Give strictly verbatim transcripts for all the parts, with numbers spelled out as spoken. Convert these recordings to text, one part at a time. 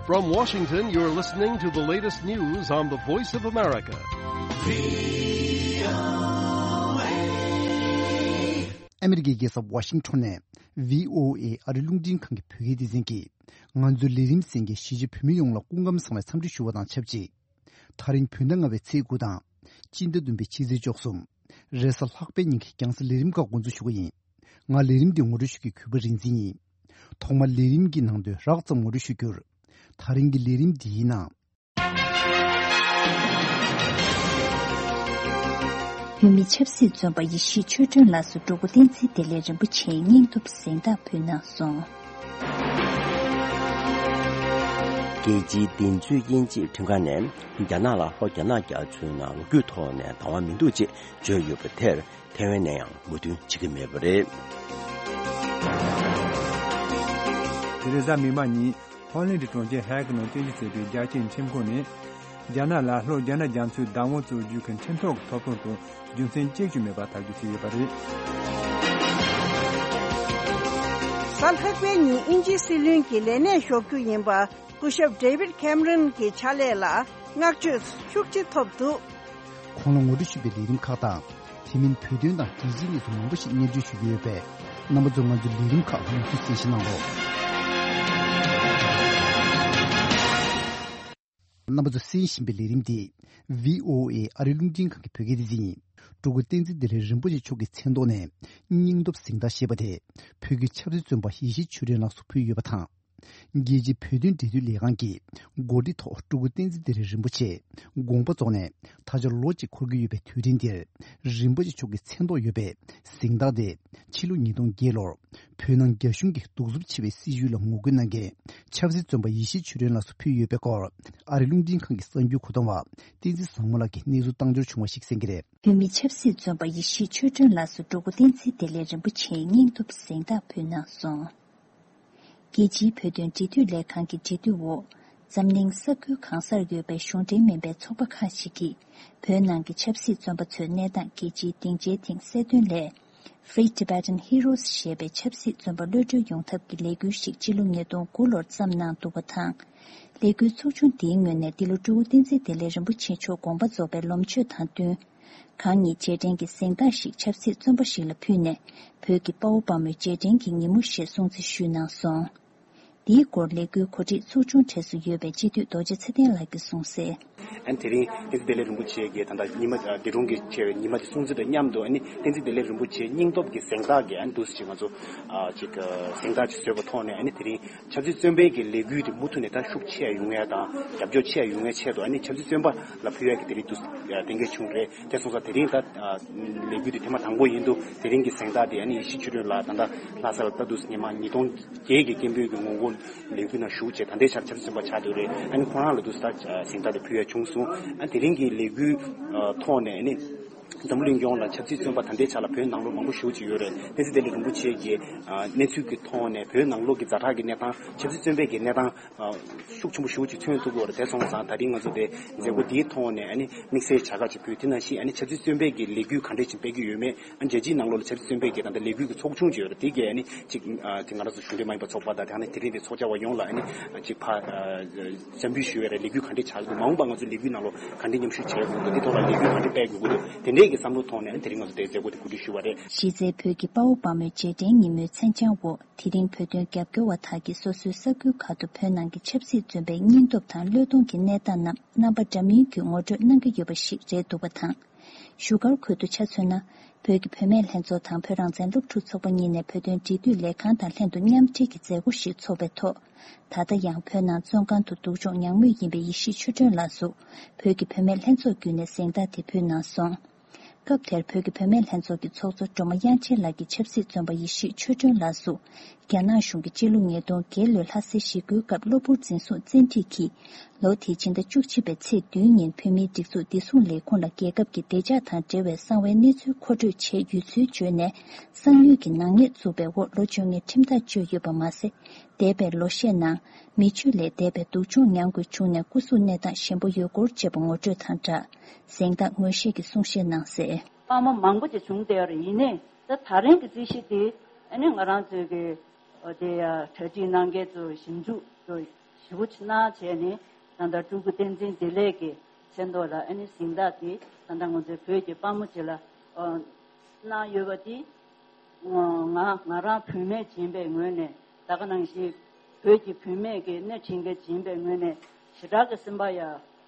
From Washington, you're listening to the latest news on the Voice of America. ཨ་མི་རི་ཀའི་རྒྱལ་ས་ཝ་ཤིང་ཊོན་ནས་བྷི་ཨོ་ཨེ་ཨ་རིའི་རླུང་འཕྲིན་ཁང་གི་བོད་སྐད་སྡེ་ཚན་གྱིས། ང་ཚོའི་ལས་རིམ་གསན་མཁན་གཞིས་བྱེས་བོད་མི་ཡོངས་ལ་སྐུ་ཁམས་བཟང་བའི་འཚམས་འདྲི་ཞུ་བ་དང་ཆབས་ཅིག་དེ་རིང་བོད་ཟླ་ལྔ་པའི་ཚེས་དགུ་དང་། སྤྱི་ཟླ་བདུན་པའི་ཕྱི་ཚེས་བཅུ་གསུམ། རེས་གཟའ་ལྷག་པའི་ཉིན་གྱི་རྒྱང་སྲིང་ལས་རིམ་ཁག་འགོ་འཛུགས་ཞུ་གི་ཡིན། ང་ལས་རིམ་འདི་ངོ་སྤྲོད་ཞུ་མཁན་གུས་པ་རིག་འཛིན་ཡིན། ཐོག་མར་ལས་རིམ་གྱི་ནང་དོན་རགས་ཙམ་ངོ་སྤྲོད་ཞུ་རྒྱུར། དེ་རིང་གི་ལས་རིམ་འདིའི་ནང་། བོད་མི་ཆབ་སྲིད་བཙོན་པ་ཡེ་ཤེས་ཆོས་སྒྲོན་ལགས་སུ་སྤྲུལ་སྐུ་བསྟན་འཛིན་བདེ་ལེགས་རིན་པོ་ཆེའི་སྙིང་སྟོབས་གཟེངས་རྟགས་ཕུལ་གནང་སོང་། རྒྱལ་སྤྱིའི་བདེན་རྫུན་དབྱེ་འབྱེད་ཁྲིམས་ཁང་ནས་རྒྱ་ནག་ལ་ལྷོ་རྒྱ་ནག་རྒྱ་མཚོའི་ནང་ལོ་རྒྱུས་ཐོག་ནས་བདག་དབང་མི་འདུག་ཅེས་བརྗོད་ཡོད་པ་དེར། ཐེ་ཝན་ནས་ཡང་མོས་མཐུན་བྱེད་ཀྱི་མེད་པ་རེད། དེ་རིང་གཟའ་མིག་དམར་ཉིན་ཧོ་ལན་གྱི་གྲོང་ཁྱེར་ཧེག་ནང་རྟེན་གཞི་བྱས་པའི་རྒྱལ་སྤྱིའི་ཁྲིམས་ཁང་ནས། རྒྱ་ནག་ལ་ལྷོ་རྒྱ་ནག་རྒྱ་མཚོའི་བདག་དབང་རྩོད་རྒྱུ་གི་ཁྲིམས་ཐོག་གི་ཐོབ་ཐང་དང་རྒྱུ་མཚན་གཅིག་ཀྱང་མེད་པ་ཐག་གཅོད་བྱས་ཡོད་པ་རེད། གཟའ་ལྷག་པའི་ཉིན་དབྱིན་ཇིའི་སྲིད་བློན་གྱི་ལས་གནས་ཞོག་རྒྱུ་ཡིན་པ། སྐུ་ཞབས་David Cameron་གྱི་ཕྱག་ལས་ལ་བསྔགས་བརྗོད་ཤུགས་ཆེ་ཐོབ་འདུག་ཁོང་ལ་ངོ་སྤྲོད་ཞུས་པའི་ལས་རིམ་ཁག་དང་། དེ་མིན་བོད་དོན་དང་རྒྱལ་སྤྱིའི་གནས་ཚུལ་མང་པོ་ཞིག་སྙན་སྒྲོན་ཞུ་རྒྱུ་ཡོད་པས། རྣམ་པ་ཚོས་ང་ཚོའི་ལས་རིམ་ཁག་མུ་མཐུད་གསན་བཞེས་གནང་རོགས། རྣམ་པ་ཚོས་གསན་བཞིན་པའི་ལས་རིམ་འདི་བྷི་ཨོ་ཨེ་ཨ་རིའི་རླུང་འཕྲིན་ཁང་གི་བོད་སྐད་སྡེ་ཚན་ཡིན། སྤྲུལ་སྐུ་བསྟན་འཛིན་བདེ་ལེགས་རིན་པོ་ཆེ་མཆོག་གི་མཚན་ཐོག་ནས་སྙིང་སྟོབས་གཟེངས་རྟགས་ཞེས་པ་དེ་བོད་ཀྱི་ཆབ་སྲིད་བཙོན་པ་ཡེ་ཤེས་ཆོས་སྒྲོན་ལགས་སུ་ཕུལ་ཡོད་པ་དང་། རྒྱལ་སྤྱིའི་བོད་དོན་འབྲེལ་མཐུད་ལས་ཁང་གིས་གོ་སྒྲིག་ཐོག་སྤྲུལ་སྐུ་བསྟན་འཛིན་བདེ་ལེགས་རིན་པོ་ཆེ་དགོངས་པ་རྫོགས་ནས་ད་ཆ་ལོ་གཅིག་འཁོར་གྱི་ཡོད་པའི་དུས་དྲན་འདིར། རིན་པོ་ཆེ་མཆོག་གི་མཚན་ཐོག་ཡོད་པའི་གཟེངས་རྟགས་དེ་ཕྱི་ལོ་ཉིས་སྟོང་བརྒྱད་ལོར་བོད་ནང་རྒྱ་གཞུང་གིས་གདུག་རྩུབ་ཆེ་བའི་སྲིད་བྱུས་ལ་ངོ་རྒོལ་གནང་མཁན་ཆབ་སྲིད་བཙོན་པ་ཡེ་ཤེས་ཆོས་སྒྲོན་ལགས་སུ་ཕུལ་ཡོད་པའི་སྐོར། ཨ་རིའི་རླུང་འཕྲིན་ཁང་གི་གསར་འགྱུར་མཁོ་གཏོང་བ་བསྟན་འཛིན་བཟང་མོ་ལགས་ཀྱིས་གནས་ཚུལ་བཏང་འབྱོར་བྱུང་བ་ཞིག་གསན་གྱི་རེད། བོད་མི་ཆབ་སྲིད་བཙོན་པ་ཡེ་ཤེས་ཆོས་སྒྲོན་ལགས་སུ་སྤྲུལ་སྐུ་བསྟན་འཛིན་བདེ་ལེགས་རིན་པོ་ཆེའི་སྙིང་སྟོབས་གཟེངས་རྟགས་ཕུལ་གནང་སོང་། རྒྱལ་སྤྱིའི་བོད་དོན་འབྲེལ་མཐུད་ལས་ཁང་གི་འབྲེལ་མཐུད་འོག་འཛམ་གླིང་ས་ཁུལ་གང་སར་ཡོད་པའི་གཞུང་འབྲེལ་མིན་པའི་ཚོགས་པ་ཁག་ཅིག་གིས། བོད་ནང་གི་ཆབ་སྲིད་བཙོན་པ་ཚོའི་གནས་སྟངས་རྒྱལ་སྤྱིའི་སྡིངས་ཆའི་སྟེང་གསལ་སྟོན་སླད། Free Tibetan Heroes ཞེས་པའི་ཆབ་སྲིད་བཙོན་པ་གློད་གྲོལ་ཡོང་ཐབས་ཀྱི་ལས་འགུལ་ཞིག་སྤྱི་ལོ་ཉིས་སྟོང་དགུ་ལོར་བརྩམས་གནང་འདུག་པ་དང་། ལས་འགུལ་ཚོགས་ཆུང་འདིའི་ངོས་ནས་འདི་ལོ་སྤྲུལ་སྐུ་བསྟན་འཛིན་བདེ་ལེགས་རིན་པོ་ཆེ་མཆོག་དགོངས་པ་རྫོགས་པའི་ལོ་མཆོད་དང་བསྟུན། གང་ཉིད་རྗེས་དྲན་གྱི་གཟེངས་རྟགས་ཤིག་ཆབ་སྲིད་བཙོན་པ་ཞིག་ལ་ཕུལ་ནས། བོད་ཀྱི་དཔའ་བོ་དཔའ་མོའི་རྗེས་དྲན་གྱི་ཉིན་མོ་ཞེས་སྲུང་བརྩི་ཞུས་གནང་སོང་། འདིའི་སྐོར་ལས་འགུལ་གོ་སྒྲིག་ཚོགས་ཆུང་གྲས་སུ་ཡོད་པའི་སྤྱི་འཐུས་རྡོ་རྗེ་ཚེ་བརྟན་ལགས་ཀྱིས་གསུངས་གསལ། ཨ་ནི་དེ་རིང་བསྟན་འཛིན་བདེ་ལེགས་རིན་པོ་ཆེ་གིས་ད་ལྟ་ཉི་མ་འདས་གྲོངས་ཀྱི་ཆེ་བའི་ཉི་མ་དེ་སྲུང་བརྩི་དང་མཉམ་དུ། ཨ་ནི་བསྟན་འཛིན་བདེ་ལེགས་རིན་པོ་ཆེའི་སྙིང་སྟོབས་ཀྱི་གཟེངས་རྟགས་ཀྱི་ཨ་ནི་འདུག་སེ་ཅིག་ང་ཚོ་ཨ་ཅིག་གཟེངས་རྟགས་ཅིག་བཟོས་པ་ཐོག་ནས། ཨ་ནི་དེ་རིང་ཆབ་སྲིད་བཙོན་པའི་གི་ལས་འགུལ་དེ་མུ་མཐུད་ནས་ད་ཤུགས་ཆེ་ཡོང་ཡ་དང་རྒྱབ་སྐྱོར་ཆེ་ཡོང་ཡ་ཆེད་དུ། ཨ་ནི་ཆབ་སྲིད་བཙོན་པ་ལ་ཕུལ་ཡ་གི་དེ་རིང་འདུག་གཏན་འཁེལ་བྱུང་རེད། དེ་སོང་ཙང་དེ་རིང་ད་ལས་འགུལ་དེ་ཐེངས་མ་དང་པོ་ཡིན་འདུག་དེ་རིང་གི་གཟེངས་རྟགས་དེ་ཨ་ནི་ཡེ་ཤེས་ཆོས་སྒྲོན་ལགས་ད་ལྟ་ལྷ་ས་ལ་ད་འདུག་སེ་ཉི་མ་ཉིས་སྟོང་བརྒྱད་ཀྱི་སྐད་འབོད་ཀྱི་ངོ་རྒོལ་ལས་འགུལ་ནང་ཞུགས་བྱས། ད་ལྟའི་ཆར་ཆབ་སྲིད་བཙོན་པ་ཆགས་བསྡད་རེད། ཨ་ནི་ཁོ་རང་ལ་འདུག་སེ་ད་གཟེངས་རྟགས་དེ་ཕུལ་ཡ་བྱུང་སོང་། ཨ་དེ་རིང་གི་ལས་འགུལ་ཐོག་ནས་ཨ་ནི་འཛམ་བུ་གླིང་ཡོངས་ལ་ཆབ་སྲིད་བཙོན་པ་ད་ལྟའི་ཆར་ལ་བོད་ནང་ལོགས་མང་པོ་ཞེ་པོ་ཅིག་ཡོད་རེད། བསྟན་འཛིན་བདེ་ལེགས་རིན་པོ་ཆེ་གིས་གནས་ཚུལ་གྱི་ཐོག་ནས་བོད་ནང་ལོགས་ཀྱི་ཛ་དྲག་གི་གནས་སྟངས། ཆབ་སྲིད་བཙོན་པའི་གི་གནས་སྟངས་ཤུགས་ཆེན་པོ་ཞེ་པོ་ཅིག་མཚོན་ཐུབ་ཀྱི་ཡོད་རེད། དེ་སོང་ཙང་ད་རིང་ང་ཚོ་དེ་མཛད་སྒོ་འདིའི་ཐོག་ནས་ཨ་ནི་དམིགས་བསལ་བྱ་དགའ་ཅིག་ཕུལ། དེ་ནང་བཞིན་ཨ་ནི་ཆབ་སྲིད་བཙོན་པའི་གི་ལས་འགུལ་ག་འདྲས་ཅིག་སྤེལ་གྱི་ཡོད་མེད། ཨ་རྒྱལ་སྤྱིའི་ནང་ལོགས་ལ་ཆབ་སྲིད་བཙོན་པའི་གི་ད་ལྟ་ལས་འགུལ་གྱི་ཚོགས་ཆུང་ཅིག་ཡོད་རེད། དེ་གས་ཨ་ནི་ཅིག་ཨ་དེ་ང་རང་ཚོ་གཞུང་འབྲེལ་མ་ཡིན་པ་ཚོགས་པ་དང་། དེ་ནས་དེ་རིང་དེ་ཚོགས་བཅར་བ་ཡོངས་ལ་ཨ་ནི་ཅིག་ཕར་ཨ་འཚམས་འདྲི་ཞུ་ཡ་རེད། ལས་འགུལ་ག་འདྲས་ཆགས་འདུག་མ་འོངས་པ་ང་ཚོ་ལས་འགུལ་ནང་ལོགས་ག་འདྲས་མཉམ་ཞུགས་བྱེད་དགོས་འདུག་དེ་ཐོག་ལ་ལས་འགུལ་ག་འདྲས་སྤེལ་དགོས་ཀྱི་འདུག་དེ་འདྲས་ཀྱི་བསམ་བློ་ཐོག་ནས་ཨ་ནི་དེ་རིང་ང་ཚོ་དེ་མཛད་སྒོ་དེ་གོ་སྒྲིག་ཞུས་པ་རེད། གཞི་རྩའི་བོད་ཀྱི་དཔའ་བོ་དཔའ་མོའི་རྗེས་དྲན་ཉིན་མོའི་མཚན་བྱང་འོག་དེ་རིང་བོད་དོན་རྒྱབ་སྐྱོར་བ་དག་གིས་སོ་སོའི་ས་ཁུལ་ཁག་ཏུ་བོད་ནང་གི་ཆབ་སྲིད་བཙོན་པའི་སྙིང་སྟོབས་དང་བློས་གཏོང་གི་གནས་སྟངས་རྣམས་རྣམ་པ་འདྲ་མིན་གྱིས་ངོ་སྤྲོད་གནང་གི་ཡོད་པ་ཞིག་རེད་འདུག་པ་དང་། བཞུགས་སྒར་ཁུལ་དུ་ཆ་མཚོན་ན། བོད་ཀྱི་བུད་མེད་ལྷན་ཚོགས་དང་བོད་རང་བཙན་སློབ་ཕྲུག་ཚོགས་པ་གཉིས་ནས་བོད་དོན་འབྲེལ་མཐུད་ལས་ཁང་དང་ལྷན་དུ་མཉམ་འབྲེལ་གྱི་མཛད་སྒོ་ཞིག་འཚོགས་པའི་ཐོག་ད་ལྟ་ཡང་བོད་ནང་བཙོན་ཁང་དུ་སྡུག་སྦྱོང་མྱངས་མུས་ཡིན་པའི་ཡེ་ཤེས་ཆོས་སྒྲོན་ལགས་སུ། བོད་ཀྱི་བུད་མེད་ལྷན་ཚོགས་བརྒྱུད་ནས་གཟེངས་རྟགས་དེ་ཕུལ་གནང་སོང་། སྐབས་དེར་བོད་ཀྱི་བུད་མེད་ལྷན་ཚོགས་ཀྱི་ཚོགས་གཙོ་སྒྲོལ་མ་དབྱངས་ཅན་ལགས་ཀྱིས་ཆབ་སྲིད་བཙོན་པ་ཡེ་ཤེས་ཆོས་སྒྲོན་ལགས་སུ། རྒྱ་ནག་གཞུང་གིས་སྤྱི་ལོ་ཉིས་སྟོང་བརྒྱད་ལོའི་ལྷ་སའི་ཞི་རྒོལ་སྐབས་གློ་བུར་འཛིན་བཟུང་བཙན་ཁྲིད་ཀྱིས། ལོ་དེའི་ཕྱི་ཟླ་བཅུ་གཅིག་པའི་ཚེས་བདུན་ཉིན་བོད་མིའི་སྒྲིག་འཛུགས་བདེ་སྲུང་ལས་ཁུངས་ལ་རྒྱལ་ཁབ་ཀྱི་བདེ་འཇགས་དང་འབྲེལ་བའི་གསང་བའི་གནས་ཚུལ་མཁོ་སྤྲོད་བྱས་ཡོད་ཚུལ་བརྗོད་ནས། གསང་ཉུལ་གྱི་ནག་ཉེས་བཙུགས་པའི་འོག་ལོ་བཅོ་ལྔའི་ཁྲིམས་ཐག་གཅོད་ཡོད་པ་མ་ཟད། འདས་པའི་ལོ་ཤས་ནང་མི་སྤྱོད་ལས་འདས་པའི་སྡུག་སྦྱོང་མྱངས་དགོས་བྱུང་ནས་སྐུ་གཟུགས་གནས་སྟངས་ཞན་པོ་ཡོད་སྐོར་བཅས་པ་ངོ་སྤྲོད་དང་སྦྲགས། གཟེངས་རྟགས་ངོས་བཞེས་ཀྱི་གསུང་བཤད་གནང་གསལ། དཔའ་མོ་མང་པོ་ཅིག་བྱུང་བསྡད་ཡོད་རེད། ཡིན་ནའི་ད་ད་རིང་གི་རྩིས་གཞི་དེ་ཨ་ནི་ང་རང་ཚོའི་གི་དེ་གྲ་སྒྲིག་གནང་མཁན་ཚོ་ཞིབ་འཇུག་ཚོ་ ཞེ་པོ་ཅིག་གནང་བྱས་ནས་ད་ལྟ་སྤྲུལ་སྐུ་བསྟན་འཛིན་བདེ་ལེགས་ཀྱི་མཚན་ཐོག་ལ་ཨ་ནི་གཟེངས་རྟགས་དེ་ད་ལྟ་ང་ཚོའི་བོད་ཀྱི་དཔའ་མོ་ཅིག་ལ་ཨ་གནང་ཡོད་པ་དེ་ང་ང་རང་བུད་མེད་ཡིན་པའི་ངོས་ནས། ད་ག་ནང་བཞིན་བོད་ཀྱི་བུད་མེད་ཀྱི་སྣེ་ཁྲིད་མཁན་ཡིན་པའི་ངོས་ནས་ཞེ་དྲག་གི་སེམས་པ་ཡ་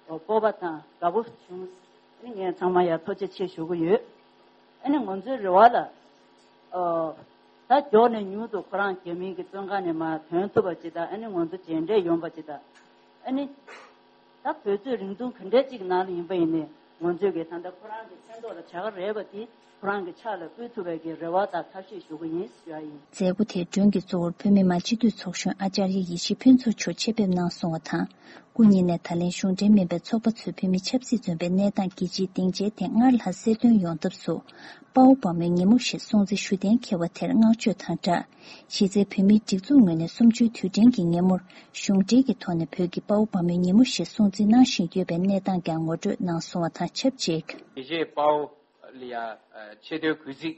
སྤོབས་པ་དང་དགའ་པོ་བྱུང་། ཨ་ནི་ངས་ཚང་མ་ཡ་ཐུགས་རྗེ་ཆེ་ཞུ་གི་ཡོད། ཨ་ནི་ང་ཚོའི་རེ་བ་ལ་ཨ་ད་མགྱོགས་ནས་མྱུར་དུ་ཁོ་རང་རྒྱ་མིའི་གི་བཙོན་ཁང་ནས་མར་ཐོན་ཐུབ་པ་ཅིག་དང་། ཨ་ནི་ང་ཚོ་མཇལ་འཕྲད་ཡོང་པ་ཅིག་དང་། ཨ་ནི་ད་དུས་ཚོད་རིང་ཐུང་ག་འདྲས་ཅིག་ནང་ལ་ཡིན་པ་ཡིན་ནའི་ང་ཚོས་གི་ད་ལྟ་ཁོ་རང་གི་མཚན་ཐོག་ལ་བྱ་དགའ་རེད་པ་དེ་ཁོ་རང་གི་ཕྱག་ལ་ཕུལ་ཐུབ་པའི་གི་རེ་བ་དང་ཐབས་ཤེས་ཞུ་གི་ཡིན་ཞུ་ཡ་ཡིན། མཛད་སྒོ་དེའི་མགྲོན་གྱི་གཙོ་བོར་བོད་མི་མང་སྤྱི་འཐུས་ཚོགས་གཞོན་ཨ་ཅར་ཡ་ཡེ་ཤེས་ཕུན་ཚོགས་མཆོག་ཆེད་ཕེབས་གནང་སོང་བ་དང་། སྐུ་ཉིད་ནས་ད་ལན་གཞུང་འབྲེལ་མིན་པའི་ཚོགས་པ་ཚོས་བོད་མི་ཆབ་སྲིད་བཙོན་པའི་གནས་སྟངས་རྒྱལ་སྤྱིའི་སྡིངས་ཆའི་སྟེང་སྔར་ལྷག་གསལ་སྟོན་ཡོང་ཐབས་སུ། དཔའ་བོ་དཔའ་མོའི་ཉིན་མོ་ཞེས་སྲུང་བརྩི་ཞུ་གཏན་འཁེལ་བ་དེར་བསྔགས་བརྗོད་དང་སྦྲགས། གཞི་རྩའི་བོད་མིའི་སྒྲིག་འཛུགས་ངོས་ནས་གསུམ་བཅུའི་དུས་དྲན་གྱི་ཉིན་མོར་གཞུང་འབྲེལ་གྱི་ཐོག་ནས་བོད་ཀྱི་དཔའ་བོ་དཔའ་མོའི་ཉིན་མོ་ཞེས་སྲུང་བརྩི་གནང་བཞིན་ཡོད་པའི་གནས་སྟངས་ཀྱང་ངོ་སྤྲོད་གནང་སོང་བ་དང་ཆབས་ཅིག། དགེ་བཤེས་དཔའ་བོ་ལ་ཡ་ཆེ་མཐོའི་གུས་བརྩི་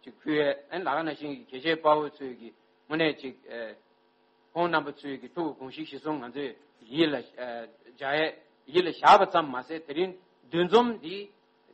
ཅིག་ཕུལ་ཡས། ཨ་ནི་ད་ག་ནང་བཞིན་གྱི་དགེ་བཤེས་དཔའ་བོ་ཚོས་ཀྱི་དངོས་གནས་ཅིག་ཁོང་རྣམ་པ་ཚོའི་གི་ཐུགས་དགོངས་གཞི་གཞིར་བཟུང་ང་ཚོས་ཡིད་ལ་ཨ་འཇགས་ཡས་ཡིད་ལ་བཞག་པ་ཙམ་མ་ཟད། དེ་རིང་འདུ་འཛོམས་འདི་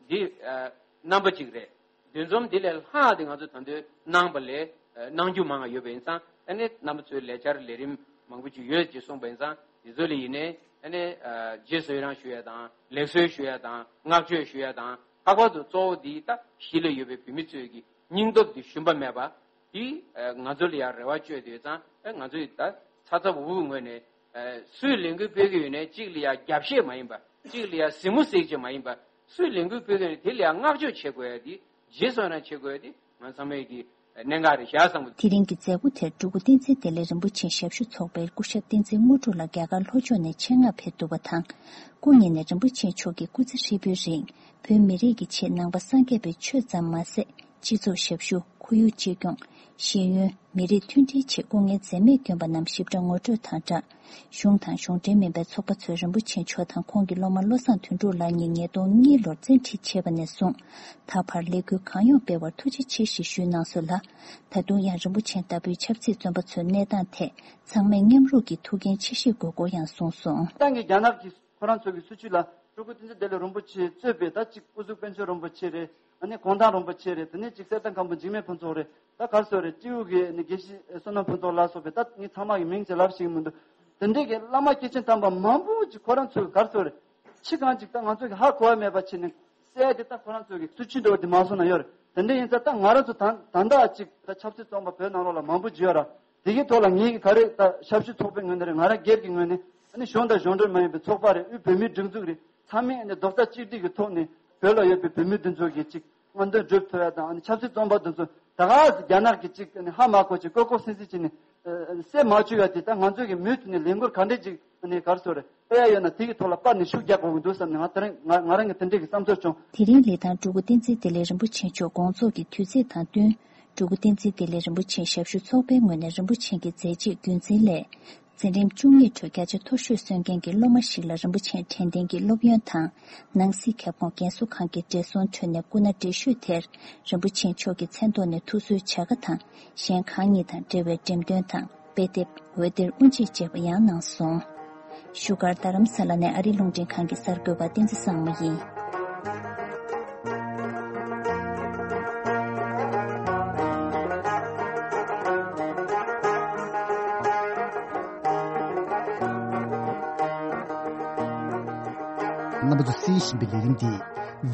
འདི་ཨ་རྣམ་པ་གཅིག་རེད། འདུ་འཛོམས་འདི་ལས་ལྷག་དེ་ང་ཚོ་ད་དུང་གནང་པ་ལས་ཨ་གནང་རྒྱུ་མང་བ་ཡོད་པ་ཡིན་ཙང་། ཨ་ནི་རྣམ་པ་ཚོའི་ལས་འཆར་ལས་རིམ་མང་པོ་ཅིག་ཡོད་ཅེས་གསུངས་པ་ཡིན་ཙང་། འདི་ཚོ་ལ་ཡིན་ནའི་ཨ་ནི་ཨ་རྗེས་སུ་ཡི་རང་ཞུ་ཡ་དང་། ལེགས་གསོལ་ཞུ་ཡ་དང་། བསྔགས་བརྗོད་ཞུ་ཡ་དང་། ལྷག་པར་དུ་གཙོ་བོ་འདི་ད་གཞིས་ལ་ཡོད་པའི་བོད་མི་ཚོའི་གི་སྙིང་སྟོབས་འདི་ཞུམ་པ་མེད་པ། དེ་ཨ་ང་ཚོ་ལ་ཡང་རེ་བ་བཅོལ་དུ་ཡོད་ཙང་། ཨ་ང་ཚོས་ད་ཚ་ཚ་འུར་འུར་ངོས་ནས་ཨ་སུས་ལས་འགུལ་སྤེལ་གྱི་ཡོད་ནའི་གཅིག་ལ་ཡང་རྒྱབ་བཤད་མ་ཡིན་པ། གཅིག་ལ་ཡང་གཟིགས་མོ་གཟིགས་བྱེད་མ་ཡིན་པ། སུས་ལས་འགུལ་སྤེལ་གྱི་ཡོད་ནའི་དེ་ལ་ཡང་བསྔགས་བརྗོད་བྱེད་དགོས་ཡ་དེ། རྗེས་སུ་ཡི་རང་བྱེད་དགོས་ཡ་དེ་ང་ཚང་མས་ཀྱི་གནད་འགག་རེད་ཤག་བསམ་གི་འདུག། དེ་རིང་གི་མཛད་སྒོ་དེར་སྤྲུལ་སྐུ་བསྟན་འཛིན་བདེ་ལེགས་རིན་པོ་ཆེའི་ཞབས་ཞུ་ཚོགས་པའི་སྐུ་ཞབས་བསྟན་འཛིན་དངོས་གྲུབ་ལགས་རྒྱ་གར་ལྷོ་ཕྱོགས་ནས་ཆེད་མངགས་ཕེབས་འདུག་པ་དང་། སྐུ་ཉིད་ནས་རིན་པོ་ཆེ་མཆོག་གི་སྐུ་ཚེ་ཧྲིལ་པོའི་རིང་བོད་མི་རིགས་ཀྱི་ཆེད་ནང་པ་སངས་རྒྱས་པའི་ཆོས་ཙམ་མ་ཟད། སྤྱི་ཚོགས་ཞབས་ཞུ། ཁོར་ཡུག་གཅེས་སྐྱོང་། ཤེས་ཡོན། མི་རིགས་མཐུན་སྒྲིལ་ཆེད་སྐུ་ངལ་འཛེམས་མེད་བསྐྱོན་པ་རྣམས་ཞིབ་ཕྲ་ངོ་སྤྲོད་དང་སྦྲགས། གཞུང་དང་གཞུང་འབྲེལ་མིན་པའི་ཚོགས་པ་ཚོས་རིན་པོ་ཆེ་མཆོག་དང་ཁོང་གི་སློབ་མ་བློ་བཟང་དོན་གྲུབ་ལགས་གཉིས་ཉིས་སྟོང་གཉིས་ལོར་བཙན་ཁྲིད་བྱས་པ་ནས་བཟུང་། ད་བར་ལས་འགུལ་གང་ཡོང་སྤེལ་བར་ཐུགས་རྗེ་ཆེ་ཞེས་ཞུས་གནང་སོང་ལ། ད་དུང་ཡང་རིན་པོ་ཆེ་ལྟ་བུའི་ཆབ་སྲིད་བཙོན་པ་ཚོའི་གནས་སྟངས་ཐད་ཚང་མས་མཉམ་རུབ་ཀྱིས་ཐུགས་འགན་ཆེ་བཞེས་དགོས་སྐོར་ཡང་གསུངས་སོང་། ཏང་གིས་རྒྱ་ནག་གིས་ཁོ་རང་ཚོ་གི་སྲིད་བྱུས་ལ་སྤྲུལ་སྐུ་བསྟན་འཛིན་བདེ་ལེགས་རིན་པོ་ཆེ་གཙོས་པའི་ད་ཅིག་སྐུ་གཟུགས་དཔལ་འབྱོར་རིན་པོ་ཆེ་རེད། ཨ་ནི་གུང་ཐང་རིན་པོ་ཆེ་རེད། དེ་ནས་ཅིག་གསེར་ཐང་མཁན་པོ་འཇིགས་མེད་ཕུན་ཚོགས་རེད། ད་ག་རེ་ཟེར་དགོས་རེད། སྤྲེའུ་གི་ནི་དགེ་བཤེས་བསོད་ནམས་ཕུན་ཚོགས་ལ་སོགས་པའི་ད་ངས་ཚང་མ་གི་མིང་ཅིག་ལབ་ཤེས་ཀྱི་མི་འདུག། དེ་འདྲའི་གི་བླ་མ་སྐྱེས་ཆེན་དམ་པ་མང་པོ་ཅིག་ཁོ་རང་ཚོ་གི་ག་རེ་ཟེར་དགོས་རེད། ཕྱི་གང་ཅིག་ད་ང་ཚོ་གི་ཧ་གོ་བ་མེད་པ་བྱས་ནས་གསལ་དེ་ད་ཁོ་རང་ཚོ་གི་སྲིད་བྱུས་འདྲ་བོ་དེ་མ་སོང་ན་ཡོད་རེད། དེ་འདྲ་ཡིན་ཙང་ད་ང་རང་ཚོ་ད་ད་ལྟ་ཅིག་ད་ཆབ་སྲིད་བཙོན་པ་བོད་ནང་ལོགས་ལ་མང་པོ་ཅིག་ཡོད་ར། དེ་གའི་ཐོག་ལ་ངེད་ཀྱི་ག་རེ་ད་ཞབས་ཞུ་ཚོགས་པའི་ངོས་ནས་རེད། ང་རང་སྒེར་གྱི་ངོས་ནས་ཨ་ནི་གཞུང་དང་གཞུང་འབྲེལ་མ་ཡིན་པའི་ཚོགས་པ་རེད། དབུས་བོད་མིའི་སྒྲིག་འཛུགས་རེད། ཚང་མས་ཨ་ནི་རྡོག་རྩ་གཅིག་སྒྲིལ་གྱི་ཐོག་ནས་བོད་ལ་ཡོད་པའི་བོད་མི་འདི་ཚོ་གི་ཅིག་དངོས་དོན་སྒྲུབ་ཐུབ་ཡ་དང་། ཨ་ནི་ཆབ་སྲིད་བཙོན་པ་འདི་ཚོ་ད་ག་རྒྱ་ནག་གིས་ཅིག་ཨ་ནི་ཧ་མ་གོ་ཅིག་ལྐོག་ལྐོག་སིང་སིང་བྱས་ནས་ཨ་ཨ་ནི་བསད་མ་བཅུག་ཡ་དེ་ད་ང་ཚོས་ཀྱི་མུ་མཐུད་ནས་ལས་འགུལ་ག་འདྲས་ཅིག་ཨ་ནི་ག་རེ་ཟེར་དགོས་རེད། སྤེལ་ཡ་ཡོད་ན་དེ་གི་ཐོག་ལ་སྤར་ནས་ཤུགས་རྒྱག་དགོས་ཀྱི་འདུག་བསམ་ནས་ང་དེ་རིང་ང་ང་རང་གི་དེ་འདྲས་ཀྱི་བསམ་ཚུལ་བྱུང་། དེ་རིང་ལི་ཐང་སྤྲུལ་སྐུ་བསྟན་འཛིན་བདེ་ལེགས་རིན་པོ་ཆེ་མཆོག་དགོངས་རྫོགས་ཀྱི་དུས་ཚིགས་དང་བསྟུན། སྤྲུལ་སྐུ་བསྟན་འཛིན་བདེ་ལེགས་རིན་པོ་ཆེའི་ཞབས་ཞུ་ཚོགས་པའི་ངོས་ནས་རིན་པོ་ཆེ་གི་མཛད་རྗེས་རྒྱུན་འཛིན་སླད། འཛིན་རིམ་བཅུ་གཉིས་ཁྲོད་བརྒྱ་ཆ་མཐོ་ཤོས་སོན་མཁན་གྱི་སློབ་མ་ཞིག་ལ་རིན་པོ་ཆེ་དྲན་རྟེན་གྱི་སློབ་ཡོན་དང་། ནང་སྲིད་ཁྱབ་ཁོངས་རྒན་གསོ་ཁང་གི་བགྲེས་སོང་ཁྲོད་ནས་སྐུ་ན་བགྲེས་ཤོས་དེར་རིན་པོ་ཆེ་མཆོག་གི་མཚན་ཐོག་ནས་ཐུགས་གསོའི་བྱ་དགའ་དང་། གཞན་ཁག་གཉིས་དང་འབྲེལ་བའི་འགྲེམས་སྟོན་དང་། དཔེ་དེབ། འོད་སྡེར་དབུ་འབྱེད་བཅས་པ་ཡང་གནང་སོང་། བཞུགས་སྒར་རྡ་རམ་ས་ལ་ནས་ཨ་རིའི་རླུང་འཕྲིན་ཁང་གི་གསར་འགོད་པ་བསྟན་འཛིན་བཟང་མོ་ཡིན། རྣམ་པ་ཚོ་གསན་བཞིན་པའི་ལས་རིམ་འདི་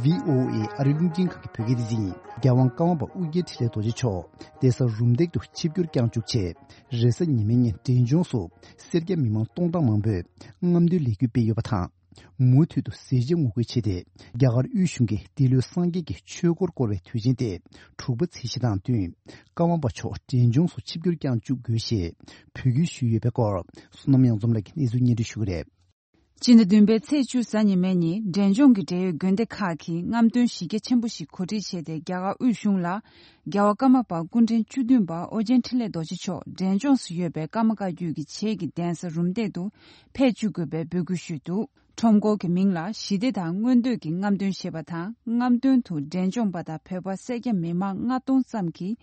བྷི་ཨོ་ཨེ་ཨ་རིའི་རླུང་འཕྲིན་ཁང་གི་བོད་སྐད་སྡེ་ཚན་ཡིན། རྒྱལ་དབང་ཀརྨ་པ་ཨོ་རྒྱན་འཕྲིན་ལས་རྡོ་རྗེ་མཆོག་གདན་ས་རུམ་བཏེག་ཏུ་ཆིབས་བསྒྱུར་བསྐྱངས་བཅུག་རྗེས། རེས་གཟའ་ཉི་མའི་ཉིན་འབྲས་ལྗོངས་སུ་སེར་སྐྱ་མི་མང་སྟོང་གྲངས་མང་པོས་རྔམ་སྟོན་ལས་འགུལ་སྤེལ་ཡོད་པ་དང་། མུ་མཐུད་དུ་ཟས་བཅད་ངོ་རྒོལ་བྱས་ཏེ། རྒྱ་གར་དབུས་གཞུང་གིས་འདི་ལོའི་སངས་རྒྱས་ཀྱི་ཆོས་འཁོར་བསྐོར་བའི་དུས་ཆེན་ཏེ་དྲུག་པ་ཚེས་བཞི་དང་བསྟུན། ཀརྨ་པ་མཆོག་འབྲས་ལྗོངས་སུ་ཆིབས་བསྒྱུར་བསྐྱངས་བཅུག་དགོས་ཞེས་འབོད་སྐུལ་ཞུས་ཡོད་པའི་སྐོར། བསོད་ནམས་གཡང་འཛོམས་ལགས་ཀྱིས་གནས་ཚུལ་སྙན་སྒྲོན་ཞུ་གི་རེད། སྤྱི་ཟླ་བདུན་པའི་ཚེས་བཅུ་གཟའ་ཉི་མའི་ཉིན་འབྲས་ལྗོངས་ཀྱི་འབྲེལ་ཡོད་དགོན་སྡེ་ཁག་གིས་རྔམ་སྟོན་གཞི་རྒྱ་ཆེན་པོ་ཞིག་གོ་སྒྲིག་བྱས་ཏེ། རྒྱ་གར་དབུས་གཞུང་ལ་རྒྱལ་བ་ཀརྨ་པ་སྐུ་ཕྲེང་བཅུ་བདུན་པ་ཨོ་རྒྱན་འཕྲིན་ལས་རྡོ་རྗེ་མཆོག་འབྲས་ལྗོངས་སུ་ཡོད་པའི་ཀརྨ་བཀའ་བརྒྱུད་ཀྱི་བྱེས་ཀྱི་གདན་ས་རུམ་བཏེག་ཏུ་ཕེབས་བཅུག་དགོས་པའི་འབོད་སྐུལ་ཞུས་འདུག། ཁྲོམ་སྐོར་གྱི་མིང་ལ་ཞི་བདེ་དང་མངོན་འདོད་ཀྱི་རྔམ་སྟོན་ཞེས་པ་དང་། རྔམ་སྟོན་དུ་འབྲས་ལྗོངས་པ་དང་བོད་པ་སེར་སྐྱ་མི་མང་ལྔ་སྟོང་ཙམ་གྱིས་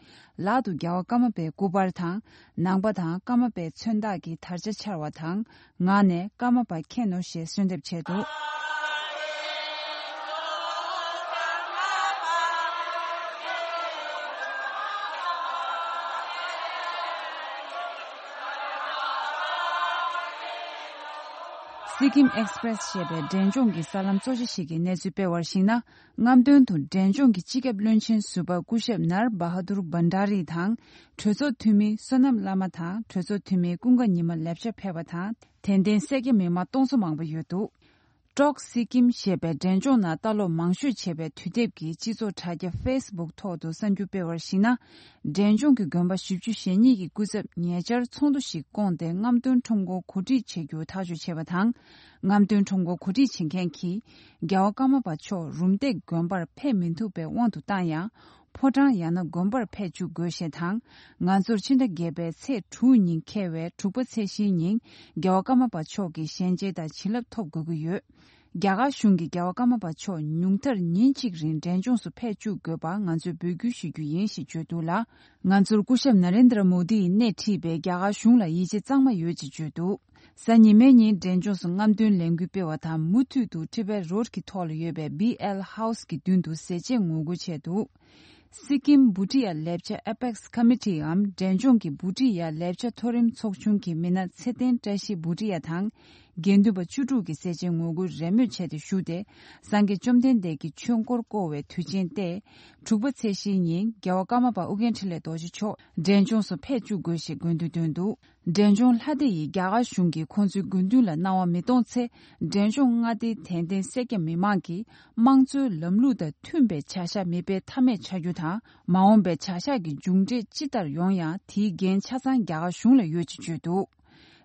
ལག་ཏུ་རྒྱལ་བ་ཀརྨ་པའི་སྐུ་པར་དང་། ནང་པ་དང་ཀརྨ་པའི་མཚོན་རྟགས་ཀྱི་དར་ཆ་འཕྱར་བ་དང་། ངག་ནས་ཀརྨ་པ་མཁྱེན་ནོ་ཞེས་གསོལ་འདེབས་བྱས་འདུག། སི་ཀིམ་ཨེགས་པི་རེ་སི་ཞེས་པའི་འབྲས་ལྗོངས་ཀྱི་གསར་ལམ་གཙོ་ཆེ་ཞིག་གིས་གནས་ཚུལ་སྤེལ་བར་གཞིགས་ན། རྔམ་སྟོན་དུ་འབྲས་ལྗོངས་ཀྱི་སྤྱི་ཁྱབ་བློན་ཆེན་ཟུར་པ་སྐུ་ཞབས་ནར་བ་ཧ་དུར་བྷན་ཌ་རི་དང་། གྲོས་ཚོགས་འཐུས་མི་བསོད་ནམས་བླ་མ་དང་གྲོས་ཚོགས་འཐུས་མི་ཀུན་དགའ་ཉི་མ་ལེབ་ཤ་ཕེབས་པ་དང་། དད་ལྡན་སེར་སྐྱ་མི་མང་སྟོང་ཚོ་མང་པོ་ཡོད་འདུག། ཀྲོག་སི་ཀིམ་ཞེས་པའི་འབྲས་ལྗོངས་ནང་ལྟ་ཀློག་མང་ཤོས་བྱས་པའི་དུས་དེབ་ཀྱི་སྤྱི་ཚོགས་དྲ་རྒྱ་ཕེ་སི་བུག་ཐོག་ཏུ་གསར་འགྱུར་སྤེལ་བར་གཞིགས་ན། འབྲས་ལྗོངས་ཀྱི་དགོན་པ་བཞི་བཅུ་ཞེ་གཉིས་ཀྱི་སྐུ་ཚབ་ཉེ་ཆར་ཚོགས་འདུ་ཞིག་བསྐོངས་ཏེ། རྔམ་སྟོན་ཁྲོམ་སྐོར་གོ་སྒྲིག་བྱེད་རྒྱུ་ཐག་གཅོད་བྱས་པ་དང་། རྔམ་སྟོན་ཁྲོམ་སྐོར་གོ་སྒྲིག་བྱེད་མཁན་གྱིས། རྒྱལ་བ་ཀརྨ་པ་མཆོག་རུམ་བཏེག་དགོན་པར་ཕེབས་མི་ཐུབ་པའི་དབང་དུ་བཏང་ཡང་། ཕོ་བྲང་ཡང་ན་དགོན་པར་ཕེབས་བཅུག་དགོས་ཞེས་དང་། ང་ཚོར་ཕྱི་ཟླ་བརྒྱད་པའི་ཚེས་དྲུག་ཉིན་འཁེལ་བའི་དྲུག་པ་ཚེས་བཞིའི་ཉིན། རྒྱལ་བ་ཀརྨ་པ་མཆོག་གི་ཞལ་མཇལ་དང་བྱིན་རླབས་ཐོབ་དགོས་ཀྱི་ཡོད། རྒྱ་གར་གཞུང་གིས་རྒྱལ་བ་ཀརྨ་པ་མཆོག་ཉུང་མཐར་ཉིན་གཅིག་རིང་འབྲས་ལྗོངས་སུ་ཕེབས་བཅུག་དགོས་པར་ང་ཚོས་འབོད་སྐུལ་ཞུ་རྒྱུ་ཡིན་ཞེས་བརྗོད་འདུག་ལ། ང་ཚོར་སྐུ་ཞབས་ན་རེན་དྲ་མོ་དི་ཡིས་སྣེ་ཁྲིད་པའི་རྒྱ་གར་གཞུང་ལ་ཡིད་ཆེས་གཙང་མ་ཡོད་ཅེས་བརྗོད་འདུག། གཟའ་ཉི་མའི་ཉིན་འབྲས་ལྗོངས་སུ་རྔམ་སྟོན་ལས་འགུལ་སྤེལ་བ་དང་། མུ་མཐུད་དུ་ཊི་བེཊ་རོཌ་ཀྱི་ཐོག་ལ་ཡོད་པའི་བི་ཨེལ་ཧའུ་སི་གི་མདུན་དུ་ཟས་བཅད་ངོ་རྒོལ་བྱས་འདུག། སི་ཀིམ་བྷུ་ཊི་ཡ་ལེབ་ཆ་ཨེ་པེག་སི་ཀོ་མི་ཊི་འམ་འབྲས་ལྗོངས་ཀྱི་བྷུ་ཊི་ཡ་ལེབ་ཆ་མཐོ་རིམ་ཚོགས་ཆུང་གི་མི་སྣ་ཚེ་བརྟན་བཀྲ་ཤིས་བྷུ་ཊི་ཡ་དང་། དགེ་འདུན་པ་བཅུ་དྲུག་གིས་ཟས་བཅད་ངོ་རྒོལ་རེས་མོས་བྱས་ཏེ་ཞུགས་ཏེ། སངས་རྒྱས་བཅོམ་ལྡན་འདས་ཀྱི་ཆོས་འཁོར་བསྐོར་བའི་དུས་ཆེན་ཏེ། དྲུག་པ་ཚེས་བཞིའི་ཉིན་རྒྱལ་བ་ཀརྨ་པ་ཨོ་རྒྱན་འཕྲིན་ལས་རྡོ་རྗེ་མཆོག་འབྲས་ལྗོངས་སུ་ཕེབས་བཅུག་དགོས་ཞེས་དགོས་འདུན་བཏོན་འདུག། འབྲས་ལྗོངས་ལྷ་སྡེ་ཡིས་རྒྱ་གར་གཞུང་གིས་ཁོང་ཚོའི་དགོས་འདུན་ལ་སྣང་བ་མི་གཏོང་ཚེ། འབྲས་ལྗོངས་མངའ་སྡེའི་དད་ལྡན་སེར་སྐྱ་མི་མང་གིས་དམངས་གཙོའི་ལམ་ལུགས་དང་མཐུན་པའི་བྱ་གཞག་མི་སྤེལ་ཐབས་མེད་ཆགས་རྒྱུ་དང་། མ་འོངས་པའི་བྱ་གཞག་གི་མཇུག་འབྲས་ཅི་ལྟར་ཡོང་ཡང་། དེའི་འགན་ཆ་ཚང་རྒྱ་གར་གཞུང་ལ་ཡོད་ཅེས་བརྗོད་འདུག།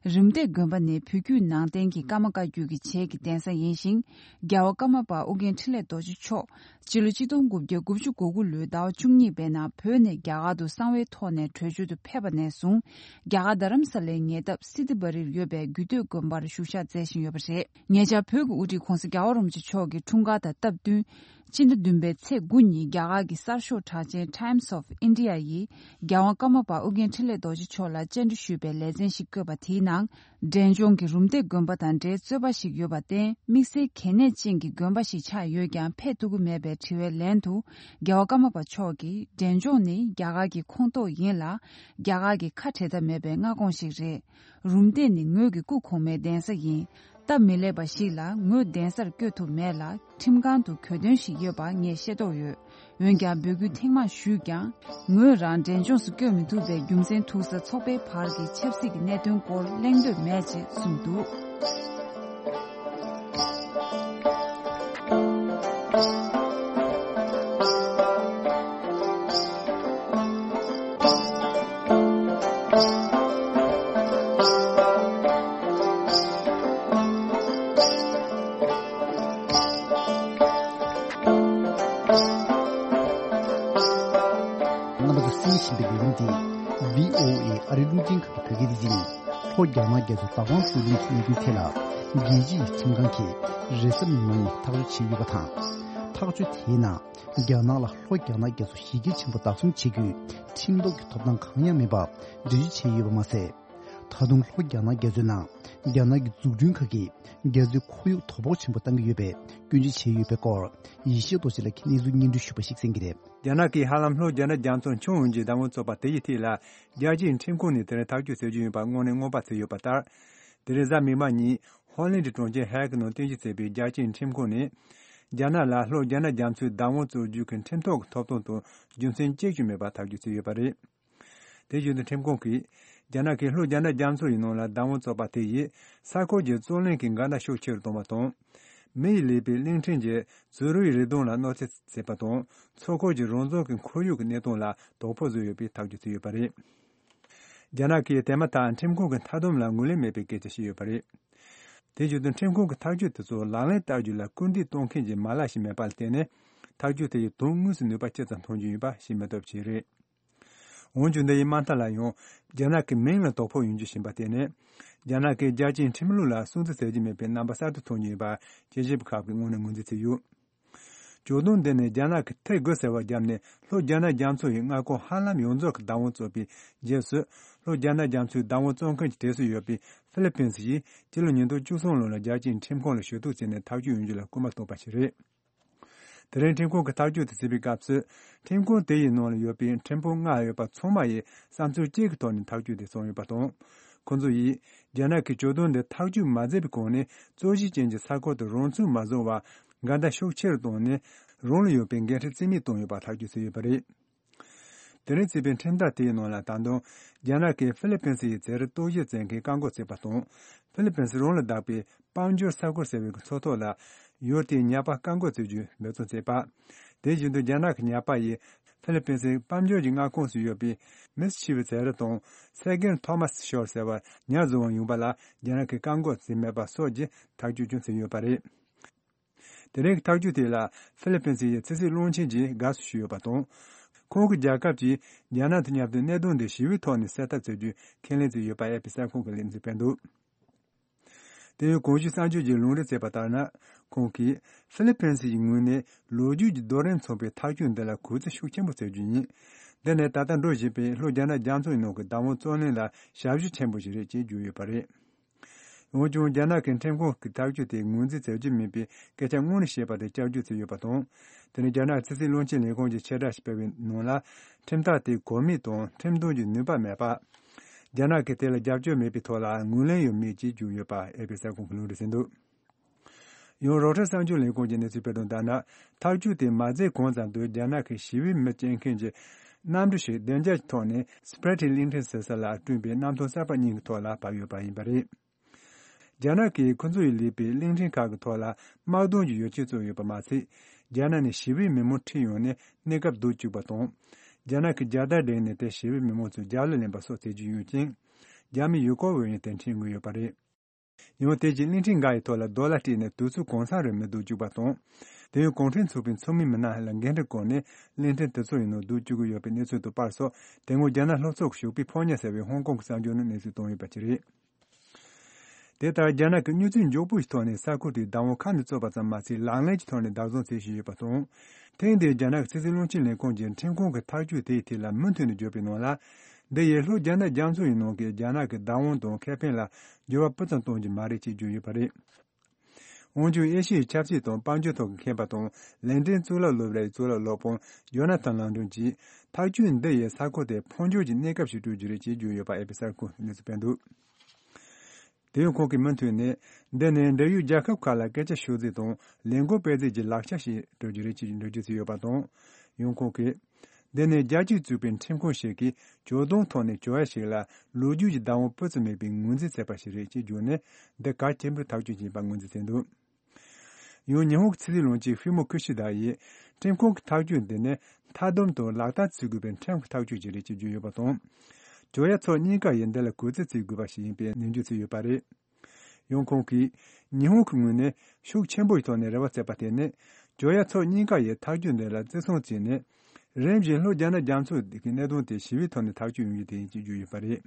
རུམ་བཏེག་དགོན་པ་ནི་བོད་བརྒྱུད་ནང་བསྟན་གྱི་ཀརྨ་བཀའ་བརྒྱུད་ཀྱི་བྱེས་ཀྱི་གདན་ས་ཡིན་ཞིང་། རྒྱལ་བ་ཀརྨ་པ་ཨོ་རྒྱན་འཕྲིན་ལས་རྡོ་རྗེ་མཆོག་སྤྱི་ལོ་ཆིག་སྟོང་དགུ་བརྒྱ་དགུ་བཅུ་གོ་དགུ་ལོའི་ཟླ་བ་བཅུ་གཉིས་པའི་ནང་བོད་ནས་རྒྱ་གར་དུ་གསང་བའི་ཐོག་ནས་བྲོས་བྱོལ་དུ་ཕེབས་པ་ནས་བཟུང་། རྒྱ་གར་རྡ་རམ་ས་ལའི་ཉེ་འདབས་སི་ཏི་བ་རིར་ཡོད་པའི་རྒྱུད་སྟོད་དགོན་པར་བཞུགས་ཞག་མཛད་བཞིན་ཡོད་པ་རེད། ཉེ་ཆར་བོད་ཀྱི་དབུ་ཁྲིད་ྋགོང་ས་རྒྱལ་བ་རིན་པོ་ཆེ་མཆོག་གི་འཁྲུངས་སྐར་དང་སྟབས་བསྟུན། སྤྱི་ཟླ་བདུན་པའི་ཚེས་དགུ་ཉིན་རྒྱ་གར་གྱི་གསར་ཤོག་གྲགས་ཅན་Times of India ཡིས་རྒྱལ་དབང་ཀརྨ་པ་ཨོ་རྒྱན་འཕྲིན་ལས་རྡོ་རྗེ་མཆོག་ལ་བཅར་འདྲི་ཞུས་པའི་ལེ་ཚན་ཞིག་བཀོད་པ་དེའི་ནང་། འབྲས་ལྗོངས་ཀྱི་རུམ་བཏེག་དགོན་པ་དང་འབྲེལ་རྩོད་པ་ཞིག་ཡོད་པར་བརྟེན། དམིགས་བསལ་གལ་གནད་ཅན་གྱི་དགོན་པ་ཞིག་ཆགས་ཡོད་ཀྱང་ཕེབས་ཐུབ་ཀྱི་མེད་པའི་དྲི་བའི་ལན་དུ། རྒྱལ་བ་ཀརྨ་པ་མཆོག་གིས། འབྲས་ལྗོངས་ནི་རྒྱ་གར་གྱི་ཁོངས་གཏོགས་ཡིན་ལ། རྒྱ་གར་གྱི་ཁ་བྲལ་ཐབས་མེད་པའི་མངའ་ཁོངས་ཤིག་རེད། རུམ་བཏེག་ནི་ངོས་ཀྱི་སྐུ་གོང་མའི་གདན་ས་ཡིན། སྟབས་མི་ལེགས་པ་ཞིག་ལ་ངོས་གདན་སར་བསྐྱོད་ཐུབ་མེད་ལ། ཁྲིམས་ཁང་དུ་གྱོད་དོན་ཞིག་ཡོད་པ་ངས་ཤེས་རྟོགས་ཡོད། འོན་ཀྱང་འབོད་སྐུལ་ཐེངས་མང་ཞུས་ཀྱང་། ངོས་རང་འབྲས་ལྗོངས་སུ་བསྐྱོད་མི་ཐུབ་པའི་རྒྱུ་མཚན་ཐུག་ས་ཚོགས་པའི་བར་གྱི་ཆབ་སྲིད་ཀྱི་གནད་དོན་སྐོར་གླེང་འདོད་མེད་ཅེས་གསུངས་འདུག། རྣམ་པ་ཚོ་གསན་བཞིན་པའི་ལས་རིམ་འདི་བྷི་ཨོ་ཨེ་ཨ་རིའི་རླུང་འཕྲིན་ཁང་གི་བོད་སྐད་སྡེ་ཚན་ཡིན། ལྷོ་རྒྱ་ནག་རྒྱ་མཚོའི་བདག་དབང་རྩོད་ལེན་གྱི་གནད་དོན་ཐད་ལ། རྒྱལ་སྤྱིའི་ཁྲིམས་ཁང་གིས་རེས་གཟའ་མིག་དམར་ཉིན་ཐག་གཅོད་བྱས་ཡོད་པ་དང་། ཐག་གཅོད་དེའི་ནང་། རྒྱ་ནག་ལ་ལྷོ་རྒྱ་ནག་རྒྱ་མཚོ་གཞི་རྒྱ་ཆེན་པོ་བདག་བཟུང་བྱེད་རྒྱུའི་ཁྲིམས་ཐོག་གི་ཐོབ་ཐང་གང་ཡང་མེད་པ་འགྲེལ་བརྗོད་བྱས་ཡོད་པ་མ་ཟད། ད་དུང་ལྷོ་རྒྱ་ནག་རྒྱ་མཚོའི་ནང་རྒྱ་ནག་གི་འཛུགས་སྐྲུན་ཁག་གིས་རྒྱ་མཚོའི་ཁོར་ཡུག་དོ་ཕོག་ཆེན་པོ་བཏང་གི་ཡོད་པའི་སྐྱོན་བརྗོད་བྱས་ཡོད་པའི་སྐོར། ཡེ་ཤེས་རྡོ་རྗེ་ལགས་ཀྱིས་གནས་ཚུལ་སྙན་སྒྲོན་ཞུས་པ་ཞིག་གསན་གྱི་རེད། རྒྱ་ནག་གིས་ཧ་ལམ་ལྷོ་རྒྱ་ནག་རྒྱ་མཚོ་མཆོང་ཡོང་རྒྱུའི་བདག་དབང་རྩོད་པ་དེ་ཡི་ཐད་ལ། རྒྱལ་སྤྱིའི་ཁྲིམས་ཁང་ནས་དེ་རིང་ཐག་གཅོད་བྱེད་རྒྱུ་ཡིན་པ་དངོས་གནས་སྔོན་དཔག་བྱས་ཡོད་པ་ལྟར། དེ་རིང་གཟའ་མིག་དམར་ཉིན་ཧོ་ལན་ཌི་གྲོང་ཁྱེར་ཧེག་ནང་རྟེན་གཞི་བྱས་པའི་རྒྱལ་སྤྱིའི་ཁྲིམས་ཁང་ནས། རྒྱ་ནག་ལ་ལྷོ་རྒྱ་ནག་རྒྱ་མཚོའི་བདག་དབང་རྩོད་རྒྱུ་གི་ཁྲིམས་ཐོག་གི་ཐོབ་ཐང་དང་རྒྱུ་མཚན་གཅིག་ཀྱང་མེད་པར་ཐག་གཅོད་བྱས་ཡོད་པ་རེད། དེ་བཞིན་དུ་ཁྲིམས་ཁང་གིས། རྒྱ་ནག་གིས་ལྷོ་རྒྱ་ནག་རྒྱ་མཚོ་ཡི་ནང་ལ་བདག་དབང་རྩོད་པ་དེ་ཡིས་ས་ཁུལ་གྱི་རྩོད་གླེང་གི་འགལ་ཟླ་ཤུགས་ཆེ་རུ་གཏོང་བ་དང་། མི་ཡིས་ལས་པའི་གླིང་ཕྲན་གྱི་རྫུ་རུའི་རི་སྡོང་ལ་གནོད་འཚེ་བྱས་པ་དང་། མཚོ་ཁུལ་གྱི་རང་བཙན་གྱི་ཁོར་ཡུག་གི་གནས་སྟངས་ལ་དོ་ཕོག་བཟོས་ཡོད་པའི་ཐག་གཅོད་བྱས་ཡོད་པ་རེད། རྒྱ་ནག་གིས་དེ་མ་ཐག་ཁྲིམས་ཁང་གི་མཐའ་སྡོམ་ལ་ངོས་ལེན་མེད་པའི་སྐད་ཆ་བཤད་ཡོད་པ་རེད། དེ་བཞིན་དུ་ཁྲིམས་ཁང་གི་ཐག་གཅོད་དེ་ཚོ་ལག་ལེན་བསྟར་རྒྱུ་ལ་སྐུལ་འདེད་གཏོང་མཁན་གྱི་མ་ལག་ཞིག་མེད་པ་ལ་བརྟེན་ནས། ཐག་གཅོད་དེ་ཡི་དོན་དངོས་སུ་ནུས་པ་ཇི་ཙམ་ཐོན་རྒྱུ་ཡིན་པ་ཤེས་མི་ཐུབ་ཅེས་རེད། འོན་ཀྱང་འདི་ཡི་མ་མཐའ་ལ་ཡང་རྒྱ་ནག་གི་མིང་ལ་དོ་ཕོག་ཡོང་རྒྱུ་ཞིག་ཡིན་པར་བརྟེན་ནས། རྒྱ་ནག་གིས་རྒྱལ་སྤྱིའི་ཁྲིམས་ལུགས་ལ་སྲུང་བརྩི་མཛད་ཀྱི་མེད་པའི་རྣམ་པ་གསར་དུ་མཐོང་རྒྱུ་ཡིན་པ་དཔྱད་ཞིབ་པ་ཁག་གིས་དངོས་གནས་ངོས་འཛིན་བྱས་ཡོད། ཇོ་བདུན་འདི་ནི་རྒྱ་ནག་གིས་ཐེ་དགུ་ཟེར་བ་བརྒྱབ་ནས་ལྷོ་རྒྱ་ནག་རྒྱ་མཚོ་ཡི་མངའ་ཁོངས་ཧ་ལམ་ཡོངས་རྫོགས་ཀྱི་བདག་དབང་རྩོད་པའི་རྗེས་སུ། ལྷོ་རྒྱ་ནག་རྒྱ་མཚོའི་བདག་དབང་རྩོད་མཁན་གྱི་གྲས་སུ་ཡོད་པའི་ཧྥི་ལི་པིན་སི་ཡིས་སྤྱི་ལོ་ཉིས་སྟོང་བཅུ་གསུམ་ལོ་ལ་རྒྱལ་སྤྱིའི་ཁྲིམས་ཁང་ལ་ཞུ་གཏུག་བྱས་ནས་ཐག་གཅོད་ཡོང་རྒྱུ་ལ་སྐུལ་མ་བཏང་པ་ཞིག་རེད། དེ་རིང་ཁྲིམས་ཁང་གིས་ཐག་གཅོད་དེ་བྱས་པའི་སྐབས་སུ། ཁྲིམས་ཁང་དེ་ཡི་ནང་ལ་ཡོད་པའི་ཁྲིམས་དཔོན་ལྔ་ཡོད་པ་ཚང་མ་ཡིས་བསམ་ཚུལ་གཅིག་གི་ཐོག་ནས་ཐག་གཅོད་དེ་བྱུང་ཡོད་པ་དང་། ཁོང་ཚོ་ཡིས། རྒྱ་ནག་གིས་ཇོ་བདུན་འདི་ཐག་གཅོད་མ་མཛད་པའི་གོང་ནས་རྩོད་གཞི་ཅན་གྱི་ས་ཁུལ་དུ་རང་ཚུགས་མ་བཟུང་བར། འགལ་ཟླ་ཤུགས་ཆེ་རུ་བཏང་ནས། རང་ལ་ཡོད་པའི་འགན་འཁྲི་རྩིས་མེད་བཏང་ཡོད་པ་ཐག་གཅོད་བྱས་ཡོད་པ་རེད། དེ་རིང་བརྩིས་པའི་ཁྲིམས་ཐག་དེའི་ནང་ལ་ད་དུང་། རྒྱ་ནག་གིས་ཧྥི་ལི་པིན་སི་ཡི་རྩིས་རིག་རྟོག་ཞིབ་བྱེད་མཁན་བཀག་འགོག་བྱས་པ་དང་། ཧྥི་ལི་པིན་སི་རང་ལ་བདག་པའི་དཔལ་འབྱོར་ས་ཁུལ་ཟེར་བའི་མཚོ་ཐོག་ལ་ཡུལ་དེའི་ཉ་པ་བཀག་འགོག་བྱེད་རྒྱུ་འབད་བརྩོན་བྱས་པ། དེ་བཞིན་དུ་རྒྱ་ནག་གི་ཉ་པ་ཡིས་ཧྥི་ལི་པིན་སི་དཔལ་འབྱོར་གྱི་མངའ་ཁོངས་སུ་ཡོད་པའི་མིས་ཆི་བི་ཟེར་དང་སེ་གེན་ཐོ་མཱས་ཤོར་ཟེར་བར་ཉ་བཟོ་བར་ཡོང་པ་ལ་རྒྱ་ནག་གིས་བཀག་འགོག་བྱས་མེད་པ་སོགས་ཀྱི་ཐག་གཅོད་ཀྱང་བྱས་ཡོད་པ་རེད། དེ་རིང་གི་ཐག་གཅོད་དེ་ལ་ཧྥི་ལི་པིན་སི་ཡི་ཕྱི་སྲིད་བློན་ཆེན་གྱིས་དགའ་བསུ་ཞུས་ཡོད་པ་དང་། ཁོང་གིས་རྒྱལ་ཁབ་ཀྱིས་རྒྱ་ནག་དང་མཉམ་དུ་གནད་དོན་འདི་ཞི་བའི་ཐོག་ནས་སེལ་ཐབས་བྱ་རྒྱུའི་ཁས་ལེན་བྱས་ཡོད་པ་ཨེ་པི་གསར་ཁང་གིས་ལན་འཛིན་སྤེལ་འདུག་དེ་ཡང་གོང་ཞུས་གསར་འགྱུར་གྱིས་ལུང་འདྲེན་བྱས་པ་ལྟར་ན། ཁོང་གིས་ཧྥི་ལི་པིན་སི་ཡི་ངོས་ནས་ལོ་རྒྱུས་ཀྱི་རྡོ་རིང་མཚུངས་པའི་ཐག་གཅོད་འདི་ལ་གུས་བརྩི་ཤུགས་ཆེན་པོ་བྱེད་རྒྱུ་ཡིན། འདི་ནི་ད་ལྟ་འགྲོ་བཞིན་པའི་ལྷོ་རྒྱ་ནག་རྒྱ་མཚོའི་ནང་གི་བདག་དབང་རྩོད་གླེང་ལ་ཞབས་ཞུ་ཆེན་པོ་ཞིག་རེད་ཅེས་བརྗོད་ཡོད་པ་རེད། འོན་ཀྱང་རྒྱ་ནག་གི་ཁྲིམས་ཁང་གི་ཐག་གཅོད་དེ་ངོས་འཛིན་བྱ་རྒྱུ་མིན་པའི་སྐད་ཆ་དངོས་གནས་བཤད་པ་དེ་བསྐྱར་བརྗོད་བྱས་ཡོད་པ་དང་། དེ་ནི་རྒྱ་ནག་ཕྱི་སྲིད་བློན་ཆེན་ལས་ཁུངས་ཀྱིས་ཕྱིར་བསྒྲགས་ཤིག་སྤེལ་བའི་ནང་ལ། ཁྲིམས་ཐག་དེ་གོ་མིན་དང་ཁྲིམས་དོན་གྱི་ནུས་པ་མེད་པ། རྒྱ་ནག་གིས་དེ་ལ་རྒྱབ་སྐྱོར་མེད་པའི་ཐོག་ལ་ངོས་ལེན་ཡང་མེད་ཅེས་བརྗོད་ཡོད་པ་ཨེ་པི་གསར་ཁང་གིས་ལུང་འདྲེན་བྱས་འདུག་ཡང་རོའི་ཊར་གསར་འགྱུར་ལས་ཁུངས་ཀྱིས་གནས་ཚུལ་སྤེལ་དོན་ལྟར་ན། ཐག་གཅོད་དེ་མ་མཛད་གོང་ཙམ་དུ་རྒྱ་ནག་གི་ཞི་བའི་མི་སྐྱེལ་མཁན་གྱི་གནམ་གྲུ་ཞིག་བདེ་འཇགས་ཀྱི་ཐོག་ནས་སི་པི་རི་ཊི་གླིང་ཕྲན་ཟེར་ས་ལ་བསྐྲུན་པའི་གནམ་ཐང་གསར་པ་གཉིས་ཀྱི་ཐོག་ལ་བབས་ཡོད་པ་ཡིན་པ་རེད། རྒྱ་ནག་གིས་ཁོ་ཚོ་ཡིས་ལས་པའི་གླིང་ཕྲན་ཁག་གི་ཐོག་ལ་དམག་དོན་གྱི་ཡོ་བྱད་བཙུགས་ཡོད་པ་མ་ཟད། རྒྱ་ནག་ནས་ཞི་བའི་མི་མང་ཁྲིད་ཡོང་ནས་གནས་སྐབས་སྡོད་བཅུག་པ་དང་། རྒྱ་ནག་གིས་རྒྱལ་དར་བསྒྲེངས་ནས་དེ་ཞི་བའི་མི་མང་ཚོས་རྒྱབ་ལ་ལེན་པ་སོགས་བྱེད་ཀྱི་ཡོད་ཅིང་། རྒྱ་མིའི་ཡུལ་སྐོར་བ་ཡང་དེར་འཁྲིད་མགོ་ཡོད་པ་རེད། ཡང་དེ་བཞིན་གླིང་ཕྲན་འགའ་ཡི་ཐོག་ལ་རྡོ་ལ་སྤྲད་ནས་དུས་ཚོད་གང་ཚང་རིང་མི་སྡོད་བཅུག་པ་དང་། དེ་ཡང་གུང་ཁྲན་ཚོགས་པའི་ཚོགས་མི་མི་སྣ་ལ་འགན་འཁྲི་བཀོད་ནས་གླིང་ཕྲན་དེ་ཚོ་ཡི་ནང་སྡོད་བཅུག་གི་ཡོད་པའི་གནས་ཚུལ་དང་པར་སོགས་དེ་སྔོན་རྒྱ་ནག་ལྷོ་ཕྱོགས་ཀྱི་ཞོགས་པའི་ཕོ་ཉ་ཟེར་བའི་ཧོང་ཀོང་གི་གསར་འགྱུར་ནང་གནས་ཚུལ་བཏོན་ཡོད་པ་ཅིག་རེད། དེ་ལྟར་རྒྱ་ནག་གིས་མྱུར་ཚད་མགྱོགས་པོ་ཞིག་ཐོག་ནས་ས་ཁུལ་དེའི་བདག་དབང་ཁ་ནས་རྩོད་པ་ཙམ་མ་ཟད་ལག་ལེན་གྱི་ཐོག་ནས་བདག་བཟུང་བྱེད་བཞིན་ཡོད་པ་དང་། ཐེངས་འདིའི་རྒྱ་ནག་གི་ཕྱི་སྲིད་བློན་ཆེན་ལས་ཁུངས་ཀྱིས་ཁྲིམས་ཁང་གི་ཐག་གཅོད་དེའི་ཐད་ལ་མུ་མཐུད་ནས་བརྗོད་པའི་ནང་ལ། འདི་ཡིས་ལྷོ་རྒྱ་ནག་རྒྱ་མཚོ་ཡི་ནང་གི་རྒྱ་ནག་གི་བདག་དབང་དང་ཁེ་ཕན་ལ་འགྱུར་བ་སྤུ་ཙམ་གཏོང་རྒྱུ་མ་རེད་ཅེས་བརྗོད་ཡོད་པ་རེད། འོན་ཀྱང་ཨེ་ཤི་ཡའི་ཆབ་སྲིད་དང་དཔལ་འབྱོར་ཐོག་གི་མཁས་པ་དང་ལན་ཀྲན་གཙུག་ལག་སློབ་གྲྭའི་གཙུག་ལག་སློབ་དཔོན་ཇོ་ན་ཐན་ལང་ཀྲུང་གྱིས་ཐག་གཅོད་འདི་ཡིས་ས་ཁུལ་དེར་འཕོ་འགྱུར་གྱི་གནས་སྐབས་ཤིག་སྤྲོད་རྒྱུ་རེད་ཅེས་བརྗོད་ཡོད་པ་ཨེ་པི་གསར་ཁང་གིས་གནས་ཚུལ་སྤེལ་འདུག་དེ་ཡང་ཁོང་གིས་མུ་མཐུད་ནས། འདི་ནི་འབྲེལ་ཡོད་རྒྱལ་ཁབ་ཁག་ལ་སྐད་ཆ་ཤོད་རྩིས་དང་ལས་འགུལ་སྤེལ་རྩིས་ཀྱི་ལག་ཆ་ཞིག་སྤྲོད་རྒྱུ་རེད་ཅེས་འགྲེལ་བརྗོད་བྱས་ཡོད་པ་དང་། ཡང་ཁོང་གིས། འདི་ནི་རྒྱལ་སྤྱིས་བཙུགས་པའི་ཁྲིམས་ཁང་ཞིག་གིས་ཇོ་བདུན་ཐོག་ནས་ཇོ་ཡ་ཞིག་ལ་ལོ་རྒྱུས་ཀྱི་བདག་དབང་སྤུ་ཙམ་མེད་པའི་ངོས་འཛིན་བྱས་པ་ཞིག་རེད་ཅེས་བརྗོད་ནས། འདི་གལ་ཆེན་པོའི་ཐག་གཅོད་ཅིག་ཡིན་པ་ངོས་འཛིན་བྱས་འདུག་ཡང་ཉི་ཧོང་གི་ཕྱི་སྲིད་བློན་ཆེན་ཧྥི་མོ་ཁི་ཤི་དཱ་ཡིས། ཁྲིམས་ཁང་གི་ཐག་གཅོད་འདི་ནི་མཐའ་སྡོམ་དང་ལག་བསྟར་བྱེད་དགོས་པའི་ཁྲིམས་ཀྱི་ཐག་གཅོད་ཅིག་རེད་ཅེས་བརྗོད་ཡོད་པ་དང་། ཇོ་ཡ་ཕྱོགས་གཉིས་ཀ་ཡིས་འདི་ལ་གུས་བརྩི་བྱེད་དགོས་པ་ཞིག་ཡིན་པའི་ནན་བརྗོད་བྱས་ཡོད་པ་རེད། ཡང་ཁོང་གིས། ཉི་ཧོང་གི་ངོས་ནས་ཤུགས་ཆེན་པོ་ཞིག་ཐོག་ནས་རེ་བ་བྱས་པ་དེ་ནི། ཇོ་ཡ་ཕྱོགས་གཉིས་ཀ་ཡིས་ཐག་གཅོད་འདི་ལ་བརྩི་སྲུང་བྱས་ནས། རིམ་བཞིན་ལྷོ་རྒྱ་ནག་རྒྱ་མཚོ་གི་གནད་དོན་དེ་ཞི་བའི་ཐོག་ནས་ཐག་གཅོད་ཡོང་རྒྱུ་དེ་ཡིན་ཅེས་བརྗོད་ཡོད་པ་རེད།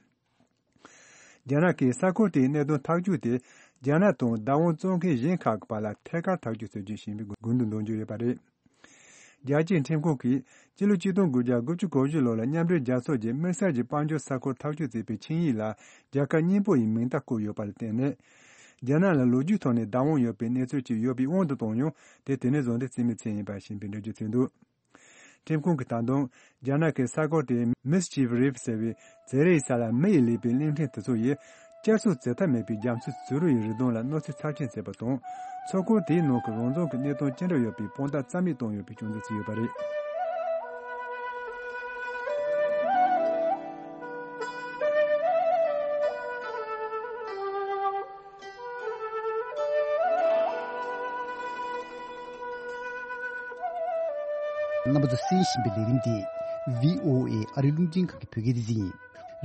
རྒྱ་ནག་གིས་ས་ཁུལ་དེའི་གནད་དོན་ཐག་གཅོད་དེ། རྒྱ་ནག་དང་བདག་དབང་རྩོད་མཁན་གཞན་ཁག་གི་བར་ལ་ཐད་ཀར་ཐག་གཅོད་བྱེད་རྒྱུ་ཞིག་ཡིན་པའི་དགོས་འདུན་འདོན་རྒྱུ་ཡོད་པ་རེད། རྒྱལ་སྤྱིའི་ཁྲིམས་ཁང་གིས་སྤྱི་ལོ་ཆིག་སྟོང་དགུ་བརྒྱ་དགུ་བཅུ་གོ་བཞི་ལོ་ལ་མཉམ་འབྲེལ་རྒྱལ་ཚོགས་ཀྱི་དམིགས་བསལ་གྱི་དཔལ་འབྱོར་ས་ཁུལ་ཐག་གཅོད་བྱེད་པའི་ཆིངས་ཡིག་ལ་རྒྱལ་ཁབ་གཉིས་པོ་ཡི་མིང་རྟགས་བཀོད་ཡོད་པ་ལ་བརྟེན་ནས། རྒྱ་ནག་ལ་ལོ་རྒྱུས་ཐོག་ནས་བདག་དབང་ཡོད་པའི་གནས་ཚུལ་ཅིག་ཡོད་པའི་དབང་དུ་བཏང་ཡང་དེ་དེ་ནས་བཟུང་སྟེ་རྩིས་མེད་བྱས་ཡིན་པ་ཞིག་ཡིན་པའི་འགྲེལ་བརྗོད་བྱས་འདུག་ཁྲིམས་ཁང་གིས་ད་དུང་རྒྱ་ནག་གི་ས་ཁུལ་དེའི་མིས་ཆི་བི་རི་ཕི་ཟེར་བའི་ཟེར་རེའི་ས་ལ་མི་ཡིས་ལས་པའི་གླིང་ཕྲན་དེ་ཚོ་ཡིས་བསྐྱར་གསོ་བྱེད་ཐབས་མེད་པའི་རྒྱ་མཚོའི་ཟུར་རུ་ཡི་རི་དྭགས་ལ་གནོད་འཚེ་ཚབས་ཆེན་བྱས་པ་དང་། མཚོ་ཁུལ་དེའི་ནང་གི་རང་བཙན་གྱི་གནས་སྟངས་ཅི་འདྲ་ཡོད་པའི་དཔང་རྟགས་རྩ་མེད་བཏང་ཡོད་པའི་སྐྱོན་འཛུགས་བྱས་ཡོད་པ་རེད། རྣམ་པ་ཚོས་གསན་བཞིན་པའི་ལས་རིམ་འདི་བྷི་ཨོ་ཨེ་ཨ་རིའི་རླུང་འཕྲིན་ཁང་གི་བོད་སྐད་སྡེ་ཚན་ཡིན།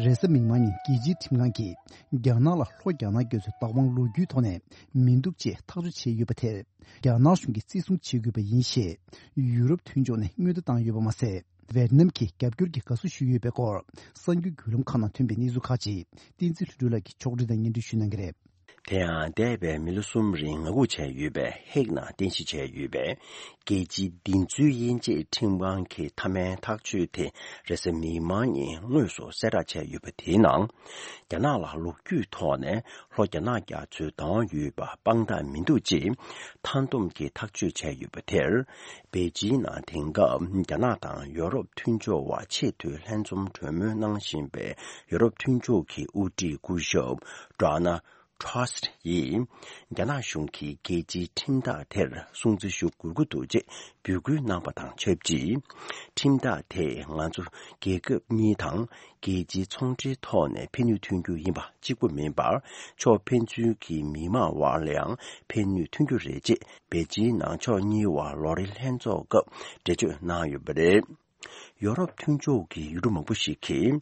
རེས་གཟའ་མིག་དམར་ཉིན་རྒྱལ་སྤྱིའི་ཁྲིམས་ཁང་གིས་རྒྱ་ནག་ལ་ལྷོ་རྒྱ་ནག་རྒྱ་མཚོའི་བདག་དབང་ལོ་རྒྱུས་ཐོག་ནས་མི་འདུག་ཅེས་ཐག་གཅོད་བྱས་ཡོད་པ་དེར། རྒྱ་ནག་གཞུང་གིས་བརྩི་སྲུང་བྱེད་དགོས་པ་ཡིན་ཞེས་ཡུ་རོབ་མཐུན་ཕྱོགས་ནས་སྔོན་བརྡ་བཏང་ཡོད་པ་མ་ཟད། ཝེ་ཏི་ནམ་གྱིས་རྒྱབ་སྐྱོར་གྱི་དགའ་བསུ་ཞུས་ཡོད་པའི་སྐོར་གསར་འགྱུར་བརྒྱུད་ལམ་ཁག་ནང་ཐོན་པའི་གནས་ཚུལ་ཁག་ཅིག་བསྟན་འཛིན་ལྷུན་གྲུབ་ལགས་ཀྱིས་ཕྱོགས་སྒྲིག་དང་སྙན་སྒྲོན་ཞུ་གནང་གི་རེད། དེ་ཡང་འདས་པའི་མི་ལོ་གསུམ་རིང་ངང་སྒུག་བྱས་ཡོད་པའི་ཧེག་ནང་རྟེན་གཞི་བྱས་ཡོད་པའི་རྒྱལ་སྤྱིའི་བདེན་འཚོལ་དབྱེ་འབྱེད་ཁྲིམས་ཁང་གི་མཐའ་མའི་ཐག་གཅོད་དེ་རེས་གཟའ་མིག་དམར་ཉིན་དངོས་སུ་གསལ་བསྒྲགས་བྱས་ཡོད་པ་དེའི་ནང་། རྒྱ་ནག་ལ་ལོ་རྒྱུས་ཐོག་ནས་ལྷོ་རྒྱ་ནག་རྒྱ་མཚོའི་བདག་དབང་ཡོད་པ་དཔང་རྟགས་མི་འདུག་ཅེས་མཐའ་བསྡོམས་ཀྱིས་ཐག་གཅོད་བྱས་ཡོད་པ་དེར། པེ་ཅིང་ནང་དེང་སྐབས་རྒྱ་ནག་དང་ཡོ་རོབ་མཐུན་ཕྱོགས་བར་ཆེས་མཐོའི་ལྷན་འཛོམས་གྲོས་མོལ་གནང་བཞིན་པའི་ཡོ་རོབ་མཐུན་ཕྱོགས་ཀྱི་དབུ་ཁྲིད་སྐུ་ཞབས་ཌོ་ནལ་ཊུ་སི་ཡིས། རྒྱ་ནག་གཞུང་གིས་རྒྱལ་སྤྱིའི་ཁྲིམས་ཐག་དེར་སྲུང་བརྩི་ཞུ་དགོས་ཀྱི་འདུག་ཅེས་འབོད་སྐུལ་གནང་པ་དང་ཆབས་ཅིག་ཁྲིམས་ཐག་དེས་ང་ཚོ་རྒྱལ་ཁབ་གཉིས་དང་རྒྱལ་སྤྱིའི་ཚོང་འབྲེལ་ཐོག་ནས་ཕན་ནུས་ཐོན་རྒྱུ་ཡིན་པ་གཅིག་པུ་མིན་པར། ཕྱོགས་ཕན་ཚུན་གྱི་མི་དམངས་དབར་ལ་ཡང་ཕན་ནུས་ཐོན་རྒྱུ་རེད་ཅེས་པེ་ཅིང་ནང་ཕྱོགས་གཉིས་དབར་ལོ་རེའི་ལྷན་ཚོགས་སྐབས་འགྲེལ་བརྗོད་གནང་ཡོད་པ་རེད། ཡོ་རོབ་མཐུན་ཕྱོགས་ཀྱི་ཡུལ་གྲུ་མང་པོ་ཞིག་གིས།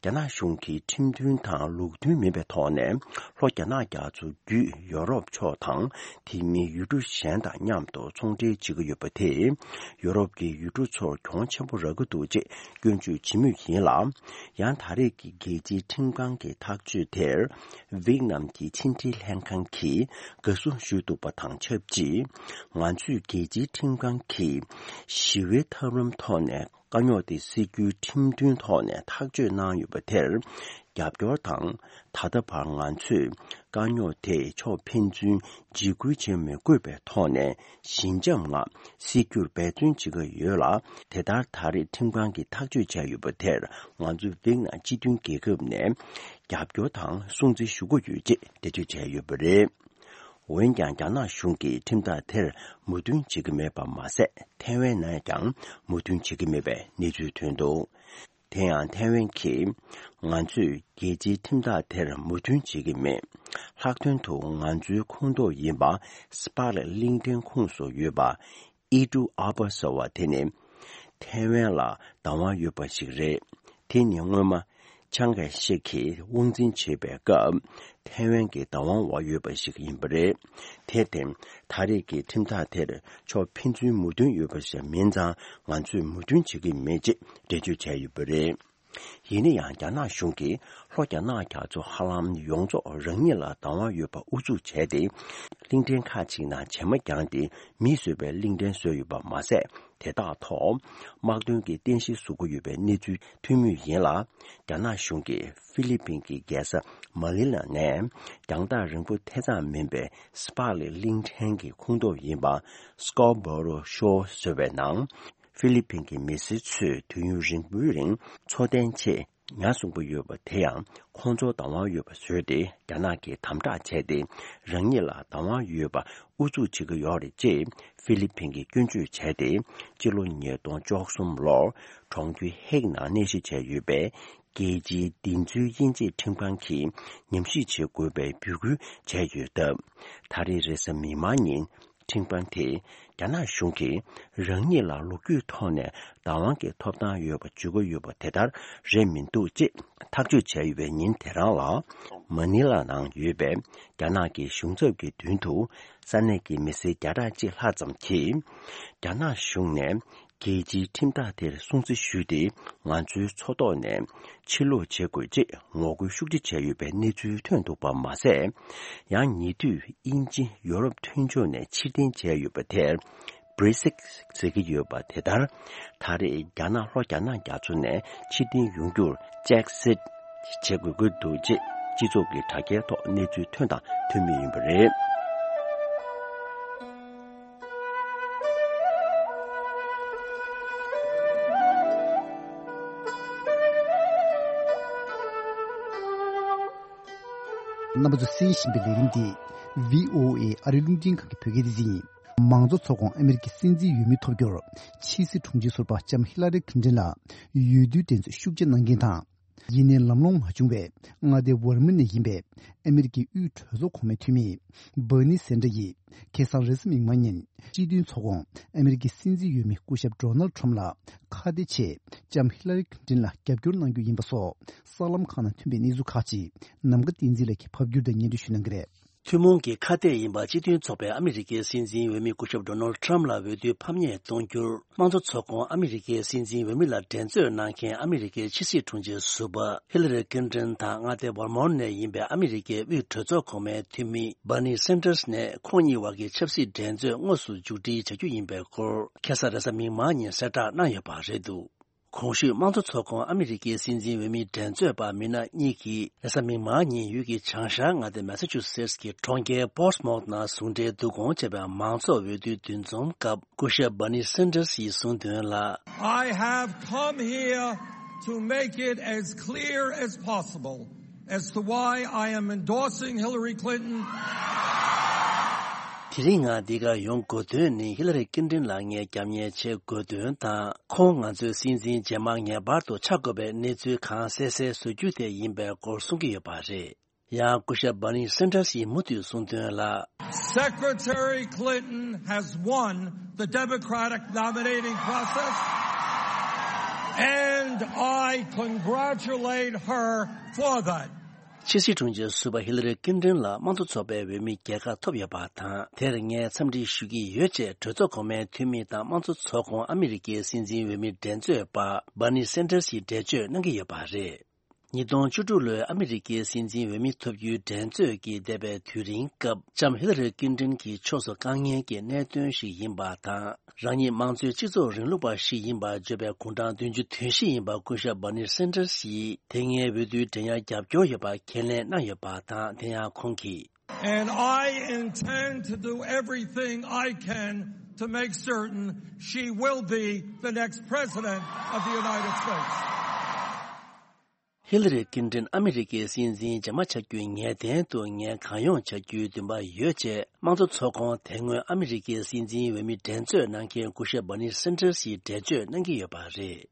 རྒྱ་ནག་གཞུང་གིས་ཁྲིམས་མཐུན་དང་ལུགས་མཐུན་མིན་པའི་ཐོག་ནས། ལྷོ་རྒྱ་ནག་རྒྱ་མཚོ་བརྒྱུད་ཡོ་རོབ་ཕྱོགས་དང་། དེ་མིན་ཡུལ་གྲུ་གཞན་དང་མཉམ་དུ་ཚོང་འབྲེལ་བྱེད་ཀྱི་ཡོད་པ་དེས། ཡོ་རོབ་ཀྱི་ཡུལ་གྲུ་ཚོར་གྱོང་ཆེན་པོ་རག་གི་འདུག་ཅེས་སྐྱོན་བརྗོད་བྱེད་མུས་ཡིན་ལ། ཡང་ད་རེས་ཀྱི་རྒྱལ་སྤྱིའི་ཁྲིམས་ཁང་གི་ཐག་གཅོད་དེར། ཝེ་ཏི་ནམ་གྱི་ཕྱི་འབྲེལ་ལྷན་ཁང་གིས་དགའ་བསུ་ཞུས་འདུག་པ་དང་ཆབས་ཅིག་ང་ཚོས་རྒྱལ་སྤྱིའི་ཁྲིམས་ཁང་གིས་ཞི་བའི་ཐབས་ལམ་ཐོག་ནས་དཀའ་རྙོག་དེ་སེལ་རྒྱུའི་ཁྲིམས་མཐུན་ཐོག་ནས་ཐག་གཅོད་གནང་ཡོད་པ་དེར་རྒྱབ་སྐྱོར་དང་། ད་ལྟ་བར་ང་ཚོས་དཀའ་རྙོག་དེ་ཕྱོགས་ཕན་ཚུན་འཇིགས་སྐུལ་བྱེད་མི་དགོས་པའི་ཐོག་ནས་ཞི་འཇམ་ངང་སེལ་རྒྱུར་འབད་བརྩོན་བྱེད་ཀྱི་ཡོད་ལ། དེ་ལྟར་ད་རེས་ཁྲིམས་ཁང་གིས་ཐག་གཅོད་བྱས་ཡོད་པ་དེར་ང་ཚོ་ཝེ་ཏི་ནམ་སྤྱི་མཐུན་རྒྱལ་ཁབ་ནས་རྒྱབ་སྐྱོར་དང་སྲུང་བརྩི་ཞུ་གི་ཡོད་ཅེས་འགྲེལ་བརྗོད་བྱས་ཡོད་པ་རེད། འོན་ཀྱང་རྒྱ་ནག་གཞུང་གིས་ཁྲིམས་ཐག་དེར་མོས་མཐུན་བྱེད་ཀྱི་མེད་པ་མ་ཟད། ཐའེ་ཝན་ནས་ཀྱང་མོས་མཐུན་བྱེད་ཀྱི་མེད་པའི་གནས་ཚུལ་ཐོན་འདུག་དེ་ཡང་ཐའེ་ཝན་གྱིས། ང་ཚོས་རྒྱལ་སྤྱིའི་ཁྲིམས་ཐག་དེར་མོས་མཐུན་བྱེད་ཀྱི་མེད། ལྷག་དོན་དུ་ང་ཚོའི་ཁོངས་གཏོགས་ཡིན་པ་སི་པག་ལི་གླིང་ཕྲན་ཁོངས་སུ་ཡོད་པ། ཨི་ཀྲུ་ཨ་པ་ཟེར་བ་དེ་ནི་ཐའེ་ཝན་ལ་བདག་དབང་ཡོད་པ་ཞིག་རེད། དེ་ནི་སྔོན་མ་ཆང་གེ་ཤེག་གིས་དབང་འཛིན་བྱེད་པའི་སྐབས་ཐའེ་ཝན་གྱི་བདག་དབང་འོག་ཡོད་པ་ཞིག་ཡིན་པ་རེད། དེར་བརྟེན་ད་རེས་ཀྱི་ཁྲིམས་ཐག་དེར་ཕྱོགས་ཕན་ཚུན་མོས་མཐུན་ཡོད་པ་ཞིག་མིན་ཙང་ང་ཚོས་མོས་མཐུན་བྱེད་ཀྱི་མེད་ཅེས་འགྲེལ་བརྗོད་བྱས་ཡོད་པ་རེད། ཡིན་ན་ཡང་རྒྱ་ནག་གཞུང་གིས་ལྷོ་རྒྱ་ནག་རྒྱ་མཚོ་ཧ་ལམ་ཡོངས་རྫོགས་རང་ཉིད་ལ་བདག་དབང་ཡོད་པ་ཨུ་ཚུགས་བྱས་ཏེ། གླིང་ཕྲན་ཁག་ཅིག་ནང་བྱེ་མ་བརྒྱངས་ཏེ་མིས་བཟོས་པའི་གླིང་ཕྲན་བཟོས་ཡོད་པ་མ་ཟད། དེ་དག་ཐོག་དམག་དོན་གྱི་རྟེན་གཞི་བཟོ་གི་ཡོད་པའི་གནས་ཚུལ་ཐོན་མུས་ཡིན་ལ། རྒྱ་ནག་གཞུང་གིས་ཧྥི་ལི་ཕིན་གྱི་རྒྱལ་ས་མ་ནི་ལ་ནས་རྒྱང་ཐག་རིང་པོ་དེ་ཙམ་མིན་པའི་སི་པག་ལི་གླིང་ཕྲན་གྱི་ཁོངས་གཏོགས་ཡིན་པ་སི་ཀོ་བྷོ་རོ་ཤོར་ཟེར་བའི་ནང་། ཧྥི་ལི་ཕིན་གྱི་མི་སེར་ཚོས་དུས་ཡུན་རིང་པོའི་རིང་འཚོ་རྟེན་ཆེད་ཉ་བསྲུང་གི་ཡོད་པ་དེ་ཡང་ཁོང་ཚོར་བདག་དབང་ཡོད་པ་བཟོས་ཏེ། རྒྱ་ནག་གིས་དམ་དྲག་བྱས་ཏེ་རང་ཉིད་ལ་བདག་དབང་ཡོད་པ་ཨུ་ཚུགས་བྱེད་ཀྱི་ཡོད་རེད་ཅེས་ཧྥི་ལི་ཕིན་གྱིས་སྐྱོན་བརྗོད་བྱས་ཏེ། སྤྱི་ལོ་ཉིས་སྟོང་བཅུ་གསུམ་ལོར་གྲོང་ཁྱེར་ཧེག་ནང་གནས་གཞི་བྱས་ཡོད་པའི་རྒྱལ་སྤྱིའི་བདེན་འཚོལ་དབྱེ་འབྱེད་ཁྲིམས་ཁང་གིས་ཉམས་ཞིབ་བྱེད་དགོས་པའི་འབོད་སྐུལ་བྱས་ཡོད་སྟབས། ད་རེས་རེས་གཟའ་མིག་དམར་ཉིན། ཁྲིམས་ཁང་དེས་རྒྱ་ནག་གཞུང་གིས་རང་ཉིད་ལ་ལོ་རྒྱུས་ཐོག་ནས་བདག་དབང་གི་ཐོབ་ཐང་ཡོད་པ་བརྗོད་ཀྱི་ཡོད་པ་དེ་ལྟར་རེད་མི་འདུག་ཅེས་ཐག་གཅོད་བྱས་ཡོད་པའི་ཉིན་དེ་རང་ལ། མ་ནི་ལ་ནང་ཡོད་པའི་རྒྱ་ནག་གི་གཞུང་ཚབ་ཀྱི་མདུན་དུ་ས་གནས་ཀྱི་མི་སེར་བརྒྱ་ཕྲག་གཅིག་ལྷག་ཙམ་གྱིས། རྒྱ་ནག་གཞུང་ནས་རྒྱལ་སྤྱིའི་ཁྲིམས་ཐག་དེར་སྲུང་བརྩི་ཞུས་ཏེ། ང་ཚོའི་མཚོ་ཐོག་ནས་ཕྱིར་ལོག་བྱེད་དགོས་ཅེས་ངོ་རྒོལ་ཤུགས་ཆེ་བྱས་ཡོད་པའི་གནས་ཚུལ་ཐོན་འདུག་པ་མ་ཟད། ཡང་ཉེ་དུས་དབྱིན་ཇི་ཡོ་རོབ་མཐུན་ཕྱོགས་ནས་ཕྱིར་འཐེན་བྱས་ཡོད་པ་དེར་བྷི་རི་སིག་ཟེར་གྱི་ཡོད་པ་དེ་ལྟར། ད་རེས་རྒྱ་ནག་ལྷོ་རྒྱ་ནག་རྒྱ་མཚོ་ནས་ཕྱིར་འཐེན་ཡོང་རྒྱུར་ཅེག་སིཊ་བྱེད་དགོས་ཀྱི་འདུག་ཅེས་སྤྱི་ཚོགས་ཀྱི་དྲ་རྒྱའི་ཐོག་གནས་ཚུལ་ཐོན་དང་ཐོན་མུས་ཡིན་པ་རེད། རྣམ་པ་ཚོ་གསན་བཞིན་པའི་ལས་རིམ་འདི་བྷི་ཨོ་ཨེ་ཨ་རིའི་རླུང་འཕྲིན་ཁང་གི་བོད་སྐད་སྡེ་ཚན་ཡིན། མང་གཙོ་ཚོགས་ཁོངས་ཨ་མེ་རི་ཀའི་སྲིད་འཛིན་འོས་མི་ཐོབ་རྒྱུར་ཕྱི་སྲིད་དྲུང་ཆེ་ཟུར་པ་ལྕམ་ཧི་ལ་རི་ཁིན་ཏིན་ལ་འོས་བསྡུའི་འགྲན་རྩོད་ཤུགས་ཆེ་གནང་མཁན་དང་། ཡིན་ནའི་ལམ་ལྷོང་མ་བྱུང་བའི་མངའ་སྡེ་ཝར་མ་ནས་ཡིན་པའི་ཨ་མེ་རི་ཀའི་དབུས་གྲོས་ཚོགས་གོང་མའི་འཐུས་མི་སྦར་ནི་སན་ཏྲ་ཡིས་ཁ་སང་རེས་གཟའ་མིག་དམར་ཉིན་སྤྱི་མཐུན་ཚོགས་ཁོངས་ཨ་མེ་རི་ཀའི་སྲིད་འཛིན་འོས་མི་སྐུ་ཞབས་ཌོ་ནལ་ཁྲམ་ལ་ཁ་གཏད་ཆེད་ལྕམ་ཧི་ལ་རི་ཁིན་ཏིན་ལ་རྒྱབ་སྐྱོར་གནང་རྒྱུ་ཡིན་པ་སོགས་གསར་ལམ་ཁག་ནང་ཐོན་པའི་གནས་ཚུལ་ཁག་ཅིག་ནམ་མཁའ་བསྟན་འཛིན་ལགས་ཀྱིས་ཕབ་སྒྱུར་དང་སྙན་སྒྲོན་ཞུ་གནང་གི་རེད། ཐུན་མོང་གི་ཁ་གཏད་ཡིན་པ་སྤྱི་མཐུན་ཚོགས་པའི་ཨ་མི་རི་ཀའི་སྲིད་འཛིན་འོས་མི་སྐུ་ཞབས་ཌོ་ནལ་ཊམ་ལ་འོས་བསྡུའི་ཕམ་ཉེས་གཏོང་རྒྱུར་དམངས་གཙོ་ཚོགས་ཁོངས་ཨ་མི་རི་ཀའི་སྲིད་འཛིན་འོས་མི་ལ་འགྲན་རྩོད་གནང་མཁན་ཨ་མི་རི་ཀའི་ཕྱི་སྲིད་དྲུང་ཆེ་ཟུར་པ་ཧི་ལ་རི་ཀིན་ཏྲིན་དང་མངའ་སྡེ་ཝར་མོན་ནས་ཡིན་པའི་ཨ་མི་རི་ཀའི་དབུས་གྲོས་ཚོགས་གོང་མའི་འཐུས་མི་བྷར་ནི་སན་ཏྲར་ནས་ཁོང་གཉིས་བར་གྱི་ཆབ་སྲིད་འགྲན་རྩོད་དངོས་སུ་མཇུག་སྒྲིལ་བྱ་རྒྱུ་ཡིན་པའི་སྐོར་ཁ་སང་རེས་གཟའ་མིག་དམར་ཉིན་གསལ་བསྒྲགས་གནང་ཡོད་པ་རེད་འདུག་གོང་ཞུས་དམངས་གཙོ་ཚོགས་ཁོངས་ཨ་མི་རི་ཀའི་སྲིད་འཛིན་འོས་མི་འགྲན་རྩོད་པ་མི་སྣ་གཉིས་ཀྱིས་རེས་གཟའ་མིག་དམར་ཉིན་ཡུལ་གྱི་བྱང་ཤར་མངའ་སྡེ་མེ་ས་ཆུ་སེ་ཊི་གི་གྲོང་ཁྱེར་པོར་ཊི་མོཐ་ནང་ཟུང་འབྲེལ་བསྡུ་སྐོང་བྱས་པའི་མང་ཚོགས་འོས་བསྡུའི་འདུ་འཛོམས་སྐབས་སྐུ་ཞབས་བྷར་ནི་སན་ཏྲར་ཡིས་གསུངས་དོན་ལ། I have come here to make it as clear as possible as to why I am endorsing Hillary Clinton. དེ་རིང་ང་འདི་གར་ཡོང་དགོས་དོན་ནི་ཧི་ལ་རི་ཀིན་ཏྲིན་ལ་ངས་རྒྱབ་གཉེར་བྱེད་དགོས་དོན་དང་། ཁོང་ང་ཚོའི་སྲིད་འཛིན་རྗེས་མ་ངེས་པར་དུ་ཆགས་དགོས་པའི་གནས་ཚུལ་གང་གསལ་གསལ་བཟོ་རྒྱུ་དེ་ཡིན་པའི་སྐོར་གསུང་གི་ཡོད་པ་རེད། ཡང་སྐུ་ཞབས་བྷར་ནི་སན་ཏྲར་ཡིས་མུ་མཐུད་གསུངས་དོན་ལ། Secretary Clinton has won the Democratic nominating process, and I congratulate her for that. ཕྱི་སྲིད་དྲུང་ཆེ་ཟུར་པ་ཧི་ལ་རི་ཀིན་ཏྲིན་ལ་དམངས་གཙོ་ཚོགས་པའི་འོས་མི་རྒྱལ་ཁ་ཐོབ་ཡོད་པ་དང་། དེར་ངས་འཚམས་འདྲི་ཞུ་གི་ཡོད་ཅེས་གྲོས་ཚོགས་གོང་མའི་འཐུས་མི་དང་དམངས་གཙོ་ཚོགས་ཁོངས་ཨ་མི་རི་ཀའི་སྲིད་འཛིན་འོས་མི་འགྲན་རྩོད་པ་བྷར་ནི་སན་ཏྲར་ཡིས་འགྲེལ་བརྗོད་གནང་གི་ཡོད་པ་རེད། ཉིས་སྟོང་བཅུ་དྲུག་ལོའི་ཨ་མི་རི་ཀའི་སྲིད་འཛིན་འོས་མི་ཐོབ་རྒྱུའི་འགྲན་རྩོད་ཀྱི་འདས་པའི་དུས་རིང་སྐབས་ལྕམ་ཧི་ལ་རི་ཀིན་ཏྲིན་གྱི་ཕྱོགས་སུ་དཀའ་ངལ་གྱི་གནད་དོན་ཞིག་ཡིན་པ་དང་། རང་ཉིད་དམངས་གཙོའི་སྤྱི་ཚོགས་རིང་ལུགས་པ་ཞིག་ཡིན་པར་བརྗོད་པའི་དགུང་གྲངས་བདུན་ཅུ་དོན་བཞི་ཡིན་པ་སྐུ་ཞབས་བྷར་ནི་སན་ཏྲར་ཡིས་དེ་སྔའི་འོས་བསྡུའི་འགྲན་ཡར་རྒྱབ་སྐྱོར་ཡོད་པ་ཁས་ལེན་གནང་ཡོད་པ་དང་། དེ་ཡང་ཁོང་གིས། And I intend to do everything I can to make certain she will be the next president of the United States. ཧི་ལ་རི་ཀིན་ཏྲིན་ཨ་མི་རི་ཀའི་སྲིད་འཛིན་རྗེས་མ་ཆགས་རྒྱུའི་ངེས་གཏན་དུ་ངས་གང་ཡོང་བྱ་རྒྱུའི་འདུན་པ་ཡོད་ཅེས་དམངས་གཙོ་ཚོགས་ཁོངས་དེ་སྔོན་ཨ་མི་རི་ཀའི་སྲིད་འཛིན་འོས་མི་འགྲན་རྩོད་གནང་མཁན་སྐུ་ཞབས་བྷར་ནི་སན་ཏྲར་ཡིས་འགྲེལ་བརྗོད་གནང་གི་ཡོད་པ་རེད།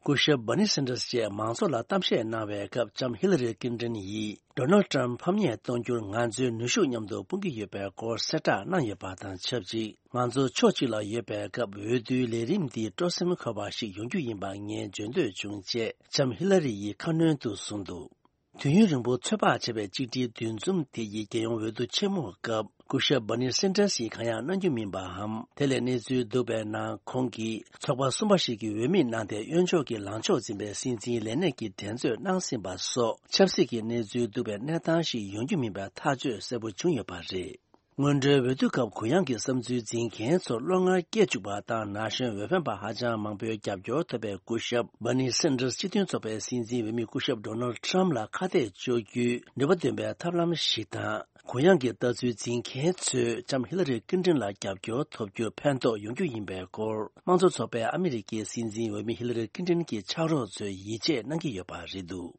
སྐུ་ཞབས་བྷར་ནི་སན་ཏྲར་བཅས་མང་ཚོགས་ལ་གཏམ་བཤད་གནང་བའི་སྐབས་ལྕམ་ཧི་ལ་རི་ཀིན་ཏྲིན་ཡིས་ཌོ་ནལ་ཊམ་ཕམ་ཉེས་གཏོང་རྒྱུར་ང་ཚོའི་ནུས་ཤུགས་མཉམ་དུ་སྤུངས་ཀྱི་ཡོད་པའི་སྐོར་གསལ་བསྒྲགས་གནང་ཡོད་པ་དང་ཆབས་ཅིག་ང་ཚོ་ཕྱོགས་གཅིག་ལ་ཡོད་པའི་སྐབས་འོས་བསྡུའི་ལས་རིམ་འདི་སྤྲོ་སེམས་འཁོལ་བ་ཞིག་ཡོང་རྒྱུ་ཡིན་པ་ངས་བརྗོད་འདོད་བྱུང་ཅེས་ལྕམ་ཧི་ལ་རི་ཡིས་ཁ་སྣོན་དུ་གསུངས་འདུག་དུས་ཡུན་རིང་པོ་ཚོད་དཔག་བྱས་པའི་གཅིག་སྒྲིལ་འདུ་འཛོམས་དེ་ཡི་རྒྱལ་ཡོངས་འོས་བསྡུ་ཆེན་མོའི་སྐབས་སྐུ་ཞབས་བྷར་ནི་སན་ཏྲར་ཡིས་གང་ཡང་གནང་རྒྱུ་མིན་པའམ། དེ་ལས་གནས་ཚུལ་འདུག་པའི་ནང་ཁོང་གིས་ཚོགས་པ་གསུམ་པ་ཞིག་གི་འོས་མི་གནང་སྟེ་གཡོན་ཕྱོགས་ཀྱི་ལངས་ཕྱོགས་འཛིན་པའི་སྲིད་འཛིན་ལས་གནས་ཀྱི་འགྲན་རྩོད་གནང་ཟིན་པ་སོགས་ཆབ་སྲིད་ཀྱི་གནས་ཚུལ་འདུག་པའི་གནས་སྟངས་ཤིག་ཡོང་རྒྱུ་མིན་པའི་ཐག་གཅོད་གསལ་པོ་བྱུང་ཡོད་པ་རེད། སྔོན་འགྲོའི་འོས་བསྡུ་སྐབས་གུ་ཡངས་ཀྱི་བསམ་ཚུལ་འཛིན་མཁན་ཚོར་བློ་ངར་སྐྱེ་བཅུག་པ་དང་། ན་གཞོན་འོས་འཕེན་པ་ཧ་ཅང་མང་པོའི་རྒྱབ་སྐྱོར་ཐོབ་པའི་སྐུ་ཞབས་བྷར་ནི་སན་ཏྲར་སྤྱི་མཐུན་ཚོགས་པའི་སྲིད་འཛིན་འོས་མི་སྐུ་ཞབས་ཌོ་ནལ་ཊམ་ལ་ཁ་གཏད་གཅོག་རྒྱུའི་ནུས་པ་འདོན་པའི་ཐབས་ལམ་ཞིག་དང་། གུ་ཡངས་ཀྱི་ལྟ་ཚུལ་འཛིན་མཁན་ཚོས་ལྕམ་ཧི་ལ་རི་ཀིན་ཏྲིན་ལ་རྒྱབ་སྐྱོར་ཐོབ་རྒྱུ་ཕན་ཐོགས་ཡོང་རྒྱུ་ཡིན་པའི་སྐོར་དམངས་གཙོ་ཚོགས་པའི་ཨ་མི་རི་ཀའི་སྲིད་འཛིན་འོས་མི་ཧི་ལ་རི་ཀིན་ཏྲིན་གྱི་ཕྱག་རོགས་ཚོས་ཡིད་ཆེས་གནང་གི་ཡོད་པ་རེད་འདུག་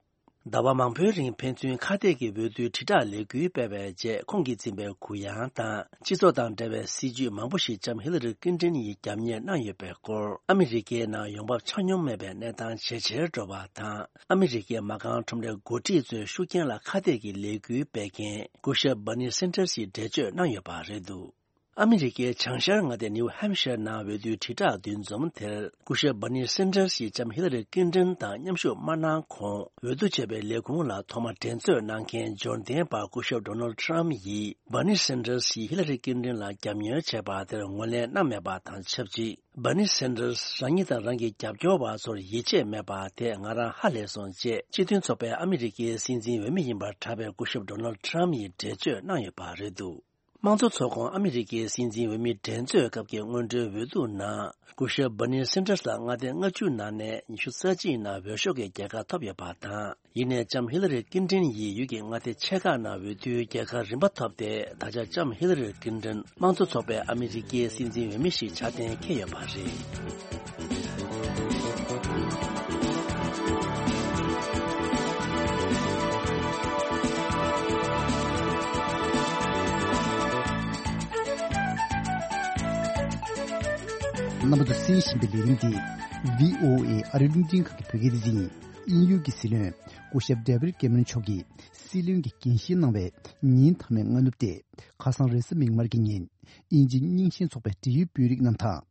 ཟླ་བ་མང་པོའི་རིང་ཕན་ཚུན་ཁ་གཏད་ཀྱི་འོས་བསྡུའི་དྲིལ་བསྒྲགས་ལས་འགུལ་སྤེལ་བའི་རྗེས། ཁོང་གིས་འཛིན་པའི་གུ་ཡངས་དང་སྤྱི་ཚོགས་དང་འབྲེལ་བའི་སྲིད་ཇུས་མང་པོ་ཞིག་ལྕམ་ཧི་ལ་རི་ཀིན་ཏྲིན་ཡིས་རྒྱབ་གཉེར་གནང་ཡོད་པའི་སྐོར། ཨ་མི་རི་ཀའི་ནང་ཡོང་འབབ་ཆ་སྙོམས་མེད་པའི་གནས་སྟངས་ཇེ་ཆེར་འགྲོ་བ་དང་། ཨ་མི་རི་ཀའི་མ་རྐང་ཁྲོམ་རའི་འགོ་ཁྲིད་ཚོའི་ཤུགས་རྐྱེན་ལ་ཁ་གཏད་ཀྱི་ལས་འགུལ་སྤེལ་མཁན་སྐུ་ཞབས་བྷར་ནི་སན་ཏྲར་ཡིས་འགྲེལ་བརྗོད་གནང་ཡོད་པ་རེད་འདུག་ཨ་མི་རི་ཀའི་བྱང་ཤར་མངའ་སྡེ་ནིའུ་ཧེམ་ཤར་ནང་འོས་བསྡུའི་དྲིལ་བསྒྲགས་འདུ་འཛོམས་དེར་སྐུ་ཞབས་བྷར་ནི་སན་ཏྲར་ཡིས་ལྕམ་ཧི་ལ་རི་ཀིན་ཏྲིན་དང་མཉམ་ཞུགས་མ་གནང་གོང་། འོས་བསྡུ་བྱས་པའི་ལས་ཁུངས་ལ་ཐོག་མ་འགྲན་རྩོད་གནང་མཁན་འབྱོར་ལྡན་པ་སྐུ་ཞབས་ཌོ་ནལ་ཊམ་ཡིས་བྷར་ནི་སན་ཏྲར་ཡིས་ཧི་ལ་རི་ཀིན་ཏྲིན་ལ་རྒྱབ་གཉེར་བྱས་པ་དེར་ངོས་ལེན་གནང་མེད་པ་དང་ཆབས་ཅིག་བྷར་ནི་སན་ཏྲར་རང་ཉིད་དང་རང་གི་རྒྱབ་སྐྱོར་བ་ཚོར་ཡིད་ཆེས་མེད་པ་དེ་ང་རང་ཧ་ལས་སོང་ཅེས་སྤྱི་མཐུན་ཚོགས་པའི་ཨ་མི་རི་ཀའི་སྲིད་འཛིན་འོས་མི་ཡིན་པར་གྲགས་པའི་སྐུ་ཞབས་ཌོ་ནལ་ཊམ་ཡིས་འགྲེལ་བརྗོད་གནང་ཡོད་པ་རེད་འདུག་དམངས་གཙོ་ཚོགས་ཁོངས་ཨ་མི་རི་ཀའི་སྲིད་འཛིན་འོས་མི་འགྲན་རྩོད་སྐབས་ཀྱི་སྔོན་འགྲོའི་འོས་བསྡུ་ནང་སྐུ་ཞབས་བྷར་ནི་སན་ཏྲར་ལ་མངའ་སྡེ་ལྔ་བཅུ་ནང་ནས་ཉི་ཤུ་རྩ་གཅིག་ནང་འོས་ཤོག་གི་རྒྱལ་ཁ་ཐོབ་ཡོད་པ་དང་། ཡིན་ནའི་ལྕམ་ཧི་ལ་རི་ཀིན་ཏྲིན་ཡིས་ཡུལ་གྱི་མངའ་སྡེ་ཆེ་ཁག་ནང་འོས་བསྡུའི་རྒྱལ་ཁ་རིམ་པ་ཐོབ་སྟེ། ད་ཆ་ལྕམ་ཧི་ལ་རི་ཀིན་ཏྲིན་དམངས་གཙོ་ཚོགས་པའི་ཨ་མི་རི་ཀའི་སྲིད་འཛིན་འོས་མི་ཞིག་ཆགས་གཏན་འཁེལ་ཡོད་པ་རེད། རྣམ་པ་ཚོ་གསན་བཞིན་པའི་ལས་རིམ་འདི་བྷི་ཨོ་ཨེ་ཨ་རིའི་རླུང་འཕྲིན་ཁང་གི་བོད་སྐད་སྡེ་ཚན་ཡིན། དབྱིན་ཡུལ་གྱི་སྲིད་བློན་སྐུ་ཞབས་ཌེ་བིཌ་ཀེ་མེ་རོན་མཆོག་གིས་སྲིད་བློན་གྱི་འགན་བཞེས་གནང་བའི་ཉིན་མཐའ་མའི་སྔ་ནུབ་སྟེ། ཁ་སང་རེས་གཟའ་མིག་དམར་གྱི་ཉིན་དབྱིན་ཇི་རྙིང་ཞེན་ཚོགས་པའི་འབྲེལ་ཡོད་དཔོན་རིགས་རྣམས་དང་།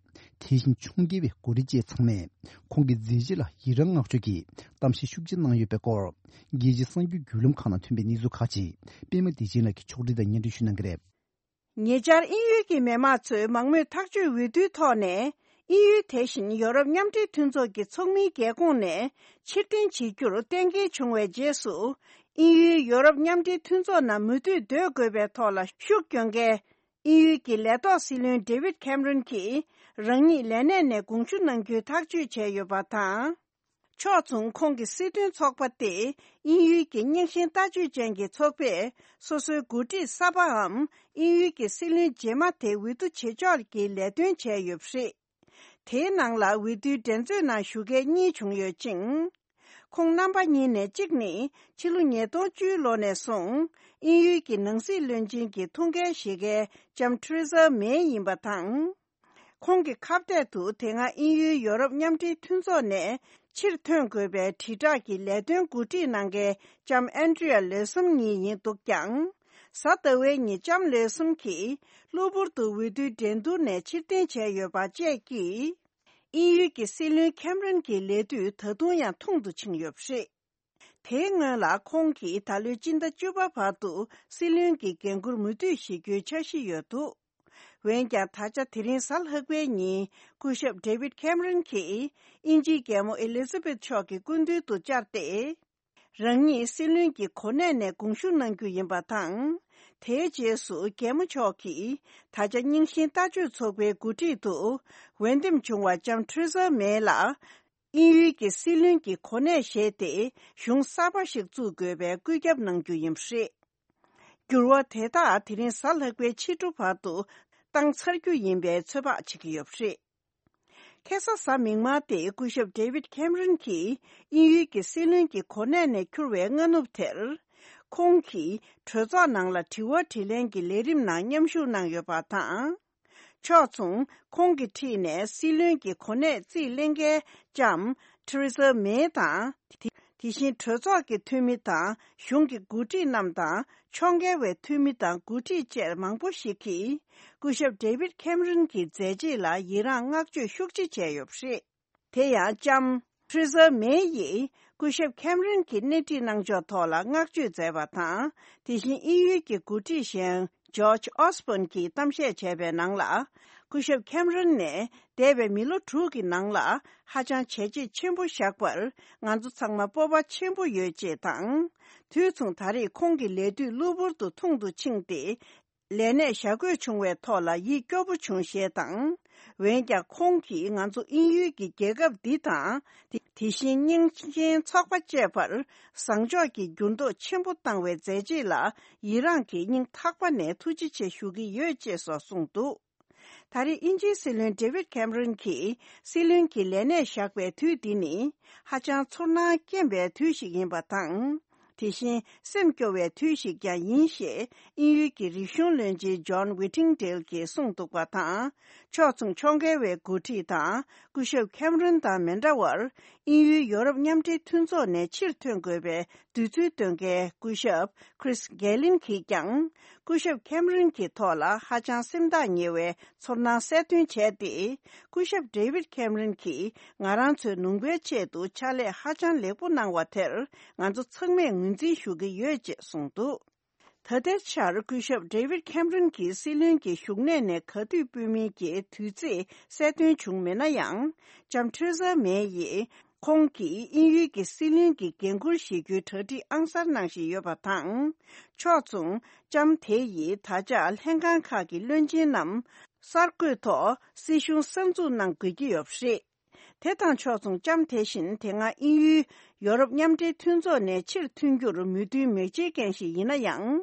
དེ་བཞིན་ཕྱོགས་འགལ་བའི་འགོ་ཁྲིད་བཅས་ཚང་མས་ཁོང་གི་མཛད་རྗེས་ལ་ཡི་རང་བསྔགས་བརྗོད་ཀྱི་གཏམ་བཤད་ཤུགས་ཆེ་གནང་ཡོད་པའི་སྐོར། རྒྱལ་སྤྱིའི་གསར་འགྱུར་བརྒྱུད་ལམ་ཁག་ནང་ཐོན་པའི་གནས་ཚུལ་ཁག་ཅིག་པད་མ་བདེ་ཆེན་ལགས་ཀྱིས་ཕྱོགས་སྒྲིག་དང་སྙན་སྒྲོན་ཞུ་གནང་གི་རེད། ཉེ་ཆར་དབྱིན་ཡུལ་གྱི་མི་དམངས་ཚོས་མང་མོས་ཐག་གཅོད་འོས་བསྡུའི་ཐོག་ནས། དབྱིན་ཡུལ་དེ་བཞིན་ཡོ་རོབ་མཉམ་འབྲེལ་མཐུན་ཚོགས་ཀྱི་ཚོགས་མིའི་རྒྱལ་ཁོངས་ནས་ཕྱིར་འཐེན་བྱེད་རྒྱུར་གཏན་འཁེལ་བྱུང་བའི་རྗེས་སུ། དབྱིན་ཡུལ་ཡོ་རོབ་མཉམ་འབྲེལ་མཐུན་ཚོགས་ནང་མུ་མཐུད་སྡོད་དགོས་པའི་ཐོག་ལ་ཤུགས་སྐྱོན་མཁན། དབྱིན་ཡུལ་གྱི་ལས་ཐོག་སྲིད་བློན་ཌེ་ཝིད་ཁེམ་རོན་གྱིས། རང་ཉིད་ལས་གནས་ནས་དགོངས་ཞུ་གནང་རྒྱུའི་ཐག་གཅོད་བྱས་ཡོད་པ་དང་། ཕྱོགས་མཚུངས་ཁོང་གི་སྲིད་དོན་ཚོགས་པ་སྟེ། དབྱིན་ཡུལ་གྱི་རྙིང་ཞེན་ལྟ་སྤྱོད་ཅན་གྱི་ཚོགས་པས། སོ་སོའི་འགོ་ཁྲིད་གསར་པའམ། དབྱིན་ཡུལ་གྱི་སྲིད་བློན་རྗེས་མ་དེ་འོས་བསྡུ་བྱེད་ཕྱོགས་ཀྱི་ལས་དོན་བྱས་ཡོད་པ་རེད། དེའི་ནང་ལ་འོས་བསྡུའི་འགྲན་རྩོད་ནང་ཞུགས་མཁན་གཉིས་བྱུང་ཡོད་ཅིང་། ཁོང་རྣམ་པ་གཉིས་ནས་གཅིག་ནི། ཕྱི་ལོ་ཉིས་སྟོང་བཅུའི་ལོ་ནས་བཟུང་། དབྱིན་ཡུལ་གྱི་ནང་སྲིད་བློན་ཆེན་གྱི་ཐུགས་འགན་བཞེས་མཁན་ལྕམ་ཐེ་རེ་ཟ་མེ་ཡིན་པ་དང་། ཁོང་གི་ཁ་གཏད་དུ་དེ་སྔ་དབྱིན་ཡུལ་ཡོ་རོབ་མཉམ་འབྲེལ་མཐུན་ཚོགས་ནས་ཕྱིར་ཐོན་དགོས་པའི་དྲིལ་བསྒྲགས་ཀྱི་ལས་དོན་འགོ་ཁྲིད་གནང་མཁན་ལྕམ་ཨན་ཌི་རི་ཡ་ལེ་སམ་གཉིས་ཡིན་འདུག་ཀྱང་། གཟའ་ཟླ་བའི་ཉིན་ལྕམ་ལེ་སམ་གྱིས་གློ་བུར་དུ་འོས་བསྡུའི་འགྲན་བསྡུར་ནས་ཕྱིར་འཐེན་བྱས་ཡོད་པ་བཅས་ཀྱིས། དབྱིན་ཡུལ་གྱི་སྲིད་བློན་ཁེམ་རོན་གྱི་ལས་དུས་ད་དུང་ཡང་ཐུང་དུ་ཕྱིན་ཡོད་པ་རེད། དེའི་སྔོན་ལ་ཁོང་གིས་ད་ལོའི་སྤྱི་ཟླ་བཅུ་པ་བར་དུ་སྲིད་བློན་གྱི་འགན་འཁུར་མུ་མཐུད་བཞེས་རྒྱུའི་འཆར་གཞི་ཡོད་འདུག་འོན་ཀྱང་། ད་ཆ་དེ་རིང་གཟའ་ལྷག་པའི་ཉིན་སྐུ་ཞབས་ཌེ་ཝིད་ཁེམ་རོན་གྱིས་དབྱིན་ཇིའི་རྒྱལ་མོ་ཨེ་ལི་ཛ་བེད་མཆོག་གི་སྐུ་མདུན་དུ་བཅར་ཏེ། རང་ཉིད་སྲིད་བློན་གྱི་གོ་གནས་ནས་དགོངས་ཞུ་གནང་རྒྱུ་ཡིན་པ་དང་། དེའི་རྗེས་སུ་རྒྱལ་མོ་མཆོག་གིས་ད་ཆ་རྙིང་ཞེན་ལྟ་སྤྱོད་ཚོགས་པའི་འགོ་ཁྲིད་དུ་འོས་འདེམས་བྱུང་བ་ལྕམ་ཐེ་རེ་ཟ་མེ་ལ། དབྱིན་ཡུལ་གྱི་སྲིད་བློན་གྱི་གོ་གནས་བཞེས་ཏེ། གཞུང་གསར་པ་ཞིག་བཙུགས་དགོས་པའི་བཀོད་ཁྱབ་གནང་རྒྱུ་ཡིན་པ་རེད། འགྱུར་བ་དེ་དག་དེ་རིང་གཟའ་ལྷག་པའི་ཕྱི་དྲོ་བར་དུ་བཏང་ཚར་རྒྱུ་ཡིན་པའི་ཚོད་དཔག་བྱེད་ཀྱི་ཡོད་པ་རེད། ཁ་སང་གཟའ་མིག་དམར་སྟེ་སྐུ་ཞབས་ཌེ་ཝིད་ཁེམ་རོན་གྱིས་དབྱིན་ཡུལ་གྱི་སྲིད་བློན་གྱི་གོ་གནས་ནས་འཁྱུར་བའི་སྔ་ནུབ་དེར། ཁོང་གིས་གྲོས་ཚོགས་ནང་ལ་དྲི་བ་དྲིས་ལན་གྱི་ལས་རིམ་ནང་མཉམ་ཞུགས་གནང་ཡོད་པ་དང་། ཕྱོགས་མཚུངས་ཁོང་གི་འཁྲིས་ནས་སྲིད་བློན་གྱི་གོ་གནས་རྩིས་ལེན་མཁན་ལྕམ་ཐེ་རེ་ཟ་མེ་དང་། དེ་དེ་བཞིན་གྲོས་ཚོགས་ཀྱི་འཐུས་མི་དང་གཞུང་གི་འགོ་ཁྲིད་རྣམས་དང་ཕྱོགས་འགལ་བའི་འཐུས་མི་དང་འགོ་ཁྲིད་བཅས་མང་པོ་ཞིག་གིས་སྐུ་ཞབས་ཌེ་ཝིད་ཁེམ་རོན་གྱི་མཛད་རྗེས་ལ་ཡི་རངས་བསྔགས་བརྗོད་ཤུགས་ཆེ་བྱས་ཡོད་པ་རེད། དེ་ཡང་ལྕམ་ཐེ་རེ་ཟ་མེ་ཡིས་སྐུ་ཞབས་ཁེམ་རོན་གྱི་སྣེ་ཁྲིད་གནང་ཕྱོགས་ཐོག་ལ་བསྔགས་བརྗོད་མཛད་པ་དང་། དེ་བཞིན་དབྱིན་ཡུལ་གྱི་འགོ་ཁྲིད་གཞན་ཇོརྗ་ཨོ་སི་བྷོན་གྱིས་གཏམ་བཤད་བྱས་པའི་ནང་ལ། སྐུ་ཞབས་ཁེམ་རོན་ནས་འདས་པའི་མི་ལོ་དྲུག་གི་ནང་ལ་ཧ་ཅང་བྱས་རྗེས་ཆེན་པོ་བཞག་པར་ང་ཚོ་ཚང་མ་སྤོབས་པ་ཆེན་པོ་ཡོད་ཅེས་དང་། དུས་མཚུངས་ད་རེས་ཁོང་གི་ལས་དུས་གློ་བུར་དུ་ཐུང་དུ་ཕྱིན་ཏེ། ལས་གནས་བཞག་དགོས་བྱུང་བའི་ཐོག་ལ་ཡིད་སྐྱོ་པོ་བྱུང་ཞེས་དང་། འོན་ཀྱང་ཁོང་གིས་ང་ཚོ་དབྱིན་ཡུལ་གྱི་རྒྱལ་ཁབ་འདི་དང་། དེ་དེ་བཞིན་རྙིང་ཞེན་ཚོགས་པ་བཅས་པར་བཟང་ཕྱོགས་ཀྱི་འགྱུར་ལྡོག་ཆེན་པོ་བཏང་བའི་མཛད་རྗེས་ལ་ཡི་རངས་ཀྱིས་སྙིང་ཐག་པ་ནས་ཐུགས་རྗེ་ཆེ་ཞུ་གི་ཡོད་ཅེས་སོགས་གསུངས་འདུག་ད་རེས་དབྱིན་ཇིའི་སྲིད་བློན་ཌེ་ཝིད་ཁེམ་རོན་གྱིས་སྲིད་བློན་གྱི་ལས་གནས་བཞག་པའི་དུས་འདི་ནི་ཧ་ཅང་ཚོར་སྣང་སྐྱེན་པའི་དུས་ཤིག་ཡིན་པ་དང་། དེ་བཞིན་སེམས་སྐྱོ་བའི་དུས་ཤིག་ཀྱང་ཡིན་ཞེས་དབྱིན་ཡུལ་གྱི་རིག་གཞུང་བློན་ཆེན་ཇོན་ཝི་ཊིང་ཌེལ་གྱིས་གསུངས་འདུག་པ་དང་། ཕྱོགས་མཚུངས་ཕྱོགས་འགལ་བའི་འགོ་ཁྲིད་དང་སྐུ་ཞབས་ཁེམ་རོན་དང་མི་འདྲ་བར། དབྱིན་ཡུལ་ཡོ་རོབ་མཉམ་འབྲེལ་མཐུན་ཚོགས་ནས་ཕྱིར་ཐོན་དགོས་པའི་འདོད་ཚུལ་བཏོན་མཁན་སྐུ་ཞབས་ཁྲིས་གྷེ་ལིན་གྱིས་ཀྱང་། སྐུ་ཞབས་ཁེམ་རོན་གྱི་ཐོག་ལ་ཧ་ཅང་སེམས་ཐག་ཉེ་བའི་ཚོར་སྣང་གསལ་སྟོན་བྱས་ཏེ། སྐུ་ཞབས་ཌེ་ཝིད་ཁེམ་རོན་གྱིས་ང་རང་ཚོའི་ནུས་པའི་ཆེད་དུ་ཕྱག་ལས་ཧ་ཅང་ལེགས་པོ་གནང་བ་དེར་ང་ཚོ་ཚང་མས་ངོས་འཛིན་ཞུ་གི་ཡོད་ཅེས་གསུངས་འདུག་ད་ལྟའི་ཆར་སྐུ་ཞབས་ཌེ་ཝིད་ཁེམ་རོན་གྱིས་སྲིད་བློན་གྱི་བཞུགས་གནས་ནས་ག་དུས་སྤོས་མིན་གྱི་དུས་ཚེས་གསལ་སྟོན་བྱུང་མེད་ན་ཡང་། ལྕམ་ཐེ་རེ་ཟ་མེ་ཡིས། ཁོང་གིས་དབྱིན་ཡུལ་གྱི་སྲིད་བློན་གྱི་འགན་འཁུར་བཞེས་རྒྱུའི་གྲ་སྒྲིག་ཨང་གསར་གནང་བཞིན་ཡོད་པ་དང་། ཕྱོགས་མཚུངས་ལྕམ་དེ་ཡིས་ད་ཆ་ལྷན་ཁང་ཁག་གི་བློན་ཆེན་རྣམས་གསར་བསྐོས་ཐོག་སྲིད་གཞུང་གསར་འཛུགས་གནང་དགོས་ཀྱི་ཡོད་པ་རེད། དེ་དང་ཕྱོགས་མཚུངས་ལྕམ་དེ་བཞིན་དེ་སྔ་དབྱིན་ཡུལ་ཡོ་རོབ་མཉམ་འབྲེལ་མཐུན་ཚོགས་ནས་ཕྱིར་ཐོན་རྒྱུར་མོས་མཐུན་མི་བྱེད་མཁན་ཞིག་ཡིན་ན་ཡང་།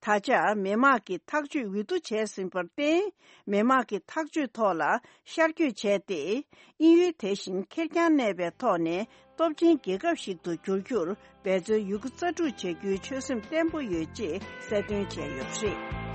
ད་ཆ་མི་དམངས་ཀྱི་ཐག་གཅོད་འོས་བསྡུ་བྱས་ཟིན་པར་བརྟེན། མི་དམངས་ཀྱི་ཐག་གཅོད་ཐོག་ལ་ཤར་བསྐྱོད་བྱས་ཏེ། དབྱིན་ཡུལ་དེ་བཞིན་ཁེར་རྐྱང་གནས་པའི་ཐོག་ནས་སྟོབས་ཆེན་རྒྱལ་ཁབ་ཞིག་ཏུ་འགྱུར་རྒྱུར་འབད་རྩོལ་ཡོད་རྒུ་རྩལ་སྤྲུགས་བྱ་རྒྱུའི་ཆོད་སེམས་བརྟན་པོ་ཡོད་ཅེས་གསལ་སྟོན་བྱས་ཡོད་པ་རེད།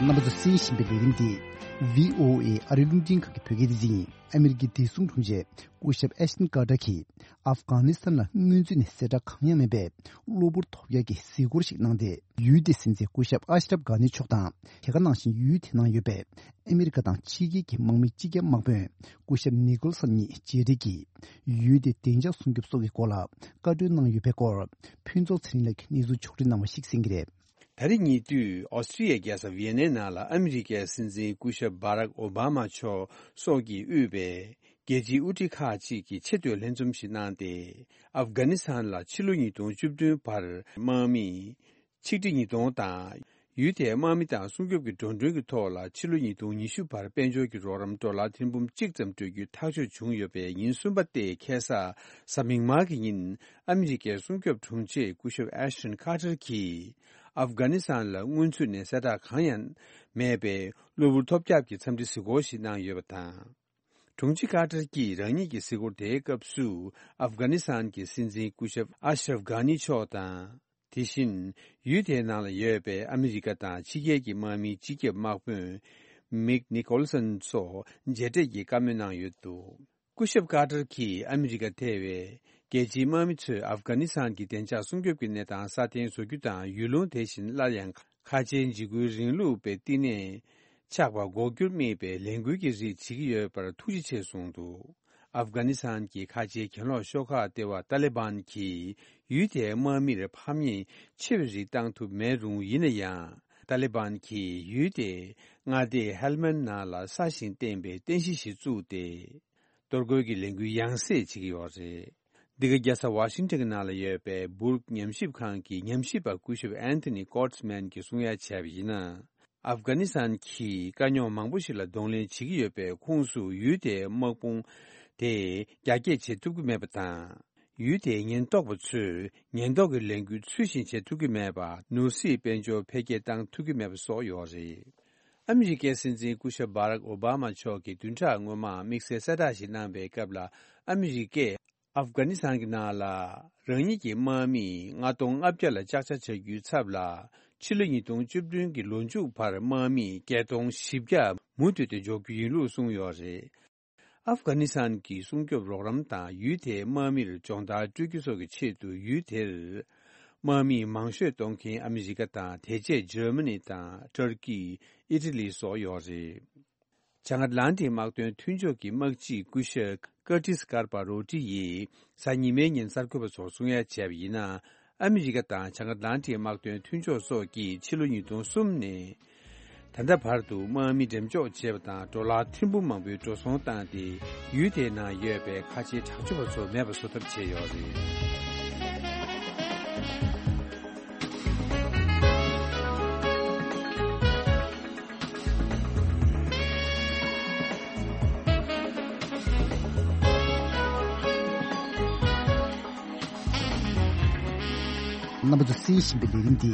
རྣམ་པ་ཚོ་གསན་བཞིན་པའི་ལས་རིམ་འདི། ཝི་ཨོ་ཨེ་ཨ་རིའི་རླུང་འཕྲིན་ཁང་གི་བོད་སྐད་སྡེ་ཚན་ཡིན། ཨ་མི་རི་ཀའི་བདེ་སྲུང་དྲུང་ཆེ་སྐུ་ཞབས་ཨེ་ཤ་ཏན་ཀར་ཏར་གྱིས་ཨབ་གྷ་ནི་སི་ཐན་ལ་སྔོན་ཚུད་ནས་གསལ་བསྒྲགས་གང་ཡང་མེད་པའི་གློ་བུར་ཐོབ་ཡག་གི་གཟིགས་སྐོར་ཞིག་གནང་སྟེ། ཡུལ་དེའི་སྲིད་འཛིན་སྐུ་ཞབས་ཨ་ཤ་རབ་གྷ་ནི་མཆོག་དང་། དེ་ག་ནང་བཞིན་ཡུལ་དེ་ནང་ཡོད་པའི་ཨ་མི་རི་ཀ་དང་ཕྱི་རྒྱལ་གྱི་དམག་མི་སྤྱི་ཁྱབ་དམག་དཔོན་སྐུ་ཞབས་ནི་ཀོལ་སན་གཉིས་མཇལ་འཕྲད་ཀྱིས། ཡུལ་དེའི་བདེ་འཇགས་སྲུང་སྐྱོབ་སོགས་ཀྱི་སྐོར་ལ་བཀའ་འཁྲོལ་གནང་ཡོད་པའི་སྐོར། ཕུན་ཚོགས་ཚེ་རིང་ལགས་ཀྱིས་གནས་ཚུལ་ཕྱོགས་སྒྲིག་གནང་བ་ཞིག་གསན་གྱི་རེད། ད་རེས་ཉེ་དུས་ཨོ་སི་ཀྲི་ཡའི་རྒྱལ་ས་ཝི་ཡེ་ནའི་ནང་ལ་ཨ་མི་རི་ཀའི་སྲིད་འཛིན་སྐུ་ཞབས་བྷ་རག་ཨོ་བྷ་མ་མཆོག་སོགས་ཀྱིས་དབུས་པའི་རྒྱལ་སྤྱིའི་དབུ་ཁྲིད་ཁག་ཅིག་གིས་ཆེས་མཐོའི་ལྷན་འཛོམས་ཤིག་གནང་སྟེ། ཨབ་གྷ་ནི་སི་ཐན་ལ་ཕྱི་ལོ་ཉིས་སྟོང་བཅུ་བདུན་བར་དམག་མི་ཆིག་ཁྲི་ཉིས་སྟོང་དང་། ཡུལ་དེའི་དམག་མི་དང་སྲུང་སྐྱོབ་ཀྱི་འགྲོ་གྲོན་གྱི་ཐོག་ལ་ཕྱི་ལོ་ཉིས་སྟོང་ཉི་ཤུ་བར་དཔལ་འབྱོར་གྱི་རོགས་རམ་ཌོ་ལར་ཐེར་འབུམ་གཅིག་ཙམ་སྤྲོད་རྒྱུའི་ཐག་གཅོད་བྱུང་ཡོད་པའི་ཉིན་གསུམ་པ་སྟེ་ཁ་སང་གཟའ་མིག་དམར་གྱི་ཉིན། ཨ་མི་རི་ཀའི་སྲུང་སྐྱོབ་དྲུང་ཆེ་སྐུ་ཞབས་ཨེ་ཤ་ཏན་ཀར་ཏར་གྱིས་ཨབ་གྷ་ནི་སི་ཐན་ལ་སྔོན་ཚུད་ནས་གསལ་བསྒྲགས་གང་ཡང་མེད་པའི་གློ་བུར་ཐོལ་རྒྱག་གི་འཚམས་འདྲི་གཟིགས་སྐོར་ཞིག་གནང་ཡོད་པ་དང་། དྲུང་ཆེ་ཀར་ཏར་གྱིས་རང་ཉིད་ཀྱི་གཟིགས་སྐོར་དེའི་སྐབས་སུ། ཨབ་གྷ་ནི་སི་ཐན་གྱི་སྲིད་འཛིན་སྐུ་ཞབས་ཨ་ཤ་རབ་གྷ་ནི་མཆོག་དང་། དེ་བཞིན་ཡུལ་དེའི་ནང་ལ་ཡོད་པའི་ཨ་མི་རི་ཀ་དང་ཕྱི་རྒྱལ་གྱི་དམག་མིའི་སྤྱི་ཁྱབ་དམག་དཔོན་མིག་ནི་ཀོལ་སན་སོགས་མཇལ་འཕྲད་ཀྱིས་བཀའ་མོལ་གནང་ཡོད་འདུག་སྐུ་ཞབས་ཀར་ཏར་གྱིས་ཨ་མི་རི་ཀ་ཐེ་བའི་རྒྱལ་སྤྱིའི་དམག་མི་ཚོས་ཨབ་གྷ་ནི་སི་ཐན་གྱི་བདེ་འཇགས་སྲུང་སྐྱོབ་ཀྱི་གནས་སྟངས་སྲ་བརྟན་བཟོ་རྒྱུ་དང་། ཡུལ་ལུང་དེ་བཞིན་སླར་ཡང་ཁ་ཆེའི་འཇིགས་སྐུལ་རིང་ལུགས་པའི་བསྟི་གནས་ཆགས་པ་འགོག་རྒྱུར་དམིགས་པའི་ལས་འགུལ་གྱི་རིགས་བྱེད་ཀྱི་ཡོད་པར་ཐུགས་རྗེ་ཆེ་གསུངས་འདུག་ཨབ་གྷ་ནི་སི་ཐན་གྱི་ཁ་ཆེའི་གྱེན་ལོག་ཤོག་ཁག་ལྟེ་བ་ཏཱ་ལི་བན་གྱིས་ཡུལ་དེའི་དམག་མིར་ཕམ་ཉེས་ཆེ་བའི་རིགས་བཏང་ཐུབ་མེད་རུང་། ཡིན་ན་ཡང་ཏཱ་ལི་བན་གྱིས་ཡུལ་དེའི་མངའ་སྡེ་ཧེལ་མན་ནང་ལ་ས་ཞིང་བརྟེན་པའི་རྟེན་གཞི་ཞིག་བཙུགས་ཏེ། གཏོར་རྒོལ་གྱི་ལས་འགུལ་ཡང་སེ་བྱེད་ཀྱི་ཡོད་རེད། འདི་ག་རྒྱལ་ས་ཝ་ཤིང་ཊོན་གྱི་ནང་ལ་ཡོད་པའི་སྦུར་ཉམས་ཞིབ་ཁང་གི་ཉམས་ཞིབ་པ་སྐུ་ཞབས་ཨན་ཐོ་ནི་ཀོར་ཊི་མན་གྱིས་གསུང་ཡ་བྱས་པ་ཡིན་ན། ཨབ་གྷ་ནི་སི་ཐན་གྱིས་དཀའ་རྙོག་མང་པོ་ཞིག་ལ་གདོང་ལེན་བྱེད་ཀྱི་ཡོད་པའི་ཁོངས་སུ་ཡུལ་དེའི་དམག་དཔུང་དེ་རྒྱ་སྐྱེད་བྱེད་ཐུབ་ཀྱི་མེད་པ་དང་། ཡུལ་དེའི་ཉེན་རྟོག་པ་ཚོས་ཉེན་རྟོག་གི་ལས་འགུལ་ཚུལ་བཞིན་བྱེད་ཐུབ་ཀྱི་མེད་པ། ནོར་སྲིད་དཔལ་འབྱོར་འཕེལ་རྒྱས་བཏང་ཐུབ་ཀྱི་མེད་པ་སོགས་ཡོད་རེད། ཨ་མི་རི་ཀའི་སྲིད་འཛིན་སྐུ་ཞབས་བྷ་རག་ཨོ་བྷ་མ་མཆོག་གིས་བདུན་ཕྲག་སྔོན་མ་དམིགས་བསལ་གསལ་བསྒྲགས་ཤིག་གནང་པའི་སྐབས་ལ། ཨ་མི་རི་ཀས་ཨབ་གྷ་ནི་སི་ཐན་གྱི་ནང་ལ་རང་ཉིད་ཀྱི་དམག་མི་ལྔ་སྟོང་ལྔ་བརྒྱ་ལ་ལྕགས་ཆ་བྱ་རྒྱུའི་ཚབ་ལ། ཕྱི་ལོ་ཉིས་སྟོང་བཅུ་བདུན་གྱི་ལོ་མཇུག་བར་དམག་མི་བརྒྱད་སྟོང་བཞི་བརྒྱ་མུ་མཐུད་དེ་འཇོག་རྒྱུ་ཡིན་ལུགས་གསུངས་ཡོད་རེད། ཨབ་གྷ་ནི་སི་ཐན་གྱི་སྲུང་སྐྱོབ་རོགས་རམ་དང་ཡུལ་དེའི་དམག་མིར་སྦྱོང་བརྡར་སྤྲོད་རྒྱུ་སོགས་ཀྱི་ཆེད་དུ། ཡུལ་དེར་དམག་མི་མང་ཤོས་གཏོང་མཁན་ཨ་མི་རི་ཀ་དང་། དེ་རྗེས་འཇར་མ་ནི་དང་། ཏུར་ཀི། ཨི་ཊ་ལི་སོགས་ཡོད་རེད། བྱང་ཨཊ་ལན་ཊིག་དམག་དོན་མཐུན་ཕྱོགས་ཀྱི་དམག་སྤྱི་སྐུ་ཞབས་ཀར་ཏིས་ཀར་པ་རོ་ཏི་ཡིས་གཟའ་ཉི་མའི་ཉིན་གསར་འགོད་པ་ཚོར་གསུང་ཡ་བྱས་པ་ཡིན་ན། ཨ་མི་རི་ཀ་དང་བྱང་ཨཊ་ལན་ཊིག་དམག་དོན་མཐུན་ཕྱོགས་སོགས་ཀྱིས་ཕྱི་ལོ་ཉིས་སྟོང་གསུམ་ནས་ད་ལྟ་བར་དུ་དམག་མི་འགྲེམས་འཇོག་བྱས་པ་དང་། ཌོ་ལར་ཐེར་འབུམ་མང་པོའི་འགྲོ་སོང་བཏང་སྟེ། ཡུལ་དེའི་ནང་ཡོད་པའི་ཁ་ཆེའི་དྲག་སྤྱོད་པ་ཚོ་མེད་པ་བཟོ་ཐབས་བྱས་ཡོད་རེད། རྣམ་པ་ཚོས་གསན་བཞིན་པའི་ལས་རིམ་འདི་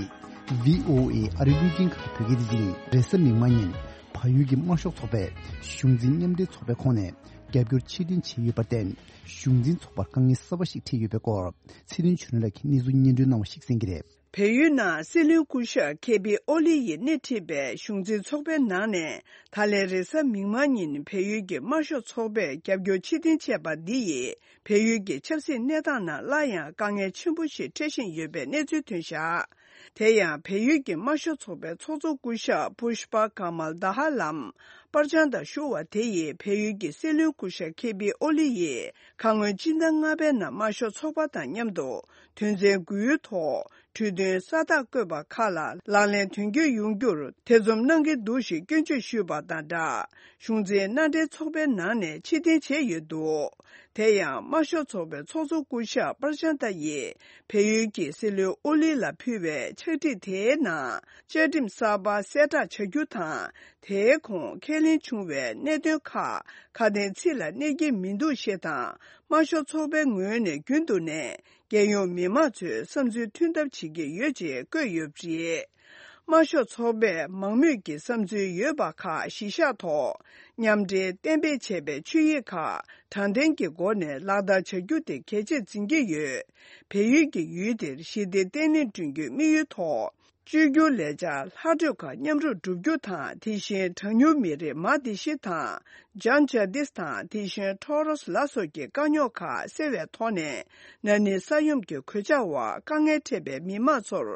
ཝི་ཨོ་ཨེ་ཨ་རིའི་རླུང་འཕྲིན་ཁང་གི་བོད་སྐད་སྡེ་ཚན་ཡིན། རེས་གཟའ་མིག་དམར་ཉིན་བལ་ཡུལ་གྱི་དམར་ཤོག་ཚོགས་པས་གཞུང་འཛིན་མཉམ་འབྲེལ་ཚོགས་པའི་ཁོངས་ནས་རྒྱབ་སྐྱོར་ཕྱིར་འཐེན་བྱས་ཡོད་པར་བརྟེན། གཞུང་འཛིན་ཚོགས་པར་དཀའ་ངལ་གསར་པ་ཞིག་འཕྲད་ཡོད་པའི་སྐོར། ཚེ་རིང་ཆོས་སྒྲོན་ལགས་ཀྱིས་གནས་ཚུལ་སྙན་སྒྲོན་གནང་བ་ཞིག་གསན་གྱི་རེད། བལ་ཡུལ་ནང་སྲིད་བློན་སྐུ་ཞབས་ཁེ་པི་ཨོ་ལི་ཡིས་སྣེ་ཁྲིད་པའི་གཞུང་འཛིན་ཚོགས་པའི་ནང་ནས། ད་ལན་རེས་གཟའ་མིག་དམར་ཉིན་བལ་ཡུལ་གྱི་དམར་ཤོག་ཚོགས་པས་རྒྱབ་སྐྱོར་ཕྱིར་འཐེན་བྱས་པ་འདི་ཡིས། བལ་ཡུལ་གྱི་ཆབ་སྲིད་གནས་སྟངས་ནང་སླར་ཡང་དཀའ་ངལ་ཆེན་པོ་ཞིག་འཕྲད་བཞིན་ཡོད་པའི་གནས་ཚུལ་ཐོན་བཞག་དེ་ཡང་། བལ་ཡུལ་གྱི་དམར་ཤོག་ཚོགས་པའི་ཚོགས་གཙོ་སྐུ་ཞབས་པུཤ་པ་ཀ་མལ་དྷ་ཧ་ལམ་པར་བྱང་དང་ཞུ་བ་དེ་ཡིས། བལ་ཡུལ་གྱི་སྲིད་བློན་སྐུ་ཞབས་ཁེ་པི་ཨོ་ལི་ཡིས་ཁ་སྔོན་སྤྱི་ཟླ་ལྔ་པའི་ནང་དམར་ཤོག་ཚོགས་པ་དང་མཉམ་དུ་དོན་ཚན་དགུའི་ཐོག་གྲོས་མཐུན་ས་རྟགས་བཀོད་པ་ཁག་ལ་ལག་ལེན་དོན་འཁྱོལ་ཡོང་རྒྱུར་ཐེ་ཚོམ་གནང་གི་འདུག་ཞེས་སྐྱོན་བརྗོད་ཞུས་པ་དང་སྦྲགས། གཞུང་འཛིན་མནའ་འབྲེལ་ཚོགས་པའི་ནང་ནས་ཕྱིར་འཐེན་བྱས་ཡོད་འདུག་དེ་ཡང་། དམར་ཤོག་ཚོགས་པའི་ཚོགས་གཙོ་སྐུ་ཞབས་པར་ཅན་ཏ་ཡིས་བལ་ཡུལ་གྱི་སྲིད་བློན་ཨོ་ལི་ལ་ཕུལ་བའི་ཕྱག་བྲིས་དེའི་ནང་། བཅའ་ཁྲིམས་གསར་པ་གསལ་བསྒྲགས་བྱ་རྒྱུ་དང་། དེའི་གོང་ཁས་ལེན་བྱུང་བའི་གནད་དོན་ཁག་ཁ་དན་ཚིག་ལ་གནས་ཀྱི་མི་འདུག་ཞེས་དང་། དམར་ཤོག་ཚོགས་པའི་ངོས་ནས་རྒྱུན་དུ་ནས། རྒྱལ་ཡོངས་མི་མང་ཚོའི་བསམ་ཚུལ་མཐུན་ཐབས་བྱེད་ཀྱི་ཡོད་ཅེས་བཀོད་ཡོད་པ་རེད། དམར་ཤོག་ཚོགས་པས་མང་མོས་ཀྱི་བསམ་ཚུལ་ཡོད་པ་ཁག་གཞི་བཞག་ཐོག་མཉམ་འབྲེལ་གཏན་འབེབས་བྱས་པའི་ཆོད་ཡིག་ཁག་དྲང་བདེན་གྱི་སྒོ་ནས་ལག་བསྟར་བྱ་རྒྱུ་དེ་གལ་ཆེར་འཛིན་གྱི་ཡོད། བལ་ཡུལ་གྱི་ཡུལ་དེར་ཞི་བདེ་བརྟན་ལྷིང་བསྐྲུན་རྒྱུའི་དམིགས་ཡུལ་ཐོག་བཅོས་བསྒྱུར་ལས་འཆར་ལྷག་འཕྲོས་ཁག་མཉམ་རུབ་བསྒྲུབ་རྒྱུ་དང་། དེ་བཞིན་གྲངས་ཉུང་མི་རིགས་མ་དེ་ཤི་དང་། ཇཱན་ཇཱ་དིས་དང་། དེ་བཞིན་ཊོ་རོས་ལ་སོགས་ཀྱི་དཀའ་རྙོག་ཁག་སེལ་བའི་ཐོག་ནས། ན་ནིང་ས་ཡོམ་གྱི་གོད་ཆག་འོག་དཀའ་ངལ་འཕྲད་པའི་མི་མང་ཚོར་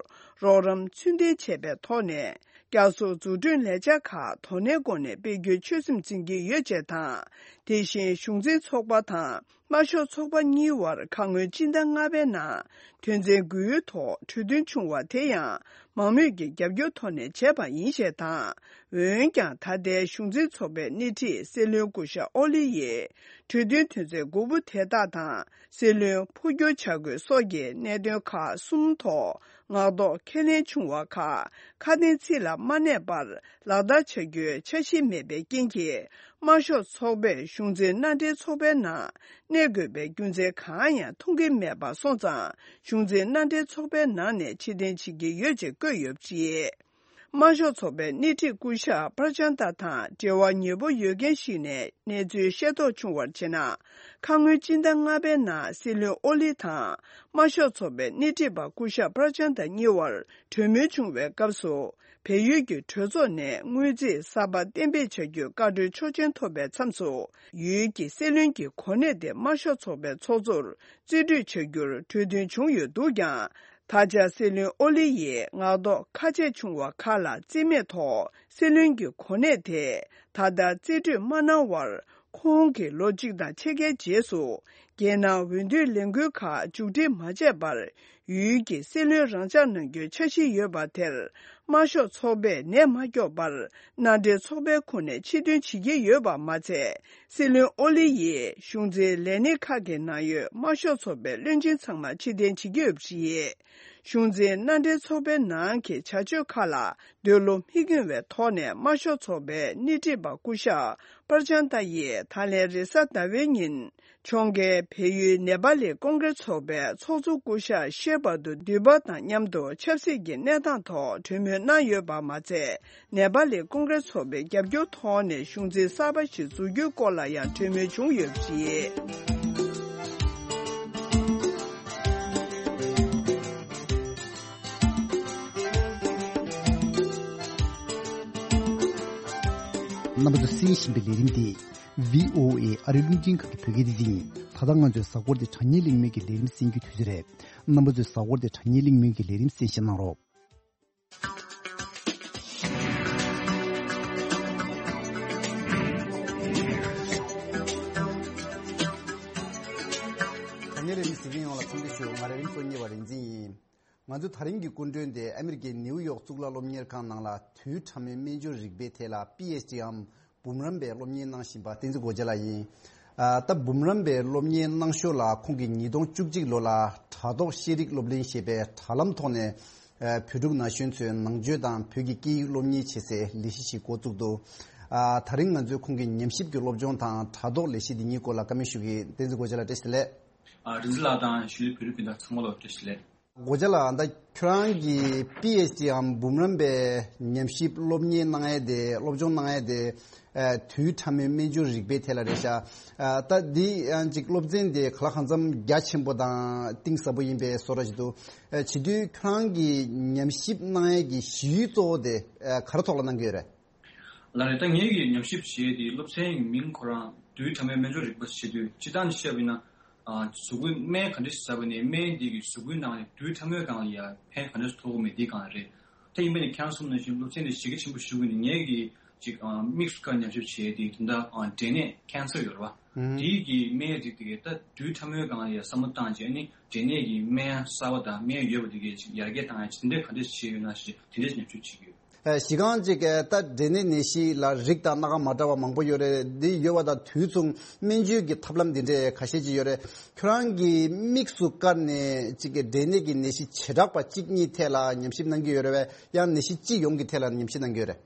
རོགས་རམ་ཚུལ་ལྡན་བྱས་པའི་ཐོག་ནས། བསྐྱར་གསོ་འཛུགས་སྐྲུན་ལས་འཆར་ཁག་དོ་ནན་སྒོ་ནས་སྤེལ་རྒྱུའི་ཆོད་སེམས་འཛིན་གྱི་ཡོད་ཅེས་དང་། དེ་བཞིན་གཞུང་འཛིན་ཚོགས་པ་དང་། དམར་ཤོག་ཚོགས་པ་གཉིས་དབར་ཁ་སྔོན་སྤྱི་ཟླ་ལྔ་པའི་ནང་དོན་ཚན་དགུའི་ཐོག་གྲོས་མཐུན་བྱུང་བ་དེ་ཡང་མང་མོས་ཀྱི་རྒྱབ་སྐྱོར་ཐོག་ནས་བྱས་པ་ཡིན་ཞེས་དང་། འོན་ཀྱང་། ད་ལྟའི་གཞུང་འཛིན་ཚོགས་པའི་སྣེ་ཁྲིད་སྲིད་བློན་སྐུ་ཞབས་ཨོ་ལི་ཡིས་གྲོས་མཐུན་དོན་ཚན་དགུ་པོ་དེ་དག་དང་། སྲིད་བློན་འཕོ་འགྱུར་བྱ་དགོས་སོགས་ཀྱི་གནད་དོན་ཁག་གསུམ་ཐོག་ངག་ཐོག་ཁས་ལེན་བྱུང་བ་ཁག་ཁ་དན་ཚིག་ལ་མ་གནས་པར་ལག་བསྟར་བྱ་རྒྱུའི་འཆར་གཞི་མེད་པའི་རྐྱེན་གྱིས། དམར་ཤོག་ཚོགས་པས་གཞུང་འཛིན་མནའ་འབྲེལ་ཚོགས་པའི་ནང་གནས་དགོས་པའི་རྒྱུ་མཚན་གང་ཡང་མཐོང་གི་མེད་པ་སོང་ཙང་། གཞུང་འཛིན་མནའ་འབྲེལ་ཚོགས་པའི་ནང་ནས་ཕྱིར་འཐེན་བྱེད་ཀྱི་ཡོད་ཅེས་བཀོད་ཡོད་པ་རེད། དམར་ཤོག་ཚོགས་པའི་སྣེ་ཁྲིད་སྐུ་ཞབས་པར་ཅན་ཏཱ་དང་འབྲེལ་བ་ཉེ་པོ་ཡོད་མཁན་ཞིག་ནས་གནས་ཚུལ་ཤེས་རྟོགས་བྱུང་བར་བྱས་ན། ཁ་སྔོན་སྤྱི་ཟླ་ལྔ་པའི་ནང་སྲིད་བློན་ཨོ་ལི་དང་། དམར་ཤོག་ཚོགས་པའི་སྣེ་ཁྲིད་པ་སྐུ་ཞབས་པར་ཅན་ཏཱ་གཉིས་དབར་གྲོས་མོལ་བྱུང་བའི་སྐབས་སུ། བལ་ཡུལ་གྱི་གྲོས་ཚོགས་ནས་སྔོན་རྩིས་གསར་པ་གཏན་འབེབས་བྱ་རྒྱུའི་བཀའ་འཁྲོལ་ཆོག་མཆན་ཐོབ་པའི་མཚམས་སུ། ཡུལ་གྱི་སྲིད་བློན་གྱི་གོ་གནས་དེ་དམར་ཤོག་ཚོགས་པའི་ཚོགས་གཙོར་རྩིས་སྤྲོད་བྱ་རྒྱུར་གྲོས་མཐུན་བྱུང་ཡོད་འདུག་ཀྱང་། ད་ཆ་སྲིད་བློན་ཨོ་ལི་ཡིས་ངག་ཐོག་ཁ་ཆད་བྱུང་བ་ཁག་ལ་རྩིས་མེད་ཐོག་སྲིད་བློན་གྱི་གོ་གནས་དེ་ད་ལྟ་རྩིས་སྤྲོད་མ་གནང་བར། ཁོང་གིས་ལོ་གཅིག་དང་ཕྱེད་ཀའི་རྗེས་སུ། རྒྱལ་ནང་འོས་བསྡུའི་ལས་འགུལ་ཁག་མཇུག་སྒྲིལ་མ་བྱས་པར། ཡུལ་གྱི་སྲིད་བློན་རང་འཇགས་གནང་རྒྱུའི་འཆར་གཞི་ཡོད་པ་དེར། དམར་ཤོག་ཚོགས་པས་ནད་མ་སྐྱོབ་པར། མནའ་འབྲེལ་ཚོགས་པའི་ཁོངས་ནས་ཕྱིར་འདོན་བྱེད་ཀྱི་ཡོད་པ་མ་ཚད། སྲིད་བློན་ཨོ་ལི་ཡིས་གཞུང་འཛིན་ལས་སྣེ་ཁག་གི་ནང་ཡོད་དམར་ཤོག་ཚོགས་པའི་བློན་ཆེན་ཚང་མ་ཕྱིར་འཐེན་བྱེད་ཀྱི་ཡོད་པ་རེད། གཞུང་འཛིན་མནའ་འབྲེལ་ཚོགས་པའི་ནང་གི་བྱ་སྤྱོད་ཁག་ལ་འདོད་བློ་མི་སྐྱོང་བའི་ཐོག་ནས། དམར་ཤོག་ཚོགས་པའི་སྣེ་ཁྲིད་པ་སྐུ་ཞབས་པར་ཅན་ཏཱ་ཡིས་ད་ལན་རེས་གཟའ་ཟླ་བའི་ཉིན། ཕྱོགས་འགལ་བལ་ཡུལ་ནེ་པ་ལི་ཀོང་གྲེས་ཚོགས་པའི་ཚོགས་གཙོ་སྐུ་ཞབས་ཤེ་བྷ་དུ་དུས་བབ་དང་མཉམ་དུ་ཆབ་སྲིད་ཀྱི་གནས་སྟངས་ཐོག་གྲོས་མོལ་གནང་ཡོད་པ་མ་ཚད། ནེ་པ་ལི་ཀོང་གྲེས་ཚོགས་པའི་རྒྱབ་སྐྱོར་ཐོག་ནས་གཞུང་འཛིན་གསར་པ་ཞིག་འཛུགས་རྒྱུའི་སྐོར་ལ་ཡང་གྲོས་མོལ་བྱུང་ཡོད་པ་རེད། རྣམ་པ་ཚོས་གསན་བཞིན་པའི་ལས་རིམ་འདི། བྷི་ཨོ་ཨེ་ཨ་རིའི་རླུང་འཕྲིན་ཁང་གི་བོད་སྐད་སྡེ་ཚན་ཡིན། ད་ལྟ་ང་ཚོའི་གཟའ་འཁོར་འདི་དྲ་བརྙན་གླེང་མོལ་གྱི་ལས་རིམ་གསན་རྒྱུའི་དུས་ཚོད་རེད། རྣམ་པ་ཚོས་གཟའ་འཁོར་འདི་དྲ་བརྙན་གླེང་མོལ་གྱི་ལས་རིམ་གསན་བཞེས་གནང་རོགས། དྲ་བརྙན་ལས་རིམ་གཟིགས་མཁན་ཡོངས་ལ་འཚམས་འདྲི་ཞུ། ང་ལས་རིམ་གཙོ་གཉེར་བ་རིག་འཛིན་ཡིན། ང་ཚོའི་ད་རིང་གི་སྐུ་མགྲོན་དེ་ཨ་མི་རི་ཀའི་ནིའུ་ཡོག་གཙུག་ལག་སློབ་གཉེར་ཁང་ནང་ལ་དུས་ཕྲ་མོའི་སྨན་བཅོས་རིག་པའི་ཐད་ལ་པི་ཨེཆ་ཌི་འམ་འབུམ་རམས་པའི་སློབ་གཉེར་གནང་བཞིན་པ་བསྟན་འཛིན་སྒོ་རྒྱལ་ལགས་ཡིན། ཨ། ད་འབུམ་རམས་པའི་སློབ་གཉེར་གནང་ཞོར་ལ་ཁོང་གིས་ཉིས་སྟོང་བཅུ་གཅིག་ལོ་ལ་དྲ་ཐོག་ཤེས་རིག་སློབ་གླིང་ཞེས་པའི་དྲ་ལམ་ཐོག་ནས། ཨ། བོད་ཕྲུག་ན་གཞོན་ཚོའི་ནང་ཆོས་དང་བོད་ཀྱི་སྐད་ཡིག་སློབ་གཉེར་བྱེད་སའི་ལས་གཞི་ཞིག་འགོ་བཙུགས་འདུག་ཨ། ད་རིང་ང་ཚོས་ཁོང་གི་ཉམས་ཞིབ་ཀྱི་སློབ་སྦྱོང་དང་དྲ་ཐོག་ལས་གཞི་འདི་གཉིས་སྐོར་ལ་བཀའ་མོལ་ཞུ་གི་ཡིན། བསྟན་འཛིན་སྒོ་རྒྱལ་ལགས་བཀྲ་ཤིས་བདེ་ལེགས། ཨ། རིག་འཛིན་ལགས་དང་གཞིས་ལུས་བོད་རིགས་སྤུན་ཟླ་ཚང་མ་ལ་བཀྲ་ཤིས་བདེ་ལེགས། སྒོ་རྒྱལ་ལགས། ད་ཁྱོད་རང་གིས་པི་ཨེཆ་ཌི་འམ་འབུམ་རམས་པའི་ཉམས་ཞིབ་སློབ་གཉེར་གནང་ཡས་དེ། སློབ་སྦྱོང་གནང་ཡས་དེ། ཨ། དུས་ཕྲ་མོའི་སྨན་བཅོས་རིག་པའི་ཐད་ལ་རེད་ཤག་ཨ། ད་འདི་ཡང་ཅིག་སློབ་ཚན་དེ་ག་ལ་གང་འཚམ་རྒྱ་ཆེན་པོ་དང་གཏིང་ཟབ་པོ་ཡིན་པའི་བཟོ་འདྲ་ཞིག་འདུག་ཨ། བྱེད་དུས་ཁྱོད་རང་གིས་ཉམས་ཞིབ་གནང་ཡས་ཀྱི་གཞི་ཡུལ་གཙོ་བོ་དེ། ཨ། ག་རེ་ཐོག་ལ་གནང་གི་ཡོད་རེད། ལགས་རེད། ད་ངེད་ཀྱིས་ཉམས་ཞིབ་བྱེད་ཡས་དེ་སློབ་ཚན་གྱི་མིང་ཁོ་རང་དུས་ཕྲ་མོའི་སྨན་བཅོས་རིག་པ་ཞེས་དུས། སྤྱིར་བཏང་ནས་བཤད་པ་ཡིན་ན། ཨ། གཟུགས་པོའི་སྨན་ག་འདྲ་ཞིག་ཟ་བ་ནས་སྨན་འདི་གིས་གཟུགས་པོའི་ནང་ནས་དུས་ཕྲ་མོའི་སྒང་ལ་ཡ་ཕན་ག་འདྲ་ཞིག་ཐོགས་ཀྱི་མེད་འདིའི་སྒང་ལ་རེད། ད་ཡིན་པ་ནི་ཁྱེད་རང་གསུངས་ནང་བཞིན་སློབ་ཚན་དེ་གཞི་རྒྱ་ཆེན་པོ་ཞིག་ཡིན་ནི། ངེད་ཀྱིས་ཅིག་ཨ། དམིགས་སུ་བཀར་ཉམས་ཞིབ་བྱས་དེ་ད་ལྟ་ཨ། འབྲས་ནད་ཀན་སར་ཡོད་རེད་བ། ཨང་། དེའི་གི་སྨན་རིགས་དེ་གའི་ད་དུས་ཕྲ་མོའི་སྒང་ལ་ཡ་བསམ་བློ་བཏང་བྱས་ནི། འབྲས་ནད་ཀྱི་སྨན་གསར་བ་དང་སྨན་ཡོད་པ་དེ་གའི་ཅིག་ཡར་རྒྱས་བཏང་ཡ་ཅིག་དེ་འདྲས་ག་འདྲས་བྱས་ཡོད་ན་ཞེས་དེ་འདྲས་ཉམས་ཞིབ་བྱེད་ཀྱི་ཡོད། ཨ། གཞི་རྐང་ཅིག་གི་ད་འབྲས་ནད་ནད་གཞི་ལ་རིགས་དང་སྣ་ཁ་མ་འདྲ་བ་མང་པོ་ཡོད་རེད། འདི་ཡོད་པ་དང་དུས་མཚུངས་སྨན་བཅོས་ཀྱི་ཐབས་ལམ་འདི་འདྲས་ཁ་ཤས་ཅིག་ཡོད་རེད། ཁྱོད་རང་གིས་དམིགས་སུ་བཀར་ནས་ཅིག་གི་འབྲས་ནད་ཀྱི་ནད་གཞི་བྱེ་བྲག་པ་གཅིག་གཉིས་ཐད་ལ་ཉམས་ཞིབ་གནང་གི་ཡོད་རེད་བས། ཡང་ནད་གཞི་སྤྱི་ཡོངས་ཀྱི་ཐད་ལ་ཉམས་ཞིབ་གནང་གི་ཡོད་རེད།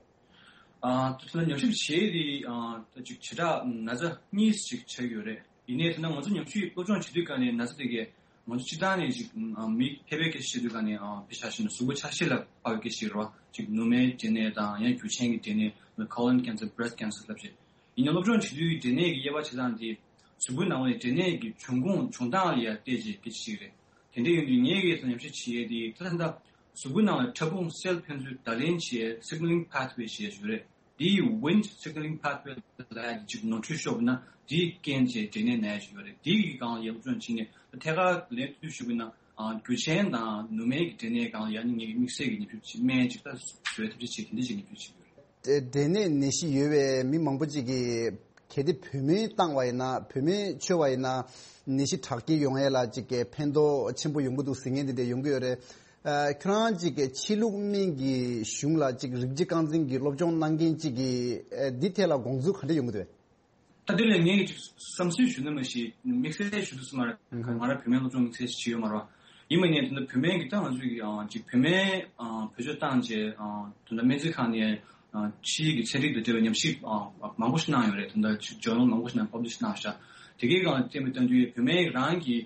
ཨ། ད་ལྟ་ཉམས་ཞིབ་བྱས་ཏེ། ཨ། ད་ཅིག་བྱེ་བྲག་ན་ཚ་གཉིས་ཅིག་ཆགས་ཡོད་རེད། ཡིན་ནའི་ད་ལྟ་ང་ཚོ་ཉམས་ཞིབ་སློབ་སྦྱོང་བྱེད་དུས་ག་ནས་ན་ཚ་དེ་གས་ང་ཚོ་སྤྱིར་བཏང་ནས་ཅིག་ཨ། མི་ཕལ་པའི་སྐད་ཆ་བཤད་དུས་ག་ནས། ཨ། དཔེ་ཆ་བཞག་ན་གཟུགས་པོ་ཆ་ཤས་ལ་དཔག་པའི་སྐད་ཆ་ཞིག་རེད་བ། ཅིག་ནུ་མའི་འབྲས་ནད་དང་། ཡང་རྒྱུ་ཆེན་གྱི་འབྲས་ནད། colon cancer, breast cancer ལབ་བྱས། ཡིན་ནའི་སློབ་སྦྱོང་བྱེད་དུས་འབྲས་ནད་ཀྱི་དབྱེ་བ་ཕྱེ་སྟངས་དེ་གཟུགས་པོའི་ནང་ལ་འབྲས་ནད་ཀྱི་འབྱུང་ཁུངས་བྱུང་སྟངས་ལ་ཡང་བལྟས་བྱས་སྐད་ཆ་བཤད་ཀྱི་རེད། དེ་འདྲ་ཡིན་དུས་ངས་ཀྱིས་ཉམས་ཞིབ་བྱེད་ཡས་དེ་ད་ལྟ་གཟུགས་པོའི་ནང་ལ་ཕྲ་ཕུང་སེལ་ཕན་ཚུན་བརྡ་ལེན་བྱེད་signaling pathway་ཞེས་ཞུ་རེད། དེ་ཡི་Wnt signaling pathway་ལ་ཅིག་ནོར་འཁྲུལ་ཤོར་བ་ན་དེའི་རྐྱེན་བྱས་འབྲས་ནད་ན་ཡ་ཅིག་ཡོད་རེད། དེ་ཡི་སྒང་ལ་ཡ་སློབ་སྦྱོང་བྱས་ནས་ཐད་ཀར་ལན་ཐུག་ཞུ་བ་ན་རྒྱུ་ཆེན་དང་ནུ་མའི་གི་འབྲས་ནད་སྒང་ལ་ཡ་ནི་ངེད་ཀྱི་དམིགས་བསལ་གྱི་ཉམས་ཞིབ་བྱེད་སྨན་ཅིག་ད་བཟོ་བའི་ཐབས་ཤེས་བྱེད་དེ་འདྲ་ཅིག་ཉམས་ཞིབ་བྱེད་ཀྱི་ཡོད་རེད། འབྲས་ནད་ནད་གཞི་ཡོད་པའི་མི་མང་པོ་ཅིག་གིས་གལ་ཏེ་བུད་མེད་བཏང་བ་ཡིན་ན་བུད་མེད་འཆོལ་བ་ཡིན་ན་ནད་གཞི་དྲག་སྐྱེད་ཡོང་ཡས་ལ་ཅིག་གི་ཕན་ཐོགས་ཆེན་པོ་ཡོང་གི་འདུག་ཟེར་མཁན་དེ་འདྲ་ཡོང་གི་ཡོད་རེད། ཨ། ཁྱོད་རང་ཅིག་གི་ཕྱི་ལུགས་སྨན་གྱི་གཞུང་ལ་ཅིག་རིགས་གཅིག་རྐང་འཛིན་གྱི་སློབ་སྦྱོང་གནང་མཁན་ཅིག་གིས་ཨ། འདི་ཐད་ལ་དགོངས་ཚུལ་ག་འདྲ་ཡོང་གི་འདུག་གས། ད་དེ་ལས་ངས་ཅིག་བསམ་ཚུལ་ཞུ་ན་མ་ཤེས། དམིགས་བསལ་ཞུ་དུས་སུ་མ་རེད། ཨུ་ཧུ། ང་རང་བུད་མེད་སློབ་སྦྱོང་དམིགས་བསལ་ཞིག་བྱས་ཡོད་མ་རེད་བ། ཡིན་པ་ནས་ད་ལྟ་བུད་མེད་ཀྱི་ད་ང་ཚོས་ཀྱི་ཨ། ཅིག་བུད་མེད་ཨ། བེད་སྤྱོད་བཏང་རྗེས་ཨ། ད་ལྟ་སྨན་རྩིས་ཁང་ནས་ཨ། ཕྱིའི་གི་ཚན་རིག་དང་འབྲེལ་བའི་ཉམས་ཞིབ་ཨ། མང་པོ་ཞིག་གནང་ཡོད་རེད། ད་ལྟ་ཅིག་ཇར་ནལ་མང་པོ་ཞིག་ནང་པབ་ལི་ཤི་གནང་ཤག་དེ་གའི་སྒང་ལ་བལྟས་པ་ལྟ་དུས་བུད་མེད་རང་གི་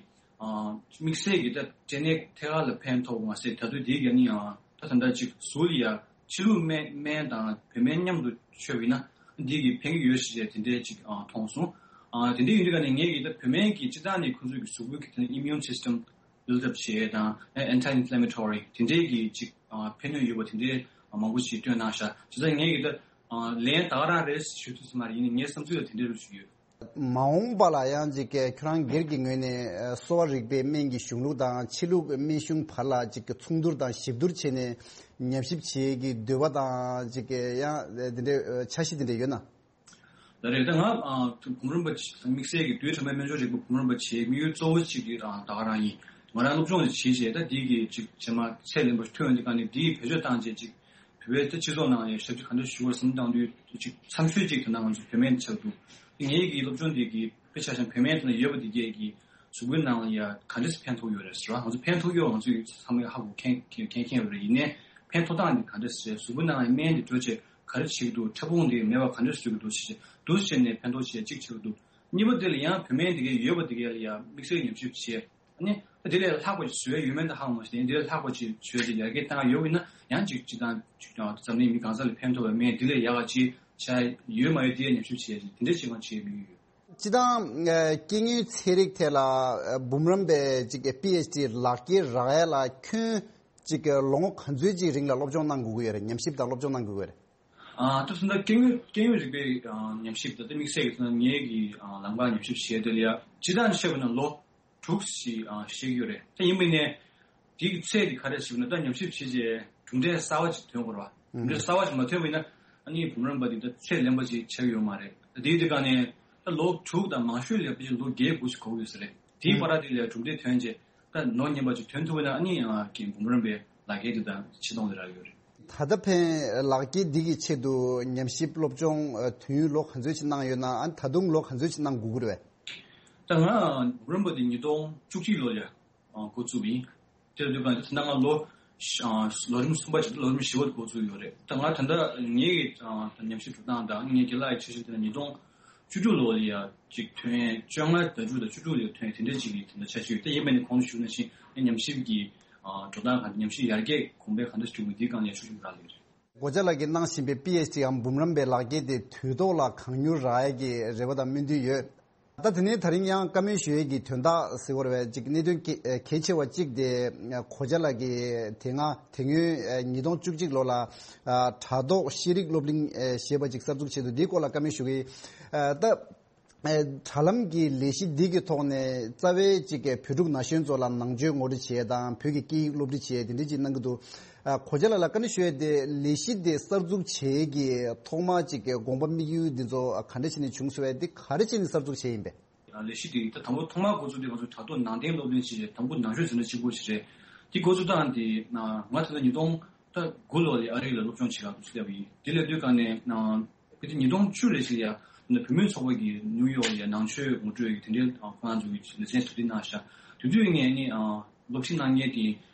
ཨ། དམིགས་བསལ་གྱི་ད་འབྲས་ནད་ཐད་ཀར་ལ་ཕན་ཐོགས་མ་ཟད་ད་དུང་དེའི་གི་ནི་ཨ། ད་ད་ལྟ་ཅིག་གཟུགས་ལ་ཡ་ཕྱི་ལུགས་སྨན་སྨན་དང་བོད་སྨན་མཉམ་དུ་མཆོད་པ་ཡིན་ན་འདི་གི་ཕན་གྱི་ཡོད་ཞེས་དེ་འདྲའི་ཅིག་ཨ། མཐོང་སོང་། ཨ། དེ་འདྲ་ཡིན་དུས་ཀ་ནས་ངས་ཀྱི་ད་བོད་སྨན་གྱི་སྤྱི་བཏང་ནས་ཁོང་ཚོའི་གི་གཟུགས་པོའི་གི་ད་immune system build up་བྱེད་དང་anti inflammatory་དེ་འདྲའི་གི་ཅིག་ཨ། ཕན་ནུས་ཡོད་པ་དེ་འདྲའི་མང་པོ་ཞིག་སྟོན་གནང་ཤག་བྱས་ཙང་ངས་ཀྱི་ད་ཨ། ལན་ད་ག་རང་རེད་ཞུ་ཐུབ་ས་མ་རེད། ཡིན་ནའི་ངའི་བསམ་ཚུལ་ལ་དེ་འདྲའི་རུ་ཞུ་ཡོད། མ་འོངས་པ་ལ་ཡང་ཅིག་གི་ཁྱོད་རང་སྒེར་གྱི་ངོས་ནས་ཨ། གསོ་བ་རིག་པའི་སྨན་གྱི་གཞུང་ལུགས་དང་ཕྱི་ལུགས་སྨན་གཞུང་བར་ལ་ཅིག་གི་མཚུངས་བསྡུར་དང་ཞིབ་བསྡུར་བྱས་ནས་ཉམས་ཞིབ་བྱེད་ཀྱི་འདོད་པ་དང་ཅིག་གི་ཡང་དེ་འདྲའི་འཆར་གཞི་དེ་འདྲ་ཡོད་ན། ད་རེས་ད་ང་ཨ། བུམ་རམས་པ་དམིགས་བསལ་གྱི་རྡུལ་ཕྲ་མའི་སྨན་སྦྱོར་རིག་པ་བུམ་རམས་པ་བྱེད་དམིགས་ཡུལ་གཙོ་བོ་གཅིག་གི་ཨ། ད་ག་རང་ཡིན། ང་རང་སློབ་སྦྱོང་ཞིག་བྱེད་བྱས་ད་འདི་གི་ཅིག་རྗེས་མ་ཚད་ལེན་པ་ཞིག་ཐོན་ཡོང་དུས་ག་ནས་འདི་བེད་སྤྱོད་བཏང་བྱས་ཅིག་བོད་པའི་སྤྱི་ཚོགས་ནང་ལ་ཞབས་ཕྱི་ག་འདྲ་ཞུ་དགོས་བསམ་བློ་བཏང་དུས་ཅིག་འཚམས་ཤོས་ཅིག་དེ་ན་ང་ཚོ་བོད་སྨན་ཆགས་འདུག་ངེད་ཀྱི་སློབ་སྦྱོང་འདི་གི་དཔེ་ཆ་བཞག་ན་བོད་སྨན་དེ་ན་ཡོད་པ་འདི་གས་ཀྱི་གཟུགས་པོའི་ནང་ལ་ཡ་ག་འདྲས་ཕན་ཐོགས་ཡོད་རེད་ཟེར་བ། ང་ཚོ་ཕན་ཐོགས་ཡོད་ང་ཚོས་ཚང་མས་ཧ་གོ་མཁན་མཁན་མཁན་ཡོད་རེད། ཡིན་ནའི་ཕན་ཐོགས་སྟངས་འདི་ག་འདྲས་རེད། གཟུགས་པོའི་ནང་ལ་སྨན་འདི་འགྲོ་བྱས་ག་རེ་བྱེད་ཀྱི་འདུག་ཕྲ་ཕུང་འདི་མེད་པ་ག་འདྲས་བཟོ་གི་འདུག་ཞེས་འདུག་བྱས་ནས་ཕན་ཐོགས་བྱས་གཅིག་བྱེད་ཀྱི་འདུག་གཉིས་པ་དེ་ལ་ཡང་བོད་སྨན་འདི་གས་ཡོད་པ་འདི་གས་ལ་ཡ་དམིགས་བསལ་ཉམས་ཞིབ་བྱས། ཨ་ནི་དེ་ལས་ལྷག་པ་ཞིག་བཟོས་ཡོད་མེད་ད་ཧ་གོ་མ་ཤེས། དེ་ལས་ལྷག་པ་ཞིག་བཟོས་ཏེ་ཡར་རྒྱས་བཏང་ཡོད་པ་ཡིན་ན་ཡང་ཅིག་སྤྱིར་བཏང་ཅིག་ཀྱང་འཛམ་གླིང་མི་གང་ས་ལ་ཕན་ཐོགས་པའི་སྨན་དེ་ལས་ཡག་ག་ཅིག་བྱ་ཡོད་མ་ཡོད་དེ་ཉམས་ཞིབ་བྱས་ཡ་ཅིག་དེ་འདྲས་ཅིག་ཀྱང་བྱས་མི་ཡོད། སྤྱིར་བཏང་ཨ། སྐྱེ་དངོས་ཚན་རིག་ཐད་ལ་ཨ། འབུམ་རམས་པའི་ཅིག་པི་ཨེཆ་ཌི་ལག་འཁྱེར་རག་ཡ་ལ་ཁྱོན་ཅིག་ལོ་ངོ་ག་ཚོད་ཅིག་རིང་ལ་སློབ་སྦྱོང་གནང་དགོས་ཀྱི་ཡོད་རེད། ཉམས་ཞིབ་དང་སློབ་སྦྱོང་གནང་དགོས་ཀྱི་ཡོད་རེད། ཨ། ད་དུང་ད་སྐྱེ་དངོས་སྐྱེ་དངོས་རིག་པའི་ཨ། ཉམས་ཞིབ་ད་ལྟ་དམིགས་བསལ་གྱི་ཚོ་ངེད་ཀྱི་ཨ། ལམ་ཁ་ཉམས་ཞིབ་བྱས་དེ་ལ་ཡ་སྤྱིར་བཏང་བཤད་པ་ན་ལོ་དྲུག་ཞིག་ཨ། བཤད་ཀྱི་ཡོད་རེད། ད་ཡིན་པ་ཡིན་ནའི་དེའི་ཚད་དེ་ག་རེ་ཞིག་ན་ད་ཉམས་ཞིབ་བྱས་རྗེས་གྲུབ་འབྲས་གསར་བ་ཅིག་ཐོན་དགོས་རེད་བ། གྲུབ་འབྲས་གསར་བ་ཅིག་མ་ཐོན་པ་ཡིན་ན་ཨ་ནི་འབུམ་རམས་པ་དེ་ད་ཚད་ལེན་པ་ཅིག་ཆགས་ཀྱི་ཡོད་མ་རེད། ད་དེའི་དེ་ག་ནས་ད་ལོ་དྲུག་དང་མང་ཤོས་ལ་ཕལ་ཆེར་ལོ་བརྒྱད་དགུ་ཞིག་འགོར་གྱི་ཡོད་ས་རེད། དེའི་བར་དེ་ལ་གྲུབ་འབྲས་ཐོན་རྗེས་ད་ནོར་ཉན་པ་ཅིག་ཐོན་ཐུབ་པ་ན་ཨ་ནི་ཨ་ཀྱི་འབུམ་རམས་པའི་ལག་འཁྱེར་དེ་ད་ཕྱིར་གཏོང་དེ་རག་ཡོད་རེད། ད་ལྟ་ཕན་ལག་འཁྱེར་འདི་གི་ཆེད་དུ་ཉམས་ཞིབ་སློབ་སྦྱོང་དུས་ཡུན་ལོ་ག་ཚོད་ཅིག་གནང་ཡོད་ན་ཨ་ནི་ད་དུང་ལོ་ག་ཚོད་ཅིག་གནང་དགོས་ཀྱི་རེད་བས། ད་ང་འབུམ་རམས་པ་དེ་ཉིས་སྟོང་བཅུ་གཅིག་ལོ་ལ་འགོ་བཙུགས་པ་ཡིན། དེ་ལ་དུས་གང་དེ་ད་ང་ལོ་ལོ་རིམ་གསུམ་པ་ཞིག་ལོ་རིམ་བཞི་པ་འགོ་བཙུགས་ཡོད་རེད། ད་ང་ད་ལྟ་ངའི་ཉམས་ཞིབ་འགྲོ་སྟངས་དང་ངའི་རྒན་ལགས་ཀྱི་འཆར་གཞི་དེ་ལ་ཉིས་སྟོང་བཅུ་དྲུག་ལོ་ལ་ཡ་ཅིག་ཐོན། བཅོ་ལྔ་ཟླ་དྲུག་དང་བཅུ་དྲུག་ལ་ཐོན་དེ་འདྲ་ཅིག་གི་དེ་འདྲ་འཆར་གཞི་ཡོད། ད་ཡིན་པ་ནི་གོང་དུ་ཞུས་ནང་བཞིན་ངའི་ཉམས་ཞིབ་ཀྱི་འགྲོ་སྟངས་གང་ཉམས་ཞིབ་ཡར་རྒྱས་གོང་འཕེལ་གང་འདྲ་བྱུང་ཡོད་འདིའི་སྒང་ལ་ཡ་ཞུ་ཞུ་རག་ལས་རེད། སྒོ་ལྕགས་ལགས་ཀྱིས་གནང་བཞིན་པའི་པི་ཨེཆ་ཌི་འམ་འབུམ་རམས་པའི་ལག་འཁྱེར་དེ་དུས་ཐོག་ལ་གང་མྱུར་རག་ཡས་ཀྱི་རེ་བ་དང་སྨོན་འདུན་ཡོད། ད་དེ་ནས་ད་རིང་ཡང་བཀའ་མོལ་ཞུ་ཡས་ཀྱི་དོན་དག་ཟེར་བ་རེད་བས་ཅིག་གནད་དོན་གལ་གལ་ཆེ་བ་གཅིག་དེ་གོ་ཆ་ལགས་ཀྱིས་དེ་སྔ་དེ་སྔོན་ཉིས་སྟོང་བཅུ་གཅིག་ལོ་ལ་དྲ་ཐོག་ཤེས་རིག་སློབ་གླིང་ཞེས་པ་ཅིག་གསར་འཛུགས་བྱས་འདུག་འདིའི་སྐོར་ལ་བཀའ་མོལ་ཞུ་གི་ཡིན། ད་དྲ་ལམ་གྱི་ལས་གཞི་འདི་གི་ཐོག་ནས་རྩ་བའི་ཅིག་བོད་ཕྲུག་ན་གཞོན་ཚོ་ལ་ནང་ཆོས་ངོ་སྤྲོད་བྱས་དང་བོད་ཀྱི་སྐད་ཡིག་སློབ་ཁྲིད་བྱས་དེ་འདྲ་ཅིག་གནང་གི་འདུག་ཨ། གོ་ཆ་ལགས་ལ་བཀའ་འདྲི་ཞུ་ཡས་དེ་ལས་གཞི་དེ་གསར་འཛུགས་བྱེད་ཀྱི་ཐོག་མ་ཅིག་གི་དགོངས་པ་དམིགས་ཡུལ་འདི་ཚོ་ག་འདྲ་བྱས་ནས་བྱུང་སོང་བས་འདི་ག་རེ་བྱས་ནས་གསར་འཛུགས་བྱས་ཡིན་པས། ལས་གཞི་དེ་ད་དང་པོ་ཐོག་མར་འགོ་བཙུགས་དུས་ང་ཚོ་དྲ་ཐོག་ནང་བསྟན་སློབ་གླིང་ཞེས་དང་པོ་ནང་ཆོས་ཟིན་བྲིས་གཅིག་པོ་ཞིག་རེད། དེ་འགོ་བཙུགས་སྟངས་དེ་ང་ད་ལྟ་ཉིས་སྟོང་ད་དགུ་ལོ་ལ་ཨ་རི་ལ་སློབ་སྦྱོང་བྱེད་གར་འདུག་སླེབས་པ་ཡིན། དེ་ལས་དུས་གང་ནས་ཕལ་ཆེར་ཉིས་སྟོང་བཅུ་ལོ་ཞིག་ལ་ཡ་བུད་མེད་ཚོགས་པ་གིས་ནིའུ་ཡོག་ལ་ཡ་ནང་ཆོས་ངོ་སྤྲོད་ཀྱི་དེ་འདྲའི་ཁོ་རང་ཚོ་གི་ལེ་ཚན་གྲ་སྒྲིག་གནང་ཤག་དེ་དུས་ངས་ནི་སློབ་ཁྲིད་གནང་མཁན་དེ་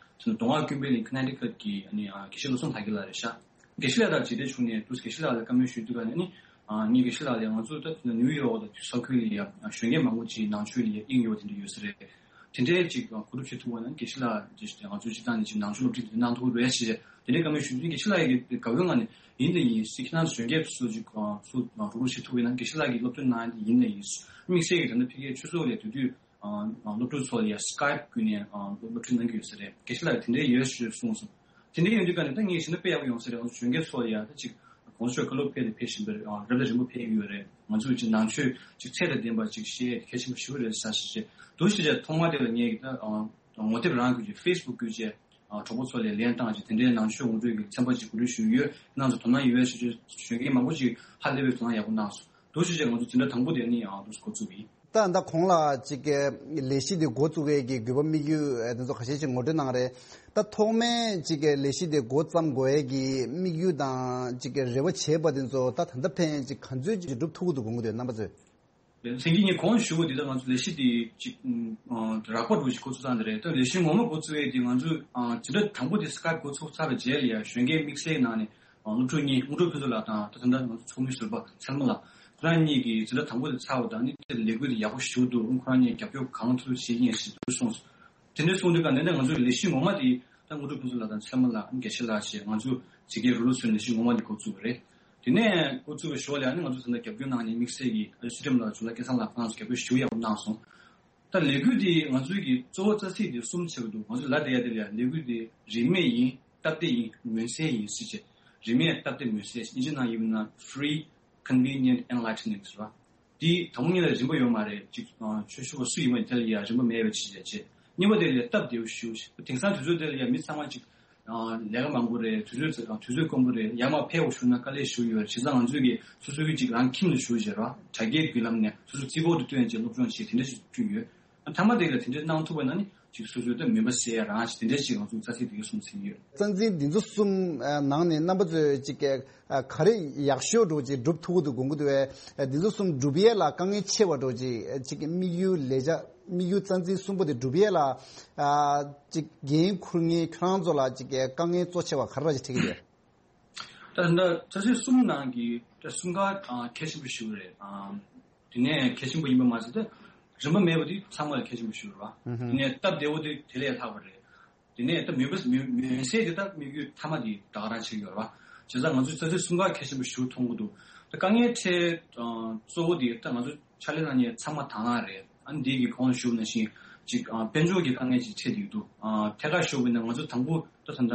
མདོ་སྔགས་ཀུན་དཔལ་གླིང་ཁ་ན་ཊི་ཀཊ་གི་ནི་དགེ་བཤེས་བློ་བཟང་དར་རྒྱས་ལགས་རེད་ཤག་དགེ་བཤེས་ལགས་དང་མཇལ་འཕྲད་བྱུང་ནས་དུས་དགེ་བཤེས་ལགས་ལ་བཀའ་མོལ་ཞུས་དུས་ག་ནས་ནི་ངས་དགེ་བཤེས་ལགས་ལ་ང་ཚོ་ད་ནིའུ་ཡོག་དང་ས་ཁུལ་ལ་ཡ་གཞོན་སྐྱེས་མང་པོ་ཅིག་ནང་ཆོས་ལ་ཡ་དབྱིངས་ཡོད་དེ་འདྲ་ཡོད་ས་རེད། དེ་འདྲའི་ཅིག་གོ་སྒྲུབ་བྱེད་ཐུབ་པ་ན་དགེ་བཤེས་ལགས་ཀྱིས་ང་ཚོའི་སྤྱི་བཏང་ནས་ཅིག་ནང་ཆོས་སློབ་ཁྲིད་དེ་གནང་ཐུབ་ཀྱི་རེད་ཞེས་དེ་འདྲའི་བཀའ་མོལ་ཞུ་དུས། དགེ་བཤེས་ལགས་ཀྱིས་དགའ་བོའི་ངང་ནས་ཡིན་དང་ཡིན། ཁྱེད་རང་ཚོ་གཞོན་སྐྱེས་ཚོ་ཅིག་ཚུར་རོགས་རོགས་བྱེད་ཐུབ་ཀྱི་ན། དགེ་བཤེས་ལགས་ཀྱིས་སློབ་སྟོན་གནང་ཡ་དེ་ཡིན་ནའི་ཡིན། དམིགས་བསལ་གྱིས་ད་ལྟ་ཕ་གིའི་ཆོས་ཚོགས་ལ་དེ་དུས་སློབ་ཕྲུག་ཚོ་ལ་ཡ་སི་ཀའེབ་བརྒྱུད་ནས་སློབ་ཁྲིད་གནང་གི་ཡོད་ས་རེད། དགེ་བཤེས་ལགས་ཀྱིས་དེ་འདྲའི་ཡོད་ཞེས་གསུངས་སོང་། དེ་འདྲའི་ཡོང་དུས་ཀ་ནས་ད་ངས་བྱས་ན་དཔེ་ཡག་པོ་ཡོང་ས་རེད། ང་ཚོ་གཞོན་སྐྱེས་ཚོ་ལ་ཡ་ད་ཅིག་གོང་ས་མཆོག་བཀའ་སློབ་ཕེབས་དང་ཕེབས་བཞིན་པ་རེད། རབ་དང་རིམ་པ་ཕེབས་ཀྱི་ཡོད་རེད། ང་ཚོས་ཅིག་ནང་ཆོས་ཅིག་ཚད་དང་ལྡན་པ་ཅིག་ཤེས་ཡ་གལ་ཆེན་པོ་ཞེ་པོ་རེད་ཟེར་ཞེས་འདུག་ཞེས་བྱས། ཐོག་མ་དེ་ལ་ངས་ད་ངོ་དེབ་རང་བརྒྱུད་ཀྱི་ཕེ་སི་བུག་བརྒྱུད་བྱས་གྲོགས་པོ་ཚོ་ལ་ལན་བཏང་བྱས། དེ་འདྲའི་ནང་ཆོས་ངོ་སྤྲོད་ཀྱི་ཚན་པ་ཅིག་གོ་སྒྲིག་ཞུས་ཡོད། ཁྱེད་རང་ཚོ་དོ་སྣང་ཡོད་པ་ཞུ་རྒྱུ། གཞོན་སྐྱེས་མང་པོ་ཅིག་ཧ་ལས་པའི་དོ་སྣང་ཡག་པོ་གནང་སོང་། འདུག་ཞེས་བྱས་ང་ཚོ་འཛིན་གྲྭ་དང་པོ་དེ་ནི་ཡང་འདུག་སེ་འགོ་བཙུགས་པ་ཡིན། ད་ད་གོང་ལ་ཅིག་གི་ལས་གཞི་འདི་འགོ་བཙུགས་ཡས་ཀྱི་དགོས་པ་དམིགས་ཡུལ་དེ་ཚོ་ཁ་ཤས་ཅིག་ངོ་སྤྲོད་གནང་རེད། ད་ཐོག་མའི་ཅིག་གི་ལས་གཞི་འདི་འགོ་བརྩམས་དགོས་ཡས་ཀྱི་དམིགས་ཡུལ་དང་ཅིག་གི་རེ་བ་བྱས་པ་དེ་ཚོ་ད་ད་ལྟ་ཕན་ཅིག་ག་ཚོད་ཅིག་འགྲུབ་ཐུབ་ཀྱི་འདུག་དགོངས་ཀྱི་འདུག་རྣམ་པ་ཚོས། ལན་སེང་གེ་ངས་གོང་ཞུ་བ་འདི་ལྟར་ང་ཚོ་ལས་གཞི་འདི་ཅིག་ཨ་རགས་པ་འདྲ་ཞིག་འགོ་ཚུགས་ཚར་འདི་རེད། ད་ལས་གཞི་ངོ་མ་འགོ་བཙུགས་ཡས་འདི་ང་ཚོ་ཨ་འཛིན་གྲྭ་དང་པོ་དེ་སི་ཀའེབ་འགོ་ཚུགས་ཚར་བའི་རྗེས་ལ་ཡ་གཞོན་སྐྱེས་དམིགས་བསལ་ནང་ནས་ཨ་སློབ་ཕྲུག་གཉིས། དངོས་གྲུབ་ཕུན་ཚོགས་ལགས་དང་ད་ད་ལྟ་ང་ཚོ་ཚོགས་མི་ཟུར་པ་ཚེ་རིང་ལགས། ཁོ་རང་གཉིས་ཀྱིས་འཛིན་གྲྭ་དང་པོ་དེ་ཚར་བ་དང་ནི་དེ་ལས་འགུལ་དེ་ཡག་པོ་ཞེ་པོ་འདུག་ཁོ་རང་གཉིས་རྒྱབ་སྐྱོར་གང་ཐུབ་བྱེད་ཀྱི་ཡིན་ཞེས་གསུངས་སོང་། དེ་འདྲ་གསུངས་དུས་ཀ་ནས་ད་ང་ཚོའི་ལས་གཞི་ངོ་མ་དེ་ད་དངོས་གྲུབ་ཕུན་ཚོགས་ལགས་དང་ཚེ་རིང་ལགས། དགེ་བཤེས་ལགས་བཅས་ང་ཚོ་ཇི་སྐད་རུ་ལུ་ཚོའི་ལས་གཞི་ངོ་མ་དེ་འགོ་བཙུགས་པ་རེད། དེ་ནས་འགོ་བཙུགས་པའི་ཞོར་ལ་ནི་ང་ཚོ་ད་ལྟ་རྒྱབ་སྐྱོར་གནང་མཁན་དམིགས་བསལ་གྱི་ཚུལ་ཁྲིམས་ལགས། ཇོ་ལགས་སྐལ་བཟང་ལགས། ཁོང་ཚོ་རྒྱབ་སྐྱོར་ཞེ་པོ་ཡག་པོ་གནང་སོང་། ད་ལས་འགུལ་འདི་ང་ཚོའི་གི་གཙོ་བོ་རྩ་ཚིག་འདི་གསུམ་ཆགས་ཀྱི་འདུག་ང་ཚོས་ལབ་བསྡད་ཡ་དེ་ལ་ཡ་ལས་འགུལ་འདི་རིན་མེད་ཡིན། སྟབས་བདེ་ཡིན། མངོན་གསལ་ཡིན་ཟེར་བྱས། རིན་མེད། སྟབས་བདེ། མངོན་གསལ། དབྱིན་ཇི་ནང་ཡིན་ན་free, convenient, enlightening ཟེར་བ། འདི་དང་པོ་ཉིད་ལ་རིན་པ་ཡོད་མ་རེད། ཅིག་ཨ་ཆོས་ཞུ་བ་སུ་ཡིན་པ་དེ་ལ་ཡ་རིན་པ་མེད་པ་ཅིག་བྱས་བྱས། གཉིས་པ་དེ་ལ་ཡ་སྟབས་བདེ་བོ་ཞུ། དེང་སང་དུས་ཚོད་དེ་ལ་ཡ་མི་ཚང་མ་ཅིག་ཨ་ལས་ཀ་མང་པོ་རེད། དུས་ཚོད་དུས་ཚོད་དཀོན་པོ་རེད། ཡར་མར་ཕེབས་པ་ཞུ་ན་དཀའ་ལས་ཞེ་པོ་ཡོད་རེད། བྱས་ཙང་ང་ཚོས་ཀྱི་སོ་སོའི་ཅིག་རང་ཁྱིམ་ལ་བཞུགས་བྱས་ར་དྲ་རྒྱའི་བརྒྱུད་ལམ་ནས་སོ་སོ་རྩིས་འབོར་དུ་བཏོན་བྱས་སློབ་སྦྱོང་བྱས། དེ་འདྲ་ཞིག་བསྐྲུན་ཡོད། མཐའ་མ་དེ་ལ་དེ་འདྲ་གནང་ཐུབ་པ་ན་ནི་ཅིག་སོ་སོའི་ད་མུན་པ་སེལ་ཡ་རང་ཞིག་དེ་འདྲ་ཞིག་ང་ཚོའི་རྩ་ཚིག་དེ་ག་གསུངས་ཟིན་ཡོད། རྩ་འཛིན་འདི་ཚོ་གསུམ་ནང་ནས་རྣམ་པ་ཚོས་ཅིག་ག་རེ་ཡག་ཤོས་འདྲ་ཅིག་སྒྲུབ་ཐུབ་ཀྱི་འདུག་དགོངས་ཀྱི་འདུག་བས། འདི་ཚོ་གསུམ་སྒྲུབ་ཡས་ལ་དཀའ་ངལ་ཆེ་བ་འདྲ་ཅིག་ཅིག་དམིགས་ཡུལ་ལས་བྱ་དམིགས་ཡུལ་རྩ་འཛིན་གསུམ་པོ་དེ་སྒྲུབ་ཡས་ལ་ཅིག་འགན་འཁུར་མཁན་ཁྱོད་རང་ཚོ་ལ་ཅིག་དཀའ་ངལ་གཙོ་ཆེ་བ་ག་རེ་ར་ཅིག་འཕྲད་ཀྱི་ཡོད། ད་ད་ལྟ་རྩ་ཚིག་གསུམ་ནང་གི་ད་གསུམ་ཀ་ཨ་གལ་ཆེན་པོ་ཞིག་རེད། ཨ་དེ་ནས་གལ་ཆེན་པོ་ཡིན་པ་མ་ཟད་ད་རིན་པ་མེད་པ་དེ་ཚང་མ་ལ་གལ་ཆེན་པོ་ཞིག་རེད་བ། དེ་ནས་སྟབས་བདེ་བོ་དེ་དེ་ལས་ལྷག་པ་རེད། དེ་ནས་ད་མུན་པ་མུན་མུན་སེལ་དེ་ད་དམིགས་ཡུལ་མཐའ་མ་དེ་ད་ག་རང་བྱེད་ཀྱི་ཡོད་རེད་བ། བྱས་ཙང་ང་ཚོས་རྩ་ཚིག་གསུམ་ཀ་གལ་ཆེན་པོ་ཞིག་མཐོང་གི་འདུག་ད་དཀའ་ངལ་འཕྲད་ཨ་གཙོ་བོ་དེ་ད་ང་ཚོ་ཕྱག་ལས་གནང་མཁན་ཚང་མ་དང་བླངས་རེད། ཨ་ནི་འདི་གི་གོང་ལ་ཞུས་པ་ནང་བཞིན་ཅིག་ཨ་དཔལ་འབྱོར་གྱི་དཀའ་ངལ་ཅིག་འཕྲད་བསྡད་འདུག་ཨ་ཐད་ཀར་ཞུས་པ་ཡིན་ན་ང་ཚོ་དང་པོ་ད་ད་ལྟ་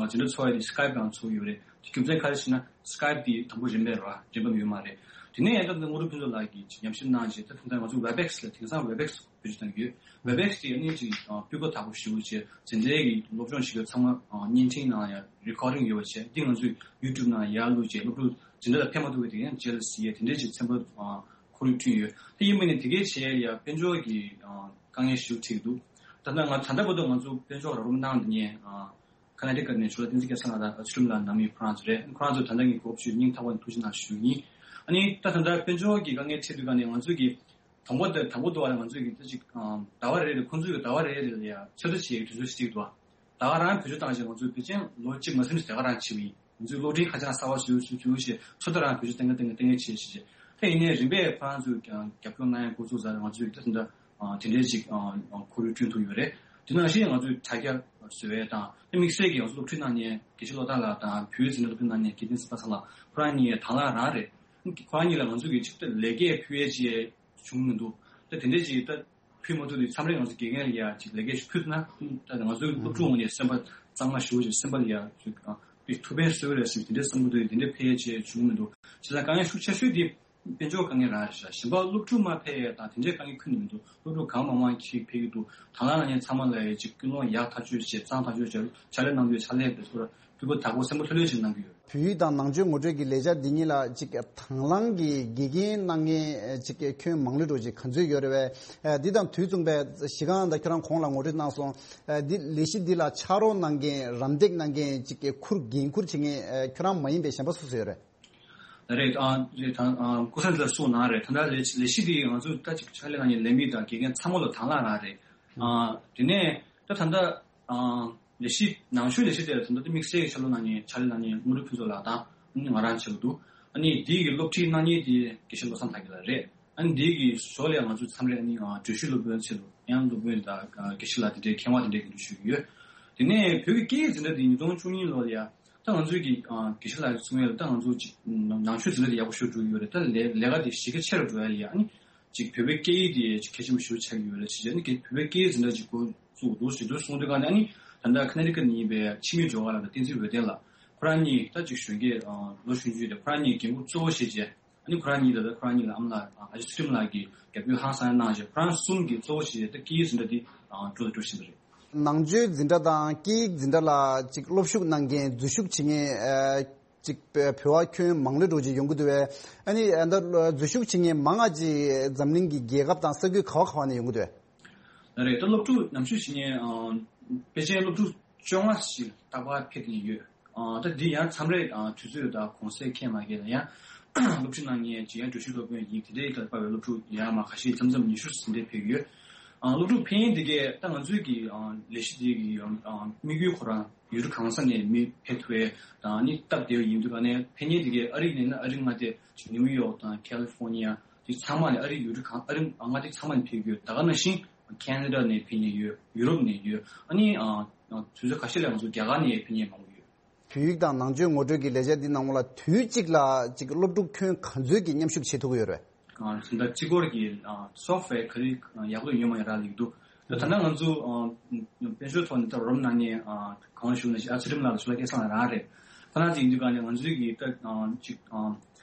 འཛིན་གྲྭ་ཚོགས་ཡ་དེ་སི་ཀའེབ་ནང་ཚོགས་ཡོད་རེད། དེ་རྒྱུ་མཚན་ག་རེ་ཞེ་ན་སི་ཀའེབ་དེ་དང་པོ་རིན་མེད་རེད་བ། རིན་པ་ཡོད་མ་རེད། དེ་ནས་ཡང་ད་ལྟ་དངོས་གྲུབ་ཕུན་ཚོགས་ལགས་ཀྱིས་ཅིག་ཉམས་ཞིབ་གནང་བྱས། ད་ད་ལྟ་ང་ཚོ་ཝེབ་ཨེག་སི་ལ་དེང་སང་ཝེབ་ཨེག་སི་བེད་སྤྱོད་བཏང་གི་ཡོད། ཝེབ་ཨེག་སི་དེ་ཨ་ནི་ཅིག་ཨ་སྤུས་ཀ་དག་པོ་ཞེ་པོ་བྱས། འཛིན་གྲྭའི་གི་སློབ་སྦྱོང་བྱེད་མཁན་ཚང་མ་ཨ་བརྙན་འཕྲིན་ནང་ཡང་རི་ཀོ་ཌིང་ཡོད་པ་བྱས། འདི་ང་ཚོས་ཡུ་ཊུབ་ནང་ཡར་བླུགས་བྱས། སློབ་ཕྲུག་འཛིན་གྲྭ་ལ་ཕེབས་མ་ཐུབ་པའི་དེ་ཡང་རྗེས་ལ་གཟིགས་ཡས་དེ་འདྲའི་ཅིག་ཚན་པ་ཨ་ཁོར་ཡུག་བསྐྲུན་ཡོད། དེ་ཡིན་པ་ནི་དེ་གའི་བྱས་ཡ་དཔལ་འབྱོར་གྱི་ཨ་དཀའ་ངལ་ཞེ་པོ་འཕྲད་ཀྱི་འདུག་ད་ལྟ་ང་ད་ལྟ་བར་དུ་ང་ཚོ་དཔལ་འབྱོར་རོགས་རམ་གནང་མཁན་ཨ་ཁ་ན་ཌི་ཀ་ནས་ཇོ་ལགས་བསྟན་འཛིན་སྐལ་བཟང་ལགས་དང་ཚུལ་ཁྲིམས་ལགས་ནང་མི་ཁོ་རང་ཚོ་རེད། ཁོ་རང་ཚོ་ད་ལྟ་ངས་གོ་སྐབས་ཞུས་སྙིང་ཐག་པ་ནས་ཐུགས་རྗེ་གནང་ཞུ་གི་ཡིན། ཨ་ནི་ད་ད་ལྟ་དཔལ་འབྱོར་གྱི་དཀའ་ངལ་འཕྲད་དུས་ཀ་ནས་ང་ཚོས་ཀྱི་དང་པོ་དེ་དང་པོ་དུ་བ་ལ་ང་ཚོས་ཀྱི་ད་ཅིག་ཟླ་བ་རེ་རེ་ཁོང་ཚོས་ཀྱི་ཟླ་བ་རེ་རེ་ལ་ཡ་ཚོད་ལྟ་བྱེད་ཡའི་དུས་ཚོད་ཅིག་འདུག་ད་ག་རང་བེད་སྤྱོད་བཏང་བྱས་ང་ཚོས་ཕལ་ཆེར་ལོ་གཅིག་མ་ཟིན་ཙམ་ད་ག་རང་བྱེད་ཀྱི་ཡིན། ང་ཚོས་གློག་འཕྲིན་ཁ་བྱང་གསར་པ་བཟོས་བཟོས་བཟོས་བྱས་ཚོད་ལྟ་རང་བེད་སྤྱོད་གཏོང་གི་གཏོང་གི་གཏོང་གི་བྱས་བྱས་བྱས། ད་ཡིན་ནའི་རིམ་པས་ཁོ་རང་ཚོས་ཀྱང་རྒྱབ་སྐྱོར་གནང་ཡ་འགོ་ཚུགས་ཚར། ང་ཚོས་ད་ད་ལྟ་དེ་འདྲའི་ཅིག་ཁོར་ཡུག་བསྐྲུན་ཐུབ་ཡོད་རེད། དེ་ནང་བཞིན་ང་ཚོས་དྲ་རྒྱ་བཟོ་ཡས་དང་། དེ་དམིགས་བསལ་གྱིས་ང་ཚོ་སློབ་ཁྲིད་གནང་མཁན་དགེ་བཤེས་བློ་བདག་ལགས་དང་བོད་ཡིག་འཛིན་གྲྭ་སློབ་ཁྲིད་གནང་མཁན་དགེ་ལྡན་སེམས་དཔའ་ཚང་ལགས་ཁོ་རང་གཉིས་དང་བླངས་རང་རེད། ཁོ་རང་གཉིས་ལ་ང་ཚོ་གིས་ཅིག་ད་ལས་ཀའི་ཕུལ་ཡས་ཅིག་བྱུང་མི་འདུག་ད་དེ་འདྲའི་ཅིག་ད་ཕུལ་མ་ཐུབ་དུས་མཚམས་རེ་ང་ཚོ་དགེ་རྒན་ལ་ཡ་ཅིག་ལས་ཀའི་ཕུལ་ཐུབ་ན། ད་ང་ཚོའི་སློབ་ཕྲུག་ངོས་ནས་སེམས་པ་གཙང་མ་ཞེ་པོ་ཅིག་སེམས་པ་ལ་ཡ་ཅིག་ཨ་ཐུགས་ཕན་གསོས་རེད་ཟེར་དེ་འདྲའི་བསམ་བློ་དེ་དེ་འདྲའི་འཕེལ་ཡས་ཅིག་བྱུང་མི་འདུག་བྱས་ཙང་དཀའ་ངལ་ཤུགས་ཆེ་ཤོས་དེ་དཔལ་འབྱོར་དཀའ་ངལ་རང་རེད་ཤག་གཞན་པ་སློབ་ཕྲུག་མར་ཕེབས་ཡས་དང་དེ་འདྲའི་དཀའ་ངལ་ཁྱོན་ནས་མི་འདུག་སློབ་ཕྲུག་གང་མང་མང་ཅིག་ཕེབས་ཀྱི་འདུག་དང་བླངས་གནང་མཁན་ཚང་མ་ལ་ཡ་ཅིག་ཀུན་སློང་ཡག་ཐག་ཆོད་བྱས། གཙང་ཐག་ཆོད་བྱས། ཕྱག་ལས་གནང་དུས་ཕྱག་ལས་དེ་ཚོར་སྤུས་ཀ་དག་པོ་སེམས་པ་ལྷོད་ལྷོད་བྱས་གནང་གི་ཡོད། བོད་ཡིག་དང་ནང་ཆོས་ངོ་སྤྲོད་ཀྱི་ལས་འཆར་འདི་གཉིས་ལ་ཅིག་དང་བླངས་ཀྱི་དགེ་རྒན་གནང་མཁན་ཅིག་ཁྱོན་མང་ལོས་འགྲོ་ཅིག་ག་ཚོད་ཡོད་རེད་བས། འདི་དང་དུས་མཚུངས་པའི་གཞི་རྐང་དང་ཁྱོད་རང་གོང་ལ་ངོ་སྤྲོད་གནང་སོང་། འདི་ལས་གཞི་འདི་ལ་ཕྱག་རོགས་གནང་མཁན་རམ་འདེགས་གནང་མཁན་ཅིག་ཁུར་འགན་ཁུར་བྱེད་མཁན་ཁྱོད་རང་མ་ཡིན་པའི་གཞན་པ་སུ་སུ་ཡོད་རེད། རེད། ཨ་རེད། ད་ཨ་སྐུ་ཚེ་ལ་གསུངས་གནང་རེད། ད་ལྟ་ལས་ལས་གཞི་འདི་ང་ཚོ་ད་ཅིག་ཕྱག་ལས་གནང་མཁན་ལས་མི་དང་དགེ་རྒན་ཚང་མ་ལ་དང་བླངས་རང་རེད། ཨ་དེ་ནས་ད་ད་ལྟ་ཨ་ལས་གཞི་ནང་ཆོས་ལས་གཞི་དེ་ལ་ད་ལྟ་དམིགས་བསལ་གྱི་ཕྱག་ལས་གནང་མཁན་ཕྱག་ལས་གནང་མཁན་དངོས་གྲུབ་ཕུན་ཚོགས་ལགས་དང་ང་རང་བྱེད་ཀྱི་འདུག་ཨ་ནི་འདི་གི་སློབ་ཁྲིད་གནང་མཁན་དེ་དགེ་བཤེས་བློ་བཟང་དར་རྒྱས་ལགས་རེད། ཨ་ནི་འདི་གི་ཞོར་ལ་ང་ཚོ་མཚམས་རེ་ཨ་ནི་ཨ་འགྲུལ་བཞུད་སློབ་དཔོན་ཆེད་དུ་ཡང་སློབ་དཔོན་དང་དགེ་བཤེས་ལགས་དེ་འདྲའི་མཁས་དབང་དེ་འདྲའི་གི་འགྲུལ་བཞུད་ཡོད། དེ་ནས་བོད་ཀྱི་སྐད་ཡིག་འཛིན་གྲྭ་དེ་ཉིས་སྟོང་བཅུ་གཉིས་ལོ་ལ་ཡ་ད་ང་ཚོའི་གི་ཨ་དགེ་བཤེས་ལགས་གསུང་ཡས་ལ་ད་ང་ཚོ་ཅིག་ནང་ཆོས་འཛིན་གྲྭ་དེ་ཡག་པོ་ཞེ་པོ་འགྲོ་གི་ཡོད་རེད། ད་ལས་ལས་ཀ་དེ་གཞི་རྒྱ་ཆེ་རུ་འགྲོ་ཡ་ལ་ཡ་ཨ་ནི་ཅིག་བོད་པའི་སྐད་ཡིག་དེ་ཅིག་གལ་ཆེན་པོ་ཞེ་པོ་ཆགས་ཀྱི་ཡོད་རེད་ཟེར་བྱས་ནས་ཀྱི་བོད་པའི་སྐད་ཡིག་འཛིན་གྲྭ་ཅིག་འགོ་བཙུགས་འདུག་ཞེས་དུ་གསུངས་དུས་ག་ནས་ཨ་ནི་ད་ལྟ་ཁ་ན་ཊི་ཀ་ནས་ཡིན་པའི་འཆི་མེད་སྒྲོལ་དཀར་ལགས་དང་བསྟན་འཛིན་འོད་ལྡན་ལགས་ཁོ་རང་གཉིས་ད་ཅིག་གཞོན་སྐྱེས་ལོ་གཞོན་ཆུང་རེད། ཁོ་རང་གཉིས་འགན་འཁུར་གཙོ་བོ་བཞེས་བྱས་ཨ་ནི་ཁོ་རང་གཉིས་ད་ལྟ་ཁོ་རང་གཉིས་ལ་ཨ་མ་ལགས་ཨ་ཅག་ཚུལ་ཁྲིམས་ལགས་ཀྱིས་རྒྱབ་སྐྱོར་ཧང་སང་གནང་བྱས་ཁོ་རང་གསུམ་གྱིས་གཙོ་བོ་བཞེས་བྱས་ད་སྐད་ཡིག་འཛིན་གྲྭ་འདི་འགྲོ་དང་འགྲོ་བཞིན་པ་རེད། ནང་ཆོས་འཛིན་གྲྭ་དང་སྐད་ཡིག་འཛིན་གྲྭ་ལ་ཅིག་སློབ་ཞུགས་གནང་མཁན་འཛུལ་ཞུགས་བྱེད་མཁན་ཅིག་བོད་པ་ཁྱོན་མང་ལོས་འགྲོ་ཅིག་ཡོང་གི་འདུག་བས། ཨ་ནི་ཨ་ད་འཛུལ་ཞུགས་བྱེད་མཁན་མང་ང་ཅིག་འཛམ་གླིང་གི་རྒྱལ་ཁབ་དང་ས་ཁུལ་ག་བ་ག་བ་ནས་ཡོང་གི་འདུག་བས། ལགས་རེད། ད་སློབ་ཕྲུག་ཉམས་ཞིབ་བྱེད་མཁན་ཨ་པེ་ཅིན་སློབ་ཕྲུག་བཅོ་ལྔ་ཞིག་རྟག་པར་ཕེབས་ནས་ཡོད། ཨ་ད་འདི་ཡང་མཚམས་རེ་ཨ་དུས་ཚོད་དང་གུང་སེང་ཁེལ་མ་ཁེལ་ལ་ཡང་སློབ་ཁྲིད་གནང་མཁན་ཅིག་ཡང་འགྲུལ་བཞུད་སློབ་དཔོན་ཡིན་དེ་འདྲའི་ལ་དཔའ་བའི་སློབ་ཕྲུག་ཡར་མར་ཁ་ཤས་མཚམས་མཚམས་ཉི་ཤུ་ཟིན་ཏེ་ཕེབས་ཀྱི་ཡོད། ཨ་སློབ་ཕྲུག་ཕེབས་ཡུན་འདི་གས་ད་ང་ཚོའི་གི་ཨ་ལས་གཞི་འདི་གི་ཨ་དམིགས་ཡུལ་ཁོ་རང་ཡུལ་གྲུ་གང་ས་ནས་མི་ཕེབས་ཐུབ་པའི་དང་ཨ་ནི་སྟབས་བདེ་བ་ཡིན་དུས་ག་ནས་ཕེབས་མཁན་འདི་གས་ཨ་རི་ནས་ན་ཨ་རི་མངའ་སྡེ་ཅིག་ནིའུ་ཡོག་དང་ཁ་ལི་ཧྥོ་ནི་ཡ་དེ་ཚང་མ་ནས་ཨ་རི་ཡུལ་གྲུ་གང་ཨ་རི་མངའ་སྡེ་ཚང་མ་ནས་ཕེབས་ཀྱི་ཡོད། ད་ག་ནང་བཞིན་ཁེ་ན་ཌ་ནས་ཕེབས་མཁན་ཡོད། ཡུ་རོབ་ནས་ཡོད། ཨ་ནི་ཨ་དུས་ཚོད་ཁ་ཤས་ལ་ང་ཚོ་རྒྱ་གར་ནས་ཕེབས་མཁན་མང་པོ་ཡོད། བོད་ཡིག་དང་ནང་ཆོས་ངོ་སྤྲོད་ཀྱི་ལས་འཆར་འདི་ནང་ལ་དུས་གཅིག་ལ་ཅིག་སློབ་ཕྲུག་ཁྱོན་ག་ཚོད་ཀྱི་མཉམ་ཞུགས་བྱེད་ཐུབ་ཀྱི་ཡོད་རེད། ཨ་ད་ལྟ་སྤྱི་སྐོར་གྱི་ཨ་སོབ་ཝེར་ག་རེ་ཡག་པོ་ཡོད་མ་ཡོད་རག་ལས་ཀྱི་འདུག་ད་ད་ལྟ་ང་ཚོ་ཨ་དཔལ་འབྱོར་ཐོག་ནས་ད་རོབ་ནང་ནས་ཨ་གང་ཞུ་ན་ཞིག་ཨ་ཚུལ་ཁྲིམས་ལགས་ལ་ཞུ་ལ་སྐལ་བཟང་ལགས་རང་རེད། ཁོ་རང་ཅིག་ཡིན་དུས་ག་ནས་ང་ཚོའི་གི་ད་ཨ་ཅིག་ཨ་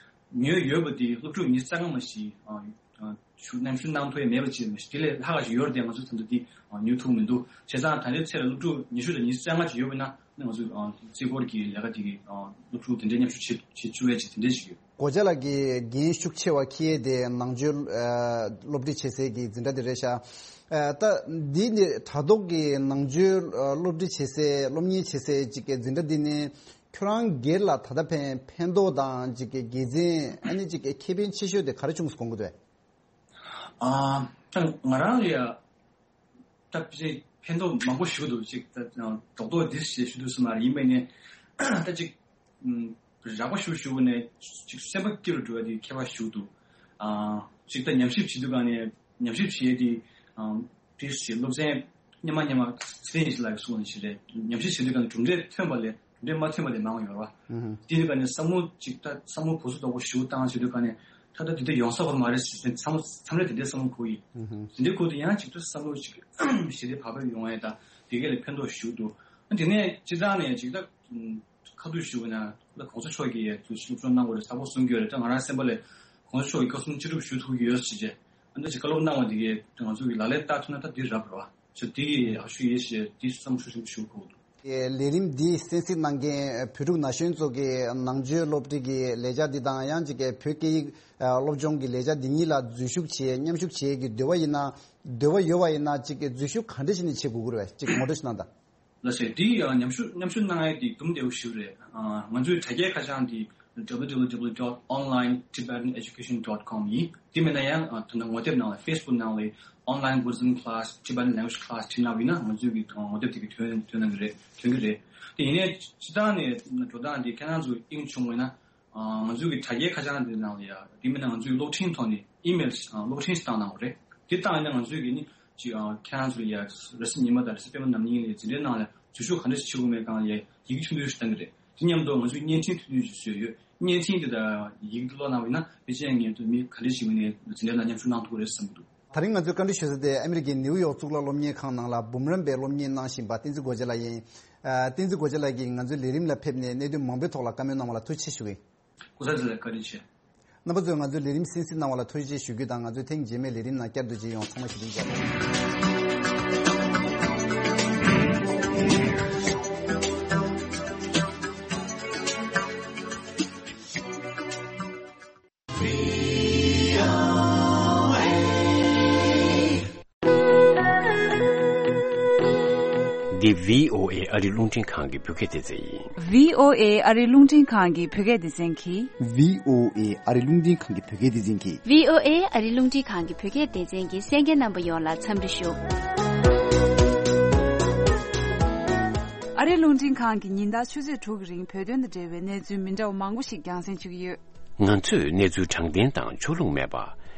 ཉོས་ཡོད་པ་དེ་སློབ་ཕྲུག་ཉི་ཤུ་རྩ་ལྔ་མ་ཞིག་ཨ་ཨ་ཞུ་མཉམ་ཞུགས་གནང་ཐུབ་ཡ་མེད་པ་ཅིག་མ་ཞིག་དེ་ལས་ལྷག་ག་ཞིག་ཡོད་རེད་དེ་ང་ཚོ་ད་ལྟ་འདི་ཨ་ཉོ་ཐུབ་མི་འདུག་བྱས་ཙང་ད་ལྟའི་ཆར་སློབ་ཕྲུག་ཉི་ཤུ་དང་ཉི་ཤུ་རྩ་ལྔ་ཅིག་ཡོད་པ་ན་ང་ཚོ་ཨ་རྩིས་འཁོར་གྱི་ལས་ཀ་དེ་གི་ཨ་སློབ་ཕྲུག་དེ་འདྲའི་མཉམ་ཞུགས་བྱེད་བྱེད་བཅུག་ཡ་ཅིག་དེ་འདྲའི་ཞིག་ཡོད། སྒོ་ལྕགས་ལགས་ཀྱིས་འགན་ཤུགས་ཆེ་བ་འཁྱེར་ཡས་དེ་ནང་ཆོས་ཨ་སློབ་ཁྲིད་བྱེད་སའི་གི་འཛིན་གྲྭ་དེ་རེད་ཤག་ཨ་ད་འདི་ནི་དྲ་ཐོག་གི་ནང་ཆོས་ཨ་སློབ་ཁྲིད་བྱེད་སའི་སློབ་གཉེར་བྱེད་སའི་ཅིག་གི་འཛིན་གྲྭ་འདི་ནི་ཁྱོད་རང་སྒེར་ལ་ད་ལྟ་ཕན་ཕན་ཐོགས་དང་ཅིག་གི་དགེ་མཚན་ཨ་ནི་ཅིག་གི་ཁེ་ཕན་ཆེ་ཤོས་དེ་ག་རེ་བྱུང་སོང་དགོངས་ཀྱི་འདུག་ཨ་ད་ང་རང་ལ་ཡ་ད་ཕལ་ཆེར་ཕན་ཐོགས་མང་པོ་ཞིག་འདུག་ཅིག་ད་རྡོག་རྡོག་འདི་ཞེས་ཞུ་འདུག་སེ་མ་རེད། ཡིན་པས་ནས་ད་ཅིག་ཨུམ་རགས་པ་ཞུ་ཞུ་ནས་ཅིག་སེམས་པ་སྐྱིད་རུ་འགྲོ་བ་དེ་ཁྱད་པར་ཞིག་འདུག་ཨ་ཅིག་ད་ཉམས་ཞིབ་བྱེད་དུས་ག་ནས་ཉམས་ཞིབ་བྱེད་དེ་ཨ་དེ་ཞེས་སློབ་ཚན་སྙན་མ་སྙན་མ་ཚེ་རིང་ཞིག་ལ་གསུངས་ནས་ཞིག་རེད། ཉམས་ཞིབ་བྱེད་དུས་ག་ནས་གྲུབ་འབྲས་ཐོན་པ་ལས་འདྲེ་མ་ཐོན་པ་དེ་མང་བ་ཡོད་ར། ཨུ་ཧུ། དེ་ནི་ག་ནས་བསམ་བློ་ཅིག་ད་བསམ་བློ་གོ་ས་དོག་པོ་ཞིག་བཏང་བྱེད་དུས་ག་ནས་ད་ལྟ་དེ་འདྲ་ཡོང་ས་བར་མ་རེད་ཟེར་ནས་བསམ་བློ་མཚམས་རེ་དེ་འདྲའི་བསམ་བློ་གོ་ཡི། ཨུ་ཧུ། དེ་འདྲའི་གོ་དུས་ཡང་ཅིག་ད་བསམ་བློ་ཅིག་ཞི་བདེ་བག་ཕེབས་ཡོང་ཡ་ད་དེ་ག་ལས་ཕན་ཐོགས་ཞིག་འདུག་དེ་ནས་སྤྱི་བཏང་ནས་ཅིག་ད་ཁ་ཐུག་ཞུ་བ་ན་ད་གོང་ས་མཆོག་གིས་ཡ་ཚུལ་ཤུགས་སྤྲོད་གནང་བ་རེད། ཚ་པོ་གསུང་རྒྱུ་རེད། ད་ང་རང་སེམས་པ་ལས་གོང་ས་མཆོག་གིས་བཀའ་གསུང་ཅི་སྒྲུབ་ཞུ་ཐུབ་ཀྱི་ཡོད་ཟེར་བྱས་ཨ་ད་ཅིག་བཀའ་སློབ་གནང་བ་དེ་གས་ང་ཚོ་གི་ལག་ལེན་བསྟར་ཐུབ་ན་ད་འདི་རབ་རེད་བ། ཞེས་དེ་ཡི་ཨ་ཞུ་ཡེ་ཞེས་དེ་བསམ་ཤུགས་ཆེན་པོ་ཞུ་དགོས་འདུག་ལས་རིམ་འདི་གསན་གཟིགས་གནང་མཁན་བོད་ཕྲུག་ན་གཞོན་ཚོ་གི་ནང་ཆོས་སློབ་ཁྲིད་ཀྱི་ལས་འཆར་འདི་དང་ཡང་ཅིག་གི་བོད་སྐད་ཡིག་སློབ་སྦྱོང་གི་ལས་འཆར་འདི་གཉིས་ལ་འཛུལ་ཞུགས་བྱེད་མཉམ་ཞུགས་བྱེད་ཀྱི་འདོད་པ་ཡིན་ན་འདོད་པ་ཡོད་པ་ཡིན་ན་ཅིག་གི་འཛུལ་ཞུགས་ག་འདྲ་ཞིག་ནས་བྱེད་དགོས་ཀྱི་རེད་བས་ཅིག་ངོ་སྤྲོད་ཞིག་གནང་དང་། ལགས་སེ། འདི་ཡང་མཉམ་ཞུགས་མཉམ་ཞུགས་གནང་ཡས་འདི་དུམ་བདེ་བོ་ཞིག་རེད། ང་ཚོའི་དྲ་རྒྱའི་ཁ་བྱང་འདི་W W W dot online Tibetan education dot com ཡིན། འདི་མིན་ན་ཡང་ད་ལྟ་ངོ་དེབ་ནང་ལ་Facebook ནང་ལ་online Buddhism class Tibetan language class བྲིས་གནང་བ་ཡིན་ན་ང་ཚོའི་གི་ངོ་དེབ་དེ་གི་ཐོན་ཐོན་གནང་གི་རེད། ཐོན་གི་རེད། དེ་ཡིན་ནའི་སྤྱི་བཏང་ནས་འགྲོ་སྟངས་འདི་ཁྱེད་རང་ཚོ་དབྱིངས་བྱུང་བ་ཡིན་ན། ང་ཚོའི་གི་དྲ་རྒྱའི་ཁ་བྱང་དེ་ནང་ལ་ཡ་དེ་མིན་ན་ང་ཚོའི་གློག་འཕྲིན་ཐོག་ནས་ཨི་མེལ་གློག་འཕྲིན་ཞིག་བཏང་གནང་བ་རེད། དེ་བཏང་ཡིན་ན་ང་ཚོའི་གི་ནི་ཅི་ཁྱེད་རང་ཚོ་ལ་ཡ་རེས་གཟའ་ཉི་མ་དང་རེས་གཟའ་སྤེན་པ་ནམ་གཉིས་ལ་འཛིན་གྲྭའི་ནང་ལ་འཛུལ་ཞུགས་ག་འདྲ་ཞིག་བྱེད་དགོས་མེད་གང་ལ་ཡ་ཡི་གེ་ཐུང་ཐུང་ཞིག་བཏང་གི་རེད། དེ་མཉམ་དུ་ང་ཚོས་བརྙན་འཕྲིན་ཐུང་ཐུང་ཞིག་བཟོས་ཡོད། བརྙན་འཕྲིན་དེ་དང་ཡི་གེ་དེ་ཀློག་གནང་བ་ཡིན་ན་དཔེ་ཆའི་ངོས་དུ་མི་ག་འདྲ་ཞིག་ཡིན་ནའི་འཛིན་གྲྭའི་ནང་མཉམ་ཞུགས་གནང་ཐུབ་ཀྱི་རེད་བསམ་གྱི་འདུག་དེ་རིང་ང་ཚོས་བཀའ་འདྲི་ཞུ་ས་དེ་ཨ་མི་རི་ཀའི་ནིའུ་ཡོག་གཙུག་ལག་སློབ་གཉེར་ཁང་ནང་ལ་འབུམ་རམས་པའི་སློབ་གཉེར་གནང་བཞིན་པ་བསྟན་འཛིན་སྒོ་རྒྱལ་ལགས་ཡིན། ཨ། བསྟན་འཛིན་སྒོ་རྒྱལ་ལགས་ཀྱིས་ང་ཚོའི་ལས་རིམ་ལ་ཕེབས་ནས་གནད་དོན་མང་པོའི་ཐོག་ལ་བཀའ་མོལ་གནང་བ་ལ་ཐུགས་རྗེ་ཆེ་ཞུ་གི་ཡིན། སྐུ་ཚེ་ལ་བཀའ་དྲིན་ཆེ། རྣམ་པ་ཚོས་ང་ཚོའི་ལས་རིམ་གསན་གཟིགས་གནང་བ་ལ་ཐུགས་རྗེ་ཆེ་ཞུ་རྒྱུ་དང་། ང་ཚོའི་ཐེངས་རྗེས་མའི་ལས་རིམ་ནང་བསྐྱར་དུ་མཇལ་ཡོང་། ཚང་མ་བཞུགས་གདན་འཇགས། འདི་V O A ཨ་རི་རླུང་འཕྲིན་ཁང་གི་བོད་སྐད་སྡེ་ཚན་ཡིན། V O A ཨ་རི་རླུང་འཕྲིན་ཁང་གི་བོད་སྐད་སྡེ་ཚན་གྱིས། V O A ཨ་རི་རླུང་འཕྲིན་ཁང་གི་བོད་སྐད་སྡེ་ཚན་གྱིས། V O A ཨ་རི་རླུང་འཕྲིན་ཁང་གི་བོད་སྐད་སྡེ་ཚན་གྱི་གསན་མཁན་རྣམ་པ་ཡོངས་ལ་འཚམས་འདྲི་ཞུ། ཨ་རི་རླུང་འཕྲིན་ཁང་གིས་ཉིན་ལྟར་ཆུ་ཚོད་དྲུག་གི་རིང་བོད་དོན་དང་འབྲེལ་བའི་གནས་ཚུལ་མི་འདྲ་བ་མང་པོ་ཞིག་རྒྱང་སྲིང་བྱེད་ཀྱི་ཡོད། ང་ཚོས་གནས་ཚུལ་དྲང་བདེན་དང་ཕྱོགས་ལྷུང་མེད་པ།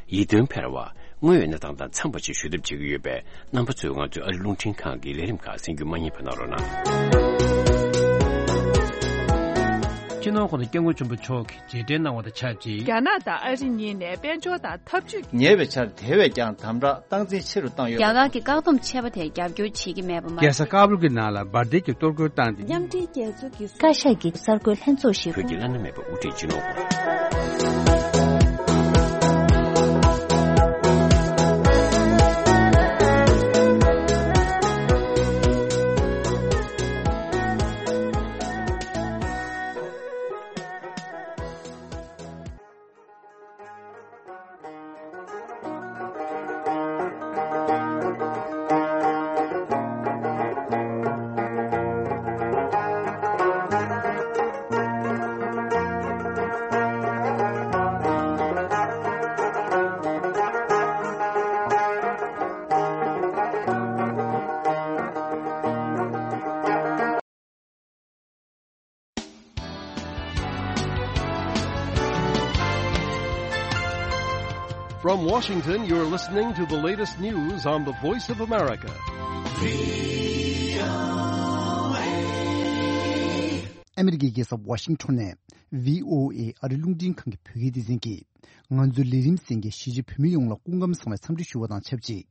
ཡིད་རྟོན་འཕེར་བ། དངོས་ཡོད་གནས་སྟངས་དང་འཚམས་པ་ཞིག་ཞུ་ཐབས་བྱེད་ཀྱི་ཡོད་པས། རྣམ་པ་ཚོས་ང་ཚོའི་ཨ་རི་རླུང་འཕྲིན་ཁང་གི་ལས་རིམ་ཁག་གསན་རྒྱུ་མ་བསྙེལ་བ་གནང་རོགས་གནང་། སྤྱི་ནོར་༸གོང་ས་༸སྐྱབས་མགོན་ཆེན་པོ་མཆོག་གིས་རྗེས་དྲན་གནང་བ་དང་ཆབས་ཅིག་རྒྱ་ནག་དང་ཨ་རི་གཉིས་ནས་དཔལ་འབྱོར་དང་འཐབ་ཇུས། ཉེ་བའི་ཆར་དེ་བས་ཀྱང་དམ་དྲག་སྟངས་འཛིན་ཆེ་རུ་བཏང་ཡོད་པ། རྒྱ་གར་གྱི་བཀག་སྡོམ་ཆད་པ་དེར་རྒྱབ་སྐྱོར་བྱེད་ཀྱི་མེད་པ་མ། རྒྱལ་ས་ཀ་བུལ་གྱི་ནང་ལ་འབར་མདེལ་གྱི་གཏོར་རྒོལ་བཏང་སྟེ། མཉམ་འབྲེལ་རྒྱལ་ཚོགས་ཀྱི་བཀའ་ཤག་གི་གསར་འགོད་ལྷན་ཚོགས་ཤིག་བོད་ཀྱི་བླ་ན་མེད་པའི་དབུ་ཁྲིད་སྤྱི་ནོར་གོང་From Washington, you're listening to the latest news on the Voice of America. ཨ་མི་རི་ཀའི་རྒྱལ་ས་ཝ་ཤིང་ཊོན་ནས་བྷི་ཨོ་ཨེ་ཨ་རི་རླུང་འཕྲིན་ཁང་གི་བོད་སྐད་སྡེ་ཚན་གྱིས། ང་ཚོའི་ལས་རིམ་གསན་མཁན་གཞིས་བྱེས་བོད་མི་ཡོངས་ལ་སྐུ་ཁམས་བཟང་བའི་འཚམས་འདྲི་ཞུ་བ་དང་ཆབས་ཅིག་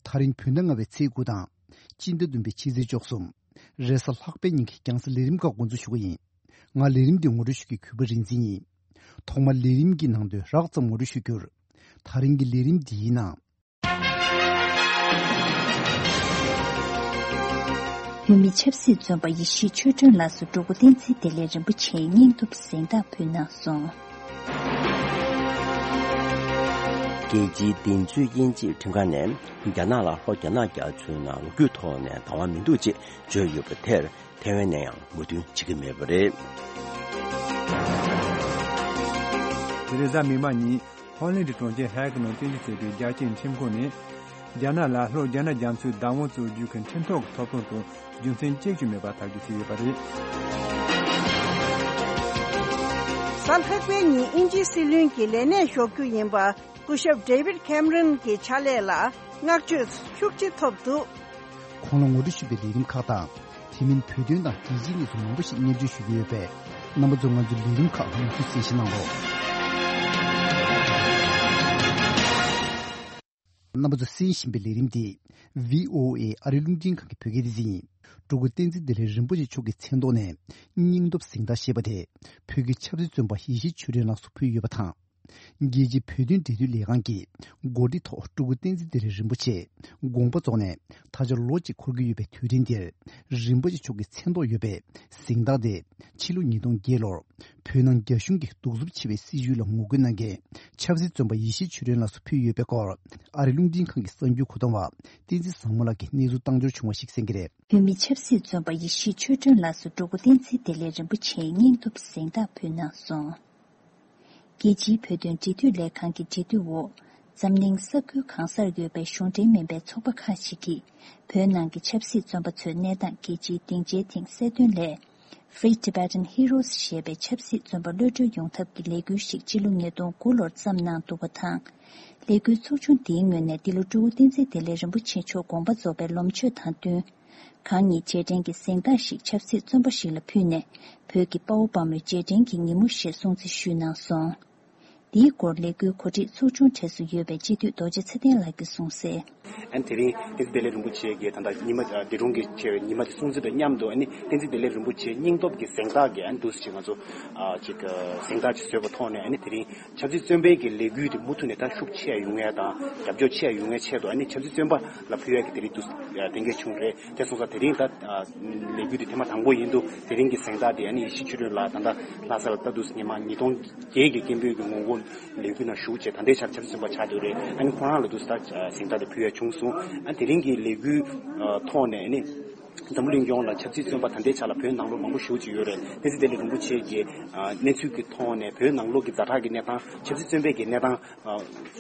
ད་རིང་བོད་ཟླ་ལྔ་པའི་ཚེས་དགུ་དང་། སྤྱི་ཟླ་བདུན་པའི་ཕྱི་ཚེས་བཅུ་གསུམ། རེས་གཟའ་ལྷག་པའི་ཉིན་གྱི་རྒྱང་སྲིང་ལས་རིམ་ཁག་འགོ་འཛུགས་ཞུ་གི་ཡིན། ང་ལས་རིམ་འདི་ངོ་སྤྲོད་ཞུ་མཁན་གུས་པ་རིག་འཛིན་ཡིན། ཐོག་མར་ལས་རིམ་གྱི་ནང་དོན་རགས་ཙམ་ངོ་སྤྲོད་ཞུ་རྒྱུར། ད་རིང་གི་ལས་རིམ་འདིའི་ནང་། བོད་མི་ཆབ་སྲིད་བཙོན་པ་ཡེ་ཤེས་ཆོས་སྒྲོན་ལགས་སུ་འབྲུག་སྐུ་བསྟན་འཛིན་བདེ་ལེགས་རིན་པོ་ཆེའི་སྙིང་སྟོབས་གཟེངས་རྟགས་ཕུལ་གནང་སོང་། རྒྱལ་སྤྱིའི་བདེན་རྫུན་དབྱེ་འབྱེད་ཁྲིམས་ཁང་ནས་རྒྱ་ནག་ལ་ལྷོ་རྒྱ་ནག་རྒྱ་མཚོའི་ནང་ལོ་རྒྱུས་ཐོག་ནས་བདག་དབང་མི་འདུག་ཅེས་བརྗོད་ཡོད་པ་དེར་ཐའེ་ཝན་ནས་ཡང་མོས་མཐུན་བྱེད་ཀྱི་མེད་པ་རེད། དེ་རེས་གཟའ་མིག་དམར་ཉིན་ཧོ་ལན་གྱི་གྲོང་ཁྱེར་ཧེག་ནང་རྟེན་གཞི་བྱས་པའི་རྒྱལ་སྤྱིའི་ཁྲིམས་ཁང་ནས། རྒྱ་ནག་ལ་ལྷོ་རྒྱ་ནག་རྒྱ་མཚོའི་བདག་དབང་རྩོད་རྒྱུ་གི་ཁྲིམས་ཐོག་གི་ཐོབ་ཐང་དུ་རྒྱུ་མཚན་གཅིག་ཀྱང་མེད་པ་ཐག་གཅོད་བྱས་ཡོད་པ་རེད། གཟའ་ལྷག་པའི་ཉིན་དབྱིན་ཇིའི་སྲིད་བློན་གྱི་ལས་གནས་ཞོག་རྒྱུ་ཡིན་པ་སྐུ་ཞབས་ཌེ་བིད་ཁེམ་རོན་གྱི་ཕྱག་ལས་ལ་བསྔགས་བརྗོད་ཤུགས་ཆེ་ཐོབ་འདུག་ཁོང་ལ་ངོ་སྤྲོད་ཞུས་པའི་ལས་རིམ་ཁག་དང་། དེ་མིན་བོད་དོན་དང་རྒྱལ་སྤྱིའི་གནས་ཚུལ་མང་པོ་ཞིག་སྙན་སྒྲོན་ཞུ་གི་ཡོད་པས། རྣམ་པ་ཚོས་ང་ཚོའི་ལས་རིམ་ཁག་མུ་མཐུད་གསན་བཞེས་གནང་རོགས། རྣམ་པ་ཚོས་གསན་བཞིན་པའི་ལས་རིམ་འདི་བྷི་ཨོ་ཨེ་ཨ་རི་རླུང་འཕྲིན་ཁང་གི་བོད་སྐད་སྡེ་ཚན་ཡིན། སྤྲུལ་སྐུ་བསྟན་འཛིན་བདེ་ལེགས་རིན་པོ་ཆེ་མཆོག་གི་མཚན་ཐོག་ནས་སྙིང་སྟོབས་གཟེངས་རྟགས་ཞེས་པ་དེ་བོད་ཀྱི་ཆབ་སྲིད་བཙོན་པ་ཡེ་ཤེས་ཆོས་སྒྲོན་ལགས་སུ་ཕུལ་ཡོད་པ་དང་། རྒྱལ་སྤྱིའི་བོད་དོན་འབྲེལ་མཐུད་ལས་ཁང་གིས་འགོ་ཁྲིད་ཐོག་སྤྲུལ་སྐུ་བསྟན་འཛིན་བདེ་ལེགས་རིན་པོ་ཆེ་དགོངས་པ་རྫོགས་ནས་ད་ཆ་ལོ་གཅིག་འཁོར་གྱི་ཡོད་པའི་དུས་དྲན་འདིར། རིན་པོ་ཆེ་མཆོག་གི་མཚན་ཐོག་ཡོད་པའི་གཟེངས་རྟགས་དེ་ཕྱི་ལོ་ཉིས་སྟོང་བརྒྱད་ལོར་བོད་ནང་རྒྱ་གཞུང་གིས་གདུག་རྩུབ་ཆེ་བའི་སྲིད་བྱུས་ལ་ངོ་རྒོལ་གནང་མཁན་ཆབ་སྲིད་བཙོན་པ་ཡེ་ཤེས་ཆོས་སྒྲོན་ལགས་སུ་ཕུལ་ཡོད་པའི་སྐོར། ཨ་རི་རླུང་འཕྲིན་ཁང་གི་གསར་འགྱུར་མཁོ་གཏོང་བ་བསྟན་འཛིན་བཟང་མོ་ལགས་ཀྱིས་གནས་ཚུལ་བཏང་འབྱོར་བྱུང་བ་ཞིག་གསན་གྱི་རེད། བོད་མི་ཆབ་སྲིད་བཙོན་པ་ཡེ་ཤེས་ཆོས་སྒྲོན་ལགས་སུ་སྤྲུལ་སྐུ་བསྟན་འཛིན་བདེ་ལེགས་རིན་པོ་ཆེའི་སྙིང་སྟོབས་གཟེངས་རྟགས་ཕུལ་གནང་སོང་། རྒྱལ་སྤྱིའི་བོད་དོན་འབྲེལ་མཐུད་ལས་ཁང་གི་འབྲེལ་མཐུད་འོག་འཛམ་གླིང་ས་ཁུལ་གང་སར་ཡོད་པའི་གཞུང་འབྲེལ་མིན་པའི་ཚོགས་པ་ཁག་ཅིག་གིས་བོད་ནང་གི་ཆབ་སྲིད་བཙོན་པ་ཚོའི་གནས་སྟངས་རྒྱལ་སྤྱིའི་སྡིངས་ཆའི་སྟེང་གསལ་སྟོན་སླད། Free Tibetan Heroes ཞེས་པའི་ཆབ་སྲིད་བཙོན་པ་གློད་གྲོལ་ཡོང་ཐབས་ཀྱི་ལས་འགུལ་ཞིག་སྤྱི་ལོ་ཉིས་སྟོང་དགུ་ལོར་བརྩམས་གནང་འདུག་པ་དང་། ལས་འགུལ་ཚོགས་ཆུང་འདིའི་ངོས་ནས་འདི་ལོ་སྤྲུལ་སྐུ་བསྟན་འཛིན་བདེ་ལེགས་རིན་པོ་ཆེ་མཆོག་དགོངས་པ་རྫོགས་པའི་ལོ་མཆོད་དང་བསྟུན། གང་ཉིད་རྗེས་དྲན་གྱི་གཟེངས་རྟགས་ཤིག་ཆབ་སྲིད་བཙོན་པ་ཞིག་ལ་ཕུལ་ནས། བོད་ཀྱི་དཔའ་བོ་དཔའ་མོའི་རྗེས་དྲན་གྱི་ཉིན་མོ་ཞེས་སྲུང་བརྩི་ཞུས་གནང་སོང་། འདིའི་སྐོར་ལས་འགུལ་གོ་སྒྲིག་ཚོགས་ཆུང་གྲས་སུ་ཡོད་པའི་སྤྱི་འཐུས་རྡོ་རྗེ་ཚེ་བརྟན་ལགས་ཀྱིས་གསུངས་གསལ། ཨ་ནི་དེ་རིང་བསྟན་འཛིན་བདེ་ལེགས་རིན་པོ་ཆེ་གི་ད་ལྟ་ཉི་མ་འདས་གྲོངས་ཀྱི་ཆེ་བའི་ཉི་མ་དེ་སྲུང་བརྩི་དང་མཉམ་དུ། ཨ་ནི་བསྟན་འཛིན་བདེ་ལེགས་རིན་པོ་ཆེའི་སྙིང་སྟོབས་ཀྱི་གཟེངས་རྟགས་ཀྱི་ཨ་ནི་འདུག་སེ་ཅིག་ང་ཚོ་ཨ་ཅིག་གཟེངས་རྟགས་ཅིག་བཟོས་པའི་ཐོག་ནས། ཨ་ནི་དེ་རིང་ཆབ་སྲིད་བཙོན་པའི་གི་ལས་འགུལ་དེ་མུ་མཐུད་ནས་ད་ཤུགས་ཆེ་ཡོང་ཡ་དང་རྒྱབ་སྐྱོར་ཆེ་ཡོང་ཡ་ཆེད་དུ། ཨ་ནི་ཆབ་སྲིད་བཙོན་པ་ལ་ཕུལ་ཡ་གི་དེ་རིང་འདུག་གཏན་འཁེལ་བྱུང་རེད། དེ་སོང་ཙང་དེ་རིང་ད་ལས་འགུལ་དེ་ཐེངས་མ་དང་པོ་ཡིན་འདུག་དེ་རིང་གི་གཟེངས་རྟགས་དེ་ཨ་ནི་ཡེ་ཤེས་ཆོས་སྒྲོན་ལགས་ད་ལྟ་ལྷ་ས་ལ་ད་འདུག་སེ་ཉི་མ་ཉིས་སྟོང་བརྒྱད་ཀྱི་སྐད་འབོད་ཀྱི་ངོ་རྒོལ་ལས་འགུལ་ནང་ཞུགས་བྱས། ད་ལྟའི་ཆར་ཆབ་སྲིད་བཙོན་པ་ཆགས་བསྡད་ཡོད་རེད། ཨ་ནི་ཁོ་རང་ལ་འདུག་སེ་ད་གཟེངས་རྟགས་དེ་ཕུལ་ཡ་བྱུང་སོང་། ཨ་ནི་དེ་རིང་གི་ལས་འགུལ་ཐོག་ནས་ཨ་ནི་ འཛམ་བུ་གླིང་ཡོངས་ལ་ཆབ་སྲིད་བཙོན་པ་ད་ལྟའི་ཆ་ལ་བོད་ནང་ལོགས་མང་པོ་ཞེ་པོ་ཅིག་ཡོད་རེད། བསྟན་འཛིན་བདེ་ལེགས་རིན་པོ་ཆེ་གི་ཨ་གནས་ཚུལ་གྱི་ཐོག་ནས་བོད་ནང་ལོགས་ཀྱི་ཛ་དྲག་གི་གནས་སྟངས། ཆབ་སྲིད་བཙོན་པའི་གི་གནས་སྟངས་ཨ་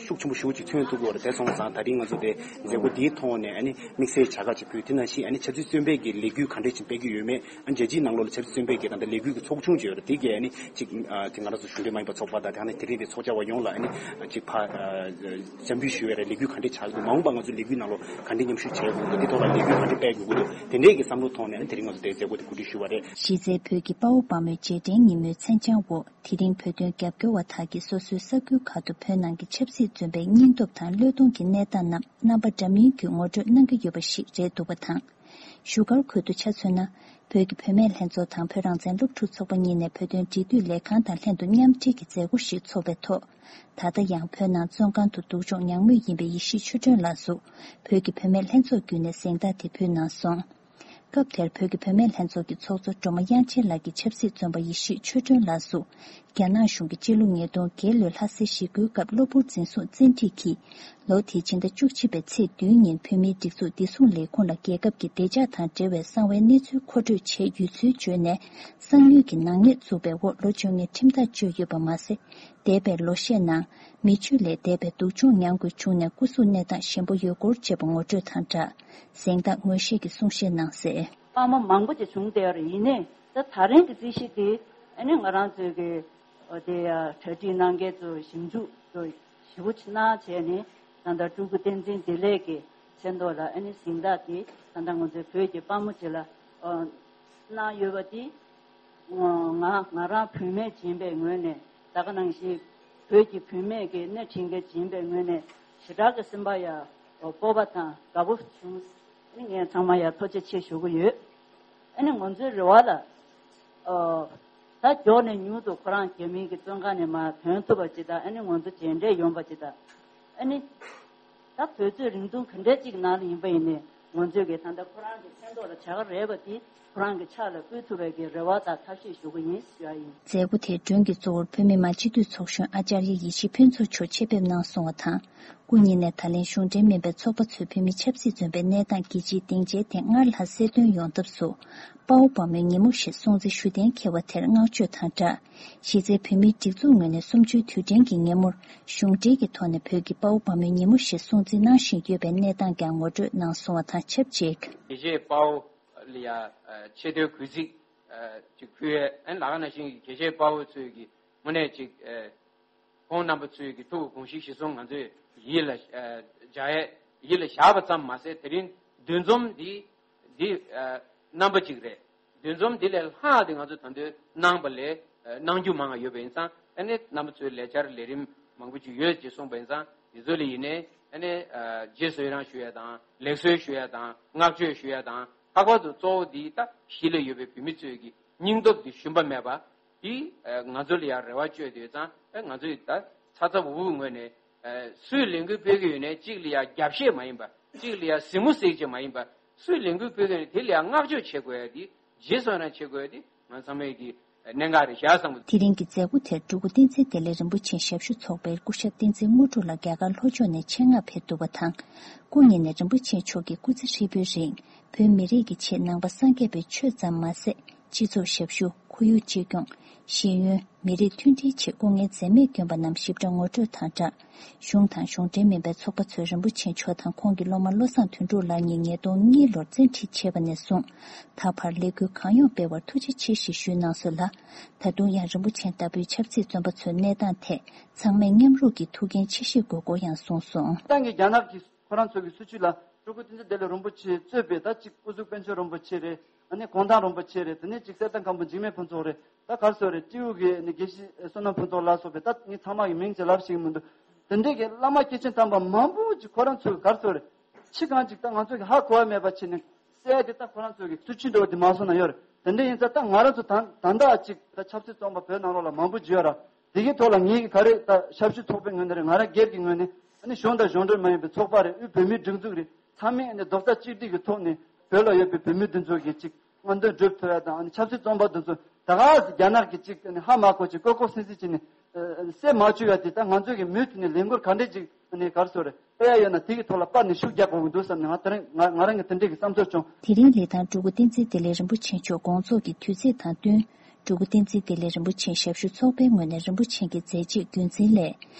ཤུགས་ཆེན་པོ་ཞེ་པོ་ཅིག་ཐོན་ཐུབ་ཀྱི་ཡོད་རེད། དེ་སོང་ཙང་ད་རིང་ང་ཚོ་དེ་མཛད་སྒོ་འདིའི་ཐོག་ནས་ཨ་ནི་དམིགས་བསལ་བྱ་དགའ་ཅིག་ཕུལ། དེ་ནང་བཞིན་ཨ་ནི་ཆབ་སྲིད་བཙོན་པའི་གི་ལས་འགུལ་ག་འདྲས་ཅིག་སྤེལ་གྱི་ཡོད་མེད། ཨ་རྒྱལ་སྤྱིའི་ནང་ལོགས་ལ་ཆབ་སྲིད་བཙོན་པའི་གི་ད་ལྟ་ལས་འགུལ་གྱི་ཚོགས་ཆུང་ཅིག་ཡོད་རེད། དེ་གས་ཨ་ནི་ཅིག་ཨ་དེ་ང་རང་ཚོ་གཞུང་འབྲེལ་མ་ཡིན་པ་ཚོགས་པ་དང་དེ་ནས་དེ་རིང་དེ་ཚོགས་བཅར་བ་ཡོངས་ལ་ཨ་ནི་ཅིག་ཕ་ཨ་འཇམ་འབུལ་ཞུ་བའི་རེད། ལས་འགུལ་ག་འདྲས་ཆགས་འདུག་མ་འོངས་པ་ང་ཚོ་ལས་འགུལ་ནང་ལོགས་ག་འདྲས་མཉམ་ཞུགས་བྱེད་དགོས་འདུག་དེ་ཐོག་ལ་ལས་འགུལ་ག་འདྲས་སྤེལ་དགོས་ཀྱི་འདུག་དེ་འདྲས་ཀྱི་བསམ་བློ་ཐོག་ནས་ཨ་ནི་དེ་རིང་ང་ཚོ་དེ་མཛད་སྒོ་དེ་གོ་སྒྲིག་ཞུ་བ་རེད། གཞི་རྩའི་བོད་ཀྱི་དཔའ་བོ་དཔའ་མོའི་རྗེས་དྲན་ཉིན་མོའི་མཚན་བྱང་འོག་དེ་རིང་བོད་དོན་རྒྱབ་སྐྱོར་བ་དག་གིས་སོ་སོའི་ས་ཁུལ་ཁག་ཏུ་བོད་ནང་གི་ཆབ་སྲིད་བཙོན་པའི་སྙིང་སྟོབས་དང་བློས་གཏོང་གི་གནས་སྟངས་རྣམས་རྣམ་པ་འདྲ་མིན་གྱིས་ངོ་སྤྲོད་གནང་གི་ཡོད་པ་ཞིག་རེད་འདུག་པ་དང་། བཞུགས་སྒར་ཁུལ་དུ་ཆ་མཚོན་ན། བོད་ཀྱི་བུད་མེད་ལྷན་ཚོགས་དང་བོད་རང་བཙན་སློབ་ཕྲུག་ཚོགས་པ་གཉིས་ནས་བོད་དོན་འབྲེལ་མཐུད་ལས་ཁང་དང་ལྷན་དུ་མཉམ་འབྲེལ་གྱི་མཛད་སྒོ་ཞིག་འཚོགས་པའི་ཐོག་ད་ལྟ་ཡང་བོད་ནང་བཙོན་ཁང་དུ་སྡུག་སྦྱོང་མྱངས་མུས་ཡིན་པའི་ཡེ་ཤེས་ཆོས་སྒྲོན་ལགས་སུ། བོད་ཀྱི་བུད་མེད་ལྷན་ཚོགས་བརྒྱུད་ནས་གཟེངས་རྟགས་དེ་ཕུལ་གནང་སོང་། སྐབས་དེར་བོད་ཀྱི་བུད་མེད་ལྷན་ཚོགས་ཀྱི་ཚོགས་གཙོ་སྒྲོལ་མ་དབྱངས་ཅན་ལགས་ཀྱིས་ཆབ་སྲིད་བཙོན་པ་ཡེ་ཤེས་ཆོས་སྒྲོན་ལགས་སུ། རྒྱ་ནག་གཞུང་གིས་སྤྱི་ལོ་ཉིས་སྟོང་བརྒྱད་ལོའི་ལྷ་སའི་ཞི་རྒོལ་སྐབས་གློ་བུར་འཛིན་བཟུང་བཙན་ཁྲིད་ཀྱིས། ལོ་དེའི་ཕྱི་ཟླ་བཅུ་གཅིག་པའི་ཚེས་བདུན་ཉིན་བོད་མིའི་སྒྲིག་འཛུགས་བདེ་སྲུང་ལས་ཁུངས་ལ་རྒྱལ་ཁབ་ཀྱི་བདེ་འཇགས་དང་འབྲེལ་བའི་གསང་བའི་གནས་ཚུལ་མཁོ་སྤྲོད་བྱས་ཡོད་ཚུལ་བརྗོད་ནས། གསང་ཉུལ་གྱི་ནག་ཉེས་བཙུགས་པའི་འོག་ལོ་བཅོ་ལྔའི་ཁྲིམས་ཐག་གཅོད་ཡོད་པ་མ་ཟད། འདས་པའི་ལོ་ཤས་ནང་། མི་སྤྱོད་ལས་འདས་པའི་སྡུག་སྦྱོང་མྱངས་དགོས་བྱུང་ནས་སྐུ་གཟུགས་གནས་སྟངས་ཞན་པོ་ཡོད་སྐོར་བཅས་པ་ངོ་སྤྲོད་དང་སྦྲགས། གཟེངས་རྟགས་ངོས་བཞེས་ཀྱི་གསུང་བཤད་གནང་གསལ། དཔའ་མོ་མང་པོ་ཅིག་བྱུང་བསྡད་ཡོད་རེད། ཡིན་ནའི་ད་ད་རིང་གི་རྩིས་གཞི་དེ་ཨ་ནི་ང་རང་ཚོའི་གི་ཨོ་དེ་ཡ་གྲ་སྒྲིག་གནང་མཁན་ཚོ་ཞིབ་འཇུག་ཚོ་ཞེ་པོ་ཅིག་གནང་བྱས་ནས་ད་ལྟ་སྤྲུལ་སྐུ་བསྟན་འཛིན་བདེ་ལེགས་ཀྱི་མཚན་ཐོག་ལ་ཨ་ནི་གཟེངས་རྟགས་དེ་ད་ལྟ་ང་ཚོའི་བོད་ཀྱི་དཔའ་མོ་ཅིག་ལ་ཨོ་གནང་ཡོད་པ་དེ། ང་ང་རང་བུད་མེད་ཡིན་པའི་ངོས་ནས་ད་ག་ནང་བཞིན་བོད་ཀྱི་བུད་མེད་ཀྱི་སྣེ་ཁྲིད་མཁན་ཡིན་པའི་ངོས་ནས་ཞེ་དྲག་གི་སེམས་པ་ཡ་སྤོབས་པ་དང་དགའ་པོ་བྱུང་། ངས་ཚང་མ་ཡ་ཐུགས་རྗེ་ཆེ་ཞུ་གི་ཡོད། ཨ་ནི་ང་ཚོའི་རེ་བ་ལ་ཨོ་ད་མགྱོགས་ནས་མྱུར་དུ་ཁོ་རང་རྒྱ་མིའི་གི་བཙོན་ཁང་ནས་མར་ཐོན་ཐུབ་པ་ཅིག་དང་། ཨ་ནི་ང་ཚོ་མཇལ་འཕྲད་ཡོང་པ་ཅིག་དང་། ཨ་ནི། ད་དུས་ཚོད་རིང་ཐུང་ག་འདྲ་ཅིག་ནང་ལ་ཡིན་པ་ཡིན་ནའི་ང་ཚོས་ཀྱི་ད་ལྟ་ཁོ་རང་གི་མཚན་ཐོག་ལ་བྱ་དགའ་རེད་པ་དེ་ཁོ་རང་གི་ཕྱག་ལ་ཕུལ་ཐུབ་པའི་གི་རེ་བ་དང་ཐབས་ཤེས་ཞུ་གི་ཡིན་ཞུ་ཡ་ཡིན། མཛད་སྒོ་དེའི་མགྲོན་གྱི་གཙོ་བོར་བོད་མི་མང་སྤྱི་འཐུས་ཚོགས་གཞོན་ཨ་ཅར་ཡ་ཡེ་ཤེས་ཕུན་ཚོགས་མཆོག་ཆེད་ཕེབས་གནང་སོང་བ་དང་། སྐུ་ཉིད་ནས་ད་ལན་གཞུང་འབྲེལ་མིན་པའི་ཚོགས་པ་ཚོས་བོད་མི་ཆབ་སྲིད་བཙོན་པའི་གནས་སྟངས་རྒྱལ་སྤྱིའི་སྡིངས་ཆའི་སྟེང་སྔར་ལྷག་གསལ་སྟོན་ཡོང་ཐབས་སུ། དཔའ་བོ་དཔའ་མོའི་ཉིན་མོ་ཞེས་སྲུང་བརྩི་ཞུ་གཏན་འཁེལ་བ་དེར་བསྔགས་བརྗོད་དང་སྦྲགས། གཞི་རྩའི་བོད་མིའི་སྒྲིག་འཛུགས་ངོས་ནས་གསུམ་བཅུའི་དུས་དྲན་གྱི་ཉིན་མོར་གཞུང་འབྲེལ་གྱི་ཐོག་ནས་བོད་ཀྱི་དཔའ་བོ་དཔའ་མོའི་ཉིན་མོ་ཞེས་སྲུང་བརྩི་གནང་བཞིན་ཡོད་པའི་གནས་སྟངས་ཀྱང་ངོ་སྤྲོད་གནང་སོང་བ་དང་ཆབས་ཅིག་དེ་རྗེས་དཔའ་བོ་ལ་ཡ་ཆེ་མཐོའི་གུས་བརྩི་ཅིག་ཕུལ་ཡས། ཨན་ལག་ན་བཞིན་གྱི་དགེ་བཤེས་དཔའ་བོ་ཚོས་ཀྱི་དངོས་གནས་ཅིག་ཁོང་རྣམ་པ་ཚོའི་གི་ཐུགས་དགོངས་གཞི་གཞི་བཟུང་ང་ཚོས་ཡིད་ལ་ཨ་འཇགས་ཡས་ཡིད་ལ་བཞག་པ་ཙམ་མ་ཟད། དེ་རིང་འདུ་འཛོམས་འདི་འདི་ཨ་རྣམ་པ་གཅིག་རེད། འདུ་འཛོམས་འདི་ལས་ལྷག་དེ་ང་ཚོ་ད་དུང་གནང་པ་ལས་ཨ་གནང་རྒྱུ་མང་བ་ཡོད་པ་ཡིན་ཙང་། ཨ་ནི་རྣམ་པ་ཚོའི་ལས་འཆར་ལས་རིམ་མང་པོ་ཅིག་ཡོད་ཅེས་གསུངས་པ་ཡིན་ཙང་། འདི་ཚོ་ལ་ཡིན་ནའི་ཨ་ནི་ཨ་རྗེས་སུ་ཡི་རང་ཞུ་ཡས་དང་ལེགས་གསོལ་ཞུ་ཡས་དང་བསྔགས་བརྗོད་ཞུ་ཡས་དང་། ལྷག་པར་དུ་གཙོ་བོ་འདི་ད་གཞིས་ལ་ཡོད་པའི་བོད་མི་ཚོའི་གི་སྙིང་སྟོབས་འདི་ཞུམ་པ་མེད་པ། དེ་ང་ཚོ་ལ་ཡང་རེ་བ་བཅོལ་དུས་ཙང་ང་ཚོས་ད་ཚ་ཚ་འུར་འུར་ངོས་ནས་སུས་ལས་འགུལ་སྤེལ་གྱི་ཡོད་ནའི་གཅིག་ལ་ཡང་རྒྱབ་བཤད་མ་ཡིན་པ། གཅིག་ལ་ཡང་གཟིགས་མོ་བཟེད་ཅིག་མ་ཡིན་པ། སུས་ལས་འགུལ་སྤེལ་གྱི་ཡོད་ནའི་དེ་ལ་ཡང་བསྔགས་བརྗོད་བྱེད་དགོས་ཡ་དེ་རྗེས་སུ་ཡི་རང་བྱེད་དགོས་ཡ་དེ་ང་ཚང་མས་ཀྱི་གནད་འགག་རེད་བཞག་བསམ་གྱི་འདུག་དེ་རིང་གི་མཛད་སྒོ་དེར་སྤྲུལ་སྐུ་བསྟན་འཛིན་བདེ་ལེགས་རིན་པོ་ཆེའི་ཞབས་ཞུ་ཚོགས་པའི་སྐུ་ཞབས་བསྟན་འཛིན་དངོས་གྲུབ་ལགས་རྒྱ་གར་ལྷོ་ཕྱོགས་ནས་ཆེད་མངགས་ཕེབས་འདུག་པ་དང་། སྐུ་ཉིད་ནས་རིན་པོ་ཆེ་མཆོག་གི་སྐུ་ཚེ་ཧྲིལ་པོའི་རིང་བོད་མི་རིགས་ཀྱི་ཆེད་ནང་པ་སངས་རྒྱས་པའི་ཆོས་ཙམ་མ་ཟད། སྤྱི་ཚོགས་ཞབས་ཞུ། ཁོར་ཡུག་གཅེས་སྐྱོང་། ཤེས་ཡོན། མི་རིགས་མཐུན་སྒྲིལ་ཆེད་སྐུ་ངལ་འཛེམས་མེད་བསྐྱོན་པ་རྣམས་ཞིབ་ཕྲ་ངོ་སྤྲོད་དང་སྦྲགས། གཞུང་དང་གཞུང་འབྲེལ་མིན་པའི་ཚོགས་པ་ཚོས་རིན་པོ་ཆེ་མཆོག་དང་ཁོང་གི་སློབ་མ་བློ་བཟང་དོན་གྲུབ་ལགས་གཉིས་ཉིས་སྟོང་གཉིས་ལོར་བཙན་ཁྲིད་བྱས་པ་ནས་བཟུང་། ད་བར་ལས་འགུལ་གང་ཡོང་སྤེལ་བར་ཐུགས་རྗེ་ཆེ་ཞེས་ཞུས་གནང་སོང་ལ། ད་དུང་ཡང་རིན་པོ་ཆེ་ལྟ་བུའི་ཆབ་སྲིད་བཙོན་པ་ཚོའི་གནས་སྟངས་ཐད་ཚང་མས་མཉམ་རུབ་ཀྱིས་ཐུགས་འགན་ཆེ་བཞེས་དགོས་སྐོར་ཡང་གསུངས་སོང་། ཏང་གི་རྒྱ་ནག་གི་ཁོ་རང་ཚོ་གི་སྲིད་བྱུས་ལ་སྤྲུལ་སྐུ་བསྟན་འཛིན་བདེ་ལེགས་རིན་པོ་ཆེ་གཙོས་པའི་ད་ཅིག་སྐུ་གཟུགས་དཔལ་འབྱོར་རིན་པོ་ཆེ་རེད། ཨ་ནི་གུང་ཐང་རིན་པོ་ཆེ་རེད། དེ་ནས་ཅིག་གསེར་ཐང་སྒམ་པོ་འཇིགས་མེད་ཕུན་ཚོགས་རེད། ད་ག་རེ་ཟེར་དགོས་རེད། སྤྲེའུ་གི་ཨ་ནི་དགེ་བཤེས་བསོད་ནམས་ཕུན་ཚོགས་ལ་སོགས་པའི་ད་ངས་ཚང་མ་གི་མིང་ཅིག་ལབ་ཤེས་ཀྱི་མི་འདུག་དེ་འདྲའི་གི་བླ་མ་སྐྱེས་ཆེན་དམ་པ་མང་པོ་ཅིག་ཁོ་རང་ཚོས་ག་རེ་ཟེར་དགོས་རེད། ཕྱི་གང་ཅིག་ད་ང་ཚོ་གི་ཧ་གོ་བ་མེད་པ་བྱས་ནས་གསལ་དེ་ད་ཁོ་རང་ཚོ་གི་སྲིད་བྱུས་འདྲ་བོ་དེ་མ་སོང་ན་ཡོད་རེད། དེ་འདྲ་ཡིན་ཙང་ད་ང་རང་ཚོ་ད་ད་ལྟ་ཅིག་ད་ཆབ་སྲིད་བཙོན་པ་བོད་ནང་ལོགས་ལ་མང་པོ་ཅིག་ཡོད་ར། དེ་གའི་ཐོག་ལ་ངེད་ཀྱི་ག་རེ་ད་ཞབས་ཞུ་ཚོགས་པའི་ངོས་ནས་རེད། ང་རང་སྒེར་གྱི་ངོས་ནས་ཨ་ནི་གཞུང་དང་གཞུང་འབྲེལ་མ་ཡིན་པའི་ཚོགས་པ་རེད། དབུས་བོད་མིའི་སྒྲིག་འཛུགས་རེད། ཚང་མས་ཨ་ནི་རྡོག་རྩ་གཅིག་སྒྲིལ་གྱི་ཐོག་ནས་བོད་ལ་ཡོད་པའི་བོད་མི་འདི་ཚོ་གི་ཅིག་མངོན་འདོད་སྒྲུབ་ཐུབ་ཡ་དང་། ཨ་ནི་ཆབ་སྲིད་བཙོན་པ་འདི་ཚོ་ད་ག་ཟེ་རྒྱ་ནག་གི་ཅིག་ཨ་ནི་ཧ་མ་གོ་ཅིག་ལྐོག་ལྐོག་སིལ་སིལ་བྱས་ནས་ཨ་ཨ་ནི་བསད་མ་བཅུག་ཡ་དེ་ད་ང་ཚོ་གི་མུ་མཐུད་ནས་ལས་འགུལ་ག་འདྲས་ཅིག་ཨ་ནི་ག་རེ་ཟེར་དགོས་རེད། སྤེལ་ཡ་ཡོད་ན་དེ་གི་ཐོག་ལ་སྤར་ནས་ཤུགས་རྒྱག་དགོས་ཀྱི་འདུག་བསམ་ནས་ང་དེ་རིང་ང་ང་རང་གི་དེ་འདྲའི་གི་བསམ་ཚུལ་བྱུང་། དེ་རིང་ལི་ཐང་སྤྲུལ་སྐུ་བསྟན་འཛིན་བདེ་ལེགས་རིན་པོ་ཆེ་མཆོག་དགོངས་རྫོགས་ཀྱི་དུས་ཚིགས་དང་བསྟུན། སྤྲུལ་སྐུ་བསྟན་འཛིན་བདེ་ལེགས་རིན་པོ་ཆེའི་ཞབས་ཞུ་ཚོགས་པའི་ངོས་ནས་རིན་པོ་ཆེ་གི་མཛད་རྗེས་རྒྱུན་འཛིན་སླད།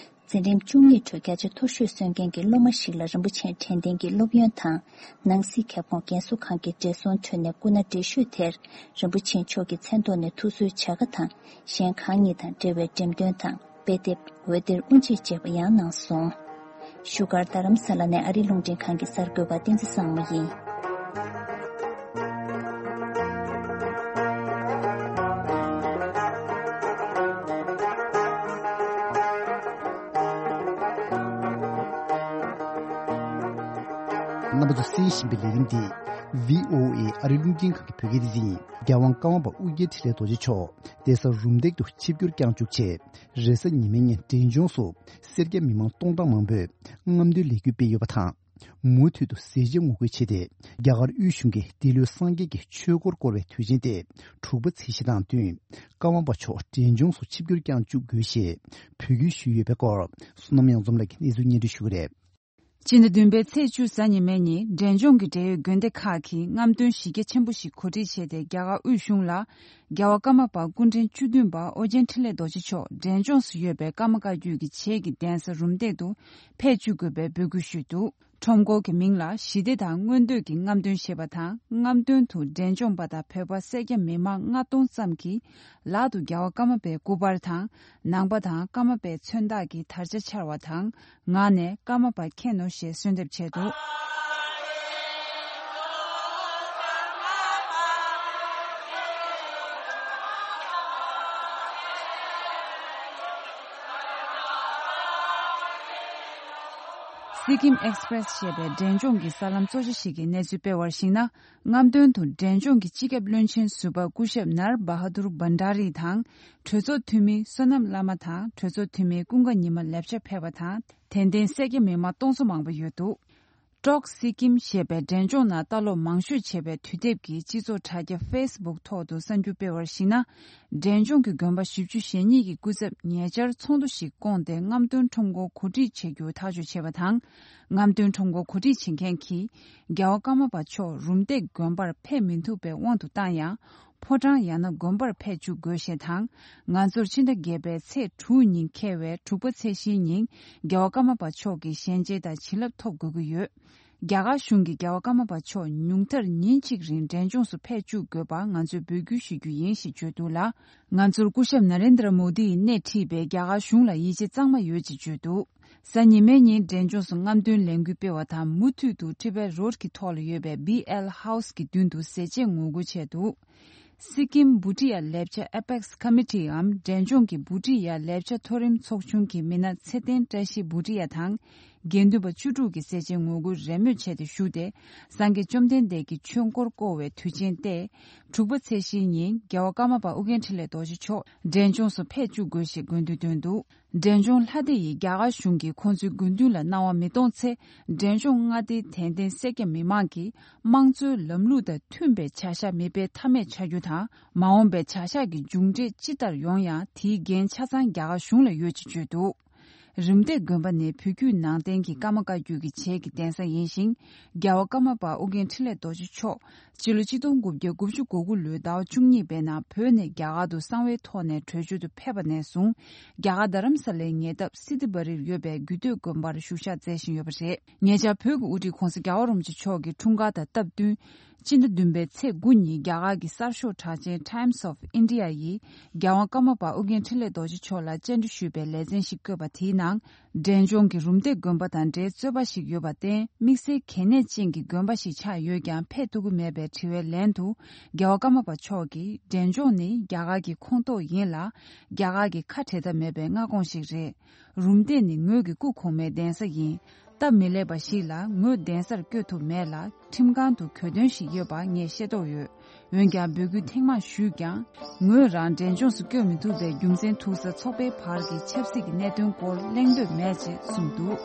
འཛིན་རིམ་བཅུ་གཉིས་ཁྲོད་བརྒྱ་ཆ་མཐོ་ཤོས་སོན་མཁན་གྱི་སློབ་མ་ཞིག་ལ་རིན་པོ་ཆེས་དྲན་རྟེན་གྱི་སློབ་ཡོན་དང་། ནང་སྲིད་ཁྱབ་ཁོངས་རྒན་གསོ་ཁང་གི་བགྲེས་སོང་ཁྲོད་ནས་སྐུ་ན་བགྲེས་ཤོས་དེར་རིན་པོ་ཆེ་མཆོག་གི་མཚན་ཐོག་ནས་ཐུགས་གསོའི་བྱ་དགའ་དང་གཞན་ཁག་གཉིས་དང་འབྲེལ་བའི་འགྲེམས་སྟོན་དང་དཔེ་དེབ། འོད་སྡེར་དབུ་འབྱེད་བཅས་པ་ཡང་གནང་སོང་། བཞུགས་སྒར་རྡ་རམ་ས་ལ་ནས་ཨ་རིའི་རླུང་འཕྲིན་ཁང་གི་གསར་འགོད་པ་བསྟན་འཛིན་བཟང་མོ་ཡིན། རྣམ་པ་ཚོ་གསན་བཞིན་པའི་ལས་རིམ་འདི་བྷི་ཨོ་ཨེ་ཨ་རིའི་རླུང་འཕྲིན་ཁང་གི་བོད་སྐད་སྡེ་ཚན་ཡིན། རྒྱལ་དབང་ཀརྨ་པ་ཨོ་རྒྱན་འཕྲིན་ལས་རྡོ་རྗེ་མཆོག་གདན་ས་རུམ་བཏེག་ཏུ་ཆིབས་བསྒྱུར་བསྐྱངས་བཅུག་ཆེད། རེས་གཟའ་ཉི་མའི་ཉིན་འབྲས་ལྗོངས་སུ་སེར་སྐྱ་མི་མང་སྟོང་ཕྲག་མང་པོས་རྔམ་སྟོན་ལས་འགུལ་སྤེལ་ཡོད་པ་དང་། མུ་མཐུད་དུ་ཟས་བཅད་ངོ་རྒོལ་བྱས་ཏེ། རྒྱ་གར་དབུས་གཞུང་གིས་འདི་ལོའི་སངས་རྒྱས་ཀྱི་ཆོས་འཁོར་བསྐོར་བའི་དུས་ཆེན་ཏེ་དྲུག་པ་ཚེས་བཞི་དང་བསྟུན། ཀརྨ་པ་མཆོག་འབྲས་ལྗོངས་སུ་ཆིབས་བསྒྱུར་བསྐྱངས་བཅུག་དགོས་ཞེས་འབོད་སྐུལ་ཞུས་ཡོད་པའི་སྐོར། བསོད་ནམས་གཡང་འཛོམས་ལགས་ཀྱིས་གནས་ཚུལ་སྙན་སྒྲོན་ཞུ་གི་རེད། སྤྱི་ཟླ་བདུན་པའི་ཚེས་བཅུ་གཟའ་ཉི་མའི་ཉིན་འབྲས་ལྗོངས་ཀྱི་འབྲེལ་ཡོད་དགོན་སྡེ་ཁག་གིས་རྔམ་སྟོན་གཞི་རྒྱ་ཆེན་པོ་ཞིག་གོ་སྒྲིག་བྱས་ཏེ། རྒྱ་གར་དབུས་གཞུང་ལ་རྒྱལ་བ་ཀརྨ་པ་སྐུ་ཕྲེང་བཅུ་བདུན་པ་ཨོ་རྒྱན་འཕྲིན་ལས་རྡོ་རྗེ་མཆོག་འབྲས་ལྗོངས་སུ་ཡོད་པའི་ཀརྨ་བཀའ་བརྒྱུད་ཀྱི་བྱེས་ཀྱི་གདན་ས་རུམ་བཏེག་ཏུ་ཕེབས་བཅུག་དགོས་པའི་འབོད་སྐུལ་ཞུས་འདུག། ཁྲོམ་སྐོར་གྱི་མིང་ལ་ཞི་བདེ་དང་མངོན་འདོད་ཀྱི་རྔམ་སྟོན་ཞེས་པ་དང་། རྔམ་སྟོན་དུ་འབྲས་ལྗོངས་པ་དང་བོད་པ་སེར་སྐྱ་མི་མང་ལྔ་སྟོང་ཙམ་གྱིས་ལག་ཏུ་རྒྱལ་བ་ཀརྨ་པའི་སྐུ་པར་དང་། ནང་པ་དང་ཀརྨ་པའི་མཚོན་རྟགས་ཀྱི་དར་ཆ་འཕྱར་བ་དང་། ངག་ནས་ཀརྨ་པ་མཁྱེན་ནོ་ཞེས་གསོལ་འདེབས་བྱས་འདུག། སི་ཀིམ་ཨེགས་པྲེས་ཞེས་པའི་འབྲས་ལྗོངས་ཀྱི་གསར་ལམ་གཙོ་ཆེ་ཞིག་གིས་གནས་ཚུལ་སྤེལ་བར་གཞིགས་ན། རྔམ་སྟོན་དུ་འབྲས་ལྗོངས་ཀྱི་སྤྱི་ཁྱབ་བློན་ཆེན་ཟུར་པ་སྐུ་ཞབས་ནར་བ་ཧ་དུར་བྷན་ཌ་རི་དང་། གྲོས་ཚོགས་འཐུས་མི་བསོད་ནམས་བླ་མ་དང་། གྲོས་ཚོགས་འཐུས་མི་ཀུན་དགའ་ཉི་མ་ལེབ་ཆ་ཕེབས་པ་དང་། དད་ལྡན་སེར་སྐྱ་མི་མང་སྟོང་ཚོ་མང་པོ་ཡོད་འདུག། ཀྲོག་སི་ཀིམ་ཞེས་པའི་འབྲས་ལྗོངས་ནང་ལྟ་ཀློག་མང་ཤོས་བྱས་པའི་དུས་དེབ་ཀྱི་སྤྱི་ཚོགས་དྲ་རྒྱ་ཕེ་སི་བུག་ཐོག་ཏུ་གསར་འགྱུར་སྤེལ་བར་གཞིགས་ན། འབྲས་ལྗོངས་ཀྱི་དགོན་པ་བཞི་བཅུ་ཞེ་གཉིས་ཀྱི་སྐུ་ཚབ་ཉེ་ཆར་ཚོགས་འདུ་ཞིག་བསྐོངས་ཏེ། རྔམ་སྟོན་ཁྲོམ་སྐོར་གོ་སྒྲིག་བྱེད་རྒྱུ་ཐག་གཅོད་བྱས་པ་དང་། རྔམ་སྟོན་ཁྲོམ་སྐོར་གོ་སྒྲིག་བྱེད་མཁན་གྱིས། རྒྱལ་བ་ཀརྨ་པ་མཆོག་རུམ་བཏེག་དགོན་པར་ཕེབས་མི་ཐུབ་པའི་དབང་དུ་བཏང་ཡང་། ཕོ་བྲང་ཡང་ན་དགོན་པར་ཕེབས་བཅུག་དགོས་ཞེས་དང་། ང་ཚོར་ཕྱི་ཟླ་བརྒྱད་པའི་ཚེས་དྲུག་ཉིན་འཁེལ་བའི་དྲུག་པ་ཚེས་བཞིའི་ཉིན། རྒྱལ་བ་ཀརྨ་པ་མཆོག་གི་ཞལ་མཇལ་དང་བྱིན་རླབས་ཐོབ་དགོས་ཀྱི་ཡོད། རྒྱ་གར་གཞུང་གིས་རྒྱལ་བ་ཀརྨ་པ་མཆོག་ཉུང་མཐར་ཉིན་གཅིག་རིང་འབྲས་ལྗོངས་སུ་ཕེབས་བཅུག་དགོས་པར་ང་ཚོས་འབོད་སྐུལ་ཞུ་རྒྱུ་ཡིན་ཞེས་བརྗོད་འདུག་ལ། ང་ཚོར་སྐུ་ཞབས་ན་རེན་དྲ་མོ་དི་ཡིས་སྣེ་ཁྲིད་པའི་རྒྱ་གར་གཞུང་ལ་ཡིད་ཆེས་གཙང་མ་ཡོད་ཅེས་བརྗོད་འདུག། གཟའ་ཉི་མའི་ཉིན་འབྲས་ལྗོངས་སུ་རྔམ་སྟོན་ལས་འགུལ་སྤེལ་བ་དང་། མུ་མཐུད་དུ་ཊི་བེཊ་རོཌ་ཀྱི་ཐོག་ལ་ཡོད་པའི་བྷི་ཨེལ་ཧའུ་སི་གི་མདུན་དུ་ཟས་བཅད་ངོ་རྒོལ་བྱས་འདུག། སི་ཀིམ་བྷུ་ཊི་ཡ་ལེབ་ཆ་ཨེ་པེག་སི་ཁོ་མི་ཊི་འམ་འབྲས་ལྗོངས་ཀྱི་བྷུ་ཊི་ཡ་ལེབ་ཆ་མཐོ་རིམ་ཚོགས་ཆུང་གི་མི་སྣ་ཚེ་བརྟན་བཀྲ་ཤིས་བྷུ་ཊི་ཡ་དང་། དགེ་འདུན་པ་བཅུ་དྲུག་གིས་ཟས་བཅད་ངོ་རྒོལ་རེས་མོས་བྱས་ཏེ་ཞུགས་ཏེ། སངས་རྒྱས་བཅོམ་ལྡན་འདས་ཀྱི་ཆོས་འཁོར་བསྐོར་བའི་དུས་ཆེན་ཏེ། དྲུག་པ་ཚེས་བཞིའི་ཉིན་རྒྱལ་བ་ཀརྨ་པ་ཨོ་རྒྱན་འཕྲིན་ལས་རྡོ་རྗེ་མཆོག་འབྲས་ལྗོངས་སུ་ཕེབས་བཅུག་དགོས་ཞེས་དགོས་འདུན་བཏོན་འདུག། འབྲས་ལྗོངས་ལྷ་སྡེ་ཡིས་རྒྱ་གར་གཞུང་གིས་ཁོང་ཚོའི་དགོས་འདུན་ལ་སྣང་བ་མི་གཏོང་ཚེ། འབྲས་ལྗོངས་མངའ་སྡེའི་དད་ལྡན་སེར་སྐྱ་མི་མང་གིས་དམངས་གཙོའི་ལམ་ལུགས་དང་མཐུན་པའི་བྱ་གཞག་མི་སྤེལ་ཐབས་མེད་ཆགས་རྒྱུ་དང་། མ་འོངས་པའི་བྱ་གཞག་གི་མཇུག་འབྲས་ཅི་ལྟར་ཡོང་ཡང་དེའི་འགན་ཆ་ཚང་རྒྱ་གར་གཞུང་ལ་ཡོད་ཅེས་བརྗོད་འདུག། རུམ་བཏེག་དགོན་པ་ནི་བོད་བརྒྱུད་ནང་བསྟན་གྱི་ཀརྨ་བཀའ་བརྒྱུད་ཀྱི་བྱེས་ཀྱི་གདན་ས་ཡིན་ཞིང་། རྒྱལ་བ་ཀརྨ་པ་ཨོ་རྒྱན་འཕྲིན་ལས་རྡོ་རྗེ་མཆོག་སྤྱི་ལོ་ཆིག་སྟོང་དགུ་བརྒྱ་དགུ་བཅུ་གོ་དགུ་ལོའི་ཟླ་བ་བཅུ་གཉིས་པའི་ནང་བོད་ནས་རྒྱ་གར་དུ་གསང་བའི་ཐོག་ནས་བྲོས་བྱོལ་དུ་ཕེབས་པ་ནས་བཟུང་། རྒྱ་གར་རྡ་རམ་ས་ལའི་ཉེ་འདབས་སི་ཏི་བ་རིར་ཡོད་པའི་རྒྱུད་སྟོད་དགོན་པར་བཞུགས་ཞག་མཛད་བཞིན་ཡོད་པ་རེད། ཉེ་ཆར་བོད་ཀྱི་དབུ་ཁྲིད་༸གོང་ས་༸རྒྱལ་བ་རིན་པོ་ཆེ་མཆོག་གི་འཁྲུངས་སྐར་དང་སྟབས་བསྟུན། སྤྱི་ཟླ་བདུན་པའི་ཚེས་དགུ་ཉིན་རྒྱ་གར་གྱི་གསར་ཤོག་གྲགས་ཅན་Times of India ཡིས་རྒྱལ་དབང་ཀརྨ་པ་ཨོ་རྒྱན་འཕྲིན་ལས་རྡོ་རྗེ་མཆོག་ལ་བཅར་འདྲི་ཞུས་པའི་ལེ་ཚན་ཞིག་བཀོད་པ་དེའི་ནང་། འབྲས་ལྗོངས་ཀྱི་རུམ་བཏེག་དགོན་པ་དང་འབྲེལ་རྩོད་པ་ཞིག་ཡོད་པར་བརྟེན། དམིགས་བསལ་གལ་གནད་ཅན་གྱི་དགོན་པ་ཞིག་ཆགས་ཡོད་ཀྱང་ཕེབས་ཐུབ་ཀྱི་མེད་པའི་དྲི་བའི་ལན་དུ། རྒྱལ་བ་ཀརྨ་པ་མཆོག་གིས། འབྲས་ལྗོངས་ནི་རྒྱ་གར་གྱི་ཁོངས་གཏོགས་ཡིན་ལ། རྒྱ་གར་གྱི་ཁ་བྲལ་ཐབས་མེད་པའི་མངའ་ཁོངས་ཤིག་རེད། རུམ་བཏེག་ནི་ངོས་ཀྱི་སྐུ་གོང་མའི་གདན་ས་ཡིན། སྟབས་མི་ལེགས་པ་ཞིག་ལ་ངོས་གདན་སར་བསྐྱོད་ཐུབ་མེད་ལ། ཁྲིམས་ཁང་དུ་གྱོད་དོན་ཞིག་ཡོད་པ་ངས་ཤེས་རྟོགས་ཡོད། འོན་ཀྱང་འབོད་སྐུལ་ཐེངས་མང་ཞུས་ཀྱང་། ངོས་རང་འབྲས་ལྗོངས་སུ་བསྐྱོད་མི་ཐུབ་པའི་རྒྱུ་མཚན་ཐུག་ས་ཚོགས་པའི་བར་གྱི་ཆབ་སྲིད་ཀྱི་གནད་དོན་སྐོར་གླེང་འདོད་མེད་ཅེས་གསུངས་འདུག།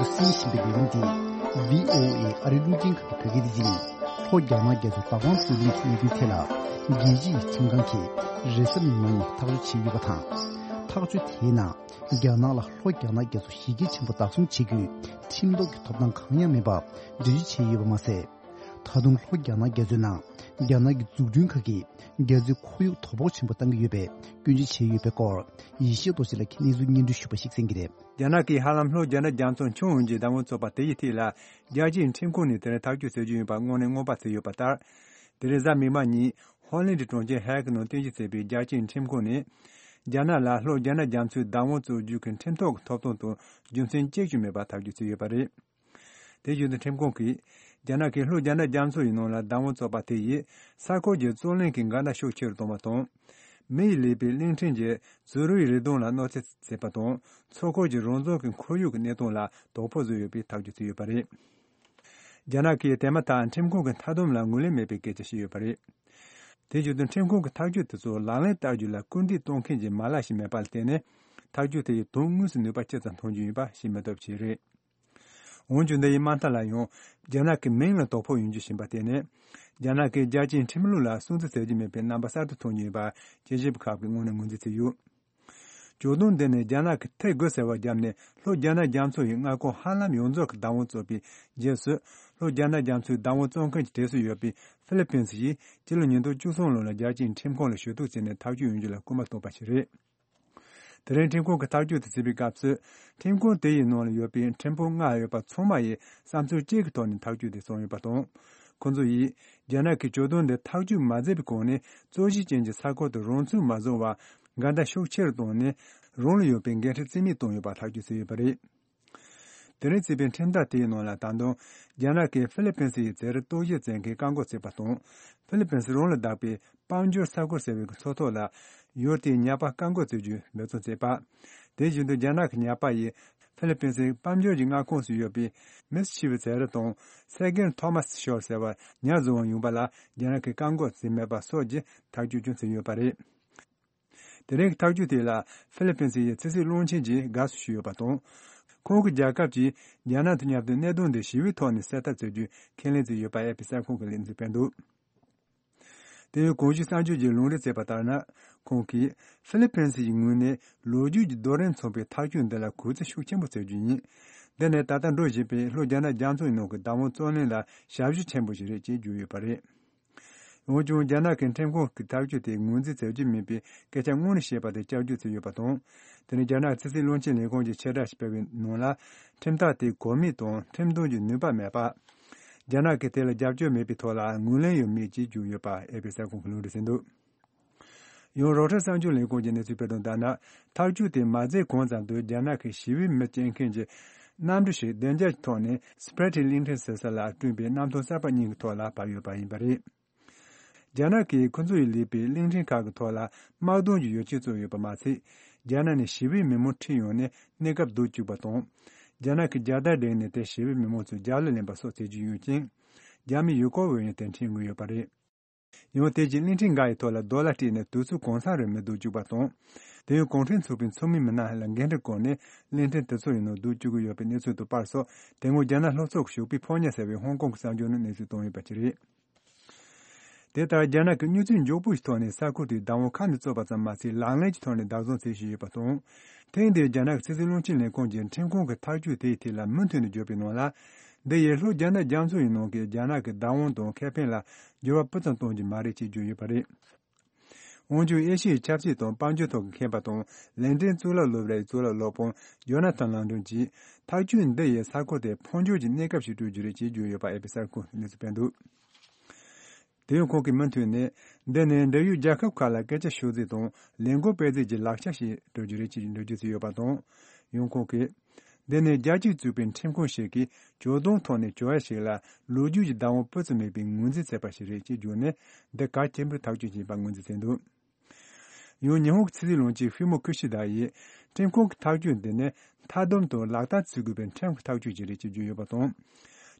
གསན་བཞིན་པའི་ལས་རིམ་འདི་བྷི་ཨོ་ཨེ་ཨ་རིའི་རླུང་འཕྲིན་ཁང་གི་བོད་སྐད་སྡེ་ཚན་ཡིན། ལྷོ་རྒྱ་ནག་རྒྱ་མཚོའི་བདག་དབང་རྩོད་ལེན་གྱི་གནད་དོན་ཐད་ལ་རྒྱལ་སྤྱི་ཡི་ཁྲིམས་ཁང་གིས་རེས་གཟའ་མིག་དམར་ཉིན་ཐག་གཅོད་བྱས་ཡོད་པ་དང་། ཐག་གཅོད་དེའི་ནང་རྒྱ་ནག་ལ་ལྷོ་རྒྱ་ནག་རྒྱ་མཚོ་ཞི་རྒྱས་ཆེན་པོ་བདག་བཟུང་བྱེད་རྒྱུའི་ཁྲིམས་ཐོག་གི་ཐོབ་ཐང་གང་ཡང་མེད་པ་འགྲེལ་བརྗོད་བྱས་ཡོད་པ་མ་ཟད། ད་དུང་ལྷོ་རྒྱ་ནག་རྒྱ་མཚོའི་ནང་རྒྱ་ནག་གི་འཛུགས་སྐྲུན་ཁག་གིས་རྒྱ་མཚོའི་ཁོར་ཡུག་དོ་ཕོག་ཆེན་པོ་བཏང་གི་ཡོད་པའི་སྐྱོན་བརྗོད་བྱས་ཡོད་པའི་སྐོར་ཡེ་ཤེས་རྡོ་རྗེ་ལགས་ཀྱིས་གནས་ཚུལ་སྙན་སྒྲོན་ཞུས་པ་ཞིག་གསན་གྱི་རེད། རྒྱ་ནག་གིས་ཧ་ལམ་ལྷོ་རྒྱ་ནག་རྒྱ་མཚོ་མཆོང་ཡོང་རྒྱུའི་བདག་དབང་རྩོད་པ་དེ་ཡི་ཐད་ལ་རྒྱལ་སྤྱིའི་ཁྲིམས་ཁང་ནས་དེ་རིང་ཐག་གཅོད་བྱེད་རྒྱུ་ཡིན་པ་སྔོན་ནས་སྔོན་དཔག་བྱས་ཡོད་པ་ལྟར། དེ་རིང་གཟའ་མིག་དམར་ཉིན་ཧོ་ལན་གྱི་གྲོང་ཁྱེར་ཧེག་ནང་རྟེན་གཞི་བྱས་པའི་རྒྱལ་སྤྱིའི་ཁྲིམས་ཁང་ནས་རྒྱ་ནག་ལ་ལྷོ་རྒྱ་ནག་རྒྱ་མཚོའི་བདག་དབང་རྩོད་རྒྱུ་གི་ཁྲིམས་ཐོག་གི་ཐོབ་ཐང་དང་རྒྱུ་མཚན་གཅིག་ཀྱང་མེད་པ་ཐག་གཅོད་བྱས་ཡོད་པ་རེད། དེ་བཞིན་དུ་ཁྲིམས་ཁང་གིས་རྒྱ་ནག་གིས་ལྷོ་རྒྱ་ནག་རྒྱ་མཚོ་ཡི་ནང་ལ་བདག་དབང་རྩོད་པ་དེ་ཡིས་ས་ཁུལ་གྱི་རྩོད་གླེང་གི་འགལ་ཟླ་ཤུགས་ཆེ་རུ་བཏང་བ་དང་། མི་ཡིས་ལས་པའི་གླིང་ཕྲན་གྱི་ཛུ་རུའི་རི་སྡོང་ལ་གནོད་འཚེ་བྱས་པ་དང་། མཚོ་ཁུལ་གྱི་རང་བཙན་གྱི་ཁོར་ཡུག་གི་གནས་སྟངས་ལ་དོ་ཕོག་བཟོས་ཡོད་པའི་ཐག་གཅོད་བྱས་ཡོད་པ་རེད། རྒྱ་ནག་གིས་དེ་མ་ཐག་ཁྲིམས་ཁང་གི་མཐའ་སྡོམ་ལ་ངོས་ལེན་མེད་པའི་སྐད་ཆ་བཤད་ཡོད་པ་རེད། དེ་བཞིན་དུ་ཁྲིམས་ཁང་གི་ཐག་གཅོད་དེ་ཚོ་ལག་ལེན་བསྟར་རྒྱུ་ལ་སྐུལ་འདེད་གཏོང་མཁན་གྱི་མ་ལག་ཞིག་མེད་པ་ལ་བརྟེན་ནས་ཐག་གཅོད་དེ་ཡིས་དོན་དངོས་སུ་ནུས་པ་ཅི་ཙམ་ཐོན་རྒྱུ་ཡིན་པ་ཤེས་མི་ཐུབ་ཅིག་རེད། འོན་ཀྱང་འདི་ཡི་དམག་འཐབ་ལ་ཡང་རྒྱ་ནག་གི་མིང་ལ་དོ་ཕོག་ཡོང་རྒྱུ་ཞིག་ཡིན་པ་བརྟེན་ནས། རྒྱ་ནག་གིས་རྒྱལ་སྤྱིའི་ཁྲིམས་ལུགས་ལ་སྲུང་བརྩི་བྱེད་ཀྱི་མེད་པའི་རྣམ་པ་གསར་དུ་མཐོང་རྒྱུ་ཡིན་པ་དཔྱད་ཞིབ་པ་ཁག་གིས་སྔོན་ནས་ངོས་འཛིན་བྱས་ཡོད། ཇོ་བདུན་འདི་ནི་རྒྱ་ནག་གིས་ཐད་དགོད་ཟེར་བ་བརྒྱབ་ནས་ལྷོ་རྒྱ་ནག་རྒྱ་མཚོ་ཡི་མངའ་ཁོངས་ཧ་ལམ་ཡོངས་རྫོགས་ཀྱི་བདག་དབང་རྩོད་པའི་རྗེས་སུ། ལྷོ་རྒྱ་ནག་རྒྱ་མཚོའི་བདག་དབང་རྩོད་མཁན་གྱི་གྲས་སུ་ཡོད་པའི་ཧྥི་ལི་ཕིན་སི་ཡིས་སྤྱི་ལོ་ཉིས་སྟོང་བཅུ་གསུམ་ལོ་ལ་རྒྱལ་སྤྱིའི་ཁྲིམས་ཁང་ལ་ཞུ་གཏུག་བྱས་ནས་ཐག་གཅོད་ཡོང་རྒྱུ་ལ་སྐུལ་མ་བཏང་བ་ཞིག་རེད། དེ་རིང་ཁྲིམས་ཁང་གིས་ཐག་གཅོད་དེ་བྱས་པའི་སྐབས་སུ། ཁྲིམས་ཁང་དེ་ཡི་ནང་ལ་ཡོད་པའི་ཁྲིམས་དཔོན་ལྔ་ཡོད་པ་ཚང་མ་ཡིས་བསམ་ཚུལ་གཅིག་གི་ཐོག་ནས་ཐག་གཅོད་དེ་བྱུང་ཡོད་པ་དང་། ཁོང་ཚོ་ཡིས་རྒྱ་ནག་གིས་ཇོ་བདུན་འདི་ཐག་གཅོད་མ་མཛད་པའི་གོང་ནས་རྩོད་གཞི་ཅན་གྱི་ས་ཁུལ་དུ་རང་ཚུགས་མ་བཟུང་བར་འགལ་ཟླ་ཤུགས་ཆེ་རུ་བཏང་ནས། རང་ལ་ཡོད་པའི་འགན་འཁྲི་རྩིས་མེད་བཏང་ཡོད་པ་ཐག་གཅོད་བྱས་ཡོད་པ་རེད། དེ་རིང་བརྩིས་པའི་ཁྲིམས་ཐག་དེའི་ནང་ལ་ད་དུང་རྒྱ་ནག་གིས་ཧྥི་ལི་ཕིན་སི་ཡི་རྩེད་རིགས་རྟོག་ཞིབ་བྱེད་མཁན་བཀག་འགོག་བྱས་པ་དང་། ཧྥི་ལི་ཕིན་སི་རང་ལ་བདག་པའི་དཔལ་འབྱོར་ས་ཁུལ་ཟེར་བའི་མཚོ་ཐོག་ལ་ཡུལ་དེའི་ཉ་པ་བཀག་འགོག་བྱེད་རྒྱུའི་འབད་བརྩོན་བྱས་པ། དེ་བཞིན་དུ་རྒྱ་ནག་གི་ཉ་པ་ཡིས་ཧྥི་ལི་ཕིན་སིའི་དཔལ་འབྱོར་གྱི་མངའ་ཁོངས་སུ་ཡོད་པའི་མིས་ཆི་བི་རྩེད་རིགས་དང་སེ་གེན་ཐོ་མཱས་ཤོར་ཟེར་བ་ཉ་བཟུང་བ་ཡོང་པ་ལ་རྒྱ་ནག་གིས་བཀག་འགོག་བྱས་མེད་པ་སོགས་ཀྱི་ཐག་གཅོད་ཀྱང་བྱས་ཡོད་པ་རེད། དེ་རིང་གི་ཐག་གཅོད་དེ་ལ་ཧྥི་ལི་ཕིན་སི་ཡི་ཕྱི་སྲིད་བློན་ཆེན་གྱིས་དགའ་བསུ་ཞུས་ཡོད་པ་དང་། ཁོང་གི་རྒྱལ་ཁབ་ཀྱིས་རྒྱ་ནག་དང་མཉམ་དུ་གནད་དོན་འདི་ཞི་བའི་ཐོག་ནས་སེལ་ཐབས་བྱ་རྒྱུ་ཁས་ལེན་བྱས་ཡོད་པ་ཨེ་ཕི་གསར་ཁང་གིས་གནས་ཚུལ་སྤེལ་འདུག་དེ་ཡང་གོང་ཞུས་གསར་འགྱུར་གྱིས་ལུང་འདྲེན་བྱས་པ་ལྟར་ན། ཁོང་གིས་ཧྥི་ལི་ཕིན་སི་ཡི་ངོས་ནས་ལོ་རྒྱུས་ཀྱི་རྡོ་རིང་མཚུངས་པའི་ཐག་གཅོད་འདི་ལ་གུས་བརྩི་ཤུགས་ཆེན་པོ་བྱ་རྒྱུ་ཡིན། འདི་ནི་ད་ལྟ་འགྲོ་བཞིན་པའི་ལྷོ་རྒྱ་ནག་རྒྱ་མཚོ་ཡི་ནང་གི་བདག་དབང་རྩོད་གླེང་ལ་ཞབས་ཞུ་ཆེན་པོ་ཞིག་རེད་ཅེས་བརྗོད་ཡོད་པ་རེད། འོན་ཀྱང་རྒྱ་ནག་གི་ཁྲིམས་ཁང་གི་ཐག་གཅོད་དེ་ངོས་འཛིན་བྱ་རྒྱུ་མིན་པའི་སྐད་ཆ་སྔོན་ནས་བཤད་པ་དེ་བསྐྱར་བརྗོད་བྱས་ཡོད་པ་དང་། དེ་ནི་རྒྱ་ནག་ཕྱི་སྲིད་བློན་ཆེན་ལས་ཁུངས་ཀྱིས་ཕྱིར་བསྒྲགས་ཤིག་སྤེལ་བའི་ནང་ལ། ཁྲིམས་ཐག་དེ་གོ་མིན་དང་ཁྲིམས་དོན་གྱི་ནུས་པ་མེད་པ། རྒྱ་ནག་གིས་དེ་ལ་རྒྱབ་སྐྱོར་མེད་པའི་ཐོག་ལ་ངོས་ལེན་ཡང་མེད་ཅེས་བརྗོད་ཡོད་པ་ཨེ་ཕི་གསར་ཁང་གིས་ལུང་འདྲེན་བྱས་འདུག་ཡང་རོའི་ཊར་གསར་འགྱུར་ལས་ཁུངས་ཀྱིས་གནས་ཚུལ་སྤེལ་དོན་ལྟར་ན། ཐག་གཅོད་དེ་མ་མཛད་གོང་ཙམ་དུ་རྒྱ་ནག་གི་ཞི་བའི་མི་སྐྱེལ་མཁན་གྱི་གནམ་གྲུ་ཞིག་བདེ་འཇགས་ཀྱི་ཐོག་ནས་སི་པེ་རི་ཊི་གླིང་ཕྲན་ཟེར་ས་ལ་བསྐྲུན་པའི་གནམ་ཐང་གསར་པ་གཉིས་ཀྱི་ཐོག་ལ་བབས་ཡོད་པ་ཡིན་པ་རེད། རྒྱ་ནག་གིས་ཁོ་ཚོ་ཡི་ལས་པའི་གླིང་ཕྲན་ཁག་གི་ཐོག་ལ་དམག་དོན་གྱི་ཡོ་བྱད་བཙུགས་ཡོད་པ་མ་ཚད། རྒྱ་ནག་ནས་ཞི་བའི་མི་མང་ཁྲིད་ཡོང་ནས་གནས་སྐབས་སྡུག་བཅུག་པ་དང་། རྒྱ་ནག་གི་རྒྱལ་དར་བསྒྲེངས་ནས་དེར་ཞི་བའི་མི་མང་ཚོས་རྒྱབ་ལ་ལེན་པ་སོགས་བྱེད་ཀྱི་ཡོད་ཅིང་། རྒྱ་མིའི་ཡུལ་སྐོར་བ་ཡང་དེར་འཁྲིད་མྱོང་ཡོད་པ་རེད། ཡང་དེ་རྗེས་གླིང་ཕྲན་འགའ་ཡི་ཐོག་ལ་རྡོ་ལ་སྤྲད་ནས་དུས་ཚོད་གང་ཚང་རིང་མི་སྡུག་བཅུག་པ་དང་། དེ་ཡང་གུང་ཁྲན་ཚོགས་པའི་ཚོགས་མི་མི་སྣ་ལ་འགན་འཁྲི་བསྐུར་ནས་གླིང་ཕྲན་དེ་ཚོ་ཡི་ནང་སྡུག་བཅུག་གི་ཡོད་པའི་གནས་ཚུལ་དང་པར་སོགས། དེ་སྔོན་རྒྱ་ནག་ལྷོ་ཕྱོགས་ཀྱི་ཞོགས་པའི་ཕོ་ཉ་ཟེར་བའི་ཧོང་ཀོང་གི་གསར་འགྱུར་ནང་གནས་ཚུལ་བཏོན་ཡོད་པ་ཅིག་རེད། དེ་ལྟར་རྒྱ་ནག་གིས་མྱུར་ཚད་མགྱོགས་པོ་ཞིག་ཐོག་ནས་ས་ཁུལ་དེའི་བདག་དབང་ཁ་ནས་རྩོད་པ་ཙམ་མ་ཟད། ལག་ལེན་གྱི་ཐོག་ནས་བདག་བཟུང་བྱེད་བཞིན་ཡོད་པ་དང་། ཐེངས་འདིའི་རྒྱ་ནག་གི་ཕྱི་སྲིད་བློན་ཆེན་ལས་ཁུངས་ཀྱི་ཁྲིམས་ཁང་གི་ཐག་གཅོད་དེའི་ཐད་ལ་མུ་མཐུད་ནས་བརྗོད་པའི་ནང་ལ། འདི་ཡིས་ལྷོ་རྒྱ་ནག་རྒྱ་མཚོ་ཡི་ནང་གི་རྒྱ་ནག་གི་བདག་དབང་དང་ཁེ་ཕན་ལ་འགྱུར་བ་སྤུ་ཙམ་གཏོང་རྒྱུ་མ་རེད་ཅེས་བརྗོད་ཡོད་པ་རེད། འོན་ཀྱང་ཨེ་ཤི་ཡའི་ཆབ་སྲིད་དང་དཔལ་འབྱོར་ཐོག་གི་མཁས་པ་དང་། ལན་ཀྲན་གཙུག་ལག་སློབ་གྲྭའི་གཙུག་ལག་སློབ་དཔོན་ཇོ་ན་ཐན་ལང་ཀྲན་གྱིས། ཐག་གཅོད་འདི་ཡིས་ས་ཁུལ་དེར་འཕོ་འགྱུར་གྱི་གནས་སྐབས་ཤིག་སྤྲོད་རྒྱུ་རེད་ཅེས་བརྗོད་ཡོད་པ་ཨེ་ཕི་གསར་ཁང་གིས་གནས་ཚུལ་སྤེལ་འདུག་དེ་ཡང་ཁོང་གིས་མུ་མཐུད་ནས། འདི་ནི་འབྲེལ་ཡོད་རྒྱལ་ཁབ་ཁག་ལ་སྐད་ཆ་ཤོད་རྩིས་དང་ལས་འགུལ་སྤེལ་རྩིས་ཀྱི་ལག་ཆ་ཞིག་སྤྲོད་རྒྱུ་རེད་ཅེས་འགྲེལ་བརྗོད་བྱས་ཡོད་པ་དང་། ཡང་ཁོང་གིས། འདི་ནི་རྒྱལ་སྤྱིས་བཙུགས་པའི་ཁྲིམས་ཁང་ཞིག་གིས་ཇོ་བདུན་ཐོག་ནས་ཇོ་ཡ་ཞིག་ལ་ལོ་རྒྱུས་ཀྱི་བདག་དབང་སྤུ་ཙམ་མེད་པའི་ངོས་འཛིན་བྱས་པ་ཞིག་རེད་ཅེས་བརྗོད་ནས། འདི་གལ་ཆེན་པོའི་ཐག་གཅོད་ཅིག་ཡིན་པ་ངོས་འཛིན་བྱས་འདུག་ཡང་ཉི་ཧོང་གི་ཕྱི་སྲིད་བློན་ཆེན་ཧྥི་མོ་ཀི་ཤི་དཱ་ཡིས། ཁྲིམས་ཁང་གི་ཐག་གཅོད་འདི་ནི་མཐའ་སྡོམ་དང་ལག་བསྟར་བྱེད་དགོས་པའི་ཁྲིམས་ཀྱི་ཐག་གཅོད་ཅིག་རེད་ཅེས་བརྗོད་ཡོད་པ་དང་།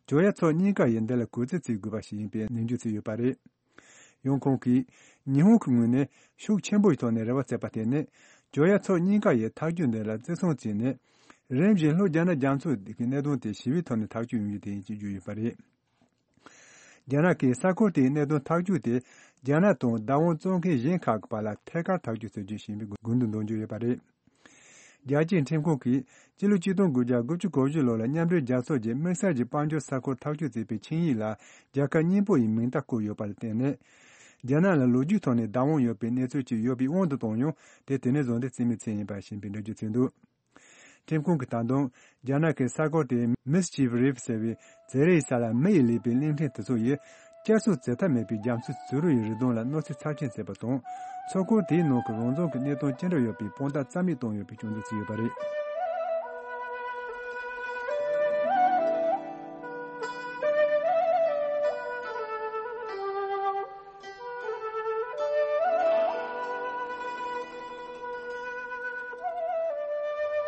ཇོ་ཡ་ཕྱོགས་གཉིས་ཀ་ཡིས་འདི་ལ་གུས་བརྩི་བྱེད་དགོས་པ་ཞིག་ཡིན་པའི་ནན་བརྗོད་བྱས་ཡོད་པ་རེད། ཡང་ཁོང་གིས། ཉི་ཧོང་གི་ངོས་ནས་ཤུགས་ཆེན་པོའི་ཐོག་ནས་རེ་བ་བྱས་པ་དེ་ནི། ཇོ་ཡ་ཕྱོགས་གཉིས་ཀ་ཡིས་ཐག་གཅོད་འདི་ལ་བརྩི་སྲུང་བྱས་ནས། རིམ་བཞིན་ལྷོ་རྒྱ་ནག་རྒྱ་མཚོ་གི་གནད་དོན་དེ་ཞི་བའི་ཐོག་ནས་ཐག་གཅོད་ཡོང་རྒྱུ་དེ་ཡིན་ཞེས་བརྗོད་ཡོད་པ་རེད། རྒྱ་ནག་གིས་ས་ཁུལ་དེའི་གནད་དོན་ཐག་གཅོད་དེ་རྒྱ་ནག་དང་བདག་དབང་བཙོང་མཁན་གཞན་ཁག་གི་བར་ལ་ཐད་ཀར་ཐག་གཅོད་བྱེད་རྒྱུ་ཡིན་པའི་དགོངས་དོན་འདོན་གྱི་ཡོད་པ་རེད། རྒྱལ་སྤྱིའི་ཁྲིམས་ཁང་གིས་སྤྱི་ལོ་ཆིག་སྟོང་དགུ་བརྒྱ་དགུ་བཅུ་གོ་བཞི་ལོ་ལ་མཉམ་འབྲེལ་རྒྱལ་ཚོགས་ཀྱི་དམིགས་བསལ་གྱི་དཔལ་འབྱོར་ས་ཁུལ་ཐག་གཅོད་བྱེད་པའི་ཆིངས་ཡིག་ལ་རྒྱལ་ཁབ་གཉིས་པོ་ཡི་མིང་རྟགས་བཀོད་ཡོད་པར་བརྟེན་ནས། རྒྱ་ནག་ལ་ལོ་རྒྱུས་ཐོག་ནས་བདག་དབང་ཡོད་པའི་གནས་ཚུལ་ཅིག་ཡོད་པའི་དབང་དུ་བཏང་ཡང་དེ་དེ་ནས་བཟུང་སྟེ་རྩིས་མེད་ཚུལ་ཡིན་པ་ཞིག་ཡིན་པའི་འགྲེལ་བརྗོད་བྱས་འདུག། ཁྲིམས་ཁང་གིས་ད་དུང་རྒྱ་ནག་གི་ས་ཁུལ་དེའི་Mischief Reef ཟེར་བའི་བྱེ་རའི་ས་ལ་མེ་ཡིས་ལས་པའི་གླིང་ཕྲན་དེ་ཚོ་ཡིས་བསྐྱར་གསོ་བྱེད་ཐབས་མེད་པའི་རྒྱ་མཚོའི་བྱུ་རུ་ཡི་རི་ལྡོང་ལ་གནོད་འཚེ་ཚབས་ཆེན་བྱས་པ་དང་། མཚོ་ཁུལ་དེའི་ནང་གི་རང་བཙན་གྱི་གནད་དོན་ཅི་འདྲ་ཡོད་པའི་དཔང་རྟགས་རྩ་མེད་བཏང་ཡོད་པའི་སྐྱོན་འཛུགས་བྱས་ཡོད་པ་རེད།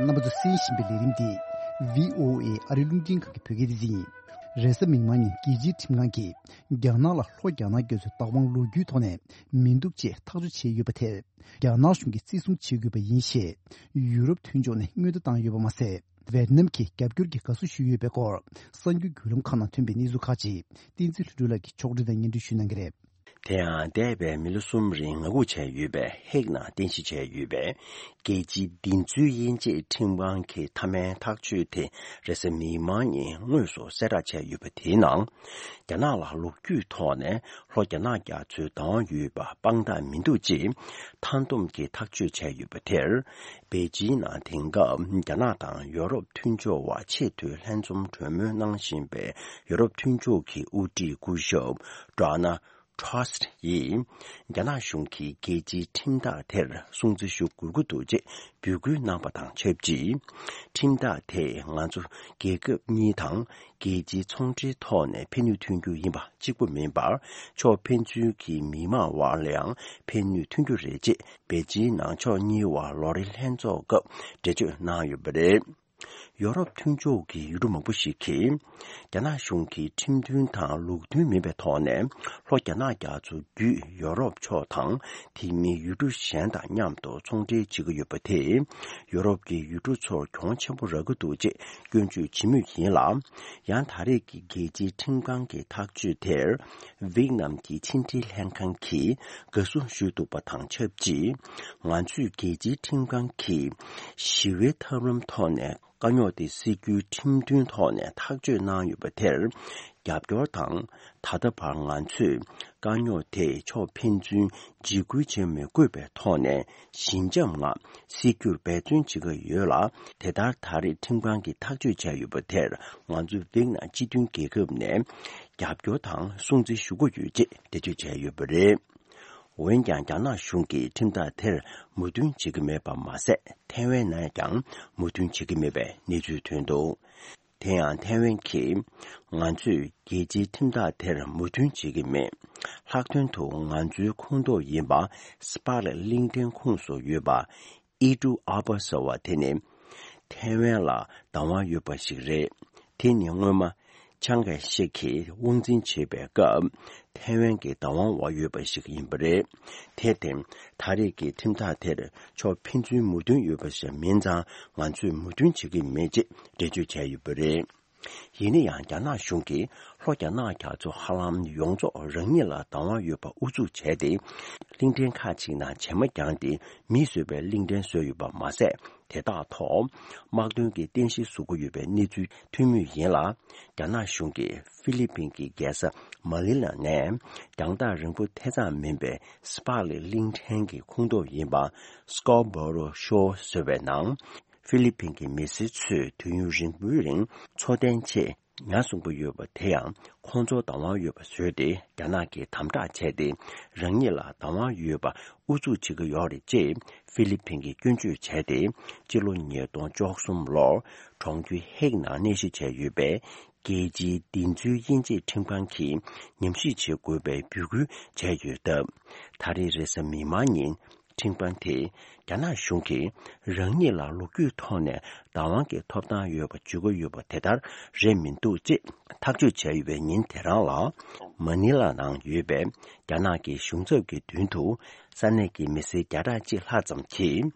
རྣམ་པ་ཚོ་གསན་བཞིན་པའི་ལས་རིམ་འདི་བྷི་ཨོ་ཨེ་ཨ་རིའི་རླུང་འཕྲིན་ཁང་གི་བོད་སྐད་སྡེ་ཚན་ཡིན། རེས་གཟའ་མིག་དམར་ཉིན་རྒྱལ་སྤྱིའི་ཁྲིམས་ཁང་གིས་རྒྱ་ནག་ལ་ལྷོ་རྒྱ་ནག་རྒྱ་མཚོའི་བདག་དབང་ལོ་རྒྱུས་ཐོག་ནས་མི་འདུག་ཅེས་ཐག་གཅོད་བྱས་ཡོད་པ་དེར། རྒྱ་ནག་གཞུང་གིས་བརྩི་སྲུང་བྱེད་དགོས་པ་ཡིན་ཞེས་ཡུ་རོབ་མཐུན་ཕྱོགས་ནས་སྔོན་བརྡ་བཏང་ཡོད་པ་མ་ཟད། ཝེ་ཏི་ནམ་གྱིས་རྒྱབ་སྐྱོར་གྱི་དགའ་བསུ་ཞུས་ཡོད་པའི་སྐོར་གསར་འགྱུར་བརྒྱུད་ལམ་ཁག་ནང་ཐོན་པའི་གནས་ཚུལ་ཁག་ཅིག་བསྟན་འཛིན་ལྷུན་གྲུབ་ལགས་ཀྱིས་ཕྱོགས་སྒྲིག་དང་སྙན་སྒྲོན་ཞུ་གནང་གི་རེད། དེ་ཡང་འདས་པའི་མི་ལོ་གསུམ་རིང་ངང་སྒུག་བྱས་ཡོད་པའི་ཧེག་ནང་རྟེན་གཞི་བྱས་ཡོད་པའི་རྒྱལ་སྤྱིའི་བདེན་རྫུན་དབྱེ་འབྱེད་ཁྲིམས་ཁང་གི་མཐའ་མའི་ཐག་གཅོད་དེ་རེས་གཟའ་མིག་དམར་ཉིན་དངོས་སུ་གསལ་བསྒྲགས་བྱས་ཡོད་པ་དེའི་ནང་། རྒྱ་ནག་ལ་ལོ་རྒྱུས་ཐོག་ནས་ལྷོ་རྒྱ་ནག་རྒྱ་མཚོའི་བདག་དབང་ཡོད་པ་དཔང་རྟགས་མི་འདུག་ཅེས་མཐའ་བསྡོམས་ཀྱིས་ཐག་གཅོད་བྱས་ཡོད་པ་དེར། པེ་ཅིང་ནང་དེང་སྐབས་རྒྱ་ནག་དང་ཡོ་རོབ་མཐུན་ཕྱོགས་བར་ཆེས་མཐོའི་ལྷན་འཛོམས་གྲོས་མོལ་གནང་བཞིན་པའི་ཡོ་རོབ་མཐུན་ཕྱོགས་ཀྱི་དབུ་ཁྲིད་སྐུ་ཞབས་ཌོ་ནལ་ཊྲ་སི་ཡིས་རྒྱ་ནག་གཞུང་གིས་རྒྱལ་སྤྱིའི་ཁྲིམས་ཐག་དེར་སྲུང་བརྩི་ཞུ་དགོས་ཀྱི་འདུག་ཅེས་འབོད་སྐུལ་གནང་པ་དང་ཆབས་ཅིག། ཁྲིམས་ཐག་དེས་ང་ཚོ་རྒྱལ་ཁབ་གཉིས་དང་རྒྱལ་སྤྱིའི་ཚོང་འབྲེལ་ཐོག་ནས་ཕན་ནུས་ཐོན་རྒྱུ་ཡིན་པ་གཅིག་པུ་མིན་པར། ཕྱོགས་ཕན་ཚུན་གྱི་མི་དམངས་དབར་ལ་ཡང་ཕན་ནུས་ཐོན་རྒྱུ་རེད་ཅེས་པེ་ཅིང་ནང་ཕྱོགས་གཉིས་དབར་ལོ་རེའི་ལྷན་ཚོགས་སྐབས་འགྲེལ་བརྗོད་གནང་ཡོད་པ་རེད། ཡོ་རོབ་མཐུན་ཕྱོགས་ཀྱི་ཡུལ་གྲུ་མང་པོ་ཞིག་གིས། རྒྱ་ནག་གཞུང་གིས་ཁྲིམས་མཐུན་དང་ལུགས་མཐུན་མིན་པའི་ཐོག་ནས་ལྷོ་རྒྱ་ནག་རྒྱ་མཚོ་བརྒྱུད་ཡོ་རོབ་ཕྱོགས་དང་དེ་མིན་ཡུལ་གྲུ་གཞན་དང་མཉམ་དུ་ཚོང་འབྲེལ་བྱེད་ཀྱི་ཡོད་པ་དེས། ཡོ་རོབ་ཀྱི་ཡུལ་གྲུ་ཚོར་གྱོང་ཆེན་པོ་རག་གི་འདུག་ཅེས་སྐྱོན་བརྗོད་བྱེད་མུས་ཡིན་ལ། ཡང་ད་རེས་ཀྱི་རྒྱལ་སྤྱིའི་ཁྲིམས་ཁང་གི་ཐག་གཅོད་དེར། ཝེ་ཏི་ནམ་གྱི་ཕྱི་འབྲེལ་ལྷན་ཁང་གིས་དགའ་བསུ་ཞུས་འདུག་པ་དང་ཆབས་ཅིག། ང་ཚོས་རྒྱལ་སྤྱིའི་ཁྲིམས་ཁང་གིས་ཞི་བའི་ཐབས་ལམ་ཐོག་ནས་དཀའ་རྙོག་དེ་སེལ་རྒྱུའི་ཁྲིམས་མཐུན་ཐོག་ནས་ཐག་གཅོད་གནང་ཡོད་པ་དེར་རྒྱབ་སྐྱོར་དང་། ད་ལྟ་བར་ང་ཚོས་དཀའ་རྙོག་དེ་ཕྱོགས་ཕན་ཚུན་འཇིགས་སྐུལ་བྱེད་མི་དགོས་པའི་ཐོག་ནས་ཞི་འཇམ་ངང་སེལ་རྒྱུར་འབད་བརྩོན་བྱེད་ཀྱི་ཡོད་ལ། དེ་ལྟར་ད་རེས་ཁྲིམས་ཁང་གིས་ཐག་གཅོད་བྱས་ཡོད་པ་དེར་ང་ཚོ་ཝེ་ཏི་ནམ་སྤྱི་མཐུན་རྒྱལ་ཁབ་ནས་རྒྱབ་སྐྱོར་དང་སྲུང་བརྩི་ཞུ་གི་ཡོད་ཅེས་འགྲེལ་བརྗོད་བྱས་ཡོད་པ་རེད། འོན་ཀྱང་རྒྱ་ནག་གཞུང་གིས་ཁྲིམས་ཐག་དེར་མོས་མཐུན་བྱེད་ཀྱི་མེད་པ་མ་ཟད། ཐའེ་ཝན་ནས་ཀྱང་མོས་མཐུན་བྱེད་ཀྱི་མེད་པའི་གནས་ཚུལ་ཐོན་འདུག། དེ་ཡང་ཐའེ་ཝན་གྱིས། ང་ཚོས་རྒྱལ་སྤྱིའི་ཁྲིམས་ཐག་དེར་མོས་མཐུན་བྱེད་ཀྱི་མེད། ལྷག་དོན་དུ་ང་ཚོའི་ཁོངས་གཏོགས་ཡིན་པ་སྤག་ལེབ་གླིང་ཕྲན་ཁོངས་སུ་ཡོད་པ་ཨི་ཀྲུ་ཨ་པ་ཟེར་བ་དེ་ནི། ཐའེ་ཝན་ལ་བདག་དབང་ཡོད་པ་ཞིག་རེད། དེ་ནི་སྔོན་མ། ཆང་གེ་ཤེ་གིས་དབང་འཛིན་བྱེད་པའི་སྐབས། ཐའེ་ཝན་གྱི་བདག་དབང་འོག་ཡོད་པ་ཞིག་ཡིན་པ་རེད། དེར་བརྟེན། ད་རེས་ཀྱི་ཁྲིམས་ཐག་དེར་ཕྱོགས་ཕན་ཚུན་མོས་མཐུན་ཡོད་པ་ཞིག་མིན་ཙང་། ང་ཚོས་མོས་མཐུན་བྱེད་ཀྱི་མེད་ཅེས་འགྲེལ་བརྗོད་བྱས་ཡོད་པ་རེད། ཡིན་ན་ཡང་། རྒྱ་ནག་གཞུང་གིས་ལྷོ་རྒྱ་ནག་རྒྱ་མཚོ་ཧ་ལམ་ཡོངས་རྫོགས་རང་ཉིད་ལ་བདག་དབང་ཡོད་པ་ཨུ་ཚུགས་བྱས་ཏེ། གླིང་ཕྲན་ཁག་ཅིག་ནང་བྱེ་མ་བརྒྱངས་ཏེ་མིས་བཟོས་པའི་གླིང་ཕྲན་བཟོས་ཡོད་པ་མ་ཟད། དེ་དག་ཐོག་དམག་དོན་གྱི་རྟེན་གཞི་བཟོ་གི་ཡོད་པའི་གནས་ཚུལ་ཐོན་མུས་ཡིན་ལ། རྒྱ་ནག་གཞུང་གིས་ཧྥི་ལི་ཕིན་གྱི་རྒྱལ་ས་མ་ནི་ལ་ནས་རྒྱང་ཐག་རིང་པོ་ཐེ་ཚོམ་མིན་པའི་སྤག་ལེབ་གླིང་ཕྲན་གྱི་ཁོངས་གཏོགས་ཡིན་པ་Scarborough Shoal ཟེར་བའི་ནང་། ཧྥི་ལི་ཕིན་གྱི་མི་སེར་ཚོས་དུས་ཡུན་རིང་པོའི་རིང་འཚོ་རྟེན་ཆེད་ཉ་བསྲུང་གི་ཡོད་པ་དེ་ཡང་ཁོང་ཚོར་བདག་དབང་ཡོད་པ་བཟོས་ཏེ། རྒྱ་ནག་གིས་དམ་དྲག་བྱས་ཏེ། རང་ཉིད་ལ་བདག་དབང་ཡོད་པ་ཨུ་ཚུགས་བྱེད་ཀྱི་ཡོད་རེད་ཅེས་ཧྥི་ལི་ཕིན་གྱིས་སྐྱོན་བརྗོད་བྱས་ཏེ། སྤྱི་ལོ་ཉིས་སྟོང་བཅུ་གསུམ་ལོར་གྲོང་ཁྱེར་ཧེག་ནང་གནས་གཞི་བྱས་ཡོད་པའི་རྒྱལ་སྤྱིའི་བདེན་རྫུན་དབྱེ་འབྱེད་ཁྲིམས་ཁང་གིས་ཉམས་ཞིབ་བྱེད་དགོས་པའི་འབོད་སྐུལ་བྱས་ཡོད་སྟབས། ད་རེས་རེས་གཟའ་མིག་དམར་ཉིན། ཁྲིམས་ཁང་དེས་རྒྱ་ནག་གཞུང་གིས་རང་ཉིད་ལ་ལོ་རྒྱུས་ཐོག་ནས་བདག་དབང་གི་ཐོབ་ཐང་ཡོད་པ་བརྗོད་ཀྱི་ཡོད་པ་དེ་ལྟར་རེད་མི་འདུག་ཅེས་ཐག་གཅོད་བྱས་ཡོད་པའི་ཉིན་དེ་རང་ལ། མ་ནི་ལ་ནང་ཡོད་པའི་རྒྱ་ནག་གི་གཞུང་ཚབ་ཀྱི་མདུན་དུ་ས་གནས་ཀྱི་མི་སེར་བརྒྱ་ཕྲག་གཅིག་ལྷག་ཙམ་གྱིས།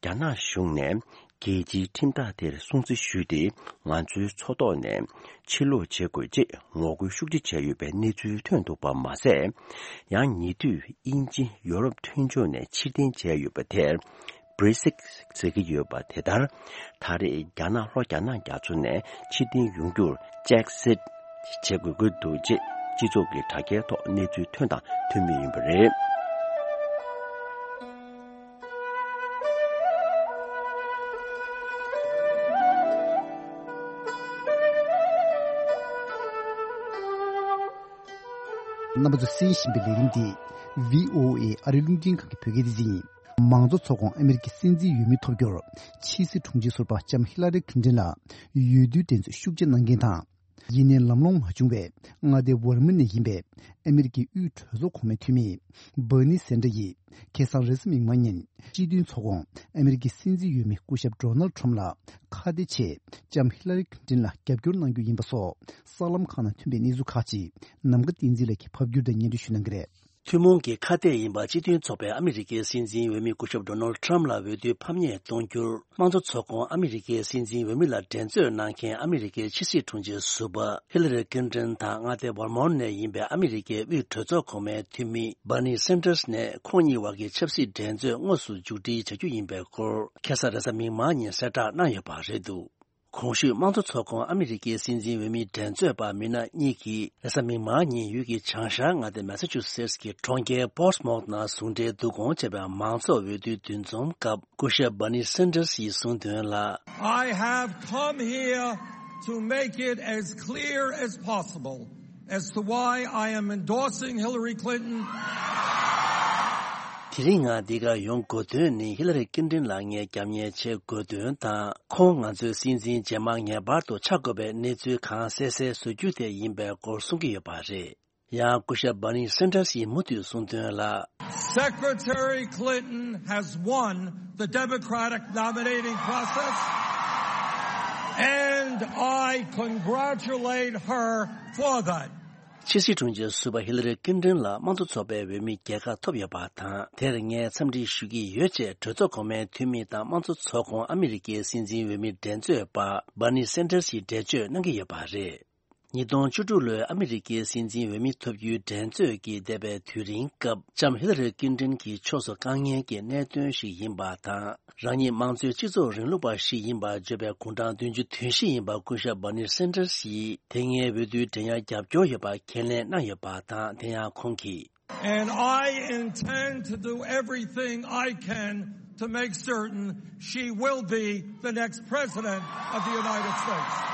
རྒྱ་ནག་གཞུང་ནས་ རྒྱལ་སྤྱིའི་ཁྲིམས་ཐག་དེར་སྲུང་བརྩི་ཞུས་ཏེ། ང་ཚོའི་མཚོ་ཐོག་ནས་ཕྱིར་ལོག་བྱེད་དགོས་ཅེས་ངོ་རྒོལ་ཤུགས་ཆེ་བྱས་ཡོད་པའི་གནས་ཚུལ་ཐོན་འདུག་པ་མ་ཟད། ཡང་ཉེ་དུས་དབྱིན་ཇི་ཡོ་རོབ་མཐུན་ཕྱོགས་ནས་ཕྱིར་འཐེན་བྱས་ཡོད་པ་དེར། བྷི་རི་སིག་ཟེར་གྱི་ཡོད་པ་དེ་ལྟར། ད་རེས་རྒྱ་ནག་ལྷོ་རྒྱ་ནག་རྒྱ་མཚོ་ནས་ཕྱིར་འཐེན་ཡོང་རྒྱུར་ཅེག་སིཊ་བྱེད་དགོས་ཀྱི་འདུག་ཅེས་སྤྱི་ཚོགས་ཀྱི་དྲ་རྒྱའི་ཐོག་གནས་ཚུལ་ཐོན་དང་ཐོན་མུས་ཡིན་པ་རེད། རྣམ་པ་ཚོས་གསན་བཞིན་པའི་ལས་རིམ་འདི་བྷི་ཨོ་ཨེ་ཨ་རིའི་རླུང་འཕྲིན་ཁང་གི་བོད་སྐད་སྡེ་ཚན་ཡིན། མང་གཙོ་ཚོགས་ཁོངས་ཨ་མེ་རི་ཀའི་སྲིད་འཛིན་འོས་མི་ཐོབ་རྒྱུར། ཕྱི་སྲིད་དྲུང་ཆེ་ཟུར་པ་ལྕམ་ཧི་ལ་རི་ཁིན་ཏིན་ལ་འོས་བསྡུའི་འགྲན་རྩོད་ཤུགས་ཆེ་གནང་མཁན་དང་། ཡིན་ནའི་ལམ་ལྷོང་མ་བྱུང་བའི་མངའ་སྡེ་ཝར་མ་ནས་ཡིན་པའི་ཨ་མེ་རི་ཀའི་དབུས་གྲོས་ཚོགས་གོང་མའི་འཐུས་མི་བྷར་ནི་སན་ཏྲ་ཡིས། ཁ་སང་རེས་གཟའ་མིག་དམར་ཉིན་སྤྱི་མཐུན་ཚོགས་ཁོངས་ཨ་མེ་རི་ཀའི་སྲིད་འཛིན་འོས་མི་སྐུ་ཞབས་ཌོ་ནལ་ཊམ་ལ་ཁ་གཏད་ཆེད་ལྕམ་ཧི་ལ་རི་ཁིན་ཏིན་ལ་རྒྱབ་སྐྱོར་གནང་རྒྱུ་ཡིན་པ་སོགས་གསར་ལམ་ཁག་ནང་ཐོན་པའི་གནས་ཚུལ་ཁག་ཅིག་ནམ་མཁའ་བསྟན་འཛིན་ལགས་ཀྱིས་ཕབ་བསྒྱུར་དང་སྙན་སྒྲོན་ཞུ་གནང་གི་རེད། ཐུན་མོང་གི་ཁ་གཏད་ཡིན་པ་སྤྱི་མཐུན་ཚོགས་པས་ཨ་མི་རི་ཀའི་སྲིད་འཛིན་འོས་མི་སྐུ་ཞབས་ཌོ་ནལ་ཊམ་ལ་འོས་བསྡུའི་ཕམ་ཉེས་གཏོང་རྒྱུར། དམངས་གཙོ་ཚོགས་ཁོངས་ཨ་མི་རི་ཀའི་སྲིད་འཛིན་འོས་མི་ལ་འགྲན་རྩོད་གནང་མཁན་ཨ་མི་རི་ཀའི་ཕྱི་སྲིད་དྲུང་ཆེ་ཟུར་པ་ཧི་ལ་རི་ཀིན་ཏིན་དང་མངའ་སྡེ་ཝར་མོན་ནས་ཡིན་པའི་ཨ་མི་རི་ཀའི་དབུས་གྲོས་ཚོགས་གོང་མའི་འཐུས་མི་བྷར་ནི་སན་ཏར་ནས་ཁོང་གཉིས་བར་གྱི་ཆབ་སྲིད་འགྲན་རྩོད་དངོས་སུ་མཇུག་སྒྲིལ་བྱ་རྒྱུ་ཡིན་པའི་སྐོར། ཁ་སང་རེས་གཟའ་མིག་དམར་ཉིན་གསལ་བསྒྲགས་གནང་ཡོད་པ་རེད་འདུག། གོང་ཞུས་དམངས་གཙོ་ཚོགས་ཁོངས་ཨ་མི་རི་ཀའི་སྲིད་འཛིན་འོས་མི་འགྲན་རྩོད་པ་མི་སྣ་གཉིས་ཀྱིས་རེས་གཟའ་མིག་དམར་ཉིན་ཡུལ་གྱི་བྱང་ཤར་མངའ་སྡེ་མེ་ས་ཆུ་སེ་ཊི་ཀྱི་གྲོང་ཁྱེར་པོར་ཊི་མོཐ་ནང་ཟུང་འབྲེལ་བསྡུ་སྐོང་བྱས་པའི་མང་ཚོགས་འོས་བསྡུའི་འདུ་འཛོམས་སྐབས། སྐུ་ཞབས་བྷར་ནི་སན་ཏར་ཡིས་གསུངས་དོན་ལ། I have come here to make it as clear as possible as to why I am endorsing Hillary Clinton. དེ་རིང་ང་འདི་གར་ཡོང་དགོས་དོན་ནི་ཧི་ལ་རི་ཀིན་ཏིན་ལ་ངས་རྒྱབ་གཉེར་བྱེད་དགོས་དོན་དང་། ཁོང་ང་ཚོའི་སྲིད་འཛིན་རྗེས་མ་ངེས་པར་དུ་ཆགས་དགོས་པའི་གནས་ཚུལ་གང་གསལ་གསལ་བཟོ་རྒྱུ་དེ་ཡིན་པའི་སྐོར་གསུང་གི་ཡོད་པ་རེད། ཡང་སྐུ་ཞབས་བྷར་ནི་སན་ཏར་ཡིས་མུ་མཐུད་གསུངས་དོན་ལ། Secretary Clinton has won the Democratic nominating process, and I congratulate her for that. ཕྱི་སྲིད་དྲུང་ཆེ་ཟུར་པ་ཧི་ལ་རི་ཀིན་ཏིན་ལ་དམངས་གཙོ་ཚོགས་པའི་འོས་མི་རྒྱལ་ཁ་ཐོབ་ཡོད་པ་དང་། དེར་ངས་འཚམས་འདྲི་ཞུ་གི་ཡོད་ཅེས་གྲོས་ཚོགས་གོང་མའི་འཐུས་མི་དང་དམངས་གཙོ་ཚོགས་ཁོངས་ཨ་མི་རི་ཀའི་སྲིད་འཛིན་འོས་མི་འགྲན་རྩོད་པ་བྷར་ནི་སན་ཏར་ཡིས་འགྲེལ་བརྗོད་གནང་གི་ཡོད་པ་རེད། ཉིས་སྟོང་བཅུ་དྲུག་ལོའི་ཨ་མི་རི་ཀའི་སྲིད་འཛིན་འོས་མི་ཐོབ་རྒྱུའི་འགྲན་རྩོད་ཀྱི་འདས་པའི་དུས་རིང་སྐབས། ལྕམ་ཧི་ལ་རི་ཀིན་ཏིན་གྱི་ཕྱོགས་སུ་དཀའ་ངལ་གྱི་གནད་དོན་ཞིག་ཡིན་པ་དང་། རང་ཉིད་དམངས་གཙོའི་སྤྱི་ཚོགས་རིང་ལུགས་པ་ཞིག་ཡིན་པར་བརྗོད་པའི་དགུང་གྲངས་བདུན་ཅུ་དོན་བཞི་ཡིན་པ་སྐུ་ཞབས་བྷར་ནི་སན་ཏར་ཡིས། དེ་སྔའི་འོས་བསྡུའི་འགྲན་ཡར་རྒྱབ་སྐྱོར་ཡོད་པ་ཁས་ལེན་གནང་ཡོད་པ་དང་། དེ་ཡང་ཁོང་གིས། And I intend to do everything I can to make certain she will be the next president of the United States.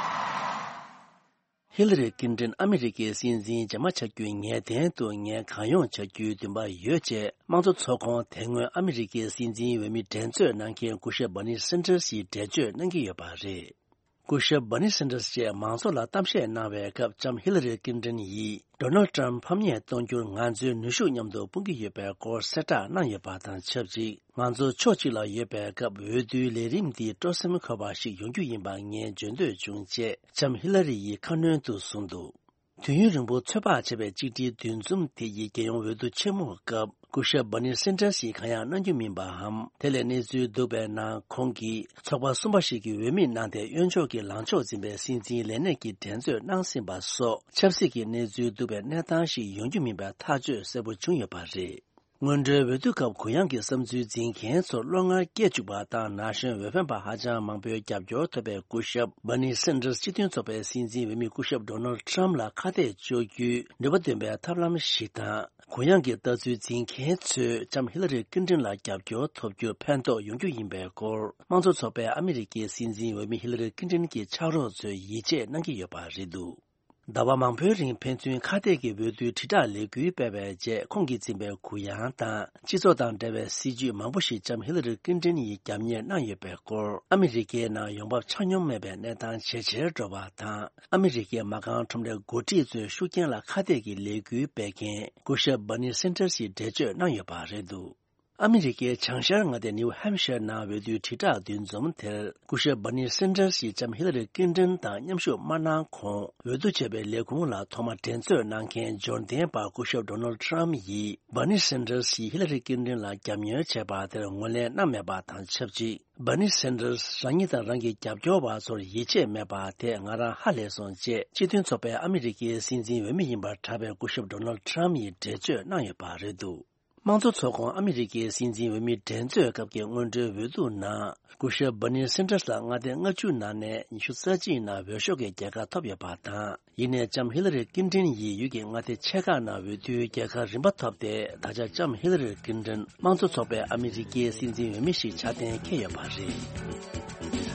ཧི་ལ་རི་ཀིན་ཏིན་ཨ་མི་རི་ཀའི་སྲིད་འཛིན་རྗེས་མ་ཆགས་རྒྱུའི་ངེས་གཏན་དུ་ངས་གང་ཡོང་བྱ་རྒྱུའི་འདུན་པ་ཡོད་ཅེས་དམངས་གཙོ་ཚོགས་ཁོངས་དེ་སྔོན་ཨ་མི་རི་ཀའི་སྲིད་འཛིན་འོས་མི་འགྲན་རྩོད་གནང་མཁན་སྐུ་ཞབས་བྷར་ནི་སན་ཏར་ཡིས་འགྲེལ་བརྗོད་གནང་གི་ཡོད་པ་རེད། སྐུ་ཞབས་བྷར་ནི་སན་ཏར་ཡིས་མང་ཚོགས་ལ་གཏམ་བཤད་གནང་བའི་སྐབས། ལྕམ་ཧི་ལ་རི་ཀིན་ཏིན་ཡིས་ཌོ་ནལ་ཊམ་ཕམ་ཉེས་གཏོང་རྒྱུར་ང་ཚོའི་ནུས་ཤུགས་མཉམ་དུ་སྤུངས་ཀྱི་ཡོད་པའི་སྐོར་གསལ་བསྒྲགས་གནང་ཡོད་པ་དང་ཆབས་ཅིག། ང་ཚོ་ཕྱོགས་གཅིག་ལ་ཡོད་པའི་སྐབས། འོས་བསྡུའི་ལས་རིམ་འདི་སྤྲོ་སེམས་འཁོལ་བ་ཞིག་ཡོང་རྒྱུ་ཡིན་པ་ངས་བརྗོད་འདོད་བྱུང་ཅེས་ལྕམ་ཧི་ལ་རི་ཡིས་ཁ་སྣོན་དུ་གསུངས་འདུག། དུས་ཡུན་རིང་པོ་ཚོད་དཔག་བྱས་པའི་གཅིག་སྒྲིལ་འདུ་འཛོམས་དེ་ཡི་རྒྱལ་ཡོངས་འོས་བསྡུ་ཆེན་མོའི་སྐབས། སྐུ་ཞབས་བྷར་ནི་སན་ཏར་ཡིས་གང་ཡང་གནང་རྒྱུ་མིན་པའམ། དེ་ལས་གནས་ཚུལ་འདུག་པའི་ནང་། ཁོང་གིས་ཚོགས་པ་གསུམ་པ་ཞིག་གི་འོས་མི་གནང་སྟེ། གཡོན་ཕྱོགས་ཀྱི་ལངས་ཕྱོགས་འཛིན་པའི་སྲིད་འཛིན་ལས་གནས་ཀྱི་འགྲན་རྩོད་གནང་ཟིན་པ་སོགས། ཆབ་སྲིད་ཀྱི་གནས་ཚུལ་འདུག་པའི་གནས་སྟངས་ཤིག་ཡོང་རྒྱུ་མིན་པའི་ཐག་གཅོད་གསལ་པོ་བྱུང་ཡོད་པ་རེད། སྔོན་འགྲོའི་འོས་བསྡུ་སྐབས་གུ་ཡངས་ཀྱི་བསམ་ཚུལ་འཛིན་མཁན་ཚོར་བློ་ངར་སྐྱེ་བཅུག་པ་དང་། ན་གཞོན་འོས་འཕེན་པ་ཧ་ཅང་མང་པོའི་རྒྱབ་སྐྱོར་ཐོབ་པའི་སྐུ་ཞབས་བྷར་ནི་སན་ཏར་སྤྱི་མཐུན་ཚོགས་པའི་སྲིད་འཛིན་འོས་མི་སྐུ་ཞབས་ཌོ་ནལ་ཊམ་ལ་ཁ་གཏད་གཅོག་རྒྱུའི་ནུས་པ་འདོན་པའི་ཐབས་ལམ་ཞིག་དང་། གུ་ཡངས་ཀྱི་ལྟ་ཚུལ་འཛིན་མཁན་ཚོས་ལྕམ་ཧི་ལ་རི་ཀིན་ཏིན་ལ་རྒྱབ་སྐྱོར་ཐོབ་རྒྱུར་ཕན་ཐོགས་ཡོང་རྒྱུ་ཡིན་པའི་སྐོར། དམངས་གཙོ་ཚོགས་པའི་ཨ་མི་རི་ཀའི་སྲིད་འཛིན་འོས་མི་ཧི་ལ་རི་ཀིན་ཏིན་གྱི་ཕྱག་རོགས་ཚོས་ཡིད་ཆེས་གནང་གི་ཡོད་པ་རེད་འདུག། ཟླ་བ་མང་པོའི་རིང་ཕན་ཚུན་ཁ་གཏད་ཀྱི་འོས་བསྡུའི་དྲིལ་བསྒྲགས་ལས་འགུལ་སྤེལ་བའི་རྗེས། ཁོང་གིས་འཛིན་པའི་གུ་ཡངས་དང་སྤྱི་ཚོགས་དང་འབྲེལ་བའི་སྲིད་ཇུས་མང་པོ་ཞིག་ལྕམ་ཧི་ལ་རི་ཀིན་ཏིན་ཡིས་རྒྱབ་གཉེར་གནང་ཡོད་པའི་སྐོར། ཨ་མི་རི་ཀའི་ནང་ཡོང་འབབ་ཆ་སྙོམས་མེད་པའི་གནས་སྟངས་ཇེ་ཆེར་འགྲོ་བ་དང་། ཨ་མི་རི་ཀའི་མ་རྐང་ཁྲོམ་རའི་འགོ་ཁྲིད་ཚོའི་ཤུགས་རྐྱེན་ལ་ཁ་གཏད་ཀྱི་ལས་འགུལ་སྤེལ་མཁན་སྐུ་ཞབས་བྷར་ནི་སན་ཏར་ཡིས་འགྲེལ་བརྗོད་གནང་ཡོད་པ་རེད་འདུག། ཨ་མི་རི་ཀའི་བྱང་ཤར་མངའ་སྡེ་ནིའུ་ཧེམ་ཤར་ནང་འོས་བསྡུའི་དྲིལ་བསྒྲགས་འདུ་འཛོམས་དེར་སྐུ་ཞབས་Bernie Sanders ཡིས་ལྕམ་ཧི་ལ་རི་ཀིན་ཏོན་དང་མཉམ་ཞུགས་མ་གནང་གོང་འོས་བསྡུ་བྱས་པའི་ལས་ཁུངས་ལ་ཐོག་མར་འགྲན་རྩོད་གནང་མཁན་འབྱོར་ལྡན་པ་སྐུ་ཞབས་Donald Trump ཡིས་Bernie Sanders ཡིས་ཧི་ལ་རི་ཀིན་ཏོན་ལ་རྒྱབ་གཉེར་བྱས་པ་དེར་ངོས་ལེན་གནང་མེད་པ་དང་ཆབས་ཅིག Bernie Sanders རང་ཉིད་དང་རང་གི་རྒྱབ་སྐྱོར་བ་ཚོར་ཡིད་ཆེས་མེད་པ་དེ་ང་རང་ཧ་ལས་སོང་ཅེས་སྤྱི་མཐུན་ཚོགས་པའི་ཨ་མི་རི་ཀའི་སྲིད་འཛིན་འོས་མི་ཡིན་པར་གྲགས་པའི་སྐུ་ཞབས་Donald Trump ཡིས་འགྲེལ་བརྗོད་གནང་ཡོད་པ་རེད་འདུག་དམངས་གཙོ་ཚོགས་ཁོངས་ཨ་མི་རི་ཀའི་སྲིད་འཛིན་འོས་མི་འགྲན་རྩོད་སྐབས་ཀྱི་སྔོན་འགྲོའི་འོས་བསྡུ་ནང་སྐུ་ཞབས་Bernie Sanders ལ་མངའ་སྡེ་ལྔ་བཅུ་ནང་ནས་ཉི་ཤུ་རྩ་གཅིག་ནང་འོས་ཤོག་གི་རྒྱལ་ཁ་ཐོབ་ཡོད་པ་དང་། ཡིན་ནའི་ལྕམ་ཧི་ལ་རི་ཀིན་ཏོན་ཡིས་ཡུལ་གྱི་མངའ་སྡེ་ཆེ་ཁག་ནང་འོས་བསྡུའི་རྒྱལ་ཁ་རིམ་པ་ཐོབ་སྟེ། ད་ཆ་ལྕམ་ཧི་ལ་རི་ཀིན་ཏོན་དམངས་གཙོ་ཚོགས་པའི་ཨ་མི་རི་ཀའི་སྲིད་འཛིན་འོས་མི་ཞིག་ཆགས་གཏན་འཁེལ་ཡོད་པ་རེད།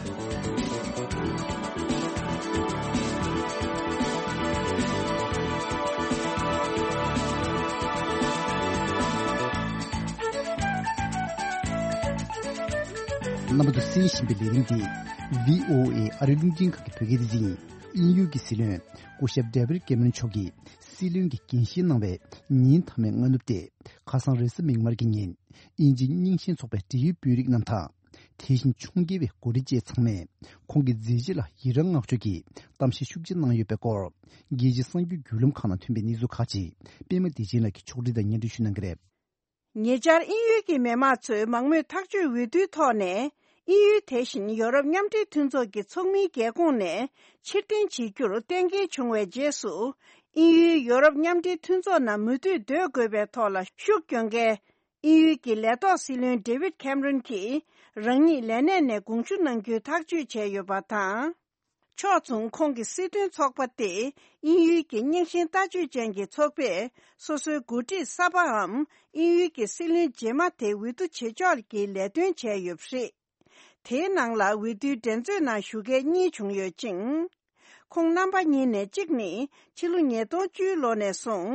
རྣམ་པ་ཚོ་གསན་བཞིན་པའི་ལས་རིམ་འདི་བྷི་ཨོ་ཨེ་ཨ་རིའི་རླུང་འཕྲིན་ཁང་གི་བོད་སྐད་སྡེ་ཚན་ཡིན། དབྱིན་ཡུལ་གྱི་སྲིད་བློན་སྐུ་ཞབས་David Cameron མཆོག་གིས་སྲིད་བློན་གྱི་འགན་བཞེས་གནང་བའི་ཉིན་མཐའ་མའི་སྔ་ནུབ་སྟེ། ཁ་སང་རེས་གཟའ་མིག་དམར་གྱི་ཉིན་དབྱིན་ཇིའི་རྙིང་ཞེན་ཚོགས་པའི་འབྲེལ་ཡོད་དཔོན་རིགས་རྣམས་དང་། དེ་བཞིན་ཕྱོགས་འགལ་བའི་འགོ་ཁྲིད་བཅས་ཚང་མས་ཁོང་གི་མཛད་རྗེས་ལ་ཡི་རངས་བསྔགས་བརྗོད་ཀྱི་གཏམ་བཤད་ཤུགས་ཆེ་གནང་ཡོད་པའི་སྐོར། རྒྱལ་སྤྱིའི་གསར་འགྱུར་བརྒྱུད་ལམ་ཁག་ནང་ཐོན་པའི་གནས་ཚུལ་ཁག་ཅིག་པད་མ་བདེ་ཆེན་ལགས་ཀྱིས་ཕྱོགས་སྒྲིག་དང་སྙན་སྒྲོན་ཞུ་གནང་གི་རེད། ཉེ་ཆར་དབྱིན་ཡུལ་གྱི་མི་དམངས་ཚོས་མང་མོས་ཐག་གཅོད་འོས་བསྡུའི་ཐོག་ནས། དབྱིན་ཡུལ་དེ་བཞིན་ཡོ་རོབ་མཉམ་འབྲེལ་མཐུན་ཚོགས་ཀྱི་ཚོགས་མིའི་རྒྱལ་ཁོངས་ནས་ཕྱིར་འཐེན་བྱེད་རྒྱུར་གཏན་འཁེལ་བྱུང་བའི་རྗེས་སུ། དབྱིན་ཡུལ་ཡོ་རོབ་མཉམ་འབྲེལ་མཐུན་ཚོགས་ནང་མུ་མཐུད་སྡོད་དགོས་པའི་ཐོག་ལ་ཤུགས་སྐྱོན་མཁན། དབྱིན་ཡུལ་གྱི་ལས་ཐོག་སྲིད་བློན་David Cameron གྱིས་རང་ཉིད་ལས་གནས་ནས་དགོངས་ཞུ་གནང་རྒྱུའི་ཐག་གཅོད་བྱས་ཡོད་པ་དང་། ཕྱོགས་མཚུངས་ཁོང་གི་སྲིད་དོན་ཚོགས་པ་སྟེ། དབྱིན་ཡུལ་གྱི་རྙིང་ཞེན་ལྟ་སྤྱོད་ཅན་གྱི་ཚོགས་པས་སོ་སོའི་འགོ་ཁྲིད་གསར་པའམ་དབྱིན་ཡུལ་གྱི་སྲིད་བློན་རྗེས་མ་དེ་འོས་བསྡུ་བྱེད་ཕྱོགས་ཀྱི་ལས་དོན་བྱས་ཡོད་པ་རེད། དེའི་ནང་ལ་འོས་བསྡུའི་འགྲན་རྩོད་ནང་ཞུགས་མཁན་གཉིས་བྱུང་ཡོད་ཅིང་། ཁོང་རྣམ་པ་གཉིས་ནས་གཅིག་ནི་ཕྱི་ལོ་ཉིས་སྟོང་བཅུའི་ལོ་ནས་བཟུང་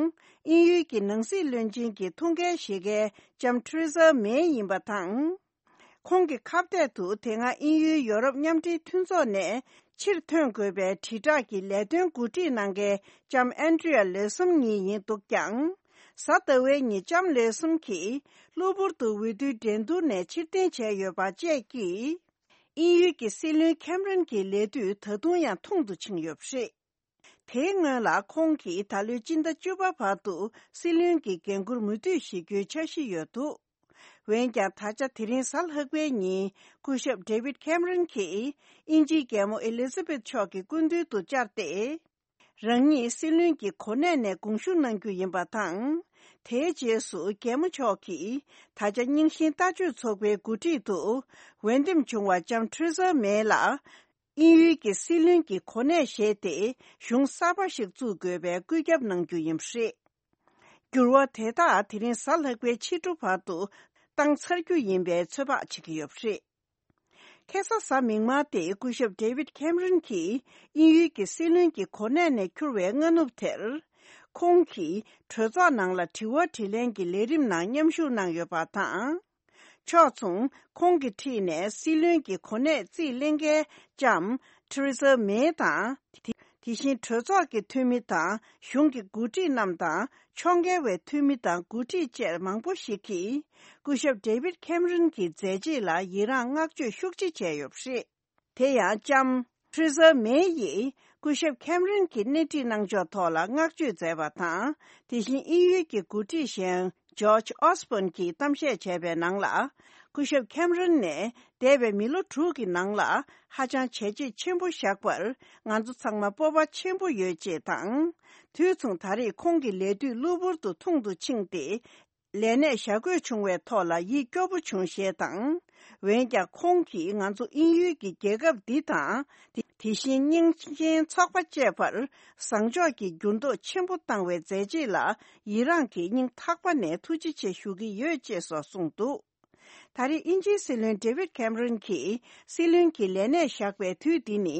དབྱིན་ཡུལ་གྱི་ནང་སྲིད་བློན་ཆེན་གྱི་ཐུགས་འགན་བཞེས་མཁན་ལྕམ་ཐེ་རེ་ས་མེ་ཡིན་པ་དང་། ཁོང་གི་ཁ་གཏད་དུ་དེ་སྔ་དབྱིན་ཡུལ་ཡོ་རོབ་མཉམ་འབྲེལ་མཐུན་ཚོགས་ནས་ཕྱིར་ཐོན་དགོས་པའི་དྲིལ་བསྒྲགས་ཀྱི་ལས་དོན་འགོ་ཁྲིད་གནང་མཁན་ལྕམ་ཨན་ཌི་རི་ཡ་ལེ་སུམ་གཉིས་ཡིན་འདུག་ཀྱང་། གཟའ་ཟླ་བའི་ཉིན་ལྕམ་ལེ་སུམ་གྱིས་གློ་བུར་དུ་འོས་བསྡུའི་འགྲན་བསྡུར་ནས་ཕྱིར་འཐེན་བྱས་ཡོད་པ་བཅས་ཀྱིས། དབྱིན་ཡུལ་གྱི་སྲིད་བློན་ཁེམ་རན་གྱི་ལས་དུས་ད་དུང་ཡང་ཐུང་དུ་ཕྱིན་ཡོད་པ་རེད། དེའི་སྔོན་ལ་ཁོང་གིས་ད་ལོའི་སྤྱི་ཟླ་བཅུ་པ་བར་དུ་སྲིད་བློན་གྱི་འགན་འཁུར་མུ་མཐུད་བཞེས་རྒྱུའི་འཆར་གཞི་ཡོད་འདུག་འོན་ཀྱང་། ད་ཆ་དེ་རིང་གཟའ་ལྷག་པའི་ཉིན་སྐུ་ཞབས་ཌེ་བིད་ཁེམ་རན་གྱིས་དབྱིན་ཇིའི་རྒྱལ་མོ་ཨེ་ལི་ཛ་བེད་མཆོག་གི་སྐུ་མདུན་དུ་བཅར་ཏེ། རང་ཉིད་སྲིད་བློན་གྱི་གོ་གནས་ནས་དགོངས་ཞུ་གནང་རྒྱུ་ཡིན་པ་དང་། དེའི་རྗེས་སུ་རྒྱལ་མོ་མཆོག་གིས་ད་ཆ་རྙིང་ཞེན་ལྟ་སྤྱོད་ཚོགས་པའི་འགོ་ཁྲིད་དུ་འོས་འདེམས་བྱུང་བ་ལྕམ་ཐེ་རེ་ས་མེ་ལ། དབྱིན་ཡུལ་གྱི་སྲིད་བློན་གྱི་གོ་གནས་བཞེས་ཏེ་གཞུང་གསར་པ་ཞིག་བཙུགས་དགོས་པའི་བཀོད་ཁྱབ་གནང་རྒྱུ་ཡིན་པ་རེད། འགྱུར་བ་དེ་དག་དེ་རིང་གཟའ་ལྷག་པའི་ཕྱི་དྲོ་བར་དུ་བཏང་ཚར་རྒྱུ་ཡིན་པའི་ཚོད་དཔག་བྱེད་ཀྱི་ཡོད་པ་རེད། ཁ་སང་གཟའ་མིག་དམར་སྟེ་སྐུ་ཞབས་ཌེ་བིད་ཁེམ་རན་གྱིས་དབྱིན་ཡུལ་གྱི་སྲིད་བློན་གྱི་གོ་གནས་ནས་འཁྱུར་བའི་སྔ་ནུབ་དེར། ཁོང་གིས་གྲོས་ཚོགས་ནང་ལ་དྲི་བ་དྲིས་ལན་གྱི་ལས་རིམ་ནང་མཉམ་ཞུགས་གནང་ཡོད་པ་དང་། ཕྱོགས་མཚུངས་ཁོང་གི་འཁྲིས་ནས་སྲིད་བློན་གྱི་གོ་གནས་རྩིས་ལེན་མཁན་ལྕམ་ཐེ་རེ་ས་མེ་དང་། དེ་དེ་བཞིན་གྲོས་ཚོགས་ཀྱི་འཐུས་མི་དང་གཞུང་གི་འགོ་ཁྲིད་རྣམས་དང་ཕྱོགས་འགལ་བའི་འཐུས་མི་དང་འགོ་ཁྲིད་བཅས་མང་པོ་ཞིག་གིས་སྐུ་ཞབས་ཌེ་བིད་ཁེམ་རན་གྱི་མཛད་རྗེས་ལ་ཡི་རངས་བསྔགས་བརྗོད་ཤུགས་ཆེ་བྱས་ཡོད་པ་རེད། དེ་ཡང་ལྕམ་ཐེ་རེ་ས་མེ་ཡིས་སྐུ་ཞབས་ཁེམ་རན་གྱི་སྣེ་ཁྲིད་གནང་ཕྱོགས་ཐོག་ལ་བསྔགས་བརྗོད་མཛད་པ་དང་། དེ་བཞིན་དབྱིན་ཡུལ་གྱི་འགོ་ཁྲིད་གཞན་ཇོརྗ་ཨོ་སི་བོན་གྱིས་གཏམ་བཤད་བྱས་པའི་ནང་ལ། སྐུ་ཞབས་ཁེམ་རན་ནས་འདས་པའི་མི་ལོ་དྲུག་གི་ནང་ལ་ཧ་ཅང་བྱས་རྗེས་ཆེན་པོ་བཞག་པར་ང་ཚོ་ཚང་མ་སྤོབས་པ་ཆེན་པོ་ཡོད་ཅེས་དང་། དུས་མཚུངས་ད་རེས་ཁོང་གི་ལས་དུས་གློ་བུར་དུ་ཐུང་དུ་ཕྱིན་ཏེ། ལས་གནས་བཞག་དགོས་བྱུང་བའི་ཐོག་ལ་ཡིད་སྐྱོ་པོ་བྱུང་ཞེས་དང་། འོན་ཀྱང་ཁོང་གིས་ང་ཚོ་དབྱིན་ཡུལ་གྱི་རྒྱལ་ཁབ་འདི་དང་། དེ་དེ་བཞིན་རྙིང་ཞེན་ཚོགས་པ་བཅས་པར་བཟང་ཕྱོགས་ཀྱི་འགྱུར་ལྡོག་ཆེན་པོ་བཏང་བའི་མཛད་རྗེས་ལ་ཡི་རངས་ཀྱིས་སྙིང་ཐག་པ་ནས་ཐུགས་རྗེ་ཆེ་ཞུ་གི་ཡོད་ཅེས་སོགས་གསུངས་འདུག་ད་རེས་དབྱིན་ཇིའི་སྲིད་བློན་ཌེ་བིད་ཁེམ་རན་གྱིས་སྲིད་བློན་གྱི་ལས་གནས་བཞག་པའི་དུས་འདི་ནི་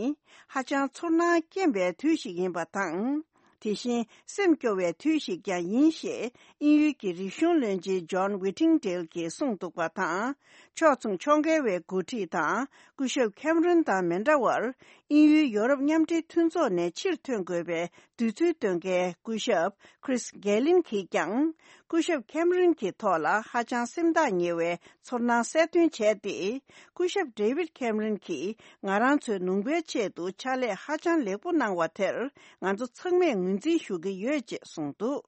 ཧ་ཅང་ཚོར་སྣང་སྐྱེན་པའི་དུས་ཤིག་ཡིན་པ་དང་། དེ་བཞིན་སེམས་སྐྱོ་བའི་དུས་ཤིག་ཀྱང་ཡིན་ཞེས་དབྱིན་ཡུལ་གྱི་རིག་གཞུང་བློན་ཆེན་ཇོན་ཝི་ཊིང་ཌེལ་གྱིས་གསུངས་འདུག་པ་དང་། ཕྱོགས་མཚུངས་ཕྱོགས་འགལ་བའི་འགོ་ཁྲིད་དང་ སྐུ་ཞབས་ཁེམ་རོན་དང་མི་འདྲ་བར། དབྱིན་ཡུལ་ཡོ་རོབ་མཉམ་འབྲེལ་མཐུན་ཚོགས་ནས་ཕྱིར་ཐོན་དགོས་པའི་འདོད་ཚུལ་བཏོན་མཁན་སྐུ་ཞབས་ཁྲིས་གྷེ་ལིན་གྱིས་ཀྱང་། སྐུ་ཞབས་ཁེམ་རོན་གྱི་ཐོག་ལ་ཧ་ཅང་སེམས་ཐག་ཉེ་བའི་ཚོར་སྣང་གསལ་སྟོན་བྱས་ཏེ། སྐུ་ཞབས་ཌེ་ཝིད་ཁེམ་རོན་གྱིས་ང་རང་ཚོའི་ནུས་པའི་ཆེད་དུ་ཕྱག་ལས་ཧ་ཅང་ལེགས་པོ་གནང་བ་དེར་ང་ཚོ་ཚང་མས་ངོས་འཛིན་ཞུ་གི་ཡོད་ཅེས་གསུངས་འདུག།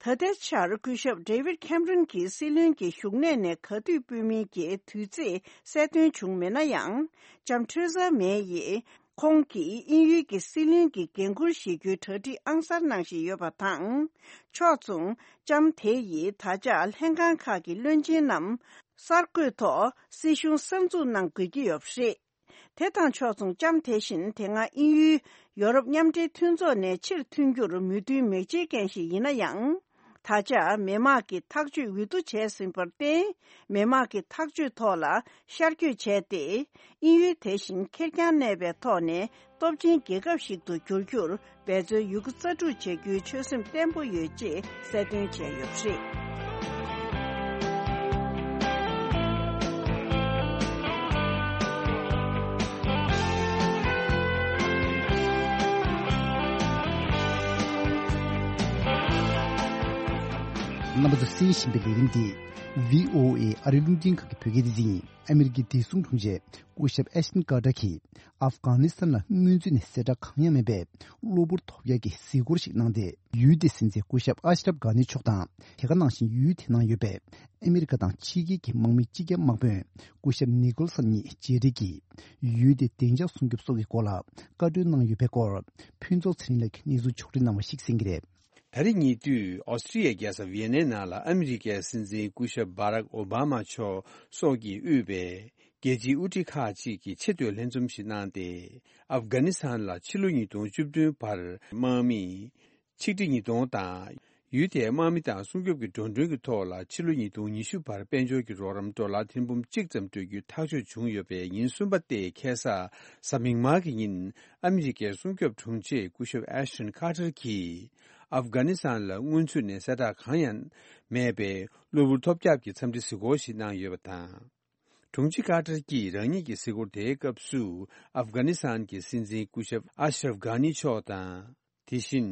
ད་ལྟའི་ཆར་སྐུ་ཞབས་ཌེ་ཝིད་ཁེམ་རོན་གྱིས་སྲིད་བློན་གྱི་བཞུགས་གནས་ནས་ག་དུས་ཕུད་མིན་གྱི་དུས་ཚེས་གསལ་སྟོན་བྱུང་མེད་ན་ཡང་། ལྕམ་ཐེ་རེ་ས་མེ་ཡིས་ཁོང་གིས་དབྱིན་ཡུལ་གྱི་སྲིད་བློན་གྱི་འགན་འཁུར་བཞེས་རྒྱུའི་གྲ་སྒྲིག་ཨང་གསར་གནང་བཞིན་ཡོད་པ་དང་། ཕྱོགས་མཚུངས་ལྕམ་དེ་ཡིས་ད་ཆ་ལྷན་ཁང་ཁག་གི་བློན་ཆེན་རྣམས་གསར་བསྐོས་ཐོག་སྲིད་གཞུང་གསར་འཛུགས་གནང་དགོས་ཀྱི་ཡོད་པ་རེད། དེ་དང་ཕྱོགས་མཚུངས་ལྕམ་དེ་བཞིན་དེ་སྔ་དབྱིན་ཡུལ་ཡོ་རོབ་མཉམ་འབྲེལ་མཐུན་ཚོགས་ནས་ཕྱིར་ཐོན་རྒྱུར་མོས་མཐུན་མི་བྱེད་མཁན་ཞིག་ཡིན་ན་ཡང་། ད་ཆ་མི་དམངས་ཀྱི་ཐག་གཅོད་འོས་བསྡུ་བྱས་ཟིན་པར་བརྟེན། མི་དམངས་ཀྱི་ཐག་གཅོད་ཐོག་ལ་ཤར་བསྐྱོད་བྱས་ཏེ། དབྱིན་ཡུལ་དེ་བཞིན་ཁེར་རྐྱང་གནས་པའི་ཐོག་ནས་སྟོབས་ཆེན་རྒྱལ་ཁབ་ཞིག་ཏུ་འགྱུར་རྒྱུར། འབད་རྩོལ་ཡོད་རྒུ་རྩལ་སྤྲུགས་བྱ་རྒྱུའི་ཆོད་སེམས་བརྟན་པོ་ཡོད་ཅེས་གསལ་སྟོན་བྱས་ཡོད་པ་རེད། རྣམ་པ་ཚོ་གསན་བཞིན་པའི་ལས་རིམ་འདི་བྷི་ཨོ་ཨེ་ཨ་རིའི་རླུང་འཕྲིན་ཁང་གི་བོད་སྐད་སྡེ་ཚན་ཡིན། ཨ་མི་རི་ཀའི་བདེ་སྲུང་དྲུང་ཆེ་སྐུ་ཞབས་ཨེ་ཤིན་ཀར་ཏར་གྱིས་ཨབ་གྷ་ནི་སི་ཐན་ལ་སྔོན་ཚུད་ནས་གསལ་བསྒྲགས་གང་ཡང་མེད་པའི་གློ་བུར་ཐོབ་ཡག་གི་གཟིགས་སྐོར་ཞིག་གནང་སྟེ། ཡུལ་དེའི་སྲིད་འཛིན་སྐུ་ཞབས་ཨ་ཤ་རབ་གྷ་ནི་མཆོག་དང་། དེ་ག་ནང་བཞིན་ཡུལ་དེའི་ནང་ཡོད་པའི་ཨ་མི་རི་ཀ་དང་ཕྱི་རྒྱལ་གྱི་དམག་མི་སྤྱི་ཁྱབ་དམག་དཔོན་སྐུ་ཞབས་ནི་ཀོལ་སན་གཉིས་མཇལ་འཕྲད་ཀྱིས། ཡུལ་དེའི་བདེ་འཇགས་སྲུང་སྐྱོབ་སོགས་ཀྱི་སྐོར་ལ་བཀའ་འཁྲོལ་གནང་ཡོད་པའི་སྐོར། ཕུན་ཚོགས་ཚེ་རིང་ལགས་ཀྱིས་གནས་ཚུལ་ཕྱོགས་སྒྲིག་གནང་བ་ཞིག་གསན་གྱི་རེད། ད་རེས་ཉེ་དུས་ཨོ་སི་ཀྲི་ཡའི་རྒྱལ་ས་ཝི་ཡེ་ནའི་ནང་ལ་ཨ་མི་རི་ཀའི་སྲིད་འཛིན་སྐུ་ཞབས་བྷ་རག་ཨོ་བྷ་མ་མཆོག་སོགས་ཀྱིས་དབུས་པའི་རྒྱལ་སྤྱིའི་དབུ་ཁྲིད་ཁག་ཅིག་གིས་ཆེས་མཐོའི་ལྷན་འཛོམས་ཤིག་གནང་སྟེ། ཨབ་གྷ་ནི་སི་ཐན་ལ་ཕྱི་ལོ་ཉིས་སྟོང་བཅུ་བདུན་བར་དམག་མི་ཆིག་ཁྲི་ཉིས་སྟོང་དང་། ཡུལ་དེའི་དམག་མི་དང་སྲུང་སྐྱོབ་ཀྱི་འགྲོ་གྲོན་གྱི་ཐོག་ལ་ཕྱི་ལོ་ཉིས་སྟོང་ཉི་ཤུ་བར་དཔལ་འབྱོར་གྱི་རོགས་རམ་ཌོ་ལར་ཐེར་འབུམ་གཅིག་ཙམ་སྤྲོད་རྒྱུའི་ཐག་གཅོད་བྱུང་ཡོད་པའི་ཉིན་གསུམ་པ་སྟེ། ཁ་སང་གཟའ་མིག་དམར་གྱི་ཉིན་ཨ་མི་རི་ཀའི་སྲུང་སྐྱོབ་དྲུང་ཆེ་སྐུ་ཞབས་ཨེ་ཤ་ཊོན་ཀར་ཏར་གྱིས། ཨབ་གྷ་ནི་སི་ཐན་ལ་སྔོན་ཚུད་ནས་གསལ་བསྒྲགས་གང་ཡང་མེད་པའི་གློ་བུར་ཐོལ་རྒྱག་གི་འཚམས་འདྲི་གཟིགས་སྐོར་ཞིག་གནང་ཡོད་པ་དང་། དྲུང་ཆེ་ཀར་ཏར་གྱིས་རང་ཉིད་ཀྱི་གཟིགས་སྐོར་དེའི་སྐབས་སུ། ཨབ་གྷ་ནི་སི་ཐན་གྱི་སྲིད་འཛིན་སྐུ་ཞབས་ཨ་ཤ་རབ་གྷ་ནི་མཆོག་དང་། དེ་བཞིན་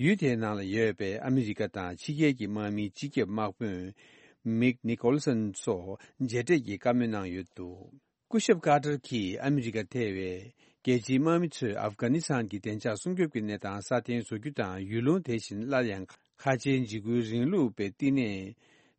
ཡུལ་དེའི་ནང་ལ་ཡོད་པའི་ཨ་མི་རི་ཀ་དང་ཕྱི་རྒྱལ་གྱི་དམག་མིའི་སྤྱི་ཁྱབ་དམག་དཔོན་མིག་ནི་ཀོལ་སན་སོགས་མཇལ་འཕྲད་ཀྱིས་བཀའ་མོལ་གནང་ཡོད་འདུག། སྐུ་ཞབས་ཀར་ཏར་གྱིས་ཨ་མི་རི་ཀ་ཐེ་བའི་རྒྱལ་སྤྱིའི་དམག་མི་ཚོས་ཨབ་གྷ་ནི་སི་ཐན་གྱི་བདེ་འཇགས་སྲུང་སྐྱོབ་ཀྱི་གནས་སྟངས་སྲ་བརྟན་བཟོ་རྒྱུ་དང་། ཡུལ་ལུང་དེ་བཞིན་སླར་ཡང་ཁ་ཆེའི་འཇིགས་སྐུལ་རིང་ལུགས་པའི་བསྟི་གནས་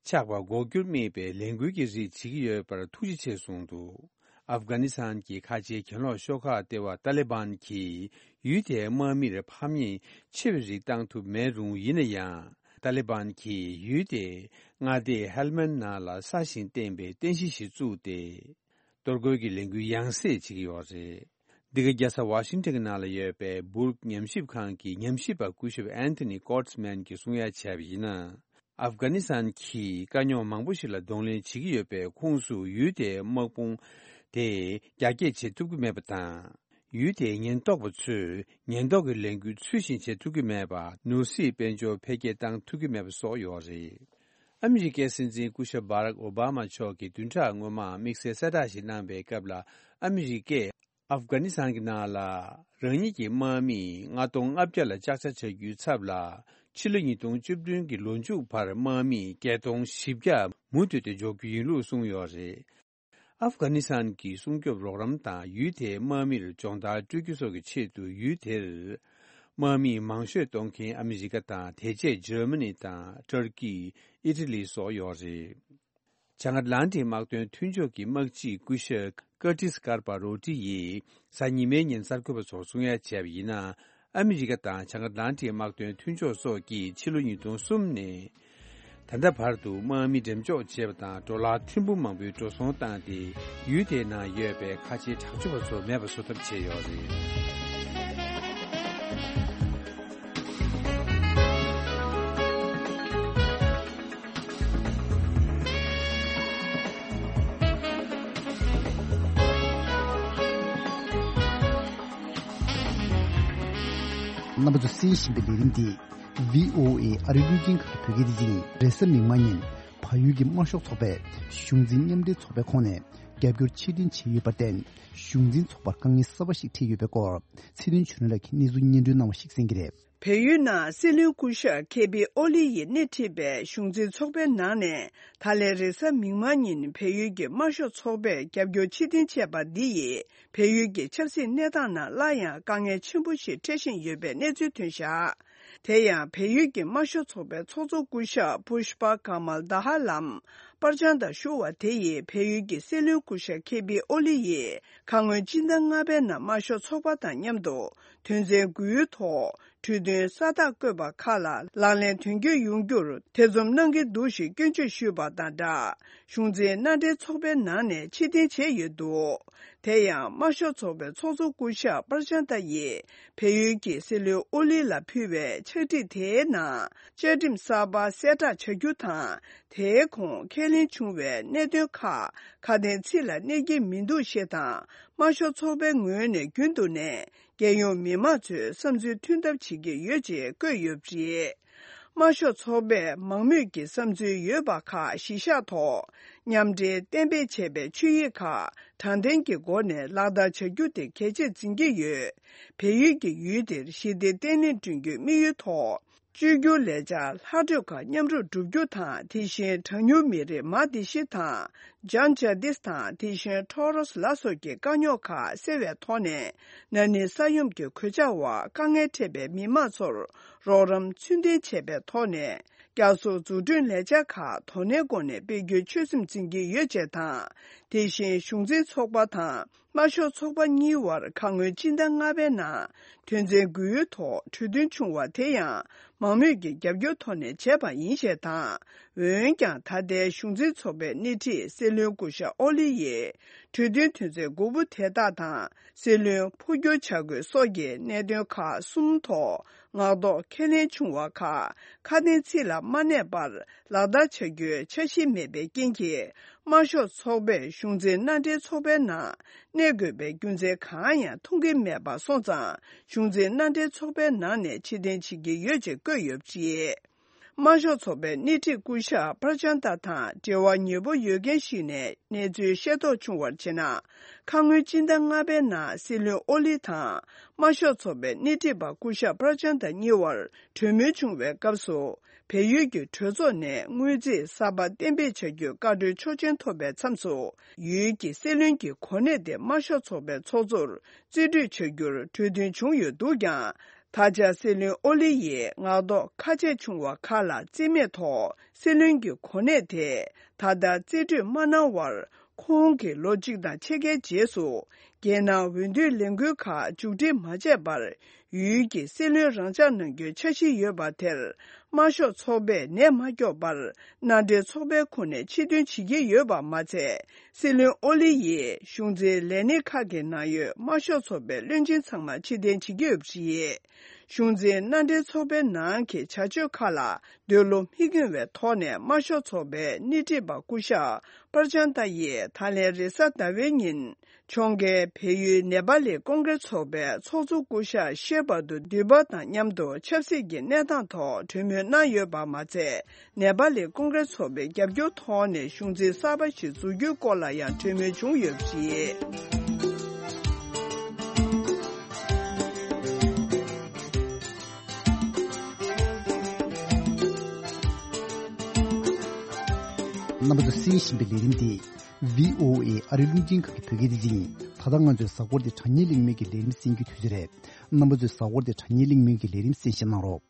ཆགས་པར་འགོག་རྒྱུར་དམིགས་པའི་ལས་འགུལ་གྱི་རིགས་བྱེད་ཀྱི་ཡོད་པར་ཐུགས་རྗེ་ཆེ་གསུངས་འདུག། ཨབ་གྷ་ནི་སི་ཐན་གྱི་ཁ་ཆེའི་གྱེན་ལོག་ཤོག་ཁག་ལྟེ་བ་ཏཱ་ལི་བན་གྱིས་ཡུལ་དེའི་དམག་མིར་ཕམ་ཉེས་ཆེ་བའི་རིགས་བཏང་ཐུབ་མེད་རུང་། ཡིན་ན་ཡང་ཏཱ་ལི་བན་གྱིས་ཡུལ་དེའི་མངའ་སྡེ་ཧེལ་མན་ནང་ལ་སྲ་ཞིང་བརྟན་པའི་རྟེན་གཞི་ཞིག་བཙུགས་ཏེ། གཏོར་རྒོལ་གྱི་ལས་འགུལ་ཡང་སེ་བྱེད་ཀྱི་ཡོད་རེད། འདི་ག་རྒྱལ་ས་ཝ་ཤིང་ཊོན་གྱི་ནང་ལ་ཡོད་པའི་སྦུག་ཉམས་ཞིབ་ཁང་གི་ཉམས་ཞིབ་པ་སྐུ་ཞབས་ཨན་ཐོ་ནི་ཀོར་ཊི་སི་མན་གྱིས་གསུང་ཡ་བྱས་པ་ཡིན་ན། ཨབ་གྷ་ནི་སི་ཐན་གྱིས་དཀའ་རྙོག་མང་པོ་ཞིག་ལ་གདོང་ལེན་བྱེད་ཀྱི་ཡོད་པའི་ཁོངས་སུ་ཡུལ་དེའི་དམག་དཔུང་དེ་རྒྱ་སྐྱེད་བྱེད་ཐུབ་ཀྱི་མེད་པ་དང་། ཡུལ་དེའི་ཉེན་རྟོག་པ་ཚོས་ཉེན་རྟོག་གི་ལས་འགུལ་ཚུལ་བཞིན་བྱེད་ཐུབ་ཀྱི་མེད་པ། ནོར་སྲིད་དཔལ་འབྱོར་འཕེལ་རྒྱས་བཏང་ཐུབ་ཀྱི་མེད་པ་སོགས་ཡོད་རེད། ཨ་མི་རི་ཀའི་སྲིད་འཛིན་སྐུ་ཞབས་བྷ་རག་ཨོ་བྷ་མ་མཆོག་གིས་བདུན་ཕྲག་སྔོན་མ་དམིགས་བསལ་གསལ་བསྒྲགས་ཤིག་གནང་པའི་སྐབས་ལ། ཨ་མི་རི་ཀས་ཨབ་གྷ་ནི་སི་ཐན་གྱི་ནང་ལ་རང་ཉིད་ཀྱི་དམག་མི་ལྔ་སྟོང་ལྔ་བརྒྱ་ལ་ལྕགས་ཆ་བྱ་རྒྱུའི་ཚབ་ལ། ཕྱི་ལོ་ཉིས་སྟོང་བཅུ་བདུན་གྱི་ལོ་མཇུག་བར་དམག་མི་བརྒྱད་སྟོང་བཞི་བརྒྱ་མུ་མཐུད་དེ་འཇོག་རྒྱུ་ཡིན་ལུགས་གསུངས་ཡོད་རེད། ཨབ་གྷ་ནི་སི་ཐན་གྱི་སྲུང་སྐྱོབ་རོགས་རམ་དང་ཡུལ་དེའི་དམག་མིར་སྦྱོང་བརྡར་སྤྲོད་རྒྱུ་སོགས་ཀྱི་ཆེད་དུ། ཡུལ་དེར་དམག་མི་མང་ཤོས་གཏོང་མཁན་ཨ་མི་རི་ཀ་དང་། དེ་རྗེས་འཇར་མ་ནི་དང་ཏུར་ཀི། ཨི་ཊ་ལི་སོགས་ཡོད་རེད། བྱང་ཨེཊ་ལན་ཊིག་དམག་དོན་མཐུན་ཕྱོགས་ཀྱི་དམག་སྤྱི་སྐུ་ཞབས་ཀར་ཏིས་ཀར་པ་རོ་ཏི་ཡིས་གཟའ་ཉི་མའི་ཉིན་གསར་འགོད་པ་ཚོར་གསུང་ཡ་བྱས་པ་ཡིན་ན། ཨ་མི་རི་ཀ་དང་བྱང་ཨེཊ་ལན་ཊིག་དམག་དོན་མཐུན་ཕྱོགས་སོགས་ཀྱིས་ཕྱི་ལོ་ཉིས་སྟོང་གསུམ་ནས་ད་ལྟ་བར་དུ་དམག་མི་འགྲེམས་འཇོག་བྱས་པ་དང་། ཌོ་ལར་ཐེར་འབུམ་མང་པོའི་འགྲོ་སོང་བཏང་སྟེ། ཡུལ་དེའི་ནང་ཡོད་པའི་ཁ་ཆེའི་དྲག་སྤྱོད་པ་ཚོ་མེད་པ་བཟོ་ཐབས་བྱས་ཡོད་རེད། རྣམ་པ་ཚོ་གསན་བཞིན་པའི་ལས་རིམ་འདི་བྷི་ཨོ་ཨེ་ཨ་རིའི་རླུང་འཕྲིན་ཁང་གི་བོད་སྐད་སྡེ་ཚན་ཡིན། རེས་གཟའ་མིག་དམར་ཉིན་བལ་ཡུལ་གྱི་དམར་ཤོག་ཚོགས་པའི་གཞུང་འཛིན་མཉམ་འབྲེལ་ཚོགས་པའི་ཁོངས་ནས་ རྒྱབ་སྐྱོར་ཕྱིར་འཐེན་བྱས་ཡོད་པར་བརྟེན། གཞུང་འཛིན་ཚོགས་པར་དཀའ་ངལ་གསར་པ་ཞིག་འཕྲད་ཡོད་པའི་སྐོར་ཚེ་རིང་ཆོས་སྒྲོན་ལགས་ཀྱིས་གནས་ཚུལ་སྙན་སྒྲོན་གནང་བ་ཞིག་གསན་གྱི་རེད། བལ་ཡུལ་ནང་སྲིད་བློན་སྐུ་ཞབས་ཁེ་པི་ཨོ་ལི་ཡིས་སྣེ་ཁྲིད་པའི་གཞུང་འཛིན་ཚོགས་པའི་ནང་ནས། ད་ལན་རེས་གཟའ་མིག་དམར་ཉིན་བལ་ཡུལ་གྱི་དམར་ཤོག་ཚོགས་པས་རྒྱབ་སྐྱོར་ཕྱིར་འཐེན་བྱས་པ་འདི་ཡིས། བལ་ཡུལ་གྱི་ཆབ་སྲིད་གནས་སྟངས་ནང་སླར་ཡང་དཀའ་ངལ་ཆེན་པོ་ཞིག་འཕྲད་བཞིན་ཡོད་པའི་གནས་ཚུལ་ཐོན་བཞག་དེ་ཡང་བལ་ཡུལ་གྱི་དམར་ཤོག་ཚོགས་པའི་ཚོགས་གཙོ་སྐུ་ཞབས་པུཤ་པ་ཀ་མལ་དྷ་ཧ་ལམ་པར་ཅང་དང་ཞུ་བ་དེ་ཡིས། བལ་ཡུལ་གྱི་སྲིད་བློན་སྐུ་ཞབས་ཁེ་པི་ཨོ་ལི་ཡིས་ཁ་སྔོན་སྤྱི་ཟླ་ལྔ་པའི་ནང་དམར་ཤོག་ཚོགས་པ་དང་མཉམ་དུ་དོན་ཚན་དགུའི་ཐོག་གྲོས་མཐུན་ས་རྟགས་བཀོད་པ་ཁག་ལ་ལག་ལེན་དོན་འཁྱོལ་ཡོང་རྒྱུར་ཐེ་ཚོམ་གནང་གི་འདུག་ཞེས་སྐྱོན་བརྗོད་ཞུས་པ་དང་སྦྲགས། གཞུང་འཛིན་མནའ་འབྲེལ་ཚོགས་པའི་ནང་ནས་ཕྱིར་འཐེན་བྱས་ཡོད་འདུག་དེ་ཡང་དམར་ཤོག་ཚོགས་པའི་ཚོགས་གཙོ་སྐུ་ཞབས་པར་ཅན་ཏ་ཡིས་བལ་ཡུལ་གྱི་སྲིད་བློན་ཨོ་ལི་ལ་ཕུལ་བའི་ཕྱག་བྲིས་དེའི་ནང་བཅའ་ཁྲིམས་གསར་པ་གསལ་བསྒྲགས་བྱ་རྒྱུ་དང་། དེའི་གོང་ཁས་ལེན་བྱུང་བའི་གནད་དོན་ཁག་ཁ་དན་ཚིག་ལ་གནས་ཀྱི་མི་འདུག་ཞེས་དང་། དམར་ཤོག་ཚོགས་པའི་ངོས་ནས་རྒྱུན་དུ་ནས་རྒྱལ་ཡོངས་མི་མང་ཚོའི་བསམ་ཚུལ་མཐུན་ཐབས་བྱེད་ཀྱི་ཡོད་ཅེས་བཀོད་ཡོད་པ་རེད། དམར་ཤོག་ཚོགས་པས་མང་མོས་ཀྱི་བསམ་ཚུལ་ཡོད་པ་ཁག་གཞི་བཞག་ཐོག་མཉམ་འབྲེལ་གཏན་འབེབས་བྱས་པའི་ཆོད་ཡིག་ཁག་དྲང་བདེན་གྱི་སྒོ་ནས་ལག་བསྟར་བྱ་རྒྱུ་དེ་གལ་ཆེར་འཛིན་གྱི་ཡོད། བལ་ཡུལ་གྱི་ཡུལ་དེར་ཞི་བདེ་བརྟན་ལྷིང་བསྐྲུན་རྒྱུའི་དམིགས་ཡུལ་ཐོག་བཅོས་བསྒྱུར་ལས་འཆར་ལྷག་འཕྲོས་ཁག་མཉམ་རུབ་བསྒྲུབ་རྒྱུ་དང་། དེ་བཞིན་གྲངས་ཉུང་མི་རིགས་མ་དེ་ཤི་དང་། ཇན་ཇ་དིས་དང་། དེ་བཞིན་ཊོ་རོས་ལ་སོགས་ཀྱི་དཀའ་རྙོག་ཁག་སེལ་བའི་ཐོག་ནས། ན་ནིང་ས་ཡོམ་གྱི་གོད་ཆག་འོག་དཀའ་ངལ་འཕྲད་པའི་མི་མང་ཚོར་རོགས་རམ་ཚུལ་ལྡན་བྱས་པའི་ཐོག་ནས། བསྐྱར་གསོ་འཛུགས་སྐྲུན་ལས་འཆར་ཁག་དོ་ནན་སྒོ་ནས་སྤེལ་རྒྱུའི་ཆོད་སེམས་འཛིན་གྱི་ཡོད་ཅེས་དང་། དེ་བཞིན་གཞུང་འཛིན་ཚོགས་པ་དང་། དམར་ཤོག་ཚོགས་པ་གཉིས་བར་ཁ་སྔོན་སྤྱི་ཟླ་ལྔ་པའི་ནང་དོན་ཚན་དགུའི་ཐོག་གྲོས་མཐུན་བྱུང་བ་དེ་ཡང་མང་མོས་ཀྱི་རྒྱབ་སྐྱོར་ཐོག་ནས་བྱས་པ་ཡིན་ཞེས་དང་། འོན་ཀྱང་། ད་ལྟའི་གཞུང་འཛིན་ཚོགས་པའི་སྣེ་ཁྲིད་སྲིད་བློན་སྐུ་ཞབས་ཨོ་ལི་ཡིས་གྲོས་མཐུན་དོན་ཚན་དགུ་པོ་དེ་དག་དང་། སྲིད་བློན་འཕོ་འགྱུར་བྱ་དགོས་སོགས་ཀྱི་གནད་དོན་ཁག་གསུམ་ཐོག་ངག་ཐོག་ཁས་ལེན་བྱུང་བ་ཁག་ཁ་དན་ཚིག་ལ་མ་གནས་པར་ལག་བསྟར་བྱ་རྒྱུའི་འཆར་གཞི་མེད་པའི་རྐྱེན་གྱིས། དམར་ཤོག་ཚོགས་པས་གཞུང་འཛིན་མནའ་འབྲེལ་ཚོགས་པའི་ནང་གནས་དགོས་པའི་རྒྱུ་མཚན་གང་ཡང་མཐོང་གི་མེད་པ་སོང་ཙང་། གཞུང་འཛིན་མནའ་འབྲེལ་ཚོགས་པའི་ནང་ནས་ཕྱིར་འཐེན་བྱེད་ཀྱི་ཡོད་ཅེས་བཀོད་ཡོད་པ་རེད། དམར་ཤོག་ཚོགས་པའི་སྣེ་ཁྲིད་སྐུ་ཞབས་པར་ཅན་ཏ་དང་འབྲེལ་བ་ཉེ་པོ་ཡོད་མཁན་ཞིག་ནས་གནས་ཚུལ་ཤེས་རྟོགས་བྱུང་བར་བྱས་ན། ཁ་སྔོན་སྤྱི་ཟླ་ལྔ་པའི་ནང་སྲིད་བློན་ཨོ་ལི་དང་དམར་ཤོག་ཚོགས་པའི་སྣེ་ཁྲིད་པ་སྐུ་ཞབས་པར་ཅན་ཏ་གཉིས་བར་གྲོས་མོལ་བྱུང་བའི་སྐབས་སུ། བལ་ཡུལ་གྱི་གྲོས་ཚོགས་ནས་དངུལ་རྩིས་གསར་པ་གཏན་འབེབས་བྱ་རྒྱུའི་བཀའ་འཁྲོལ་ཆོག་མཆན་ཐོབ་པའི་མཚམས་སུ། ཡུལ་གྱི་སྲིད་བློན་གྱི་གོ་གནས་དེ་དམར་ཤོག་ཚོགས་པའི་ཚོགས་གཙོར་རྩིས་སྤྲོད་བྱ་རྒྱུར་གྲོས་མཐུན་བྱུང་ཡོད་འདུག་ཀྱང་། ད་ཆ་སྲིད་བློན་ཨོ་ལི་ཡིས་ངག་ཐོག་ཁ་ཆད་བྱུང་བ་ཁག་ལ་རྩིས་མེད་ཐོག་སྲིད་བློན་གྱི་གོ་གནས་དེ་ད་ལྟ་རྩིས་སྤྲོད་མ་གནང་བར། ཁོང་གིས་ལོ་གཅིག་དང་ཕྱེད་ཀའི་རྗེས་སུ། རྒྱལ་ནང་འོས་བསྡུའི་ལས་འགུལ་ཁག་མཇུག་སྒྲིལ་མ་བྱས་པར། ཡུལ་གྱི་སྲིད་བློན་རང་འཇགས་གནང་རྒྱུའི་འཆར་གཞི་ཡོད་པ་དེར། དམར་ཤོག་ཚོགས་པས་ནད་མ་སྐྱོབ་པར། མནའ་འབྲེལ་ཚོགས་པའི་ཁོངས་ནས་ཕྱིར་འདོན་བྱེད་ཀྱི་ཡོད་པ་མ་ཚད། སྲིད་བློན་ཨོ་ལི་ཡིས་གཞུང་འཛིན་ལས་སྣེ་ཁག་གི་ནང་ཡོད་དམར་ཤོག་ཚོགས་པའི་བློན་ཆེན་ཚང་མ་ཕྱིར་འཐེན་བྱེད་ཀྱི་ཡོད་པ་རེད། གཞུང་འཛིན་མནའ་འབྲེལ་ཚོགས་པའི་ནང་གི་བྱ་སྤྱོད་ཁག་ལ། འདོད་བློ་མི་སྐྱོང་བའི་ཐོག་ནས་དམར་ཤོག་ཚོགས་པའི་སྣེ་ཁྲིད་པ་སྐུ་ཞབས་པར་ཅན་ཏ་ཡིས་ད་ལན་རེས་གཟའ་ཟླ་བའི་ཉིན། ཕྱོགས་འགལ་བལ་ཡུལ་ནེ་པ་ལི་ཀོང་ཀྲེས་ཚོགས་པའི་ཚོགས་གཙོ་སྐུ་ཞབས་ཤེ་བྷ་དུ་དུས་བབ་དང་མཉམ་དུ་ཆབ་སྲིད་ཀྱི་གནས་སྟངས་ཐོག་གྲོས་མོལ་གནང་ཡོད་པ་མ་ཚད། ནེ་པ་ལི་ཀོང་ཀྲེས་ཚོགས་པའི་རྒྱབ་སྐྱོར་ཐོག་ནས་གཞུང་འཛིན་གསར་པ་ཞིག་འཛུགས་རྒྱུའི་སྐོར་ལ་ཡང་གྲོས་མོལ་བྱུང་ཡོད་པ་རེད། རྣམ་པ་ཚོས་གསན་བཞིན་པའི་ལས་རིམ་འདི་བྷི་ཨོ་ཨེ་ཨ་རིའི་རླུང་འཕྲིན་ཁང་གི་བོད་སྐད་སྡེ་ཚན་ཡིན། ད་ལྟ་ང་ཚོའི་གཟའ་འཁོར་འདི་དྲ་བརྙན་གླེང་མོལ་གྱི་ལས་རིམ་གསན་རྒྱུའི་དུས་ཚོད་རེད། རྣམ་པ་ཚོས་གཟའ་འཁོར་འདི་དྲ་བརྙན་གླེང་མོལ་གྱི་ལས་རིམ་གསན་བཞེས་གནང་རོགས།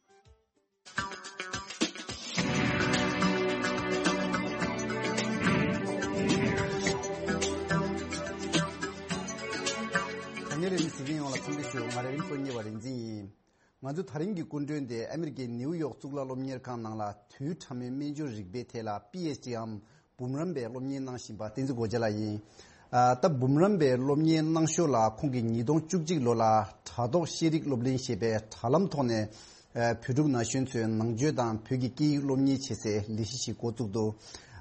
དྲ་བརྙན་ལས་རིམ་གཟིགས་མཁན་ཡོངས་ལ་འཚམས་འདྲི་ཞུ། ང་རེ་རིམ་སོ་གཉིས་པ་རིག་འཛིན་ཡིན། ང་ཚོའི་ད་རིང་གི་སྐུ་མགྲོན་དེ་ཨ་མི་རི་ཀའི་ནིའུ་ཡོག་གཙུག་ལག་སློབ་གཉེར་ཁང་ནང་ལ་དུས་ཕྲ་མོའི་སྨན་སྦྱོར་རིག་པའི་ཐད་ལ་པི་ཨེཆ་ཌི་འམ་འབུམ་རམས་པའི་སློབ་གཉེར་གནང་བཞིན་པ་བསྟན་འཛིན་སྒོ་རྒྱལ་ལགས་ཡིན། ཨ། ད་འབུམ་རམས་པའི་སློབ་གཉེར་གནང་ཞོར་ལ་ཁོང་གིས་ཉིས་སྟོང་བཅུ་གཅིག་ལོ་ལ་དྲ་ཐོག་ཤེས་རིག་སློབ་གླིང་ཞེས་པའི་དྲ་ལམ་ཐོག་ནས། ཨ། བོད་ཕྲུག་ན་གཞོན་ཚོའི་ནང་ཆོས་དང་བོད་ཀྱི་སྐད་ཡིག་སློབ་གཉེར་བྱེད་སའི་ལས་གཞི་ཞིག་འགོ་བཙུགས་འདུག་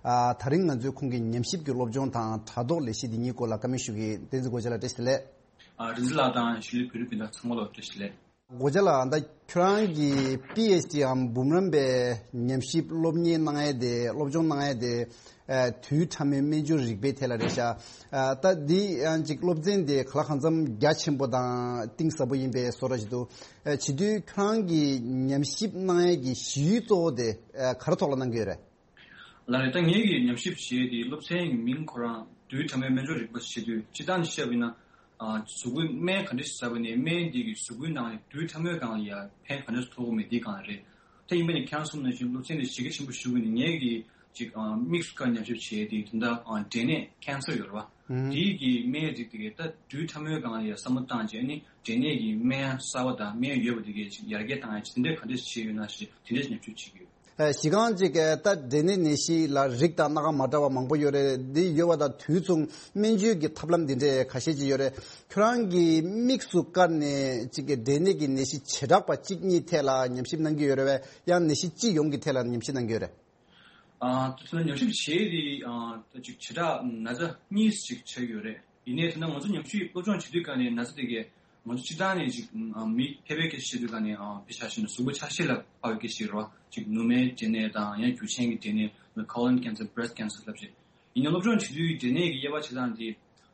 ཨ། ད་རིང་ང་ཚོས་ཁོང་གི་ཉམས་ཞིབ་ཀྱི་སློབ་སྦྱོང་དང་དྲ་ཐོག་ལས་གཞི་འདི་གཉིས་སྐོར་ལ་བཀའ་མོལ་ཞུ་གི་ཡིན། བསྟན་འཛིན་སྒོ་རྒྱལ་ལགས་བཀྲ་ཤིས་བདེ་ལེགས། ཨ། རིག་འཛིན་ལགས་དང་གཞིས་ལུས་བོད་རིགས་སྤུན་ཟླ་ཚང་མ་ལ་བཀྲ་ཤིས་བདེ་ལེགས། སྒོ་རྒྱལ་ལགས། ད་ཁྱོད་རང་གིས་པི་ཨེཆ་ཌི་འམ་འབུམ་རམས་པའི་ཉམས་ཞིབ་སློབ་གཉེར་གནང་ཡས་དེ། སློབ་སྦྱོང་གནང་ཡས་དེ། ཨ་དུས་ཕྲ་མོའི་སྨན་སྦྱོར་རིག་པའི་ཐད་ལ་རེད་ཤག་ཨ་ད་འདི་ཡང་ཅིག་སློབ་ཚན་དེ་ག་ལ་གང་འཚམ་རྒྱ་ཆེན་པོ་དང་གཏིང་ཟབ་པོ་ཡིན་པའི་བཟོ་འདྲ་ཞིག་འདུག་ཨ་བྱེད་དུས་ཁྱོད་རང་གིས་ཉམས་ཞིབ་གནང་ཡས་ཀྱི་གཞི་ཡུལ་གཙོ་བོ་དེ་ཨ་ག་རེ་ཐོག་ལ་གནང་གི་ཡོད་རེད། ལགས་རེད། ད་ངེད་ཀྱིས་ཉམས་ཞིབ་བྱས་ཏེ་སློབ་ཚན་གྱི་མིང་ཁོ་རང་དུས་ཕྲ་མོའི་སྨན་སྦྱོར་རིག་པ་ཞེས་དུས་སྤྱིར་བཏང་བཤད་པ་ཡིན་ན། ཨ་གཟུགས་པོའི་སྨན་ག་འདྲ་ཞིག་ཟ་བ་ནས་སྨན་འདི་གིས་གཟུགས་པོའི་ནང་ནས་དུས་ཕྲ་མོའི་སྒང་ལ་ཡ་ཕན་ག་འདྲ་ཞིག་ཐོགས་ཀྱི་མེད་འདིའི་སྒང་ལ་རེད། ད་ཡིན་པ་ནི་ཁྱེད་རང་གསུངས་ནང་བཞིན་སློབ་ཚན་འདི་གཞི་རྒྱ་ཆེན་པོ་ཞུ་དགོས་ནི་ངེད་ཀྱིས་ཅིག་ཨ་དམིགས་སུ་བཀར་ཉམས་ཞིབ་བྱས་ཏེ་ད་ལྟ་ཨ་འབྲས་ནད་ཀན་སར་ཡོད་རེད་བ། ཨུམ། དེའི་གི་སྨན་རིགས་དེ་གས་ད་དུས་ཕྲ་མོའི་སྒང་ལ་ཡ་བསམ་བློ་བཏང་བྱས་ནི་འབྲས་ནད་ཀྱི་སྨན་གསར་བ་དང་སྨན་ཡོད་པ་དེ་གས་ཅིག་ཡར་རྒྱས་བཏང་ཡ་ཅིག་དེ་འདྲས་ག་འདྲས་བྱས་ཡོད་ན་ཞེས་དེ་འདྲས་ཉམས་ཞིབ་བྱེད་ཀྱི་ཡོད། ཨ་གཞི་རྐང་ཅིག་ད་འབྲས་ནད་ནད་གཞི་ལ་རིགས་དང་སྣ་ཁ་མ་འདྲ་བ་མང་པོ་ཡོད་རེད། འདི་ཡོད་པ་དང་དུས་མཚུངས་སྨན་བཅོས་ཀྱི་ཐབས་ལམ་འདི་འདྲས་ཁ་ཤས་ཅིག་ཡོད་རེད། ཁྱོད་རང་གིས་དམིགས་སུ་བཀར་ནས་ཅིག་འབྲས་ནད་ཀྱི་ནད་གཞི་བྱེ་བྲག་པ་གཅིག་གཉིས་ཐད་ལ་ཉམས་ཞིབ་གནང་གི་ཡོད་རེད་བས། ཡང་ནད་གཞི་སྤྱི་ཡོངས་ཀྱི་ཐད་ལ་ཉམས་ཞིབ་གནང་གི་ཡོད་རེད། ཨ་དེ་ཚོ་ལ་ཉམས་ཞིབ་བྱས་ཏེ་ཨ་ད་ཅིག་བྱེ་བྲག་ན་ཚ་གཉིས་ཅིག་ཆགས་ཡོད་རེད། ཡིན་ནའི་དེ་ན་ང་ཚོ་ཉམས་ཞིབ་སློབ་སྦྱོང་བྱེད་དུས་ག་ནས་ན་ཚ་དེ་གས་ང་ཚོ་སྤྱིར་བཏང་ནས་ཅིག་ཨ་མི་ཕལ་པའི་སྐད་ཆ་བཤད་དུས་ག་ནས་ཨ་དཔེ་ཆ་བཞག་ན་གཟུགས་པོ་ཆ་ཤས་ལ་དཔག་པའི་སྐད་ཆ་ཞིག་རེད་བ། ཅིག་ནུ་མའི་འབྲས་ནད་དང་ཡང་རྒྱུ་ཆེན་གྱི་འབྲས་ནད། Colon cancer, breast cancer ལབ་བྱས། ཡིན་ནའི་སློབ་སྦྱོང་བྱེད་དུས་འབྲས་ནད་ཀྱི་དབྱེ་བ་ཕྱེ་སྟངས་དེ་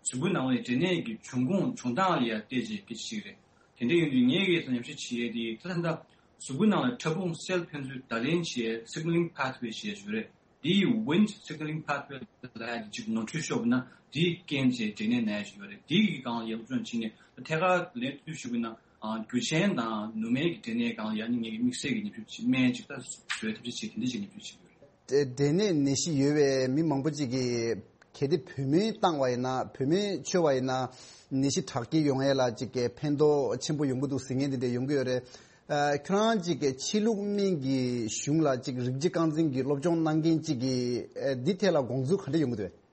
གཟུགས་པོའི་ནང་ལ་འབྲས་ནད་ཀྱི་འབྱུང་ཁུངས་འབྱུང་སྟངས་ལ་ཡང་བལྟས་བྱས་སྐད་ཆ་ཞིག་རེད། དེ་འདྲ་ཡིན་དུས་ངས་ཀྱིས་ཉམས་ཞིབ་བྱེད་ཡས་དེ་ད་ལྟ་གཟུགས་པོའི་ནང་ལ་ཕྲ་ཕུང་སེལ་ཕན་ཚུན་བརྡ་ལེན་བྱེད་signaling pathway ཞེས་ཞུ་རེད། འདིའི་Wnt signaling pathway ལ་ཡ་གཅིག་ནོར་འཁྲུལ་ཤོར་བ་ན་འདིའི་རྐྱེན་བྱས་འབྲས་ནད་ན་ཡ་ཞིག་ཡོད་རེད། འདི་གི་སྒང་ལ་ཡ་སློབ་སྦྱོང་བྱས་ནས་ཐད་ཀར་ལན་བསྟུད་ཞུ་བ་ན་རྒྱུ་ཆེན་དང་ནུ་མའི་གི་འབྲས་ནད་སྒང་ལ་ཡ་ནི་ངས་ཀྱི་དམིགས་བསལ་གྱི་ཉམས་ཞིབ་བྱེད་སྨན་ཅིག་ད་བཟོས་ཐབས་ཤེས་བྱས་དེ་འདྲ་ཅིག་ཉམས་ཞིབ་བྱེད་ཀྱི་ཡོད་རེད། འབྲས་ནད་ནད་གཞི་ཡོད་པའི་མི་མང་པོ་ཅིག་གིས་གལ་ཏེ་བུད་མེད་བཏང་བ་ཡིན་ན། བུད་མེད་མཆོད་པ་ཡིན་ན་ནད་གཞི་དྲག་སྐྱེད་ཡོང་ཡས་ལ་ཅིག་གི་ཕན་ཐོགས་ཆེན་པོ་ཡོང་གི་འདུག་ཟེར་མཁན་དེ་འདྲ་ཡོང་གི་ཡོད་རེད། ཨ་ཁྱོད་རང་ཅིག་གི་ཕྱི་ལུགས་སྨན་གྱི་གཞུང་ལ་ཅིག་རིགས་གཅིག་རྐང་འཛིན་གྱི་སློབ་སྦྱོང་གནང་མཁན་ཅིག་གིས་ཨ་འདི་ཐད་ལ་དགོངས་ཚུལ་ག་འདྲ་ཡོང་གི་འདུག་གས།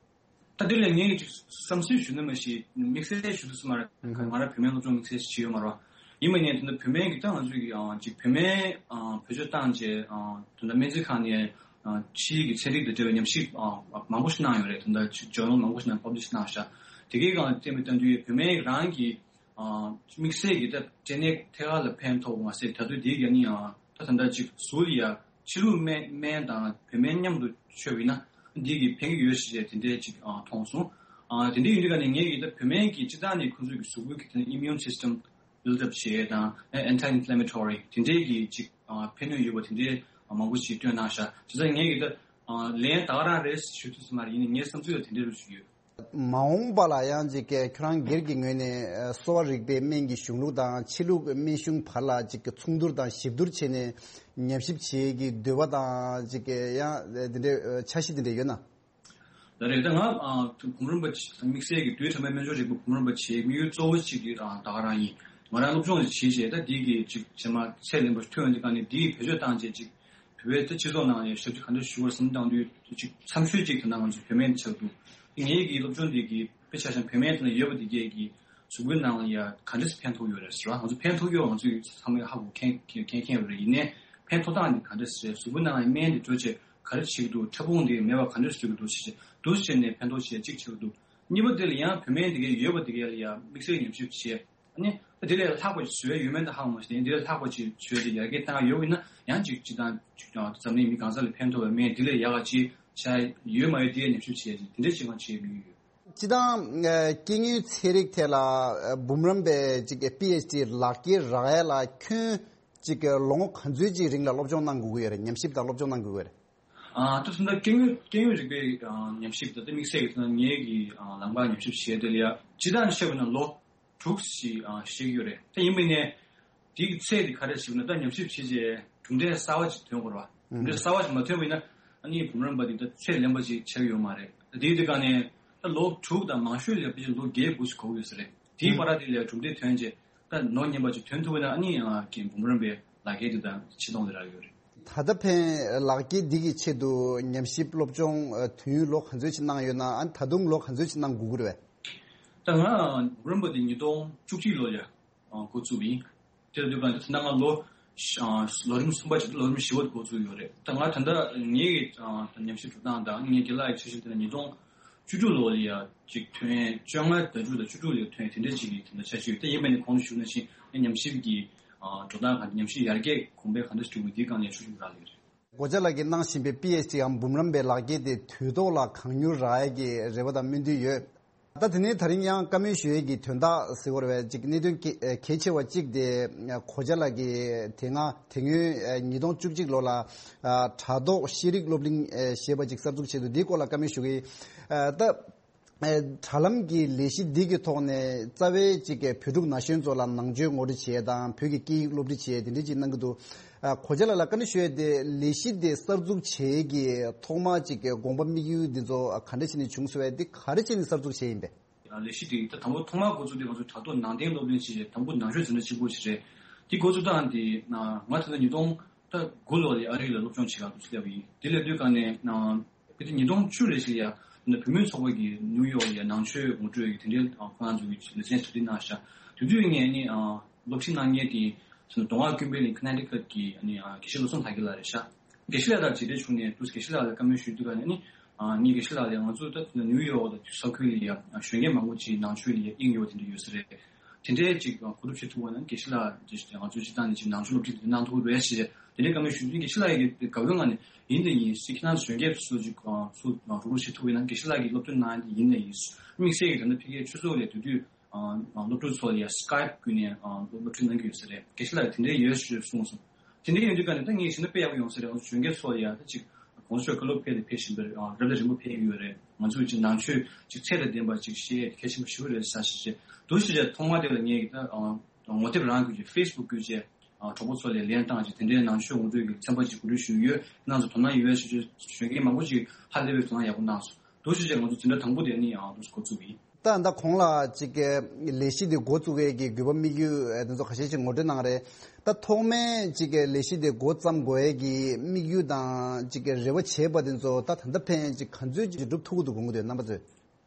ད་འདི་ལ་ངས་ཅིག་བསམ་ཚུལ་ཞུ་ན་མ་ཤེས། དམིགས་བསལ་ཞུ་ཐུབ་ས་མ་རེད། ང་རང་བུད་མེད་སློབ་སྦྱོང་དམིགས་བསལ་ཞིག་བྱས་ཡོད་མ་རེད། ཡིན་པ་ནས་དེ་འདྲ་བུད་མེད་ཀྱི་ད་ང་ཚོ་ཡི་ཨ་ཅིག་བུད་མེད་ཨ་བེད་སྤྱོད་བཏང་རྗེས་ཨ་དེ་འདྲ་སྨན་རྩིས་ཁང་ནས་ཨ་ཕྱིའི་གི་ཚན་རིག་དང་འབྲེལ་བའི་ཉམས་ཞིབ་ཨ་མང་པོ་ཞིག་གནང་ཡོད་རེད། དེ་འདྲ་ཅིག་ཇོར་ནལ་མང་པོ་ཞིག་ནང་པབ་ལི་ཤི་གནང་ཤག་དེ་གའི་སྒང་ལ་བལྟས་པའི་སྟངས་དུས་བུད་མེད་རང་གི་ཨ་དམིགས་བསལ་གྱི་ད་འབྲས་ནད་ཐད་ཀར་ལ་ཕན་ཐོགས་པ་མ་ཟད། ད་དུང་དེའི་ཡ་ནི་ཨ་ད་ད་ལྟ་ཅིག་གཟུགས་ལ་ཡ་ཕྱི་ལུགས་སྨན་སྨན་དང་བུད་མེད་མཉམ་དུ་མཆོད་པ་ཡིན་ན་འདི་གི་ཕན་གྱི་ཡོད་ཞེས་དེ་འདྲའི་ཅིག་ཨ་མཐོང་སོང་། ཨ་དེ་འདྲའི་ཡིན་དུས་ག་ནས་ངས་ཀྱི་ད་བུད་མེད་ཀྱི་སྤྱིར་བཏང་ནས་ཁོང་ཚོའི་གི་གཟུགས་པོའི་གི་དེ་immune system build up བྱེད་ཡས་དང་anti inflammatory དེ་འདྲའི་གི་ཅིག་ཨ་ཕན་ནུས་ཡོད་པ་དེ་འདྲའི་མང་པོ་ཞིག་སྟོན་གནང་ཤག་བྱས་ཙང་ངས་ཀྱི་ད་ཨ་ལན་ད་ག་རང་རེད་ཞུ་ཐུབ་ས་མ་རེད། ཡིན་ནའི་ངའི་བསམ་ཚུལ་ལ་དེ་འདྲའི་རུ་ཞུ་ཡོད། མ་འོངས་པ་ལ་ཡང་ཅིག་གི་ཁྱོད་རང་སྒེར་གྱི་ངོས་ནས་ཨ་གསོ་བ་རིག་པའི་སྨན་གྱི་གཞུང་ལུགས་དང་ཕྱི་ལུགས་སྨན་གཞུང་བར་ལ་ཅིག་གི་མཚུངས་བསྡུར་དང་ཞིབ་བསྡུར་བྱས་ནས་ཉམས་ཞིབ་བྱེད་ཀྱི་འདོད་པ་དང་ཅིག་གི་ཡང་འདི་འདྲའི་འཆར་གཞི་འདི་འདྲ་ཡོད་ན། ད་རེས་ད་ང་ཨ་བུམ་རམས་པ་དམིགས་བསལ་གྱི་དུས་ཐ་མའི་སྨན་སྦྱོར་རིག་པ་བུམ་རམས་པ་བྱེད་དམིགས་ཡུལ་གཙོ་བོ་གཅིག་གི་ཨ་ད་ག་རང་ཡིན། ང་རང་སློབ་སྦྱོང་ཞིག་བྱེད་བྱས་ད་འདི་གི་ཅིག་རྗེས་མ་ཚད་ལོན་པ་ཐོན་ཡོང་དུས་ག་ནས་འདི་གི་བེད་སྤྱོད་བཏང་བྱས་ཅིག་བོད་པའི་ད་སྤྱི་ཚོགས་ནང་ལ་ཞབས་ཕྱི་ག་འདྲ་ཞུ་བར་བསམ་བློ་བཏང་དུས་ཅིག་འཚམ་ཤོས་ཅིག་ད་ནང་ང་ཚོ་བུད་མེད་ཆགས་འདུག་ངེད་ཀྱི་སློབ་སྦྱོང་འདི་གི་དཔེ་ཆ་བཞག་བུད་མེད་དེ་ལ་ཡོད་པ་འདི་གས་ཀྱི་གཟུགས་པོའི་ནང་ལ་ཡ་ག་འདྲས་ཕན་ཐོགས་ཡོད་རེད་ཟེར་བ། ང་ཚོ་ཕན་ཐོགས་ཡོད་ང་ཚོ་ཚང་མས་ཧ་གོ་མཁན་མཁན་མཁན་ཡོད་རེད། ཡིན་ནའི་ཕན་ཐོགས་སྟངས་འདི་ག་འདྲས་ཟེར་གཟུགས་པོའི་ནང་ལ་སྨན་འདི་འགྲོ་བྱས་ག་རེ་བྱེད་ཀྱི་འདུག་ཕྲ་ཕུང་འདི་མེད་པ་ག་འདྲས་བཟོ་གི་འདུག་ཟེར་བྱས་འདུག་ཟེར་ནས་ཕན་ཐོགས་བྱས་གཅིག་བྱེད་ཀྱི་འདུག་གཉིས་པ་དེ་ལ་ཡང་བུད་མེད་འདི་གས་ཡོད་པ་འདི་གས་ལ་ཡ་དམིགས་བསལ་ཉམས་ཞིབ་བྱས། ཨ་ནི་ད་དེ་ལས་ལྷག་པ་ཞིག་བཟོས་ཡོད་མེད་ད་ཧ་གོ་མ་ཤེས། དེ་ལས་ལྷག་པ་ཞིག་བཟོས་ཏེ་ཡར་རྒྱས་བཏང་ཡོད་པ་ཡིན་ན་ཡང་ཅིག་སྤྱིར་བཏང་ཅིག་ཀྱང་འཛམ་གླིང་མི་གང་ས་ལ་ཕན་ཐོགས་པའི་སྨན་དེ་ལས་ཡག་ག་ཅིག་བྱ་ཡོད་མ་ཡོད་དེ་ཉམས་ཞིབ་བྱས་ཏེ་དེ་འདྲ་ཅིག་ང་བྱེད་དམིགས་ཡུལ་ཡོད། སྤྱིར་བཏང་ཨ་སྐྱེ་དངོས་ཚན་རིག་ཐད་ལ་ཨ་འབུམ་རམས་པའི་ཅིག་པི་ཨེཆ་ཌི་ལག་འཁྱེར་རག་ཡས་ལ་ཁྱོན་ཅིག་ལོ་ངོ་ག་ཚོད་ཅིག་རིང་ལ་སློབ་སྦྱོང་གནང་དགོས་ཀྱི་ཡོད་རེད། ཉམས་ཞིབ་དང་སློབ་སྦྱོང་གནང་དགོས་ཀྱི་ཡོད་རེད། ཨ་ད་ད་ལྟ་སྐྱེ་དངོས་སྐྱེ་དངོས་རིག་པའི་ཨ་ཉམས་ཞིབ་ད་ལྟ་དམིགས་བསལ་གྱི་ད་ངེད་ཀྱི་ཨ་ལམ་ཁ་ཉམས་ཞིབ་བྱས་དེ་ལ་ཡ་སྤྱིར་བཏང་བཤད་པ་ན་ལོ་དྲུག་ཞིག་ཨ་བཞེས་ཀྱི་ཡོད་རེད། ད་ཡིན་པ་ནས་དེ་གི་ཚད་དེ་ག་རེ་ཞིག་ན་ད་ཉམས་ཞིབ་བྱས་རྗེས་གྲུབ་འབྲས་གསར་བ་ཞིག་ཐོན་དགོས་རེད་བ། གྲུབ་འབྲས་གསར་བ་ཞིག་མ་ཐོན་པ་ཡིན་ན་ཨ་ནི་བུམ་རམས་པ་དེ་ད་ཚད་ལེན་པ་ཞིག་ཆགས་ཀྱི་ཡོད་མ་རེད། ད་དེའི་དེ་ག་ནས་ད་ལོ་དྲུག་དང་མང་ཤོས་ལ་ཕལ་ཆེར་ལོ་བརྒྱད་དགུ་ཞིག་འགོར་གྱི་ཡོད་ས་རེད། དེའི་བར་དེ་ལ་གྲུབ་འབྲས་ཐོན་རྗེས་ད་ནོར་ཉན་པ་ཅིག་ཐོན་ཐུབ་པ་ན་ཨ་ནི་ཨ་ཀྱི་འབུམ་རམས་པའི་ལག་འཁྱེར་དེ་དང་ཆེ་མཐོང་དེ་རག་ཡོད་རེད། ད་ལྟ་ཕན་ལག་འཁྱེར་འདི་གི་ཆེད་དུ་ཉམས་ཞིབ་སློབ་སྦྱོང་དུས་ཡུན་ལོ་ག་ཚོད་ཅིག་གནང་ཡོད་ན། ཨ་ད་དུང་ལོ་ག་ཚོད་ཅིག་གནང་དགོས་ཀྱི་རེད་པས། ད་ང་འབུམ་རམས་པ་དེ་ཉིས་སྟོང་བཅུ་གཅིག་ལོ་ལ་འགོ་བཙུགས་པ་ཡིན། དེ་ལ་དུས་གང་དུ་ད་ང་ལོ་ལོ་རིམ་གསུམ་པ་ཅིག་ལོ་རིམ་བཞི་པ་འགོ་བཙུགས་ཡོད་རེད། ད་ང་ད་ལྟ་ངའི་ཉམས་ཞིབ་འགྲོ་སྟངས་དང་ངའི་རྒན་ལགས་ཀྱི་འཆར་གཞི་དེ་ལ་ཉིས་སྟོང་བཅུ་དྲུག་ལོ་ལ་ཡ་ཅིག་ཐོན། བཅོ་ལྔ་ཟླ་དྲུག་དང་བཅུ་དྲུག་ལ་ཐོན། དེ་འདྲ་ཅིག་གི་དེ་འདྲ་འཆར་གཞི་ཡོད། དེ་ཡིན་པ་ནི་གོང་དུ་ཞུས་ནང་བཞིན་ངའི་ཉམས་ཞིབ་ཀྱི་འགྲོ་སྟངས་གང་ཉམས་ཞིབ་ཡར་རྒྱས་གོང་འཕེལ་གང་འདྲ་ཞིག་འགྲོ་དགོས་འདིའི་སྒང་ལ་ཤུགས་ཆེན་པོ་རག་ལས་རེད། སྒོ་ལྕགས་ལགས་ཀྱིས་གནང་བཞིན་པའི་པི་ཨེཆ་ཌི་འམ་འབུམ་རམས་པའི་ལག་འཁྱེར་དེ་དུས་ཐོག་ལ་གང་མྱུར་རག་ཡས་ཀྱི་རེ་བ་དང་སྨོན་འདུན་ཡོད། ད་དེ་ནས་ད་རིང་ཡང་བཀའ་མོལ་ཞུ་ཡས་ཀྱི་དོན་དག་ཟེར་བ་རེད་པས། ཅིག་གནད་དོན་གལ་གལ་ཆེ་བ་གཅིག་དེ་སྒོ་ལྕགས་ལགས་ཀྱིས་དེ་སྔ་དེ་སྔོན་ཉིས་སྟོང་བཅུ་གཅིག་ལོ་ལ་དྲ་ཐོག་ཤེས་རིག་སློབ་གླིང་ཞེས་པ་ཅིག་གསར་འཛུགས་བྱས་འདུག་འདིའི་སྐོར་ལ་བཀའ་མོལ་ཞུ་གི་ཡིན། ད། དྲ་ལམ་གྱི་ལས་གཞི་འདི་གི་ཐོག་ནས་རྩ་བའི་ཅིག་བོད་ཕྲུག་ན་གཞོན་ཚོ་ལ་ནང་ཆོས་ངོ་སྤྲོད་བྱེད་ཡས་དང་བོད་ཀྱི་སྐད་ཡིག་སློབ་ཁྲིད་བྱེད་ཡས་དེ་འདྲ་ཅིག་གནང་གི་འདུག་སྒོ་ལྕགས་ལགས་ལ་བཀའ་འདྲི་ཞུ་ཡས་དེ། ལས་གཞི་དེ་གསར་འཛུགས་བྱེད་ཡས་ཀྱི་ཐོག་མ་ཅིག་དགོངས་པ་དམིགས་ཡུལ་འདི་ཚོ་ག་འདྲ་བྱས་ནས་བྱུང་སོང་བས། འདི་ག་རེ་བྱས་ནས་གསར་འཛུགས་བྱས་ཡིན་པས། ལས་གཞི་དེ་ད་དང་པོ་ཐོག་མར་འགོ་བཙུགས་དུས་ང་ཚོ་དྲ་ཐོག་ནང་བསྟན་སློབ་གླིང་ཞེས་དང་པོ་ནང་ཆོས་འཛིན་གྲྭ་གཅིག་པོ་ཞིག་རེད། དེ་འགོ་བཙུགས་སྟངས་དེ་ང་ད་ལྟ་ཉིས་སྟོང་ད་དགུ་ལོ་ལ་ཨ་རི་ལ་སློབ་སྦྱོང་བྱེད་གར་དུ་སླེབས་པ་ཡིན། དེ་སླེབས་དུས་སྒང་ནས་ཕ་གི་ཉིས་སྟོང་བཅུ་ལོ་ཞིག་ལ་ཡ་ད་བུད་མེད་ཚོགས་པ་གིས་ནིའུ་ཡོག་ལ་ཡ་ནང་ཆོས་ངོ་སྤྲོད་ཀྱི་དེ་འདྲའི་ཁོ་རང་ཚོ་གི་ལེ་ཚན་གྲ་སྒྲིག་གནང་ཤག་དེ་དུས་ངས་ནི་སློབ་ཁྲིད་གནང་མཁན་དེ་མདོ་སྔགས་ཀུན་ཕན་གླིང་ཁ་ན་ཊི་ཀཊ་གི་དགེ་བཤེས་བློ་བཟང་དར་རྒྱས་ལགས་རེད་ཤག་དགེ་བཤེས་ལགས་དང་མཇལ་འཕྲད་བྱུང་ནས་དུས་དགེ་བཤེས་ལགས་ལ་བཀའ་མོལ་ཞུས་དུས་སྒང་ནས་ནི། ངས་དགེ་བཤེས་ལགས་ལ་ང་ཚོ་ད་ནིའུ་ཡོག་དང་ས་ཁུལ་ལ་ཡ་གཞོན་སྐྱེས་མང་པོ་ཅིག་ནང་ཆོས་ལ་ཡ་དབྱིངས་ཡོད་དེ་འདྲ་ཡོད་ས་རེད། དེ་འདྲའི་ཅིག་གོ་སྒྲུབ་བྱེད་ཐུབ་པ་ན་དགེ་བཤེས་ལགས་ཀྱིས་ང་ཚོའི་སྤྱི་བཏང་ནས་ཅིག་ནང་ཆོས་སློབ་ཁྲིད་དེ་གནང་ཐུབ་ཀྱི་རེད་ཞེས་དེ་འདྲའི་བཀའ་མོལ་ཞུས་དུས་དགེ་བཤེས་ལགས་ཀྱིས་དགའ་བོའི་ངང་ནས་ཡིན་དང་ཡིན། ཅིག་ཁྱེད་རང་ཚོ་གཞོན་སྐྱེས་ཚོ་ཅིག་ཚུར་རོགས་རོགས་བྱེད་ཐུབ་པ་ཡིན་ན། དགེ་བཤེས་ལགས་ཀྱིས་སློབ་སྟོན་གནང་ཡ་དེ་ཡིན་དང་ཡིན། དམིགས་བསལ་གྱིས་ད་ལྟ་ཕ་གིའི་ཆོས་ཚོགས་ལ་དེ་དུས། སློབ་ཕྲུག་ཚོ་ལ་ཡ་སི་ཀའེབ་བརྒྱུད་ནས་སློབ་ཁྲིད་གནང་གི་ཡོད་ས་རེད། དགེ་བཤེས་ལགས་དེ་འདྲའི་ཡོད་ཞེས་གསུངས་སོང་། དེ་འདྲའི་ཡིན་དུས་ཀ་ནས་ད་ངས་བྱས་ན་དཔེ་ཡག་པོ་ཡོང་ས་རེད། ང་ཚོ་གཞོན་སྐྱེས་ཚོ་ལ་ཡ་ད་ཅིག་གོང་ས་མཆོག་བཀའ་སློབ་ཕེབས་དང་ཕེབས་བཞིན་པ་རེད། རབ་དང་རིམ་པ་ཕེབས་ཀྱི་ཡོད་རེད། ང་ཚོས་ཅིག་ནང་ཆོས་ཅིག་ཚད་དང་ལྡན་པ་ཅིག་ཤེས་ཡས་དེ་གལ་ཆེན་པོ་ཞེ་པོ་རེད་ཟེར་ཞེས་བྱས། འདུག་སེ་བྱས་ཐོག་མ་དེ་ལ་ངས་ད་ངོ་དེབ་རང་བརྒྱུད་ཀྱིས་ཕེ་སི་བུག་བརྒྱུད་བྱས་གྲོགས་པོ་ཚོ་ལ་ལན་བཏང་བྱས། དེ་འདྲའི་ནང་ཆོས་ངོ་སྤྲོད་ཀྱི་ཚན་པ་ཅིག་གོ་སྒྲིག་ཞུས་ཡོད། ཁྱེད་རང་ཚོ་དོ་སྣང་ཡོད་ཞེས་བྱས་གཞོན་སྐྱེས་མང་པོ་ཅིག་ཧ་ལས་པའི་དོ་སྣང་ཡག་པོ་གནང་སོང་། འདུག་སེ་བྱས་ང་ཚོ་འཛིན་གྲྭ་དང་པོ་དེ་ནི་ཡང་འདུག་སེ་འགོ་བཙུགས་པ་ཡིན། ད་ད་གོང་ལ་ཅིག་གི་ལས་གཞི་འདི་འགོ་བཙུགས་ཡས་ཀྱི་དགོས་པ་དམིགས་ཡུལ་དེ་ཚོ་ཁ་ཤས་ཅིག་ངོ་སྤྲོད་གནང་རེད། ད་ཐོག་མའི་ཅིག་གི་ལས་གཞི་འདི་འགོ་བརྩམས་དགོས་ཡས་ཀྱི་དམིགས་ཡུལ་དང་ཅིག་གི་རེ་བ་བྱས་པ་དེ་ཚོ་ད་ད་ལྟ་ཕན་ཅིག་ག་ཚོད་ཅིག་འགྲུབ་ཐུབ་ཀྱི་འདུག་དགོངས་ཀྱི་འདུག་རྣམ་པ་ཚོས།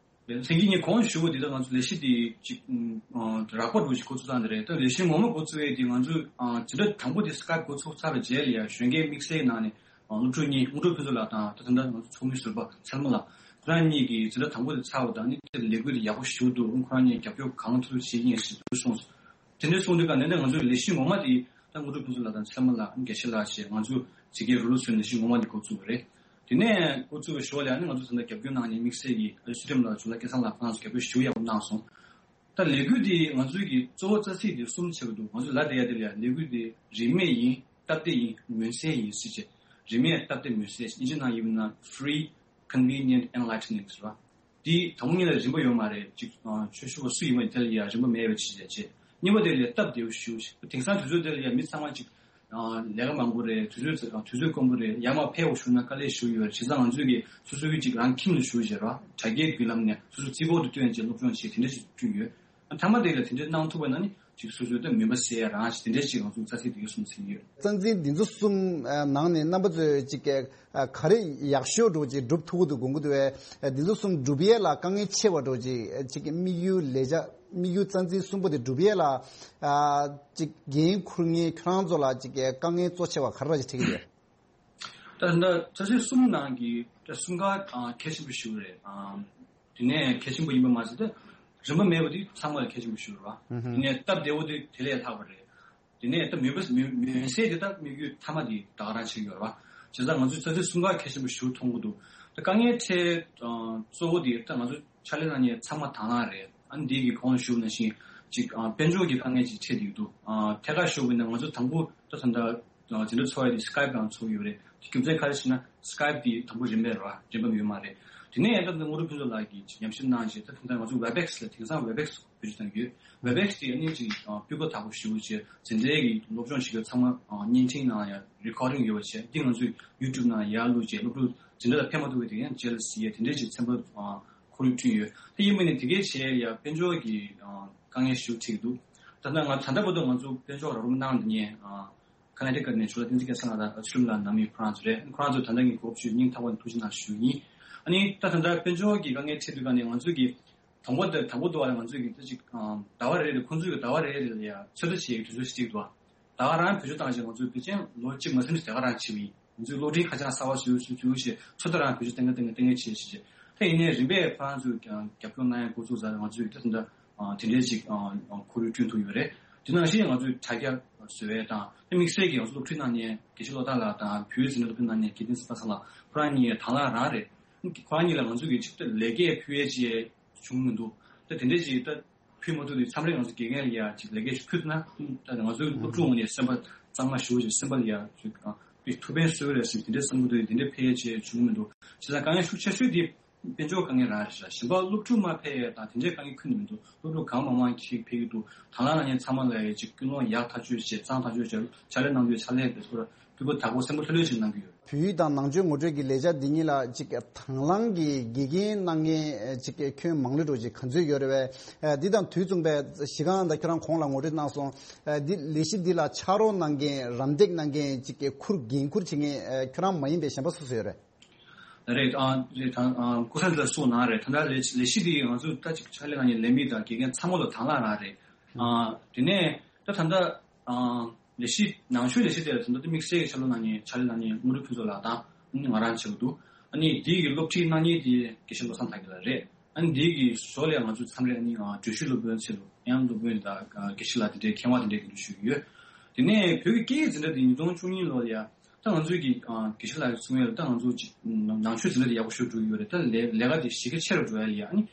ལན་སེང་གེ་ངས་གོང་ཞུ་བ་འདི་ལྟར་ང་ཚོ་ལས་གཞི་འདི་ཅིག་རགས་པ་འདྲ་བོ་ཞིག་འགོ་བཙུགས་སྟངས་འདི་རེད། ད་ལས་གཞི་ངོ་མ་འགོ་བཙུགས་ཡས་འདི་ང་ཚོས་འཛིན་གྲྭ་དང་པོ་དེ་སི་ཀའེབ་འགོ་ཚུགས་ཚར་བའི་རྗེས་ལ་ཡ་གཞོན་སྐྱེས་དམིགས་བསལ་ནང་ནས། སློབ་ཕྲུག་གཉིས། དངོས་གྲུབ་ཕུན་ཚོགས་ལགས་དང་ད་ད་ལྟ་ང་ཚོ་ཚོགས་མི་ཟུར་པ་ཚེ་རིང་ལགས། ཁོ་རང་གཉིས་ཀྱིས་འཛིན་གྲྭ་དང་པོ་དེ་ཚར་བ་དང་ནི་དེར་ལས་འགུལ་དེ་ཡག་པོ་ཞེ་པོ་འདུག་ཁོ་རང་གཉིས་རྒྱབ་སྐྱོར་གང་ཐུབ་བྱེད་ཀྱི་ཡིན་ཞེས་གསུངས་སོང་། དེ་འདྲའི་གསུངས་དུས་ཀ་ནས་ནི་ང་ཚོའི་ལས་གཞི་ངོ་མ་དེ་ད་དངོས་གྲུབ་ཕུན་ཚོགས་ལགས་དང་ཚེ་རིང་ལགས། དགེ་བཤེས་ལགས་བཅས་ང་ཚོ་ཇི་སྐད་རུ་ལུ་ཚོའི་ལས་གཞི་ངོ་མ་དེ་འགོ་བཙུགས་པ་རེད། དེ་ནས་འགོ་བཙུགས་པའི་ཞོར་ལ་ནི་ང་ཚོ་ད་ལྟ་རྒྱབ་སྐྱོར་གནང་མཁན་དམིགས་བསལ་གྱིས་ཨ་ཅེ་ཚུལ་ཁྲིམས་ལགས། འཇུ་ལགས་སྐལ་བཟང་ལགས། ཁོ་རང་ཚོ་རྒྱབ་སྐྱོར་ཞེ་པོ་ཡག་པོ་གནང་སོང་། ད་ལས་འགུལ་འདི་ང་ཚོའི་གི་གཙོ་བོ་རྩ་ཚིག་འདི་གསུམ་ཆགས་ཀྱི་འདུག་ང་ཚོས་ལབ་བསྡད་ཡ་དེ་ལ་ཡ་ལས་འགུལ་འདི་རིན་མེད་ཡིན། སྟབས་བདེ་ཡིན། མངོན་གསལ་ཡིན་ཟེར་བྱས། རིན་མེད། སྟབས་བདེ། མངོན་གསལ། དབྱིན་ཇི་ནང་ཡིན་ན་free, convenient, enlightening ཟེར་བ། འདི་དང་པོ་ཉིད་ལ་རིན་པ་ཡོད་མ་རེད། ཅིག་ཆོས་ཞུ་བ་སུ་ཡིན་པ་དེ་ལ་ཡ་རིན་པ་མེད་པ་ཅིག་བྱས་བྱས། གཉིས་པ་དེ་ལ་སྟབས་བདེ་བོ་ཞུ། དེང་སང་དུས་ཚོད་དེ་ལ་ཡ་མི་ཚང་མ་ཅིག་ལས་ཀ་མང་པོ་རེད། དུས་ཚོད་དུས་ཚོད་དཀོན་པོ་རེད། ཡར་མར་ཕེབས་བཞུགས་ན་དཀའ་ལས་ཞེ་པོ་ཡོད་རེད། བྱས་ཙང་ང་ཚོས་ཀྱི་སོ་སོའི་ཅིག་རང་ཁྱིམ་དུ་བཞུགས་བྱས་ར། དྲ་རྒྱའི་བརྒྱུད་ལམ་ནས་སོ་སོ་རྩིས་འཁོར་དུ་བཏོན་བྱས་སློབ་སྦྱོང་བྱས། དེ་འདྲ་ཞིག་བསྐྲུན་ཡོད། མཐའ་མ་དེ་ལ་དེ་འདྲ་གནང་ཐུབ་པ་ན་ནི་ཅིག་སོ་སོའི་ད་མུན་པ་སེལ་ཡ་རང་ཞིག་དེ་འདྲ་ཞིག་ང་ཚོ་རྩ་ཚིག་དེ་ག་གསུངས་ཟིན་ཡོད། རྩ་ཚིག་འདི་ཚོ་གསུམ་ནང་ནས་རྣམ་པ་ཚོས་ཅིག་ག་རེ་ཡག་ཤོས་འདྲ་བོ་ཅིག་སྒྲུབ་ཐུབ་ཀྱི་འདུག་དགོངས་ཀྱི་འདུག་བས། འདི་ཚོ་གསུམ་སྒྲུབ་ཡས་ལ་དཀའ་ངལ་ཆེ་བ་འདྲ་བོ་ཅིག་ཅིག་དམིགས་ཡུལ་ལས་བྱ། དམིགས་ཡུལ་རྩ་ཚིག་གསུམ་པོ་དེ་སྒྲུབ་ཡས་ལ། ཨ། ཅིག་འགན་འཁུར་མཁན་ཁྱོད་རང་ཚོ་ལ་ཅིག་དཀའ་ངལ་གཙོ་ཆེ་བ་ག་རེ་ར་ཅིག་འཕྲད་ཀྱི་ཡོད། ད་ད་ལྟ་ཆ་ཤས་གསུམ་ནང་གི་ད་གསུམ་ཀ་ཨ་གལ་ཆེན་པོ་ཞིག་རེད། ཨ། དེ་ནས་གལ་ཆེན་པོ་ཡིན་པ་མ་ཟད་ད་རིན་པ་མེད་པ་དེ་ཚང་མ་ལ་གལ་ཆེན་པོ་ཞིག་རེད་བ། དེ་ནས་སྟབས་བདེ་བོ་དེ་དེ་ལས་ལྷག་པ་རེད། དེ་ནས་ད་མུན་པ་མུན་མུན་སེལ་དེ་ད་དམིགས་ཡུལ་མཐའ་མ་དེ་ད་ག་རང་བྱེད་ཀྱི་ཡོད་རེད་བ། བྱས་ཙང་ང་ཚོས་ཆ་ཤས་གསུམ་ཀ་གལ་ཆེན་པོ་ཞིག་མཐོང་གི་འདུག་ད་དཀའ་ངལ་འཕྲད་ཨ་གཙོ་བོ་དེ་ད་ང་ཚོ་ཕྱག་ལས་གནང་མཁན་ཚང་མ་དང་བླངས་རེད། ཨ་ནི་འདི་གི་གོང་ལ་ཞུས་པ་ནང་བཞིན་ཅིག་ཨ་དཔལ་འབྱོར་གྱི་དཀའ་ངལ་ཅིག་འཕྲད་བསྡད་ཀྱི་འདུག་ཨ་ཐད་ཀར་ཞུས་པ་ཡིན་ན་ང་ཚོ་དང་པོ་ད་ད་ལྟ་འཛིན་གྲྭ་ཚོགས་ཡ་དེ་སི་ཀའེབ་ནང་ཚོགས་ཡོད་རེད། དེ་རྒྱུ་མཚན་ག་རེ་ཞེ་ན་སི་ཀའེབ་དེ་དང་པོ་རིན་མེད་རེད་བ། རིན་པ་ཡོད་མ་རེད། དེ་ནས་ད་ལྟ་དངོས་གྲུབ་ཕུན་ཚོགས་ལགས་ཀྱིས་ཅིག་ཉམས་ཞིབ་གནང་བྱས། ད་ད་ལྟ་ང་ཚོ་ཝེབ་ཨེག་སི་ལ་དེང་སང་ཝེབ་ཨེག་སི་བེད་སྤྱོད་བཏང་གི་ཡོད། ཝེབ་ཨེག་སི་དེ་ཨ་ནི་ཅིག་ཨ་སྤུས་ཀ་དག་པོ་ཞེ་པོ་བྱས། འཛིན་གྲྭའི་གི་སློབ་སྦྱོང་བྱེད་མཁན་ཚང་མ་ཨ་བརྙན་འཕྲིན་ནང་ཡ་རི་ཀོར་ཌིང་ཡོད་པ་བྱས། འདི་ང་ཚོས་ཡུ་ཊུབ་ནང་ཡར་བླུགས་བྱས། སློབ་ཕྲུག་འཛིན་གྲྭ་ལ་ཕེབས་མ་ཐུབ་པའི་དེ་ཡང་རྗེས་ལ་གཟིགས་ཡས་དེ་འདྲའི་ཅིག་ཚན་པ་ཨ་ཁོར་ཡུག་བསྐྲུན་ཡོད། དེ་ཡིན་པ་ནི་དེ་གའི་བྱས་ཡ་དཔལ་འབྱོར་གྱི་ཨ་དཀའ་ངལ་ཞེ་པོ་འཕྲད་ཀྱི་འདུག་ད་ལྟ་ང་ད་ལྟ་བར་དུ་ང་ཚོ་དཔལ་འབྱོར་རོགས་རམ་གནང་མཁན་ཨ་ཁ་ན་ཊི་ཀ་ནས་ཇོ་ལགས་བསྟན་འཛིན་སྐལ་བཟང་ལགས་དང་ཨ་ཅི་ལུམ་ལགས་ནང་མི་ཁོ་རང་ཚོ་རེད། ཁོ་རང་ཚོ་ད་ལྟ་ངས་གོ་སྐབས་ཞུས། སྙིང་ཐག་པ་ནས་ཐུགས་རྗེ་གནང་ཞུ་ཡིན། ཨ་ནི་ད་ད་ལྟ་དཔལ་འབྱོར་གྱི་དཀའ་ངལ་འཕྲད་དུས་ག་ནས་ང་ཚོས་ཀྱི་དང་པོ་དང་དང་པོ་དུ་བ་ལ་ང་ཚོས་ཀྱི་ད་ཅིག་ཨ་ཟླ་བ་རེ་རེ་ཁོང་ཚོས་ཀྱི་ཟླ་བ་རེ་རེ་ལ་ཡ་ཚོད་ལྟ་བྱེད་ཡའི་དུས་ཚོད་ཞིག་བརྩིས་འདུག་ཟླ་བ་རང་བེད་སྤྱོད་བཏང་བྱས་ང་ཚོས་ཕལ་ཆེར་ལོ་གཅིག་མ་ཟིན་ནས་ཟླ་བ་རང་བྱེད་པ་ཡིན། ང་ཚོས་གློག་འཕྲིན་ཁ་བྱང་གསར་པ་བཟོས་བཟོས་བཟོས་བྱས་ཚོད་ལྟ་རང་བེད་སྤྱོད་གཏོང་གི་གཏོང་གི་གཏོང་གི་བྱས་བྱས་བྱས། ད་ཡིན་ནའི་རིམ་པས་ཁོ་རང་ཚོས་ཀྱང་རྒྱབ་སྐྱོར་གནང་ཡ་འགོ་བཙུགས་ཚར། ང་ཚོས་ད་ད་ལྟ་དེ་འདྲའི་ཅིག་ཁོར་ཡུག་བསྐྲུན་ཐུབ་ཡོད་རེད། དེ་ནང་བཞིན་ང་ཚོས་དྲ་རྒྱ་ བཟོ་བའི་དང་དམིགས་བསལ་གྱི་ང་ཚོ་སློབ་ཁྲིད་གནང་མཁན་དགེ་བཤེས་བློ་བདག་ལགས་དང་བོད་འཛིན་གྲྭ་སློབ་ཁྲིད་གནང་མཁན་དགེ་ལྡན་ཚེ་དཔག་ཚང་ལགས་ཁོ་རང་གཉིས་དང་བླངས་རང་རེད། ཁོ་རང་གཉིས་ལ་ང་ཚོ་གི་ཆིག་ལྟ་ལས་ཀ་ཕུལ་ཡས་ཅིག་བྱུང་མི་འདུག་ད་དེ་འདྲས་ཅིག་ད་ཕུལ་མ་ཐུབ་དུས་མཚམས་རེ་ང་ཚོ་དགེ་རྒན་ལ་ཡ་ཅིག་ལས་ཀ་ཞིག་ཕུལ་ཐུབ་ན་ད་ང་ཚོའི་སློབ་ཕྲུག་ངོས་ནས་སེམས་པ་གཙང་མ་ཞུ་ཅིག་སེམས་པ་ལ་ཡ་ཅིག་ཨ་ཐུགས་ཕན་གསོས་རེད་ཟེར་དེ་འདྲས་བསམ་གྱི་འདུག་དེ་འདྲས་ཕལ་ཆེར་བྱུང་མི་འདུག་བྱས་ཙང་དཀའ་ངལ་ཤུགས་ཆེ་ཤོས་དེ་དཔལ་འབྱོར་དཀའ་ངལ་རང་རེད་ཤག་གཞན་པ་སློབ་ཕྲུག་མ་ཕེབས་ཡས་དང་དེ་འདྲའི་དཀའ་ངལ་ཁུལ་ནས་མི་འདུག་སློབ་ཕྲུག་གང་མང་མང་ཞིག་ཕེབས་ཀྱི་འདུག་དང་བླངས་གནང་མཁན་ཚང་མ་ལ་ཡ་ཅིག་ཀུན་སློང་ཡག་ཐག་ཆོད་བྱས་གཙང་ཐག་ཆོད་བྱས་ཕྱག་ལས་གནང་དུས་ཕྱག་ལས་དེ་ཚོར་སྤུས་ཀ་དག་པོ་སེམས་པ་ལྷོད་ལྷོད་ཅིག་གནང་གི་ཡོད། བོད་ཡིག་དང་ནང་ཆོས་ངོ་སྤྲོད་ཀྱི་ལས་འཆར་འདི་གཉིས་ལ་ཅིག་དང་བླངས་ཀྱི་དགེ་རྒན་གནང་མཁན་ཅིག་ཁྱོན་མང་ལོས་འགྲོ་ཅིག་ག་ཚོད་ཡོད་རེད་བས། འདི་དང་དུས་མཚུངས་པའི་གཞི་རྐང་ད་ཁྱོད་རང་གོང་ལ་ངོ་སྤྲོད་གནང་སོང་། འདི་ལས་གཞི་འདི་ལ་ཕྱག་རོགས་གནང་མཁན་རམ་འདེགས་གནང་མཁན་ཅིག་ཁུར་འགན་ཁུར་བྱེད་མཁན་ཁྱོད་རང་མ་ཡིན་པའི་གཞན་པ་སུ་སུ་ཡོད་རེད། རེད་ཨ་རེད་ད་ཨ་སྐུ་ས་འདི་ལ་གསུངས་གནང་རེད། ད་ལྟ་ལས་ལས་གཞི་འདི་ང་ཚོ་ད་ཅིག་ཕྱག་ལས་གནང་མཁན་ལས་མི་དང་དགེ་རྒན་ཚང་མ་ལ་དང་བླངས་གནང་རེད། ཨ་དེ་ནས་ད་ད་ལྟ་ཨ་ལས་གཞི་ནང་ཆོས་ལས་གཞི་དེ་ལ་ད་ལྟ་དམིགས་བསལ་གྱི་ཕྱག་ལས་གནང་མཁན་ཕྱག་ལས་གནང་མཁན་དངོས་གྲུབ་ཕུན་ཚོགས་ལགས་དང་ཨ་ནི་ང་རང་བྱེད་ཀྱི་འདུག་ཨ་ནི་འདི་གི་སློབ་ཁྲིད་གནང་མཁན་དེ་དགེ་བཤེས་བློ་བཟང་དར་རྒྱས་ལགས་རེད། ཨ་ནི་འདི་གི་ཞོར་ལ་ང་ཚོ་མཚམས་རེ་ཨ་ནི་ཨ་འགྲུལ་བཞུད་སློབ་དཔོན་ཆེད་དུ་ཡང་སློབ་དཔོན་དང་དགེ་བཤེས་ལགས་དེ་འདྲའི་མཁས་དབང་དེ་འདྲའི་གི་འགྲུལ་བཞུད་ཡོད། དེ་ནས་བོད་ཀྱི་སྐད་ཡིག་འཛིན་གྲྭ་དེ་ཉིས་སྟོང་བཅུ་གཉིས་ལོ་ལ་ཡ། ད་ང་ཚོའི་གི་ཨ་དགེ་བཤེས་ལགས་ཀྱིས་གསུང་ཡོད་ད་ང་ཚོ་ཅིག་ནང་ཆོས་འཛིན་གྲྭ་དེ་ཡག་པོ་ཞེ་དྲག་འགྲོ་གི་ཡོད་རེད། ད་ལས་ལས་ཀ་དེ་གཞི་རྒྱ་ཆེ་རུ་འགྲོ་ཡ་ལ་ཡ་ཨ་ནི་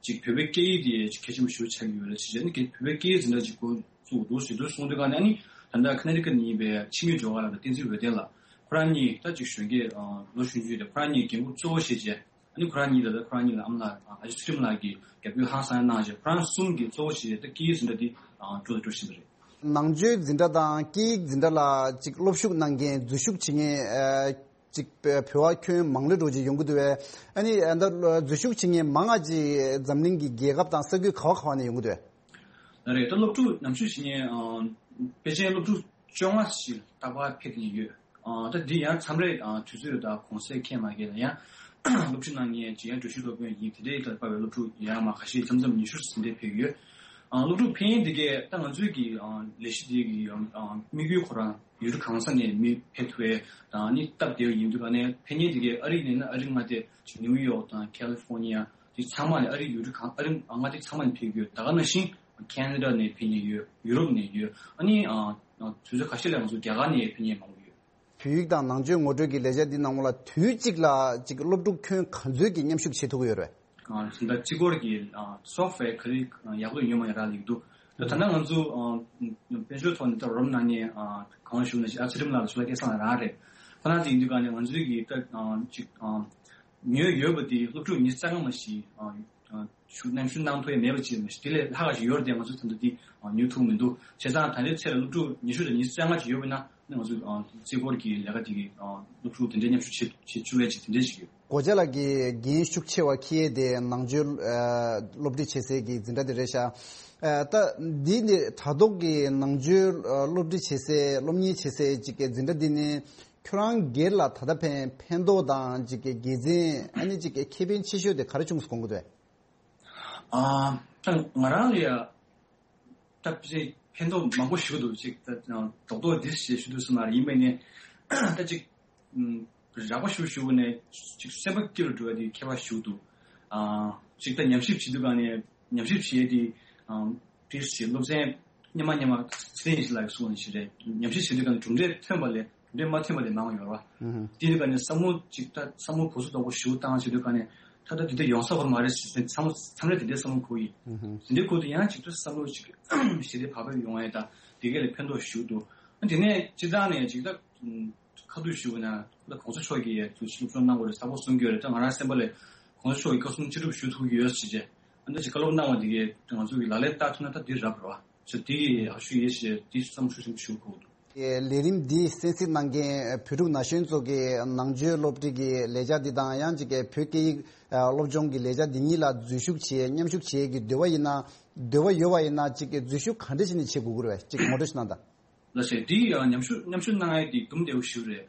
ཅིག་བོད་པའི་སྐད་ཡིག་དེ་ཅིག་གལ་ཆེན་པོ་ཞེ་པོ་ཆགས་ཀྱི་ཡོད་རེད་ཟེར་བྱས་ཨ་ནི་བོད་པའི་སྐད་ཡིག་འཛིན་གྲྭ་ཅིག་འགོ་བཙུགས་འདུག་ཟེར་དུས་གསུང་དུས་ག་ནས་ཨ་ནི་ད་ལྟ་ཁ་ན་ཊི་ཀ་ནས་ཡིན་པའི་ཆིངས་ཡིག་ཇོ་ག་ལགས་དང་བསྟན་འཛིན་འོད་ལྡན་ལགས་ཁོ་རང་གཉིས་ད་ཅིག་གཞོན་སྐྱེས་ལོ་ཆུང་ཆུང་རེད། ཁོ་རང་གཉིས་འགན་ཁུར་གཙོ་བོ་བཞེས་བྱས་ཨ་ནི་ཁོ་རང་གཉིས་ད་ལྟ་ཁོ་རང་གཉིས་ལ་ཨ་མ་ལགས་ཨ་ཅེ་ཚུལ་ཁྲིམས་ལགས་ཀྱིས་རྒྱབ་སྐྱོར་ཧང་སང་གནང་བྱས་ཁོ་རང་གསུམ་གྱིས་གཙོ་བོ་བཞེས་བྱས་ད་སྐད་ཡིག་འཛིན་གྲྭ་འདི་འགྲོ་དང་འགྲོ་བཞིན་པ་རེད། ནང་ཆོས་འཛིན་གྲྭ་དང་སྐད་ཡིག་འཛིན་གྲྭ་ལ་ཅིག་སློབ་ཞུགས་གནང་མཁན་འཛུལ་ཞུགས་བྱེད་མཁན་ཅིག་བོད་པ་ཁྱོན་མང་ལོས་འགྲོ་ཅིག་ཡོང་གི་འདུག་བས། ཨ་ནི་ད་འཛུལ་ཞུགས་བྱེད་མཁན་མང་ང་ཅིག་འཛམ་གླིང་གི་རྒྱལ་ཁབ་དང་ས་ཁུལ་ག་བ་ག་བ་ནས་ཡོང་གི་འདུག་བས། ལགས་རེད། ད་སློབ་ཕྲུག་ཉམས་ཞིབ་བྱེད་མཁན་དཔེ་ཆའི་སློབ་ཕྲུག་བཅོ་ལྔ་ཞིག་རྟག་པར་ཕེབས་ཀྱི་ཡོད། ད་འདི་ཡང་མཚམས་རེ་དུས་ཚོད་དང་གུང་སེང་ཁེལ་མ་ཁེལ་ལ་ཡང་སློབ་ཁྲིད་གནང་མཁན་ཅིག་ཡང་འགྲུལ་བཞུད་སློབ་དཔོན་ཡིན་དེ་འདྲའི་ལ་དཔག་པའི་སློབ་ཕྲུག་ཡང་མ་ཁ་ཤས་མཚམས་མཚམས་ཉི་ཤུ་ཙམ་དེ་ཕེབས་ཀྱི་ཡོད། སློབ་ཕྲུག་ཕེབས་མཁན་དེ་གས་ད་ང་ཚོའི་གི་ལས་གཞི་དེ་གི་དམིགས་ཡུལ་ཁོ་རང་ཡུལ་གྲུ་གང་ས་ནས་མི་ཕེབས་ཐུབ་པའི་དང་ནི་སྟབས་བདེ་བ་ཡིན་དུས་ག་ནས་ཕེབས་མཁན་དེ་གས་ཨ་རི་ནས་ན་ཨ་རི་མངའ་སྡེ་ཅིག་ནིའུ་ཡོག་དང་ཁ་ལི་ཧྥོ་ནི་ཡ་དེ་ཚང་མ་ནས་ཨ་རི་ཡུལ་གྲུ་གང་ཨ་རི་མངའ་སྡེ་ཚང་མ་ནས་ཕེབས་ཀྱི་ཡོད། ད་ག་ནང་བཞིན་ཁེ་ན་ཌ་ནས་ཕེབས་མཁན་ཡོད། ཡུ་རོབ་ནས་ཡོད། ཨ་ནི་དུས་ཚོད་ཁ་ཤས་ལ་ང་ཚོ་རྒྱ་གར་ནས་ཕེབས་མཁན་མང་པོ་ཡོད། བོད་ཡིག་དང་ནང་ཆོས་ངོ་སྤྲོད་ཀྱི་ལས་འཆར་འདི་ནང་ལ་དུས་གཅིག་ལ་ཅིག་སློབ་ཕྲུག་ཁྱོན་ག་ཚོད་ཀྱི་མཉམ་ཞུགས་བྱེད་ཐུབ་ཀྱི་ཡོད་རེད། ད་ལྟ་སྤྱི་སྒོར་གྱི་སོབ་ཝེར་ག་རེ་ཡག་པོ་ཡོད་མ་ཡོད་རག་ལས་འདུག་ད་ད་ལྟ་ང་ཚོ་དཔལ་འབྱོར་ཐོག་ནས་ད་རོམ་ནང་ནས་གང་ཞུ་ན་ཞིག་ཨ་ཚུལ་ཁྲིམས་ལགས་ལ་ཞུ་ལ་སྐལ་བཟང་ལ་རག་རེད། ཁོ་ན་དེ་ཡིན་དུས་ག་ནས་ང་ཚོའི་གི་ད་ཅིག་ཉོས་ཡོད་པ་དེ་སློབ་ཕྲུག་ཉི་ཤུ་རྩ་ལྔ་མ་ཞིག་ཞུ་གནང་ཞུ་གནང་ཐུབ་ཡ་མེད་པ་ཅིག་མ་གཞི་དེ་ལས་ལྷག་ག་ཞིག་ཡོད་རེད་དེ་ང་ཚོས་ད་ལྟ་འདི་ཉོ་ཐུབ་མི་འདུག་བྱས་ཙང་ད་ལྟའི་ཚེ་ལ་སློབ་ཕྲུག་ཉི་ཤུ་དང་ཉི་ཤུ་རྩ་ལྔ་ཅིག་ཡོད་པ་ན་ང་ཚོས་རྩིས་སྐོར་གྱི་ལས་ཀ་དེ་གི་སློབ་ཕྲུག་དེ་འདྲའི་མཉམ་ཞུགས་བྱེད་བྱེད་བཅུག་ཡ་ཅིག་དེ་འདྲའི་ཞིག་ཡོད། སྒོ་ལྕགས་ལགས་ཀྱིས་འགན་ཤུགས་ཆེ་བ་འཁྱེར་ཡས་དེ་ནང་ཆོས་སློབ་ཁྲིད་བྱེད་སའི་གི་འཛིན་གྲྭ་དེ་རེད་ཤག་ད་འདི་ནི་དྲ་ཐོག་གི་ནང་ཆོས་སློབ་ཁྲིད་བྱེད་སའི་སློབ་གཉེར་བྱེད་སའི་ཅིག་གི་འཛིན་གྲྭ་འདི་ནི་ཁྱོད་རང་སྒེར་ལ་ད་ལྟ་ཕན་ཕན་ཐོགས་དང་ཅིག་གི་དགེ་མཚན་ཨ་ནི་ཅིག་གི་ཁེ་ཕན་ཆེ་ཤོས་དེ་ག་རེ་བྱུང་སོང་གི་འདུག་ཨ། ད་ང་རང་ལ་ཡ་ད་ཕན་ཕན་ཐོགས་མང་པོ་ཞིག་འདུག་ཅིག་ད་རྡོག་རྡོག་འདི་ཞེས་ཞུ་འདུག་སེ་མ་རེད། ཡིན་པས་ནས་ད་ཅིག་རགས་པ་ཞུ་ཞུ་ནས་ཅིག་སེམས་པ་སྐྱིད་རུ་འགྲོ་བ་དེ་ཁྱད་པར་ཞིག་འདུག་ཨ། ཅིག་ད་ཉམས་ཞིབ་བྱེད་དུས་ག་ནས་ཉམས་ཞིབ་བྱེད་དེ་ཨ། དེ་ཞེས་སློབ་ཚན་སྙན་མ་སྙན་མ་ཚེ་རིང་ཞིག་ལ་གསུངས་ནས་ཞིག་རེད། ཉམས་ཞིབ་བྱེད་དུས་ག་ནས་གྲུབ་འབྲས་ཐོན་པ་ལས་གྲུབ་འབྲས་མ་ཐོན་པ་དེ་མང་བ་ཡོད་རེད་བ། དེ་ནི་ག་ནས་བསམ་བློ་ཅིག་ད་བསམ་བློ་གོ་ཚོད་དོག་པོ་ཞིག་བཏང་བྱེད་དུས་ག་ནས་ད་ལྟ་དེ་འདྲ་ཡོང་ས་ཧོར་མ་རེད་ཟེར་བསམ་བློ་མཚམས་རེ་དེ་འདྲའི་བསམ་བློ་འཁོར་ཡིན། དེ་འདྲའི་འཁོར་དུས་ཡང་ཅིག་ད་བསམ་བློ་ཅིག་ཞི་བདེ་བག་ཕེབས་ཡོང་ཡ་ད་དེ་ག་ལས་ཕན་ཐོགས་ཞིག་འདུག་དེ་ནས་སྤྱིར་བཏང་ནས་ཅིག་ད། ཁ་ཐུག་ཞུ་བ་ན་ད་གོང་ས་མཆོག་གིས་ཡ་ཚུལ་ཤུགས་སོགས་གནང་དགོས་རེད་ཟབ་པོ་གསུང་གི་ཡོད་རེད། ད་ང་རང་སེམས་པ་ལས་གོང་ས་མཆོག་གིས་བཀའ་གསུང་ཅི་སྒྲུབ་ཞུ་ཐུབ་ཀྱི་ཡོད་ཟེར་བྱས་ཨ་ནི་ཅིག་བཀའ་སློབ་གནང་བ་འདི་གས་ང་ཚོ་གི་ལག་ལེན་བསྟར་ཐུབ་ན་ད་འདི་རབ་རེད་བ། ཅིག་འདི་ཡག་ཤོས་ཡིན་ཞེས་འདི་བསམ་ཤུགས་ཆེན་པོ་ཞུ་དགོས་འདུག་ལས་རིམ་འདི་གསན་གཟིགས་གནང་མཁན་བོད་ཕྲུག་ན་གཞོན་ཚོ་གིས་ནང་ཆོས་སློབ་ཁྲིད་ཀྱི་ལས་འཆར་འདི་དང་ཡང་ཅིག་བོད་སྐད་ཡིག་སློབ་སྦྱོང་གི་ལས་འཆར་འདི་གཉིས་ལ་འཛུལ་ཞུགས་བྱེད་མཉམ་ཞུགས་བྱེད་ཀྱི་འདོད་པ་ཡིན་ན་འདོད་པ་ཡོད་པ་ཡིན་ན་ཅིག་འཛུལ་ཞུགས་ག་འདྲ་བྱས་ནས་བྱེད་དགོས་ཀྱི་རེད་བས་ཅིག་ངོ་སྤྲོད་ཞིག་གནང་དང་། ལགས་སེ། འདི་ཡང་མཉམ་ཞུགས་མཉམ་ཞུགས་གནང་ཡས་འདི་འདུམ་བདེ་བོ་ཞིག་རེད།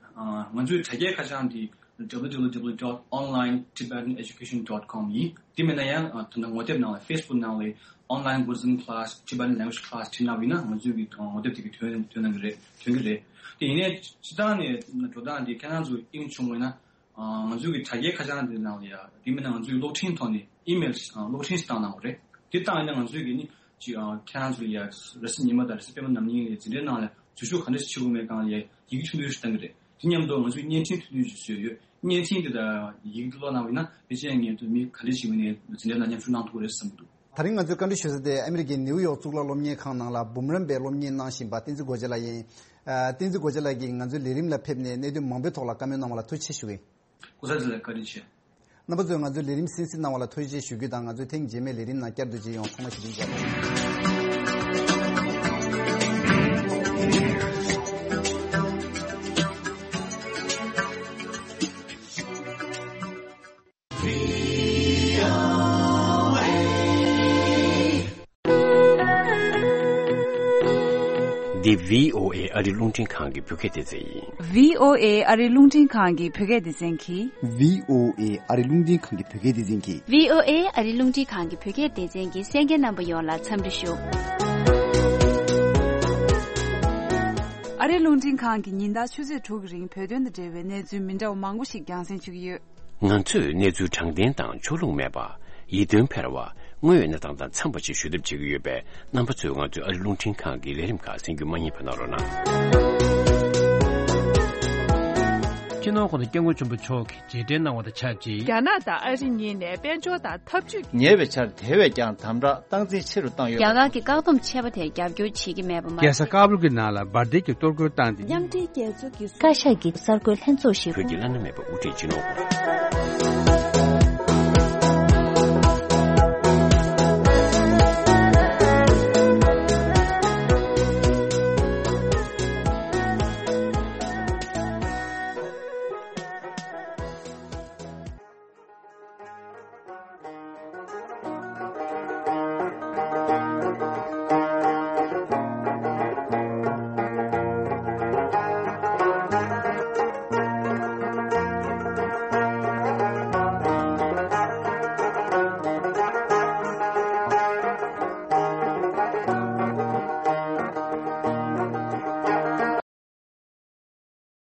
ང་ཚོའི་དྲ་རྒྱའི་ཁ་བྱང་འདི་W W W dot online Tibetan education dot com ཡིན། དེ་མིན་ན་ཡང་ད་ལྟ་ངོ་དེབ་ནང་ལ་Facebook ནང་ལ་online Buddhism class Tibetan language class བྲིས་གནང་བ་ཡིན་ན་ང་ཚོའི་གི་ངོ་དེབ་དེ་གི་ཐོན་ཐོན་གནང་གི་རེད། ཐོན་གི་རེད། དེ་ཡིན་ནའི་སྤྱིར་བཏང་ནས་འགྲོ་སྟངས་འདི་ཁྱེད་རང་ཚོ་དབྱིངས་བྱུང་བས་ན། ང་ཚོའི་གི་དྲ་རྒྱའི་ཁ་བྱང་འདི་ནང་ལ་ཡ་དེ་མིན་ན་ང་ཚོའི་གློག་འཕྲིན་ཐོག་ནས་ཨི་མེལ་གློག་འཕྲིན་ཞིག་བཏང་གནང་བ་རེད། དེ་བཏང་ཡིན་ན་ང་ཚོའི་གི་ནི་ཅིག་ཁྱེད་རང་ཚོ་ལ་ཡ་རེས་གཟའ་ཉི་མ་དང་རེས་གཟའ་སྤེན་པ་ནམ་གཉིས་ལ་འཛིན་གྲྭའི་ནང་ལ་ འཛུལ་ཞུགས་ག་འདྲ་ཞིག་བྱེད་དགོས་མེད་སྒང་ལ་ཡ་ཡི་གེ་ཆུང་དུ་ཞིག་བཏང་གི་རེད། དེ་མཉམ་དུ་ང་ཚོས་བརྙན་འཕྲིན་ཐུང་ཐུང་ཞིག་བཟོས་ཡོད། བརྙན་འཕྲིན་དེ་དང་ཡི་གེ་དེ་ཀློག་གནང་བ་ཡིན་ན་ཕལ་ཆེར་ངས་མི་ག་འདྲ་ཞིག་ཡིན་ནའི་འཛིན་གྲྭ་ནང་མཉམ་ཞུགས་གནང་ཐུབ་ཀྱི་རེད་བསམ་གྱི་འདུག། དེ་རིང་ང་ཚོའི་བཀའ་འདྲི་ཞུ་ས་དེ་ཨ་མི་རི་ཀའི་ནེའུ་ཡོག་གཙུག་ལག་སློབ་གཉེར་ཁང་ནང་ལ་འབུམ་རམས་པའི་སློབ་གཉེར་གནང་བཞིན་པ་བསྟན་འཛིན་སྒོ་ལྕགས་ལགས་ཡིན། ཨ། བསྟན་འཛིན་སྒོ་ལྕགས་ལགས་ཀྱིས་ང་ཚོའི་ལས་རིམ་ལ་ཕེབས་ནས་གནད་དོན་མང་པོའི་ཐོག་ལ་བཀའ་མོལ་གནང་བ་ལ་ཐུགས་རྗེ་ཆེ་ཞུ་གི་ཡིན། སྐུ་ཚབ་ལགས་བཀའ་དྲིན་ཆེ། རྣམ་པ་ཚོས་ང་ཚོའི་ལས་རིམ་གསན་གཟིགས་གནང་བ་ལ་ཐུགས་རྗེ་ཆེ་ཞུ་རྒྱུ་དང་། ང་ཚོའི་ཐེངས་རྗེས་མའི་ལས་རིམ་ནང་བསྐྱར་དུ་མཇལ་ཡོང་། ཚང་མ་བྱིས་པ་ཡིན། འདི་བྷི་ཨོ་ཨེ་ཨ་རི་རླུང་འཕྲིན་ཁང་གི་བོད་སྐད་སྡེ་ཚན་ཡིན། བྷི་ཨོ་ཨེ་ཨ་རི་རླུང་འཕྲིན་ཁང་གི་བོད་སྐད་སྡེ་ཚན་གྱིས། བྷི་ཨོ་ཨེ་ཨ་རི་རླུང་འཕྲིན་ཁང་གི་བོད་སྐད་སྡེ་ཚན་གྱིས། བྷི་ཨོ་ཨེ་ཨ་རི་རླུང་འཕྲིན་ཁང་གི་བོད་སྐད་སྡེ་ཚན་གྱི་གསན་མཁན་རྣམ་པ་ཡོངས་ལ་འཚམས་འདྲི་ཞུ། ཨ་རི་རླུང་འཕྲིན་ཁང་གིས་ཉིན་ལྟར་ཆུ་ཚོད་དྲུག་གི་རིང་བོད་དོན་དང་འབྲེལ་བའི་གནས་ཚུལ་མི་འདྲ་བ་མང་པོ་ཞིག་རྒྱང་སྲིང་ཞུ་གི་ཡོད། ང་ཚོས་གནས་ཚུལ་དྲང་བདེན་དང་ཕྱོགས་ལྷུང་མེད་པ། ཡིད་རྟོན་འཕེར་བ། དངོས་ཡོད་གནས་སྟངས་དང་འཚམས་པ་ཞིག་ཞུ་ཐབས་བྱེད་ཀྱི་ཡོད་པས། རྣམ་པ་ཚོས་ང་ཚོའི་ཨ་རི་རླུང་འཕྲིན་ཁང་གི་ལས་རིམ་ཁག་གསན་རྒྱུ་མ་བསྙེལ་བ་གནང་རོགས་གནང་། སྤྱི་ནོར་༸གོང་ས་༸སྐྱབས་མགོན་ཆེན་པོ་མཆོག་གིས་རྗེས་དྲན་གནང་བ་དང་ཆབས་ཅིག། རྒྱ་ནག་དང་ཨ་རི་གཉིས་ནས་དཔལ་འབྱོར་དང་འཐབ་ཇུས། ཉེ་བའི་ཆར་དེ་བས་ཀྱང་དམ་དྲག་སྟངས་འཛིན་ཆེ་རུ་བཏང་ཡོད། རྒྱ་གར་གྱི་བཀག་སྡོམ་ཆད་པ་དེར་རྒྱབ་སྐྱོར་བྱེད་ཀྱི་མེད་པ་མ་ཟད། རྒྱལ་ས་ཀ་བུལ་གྱི་ནང་ལ་འབར་མདེལ་གྱི་གཏོར་རྒོལ་བཏང་སྟེ། མཉམ་འབྲེལ་རྒྱལ་ཚོགས་ཀྱི་བཀའ་ཤག་གི་གསར་འགོད་ལྷན་ཚོགས་ཤིག་བོད་ཀྱི་བླ་ན་མེད་པ་དབུ་ཁྲིད་སྤྱི་ནོར་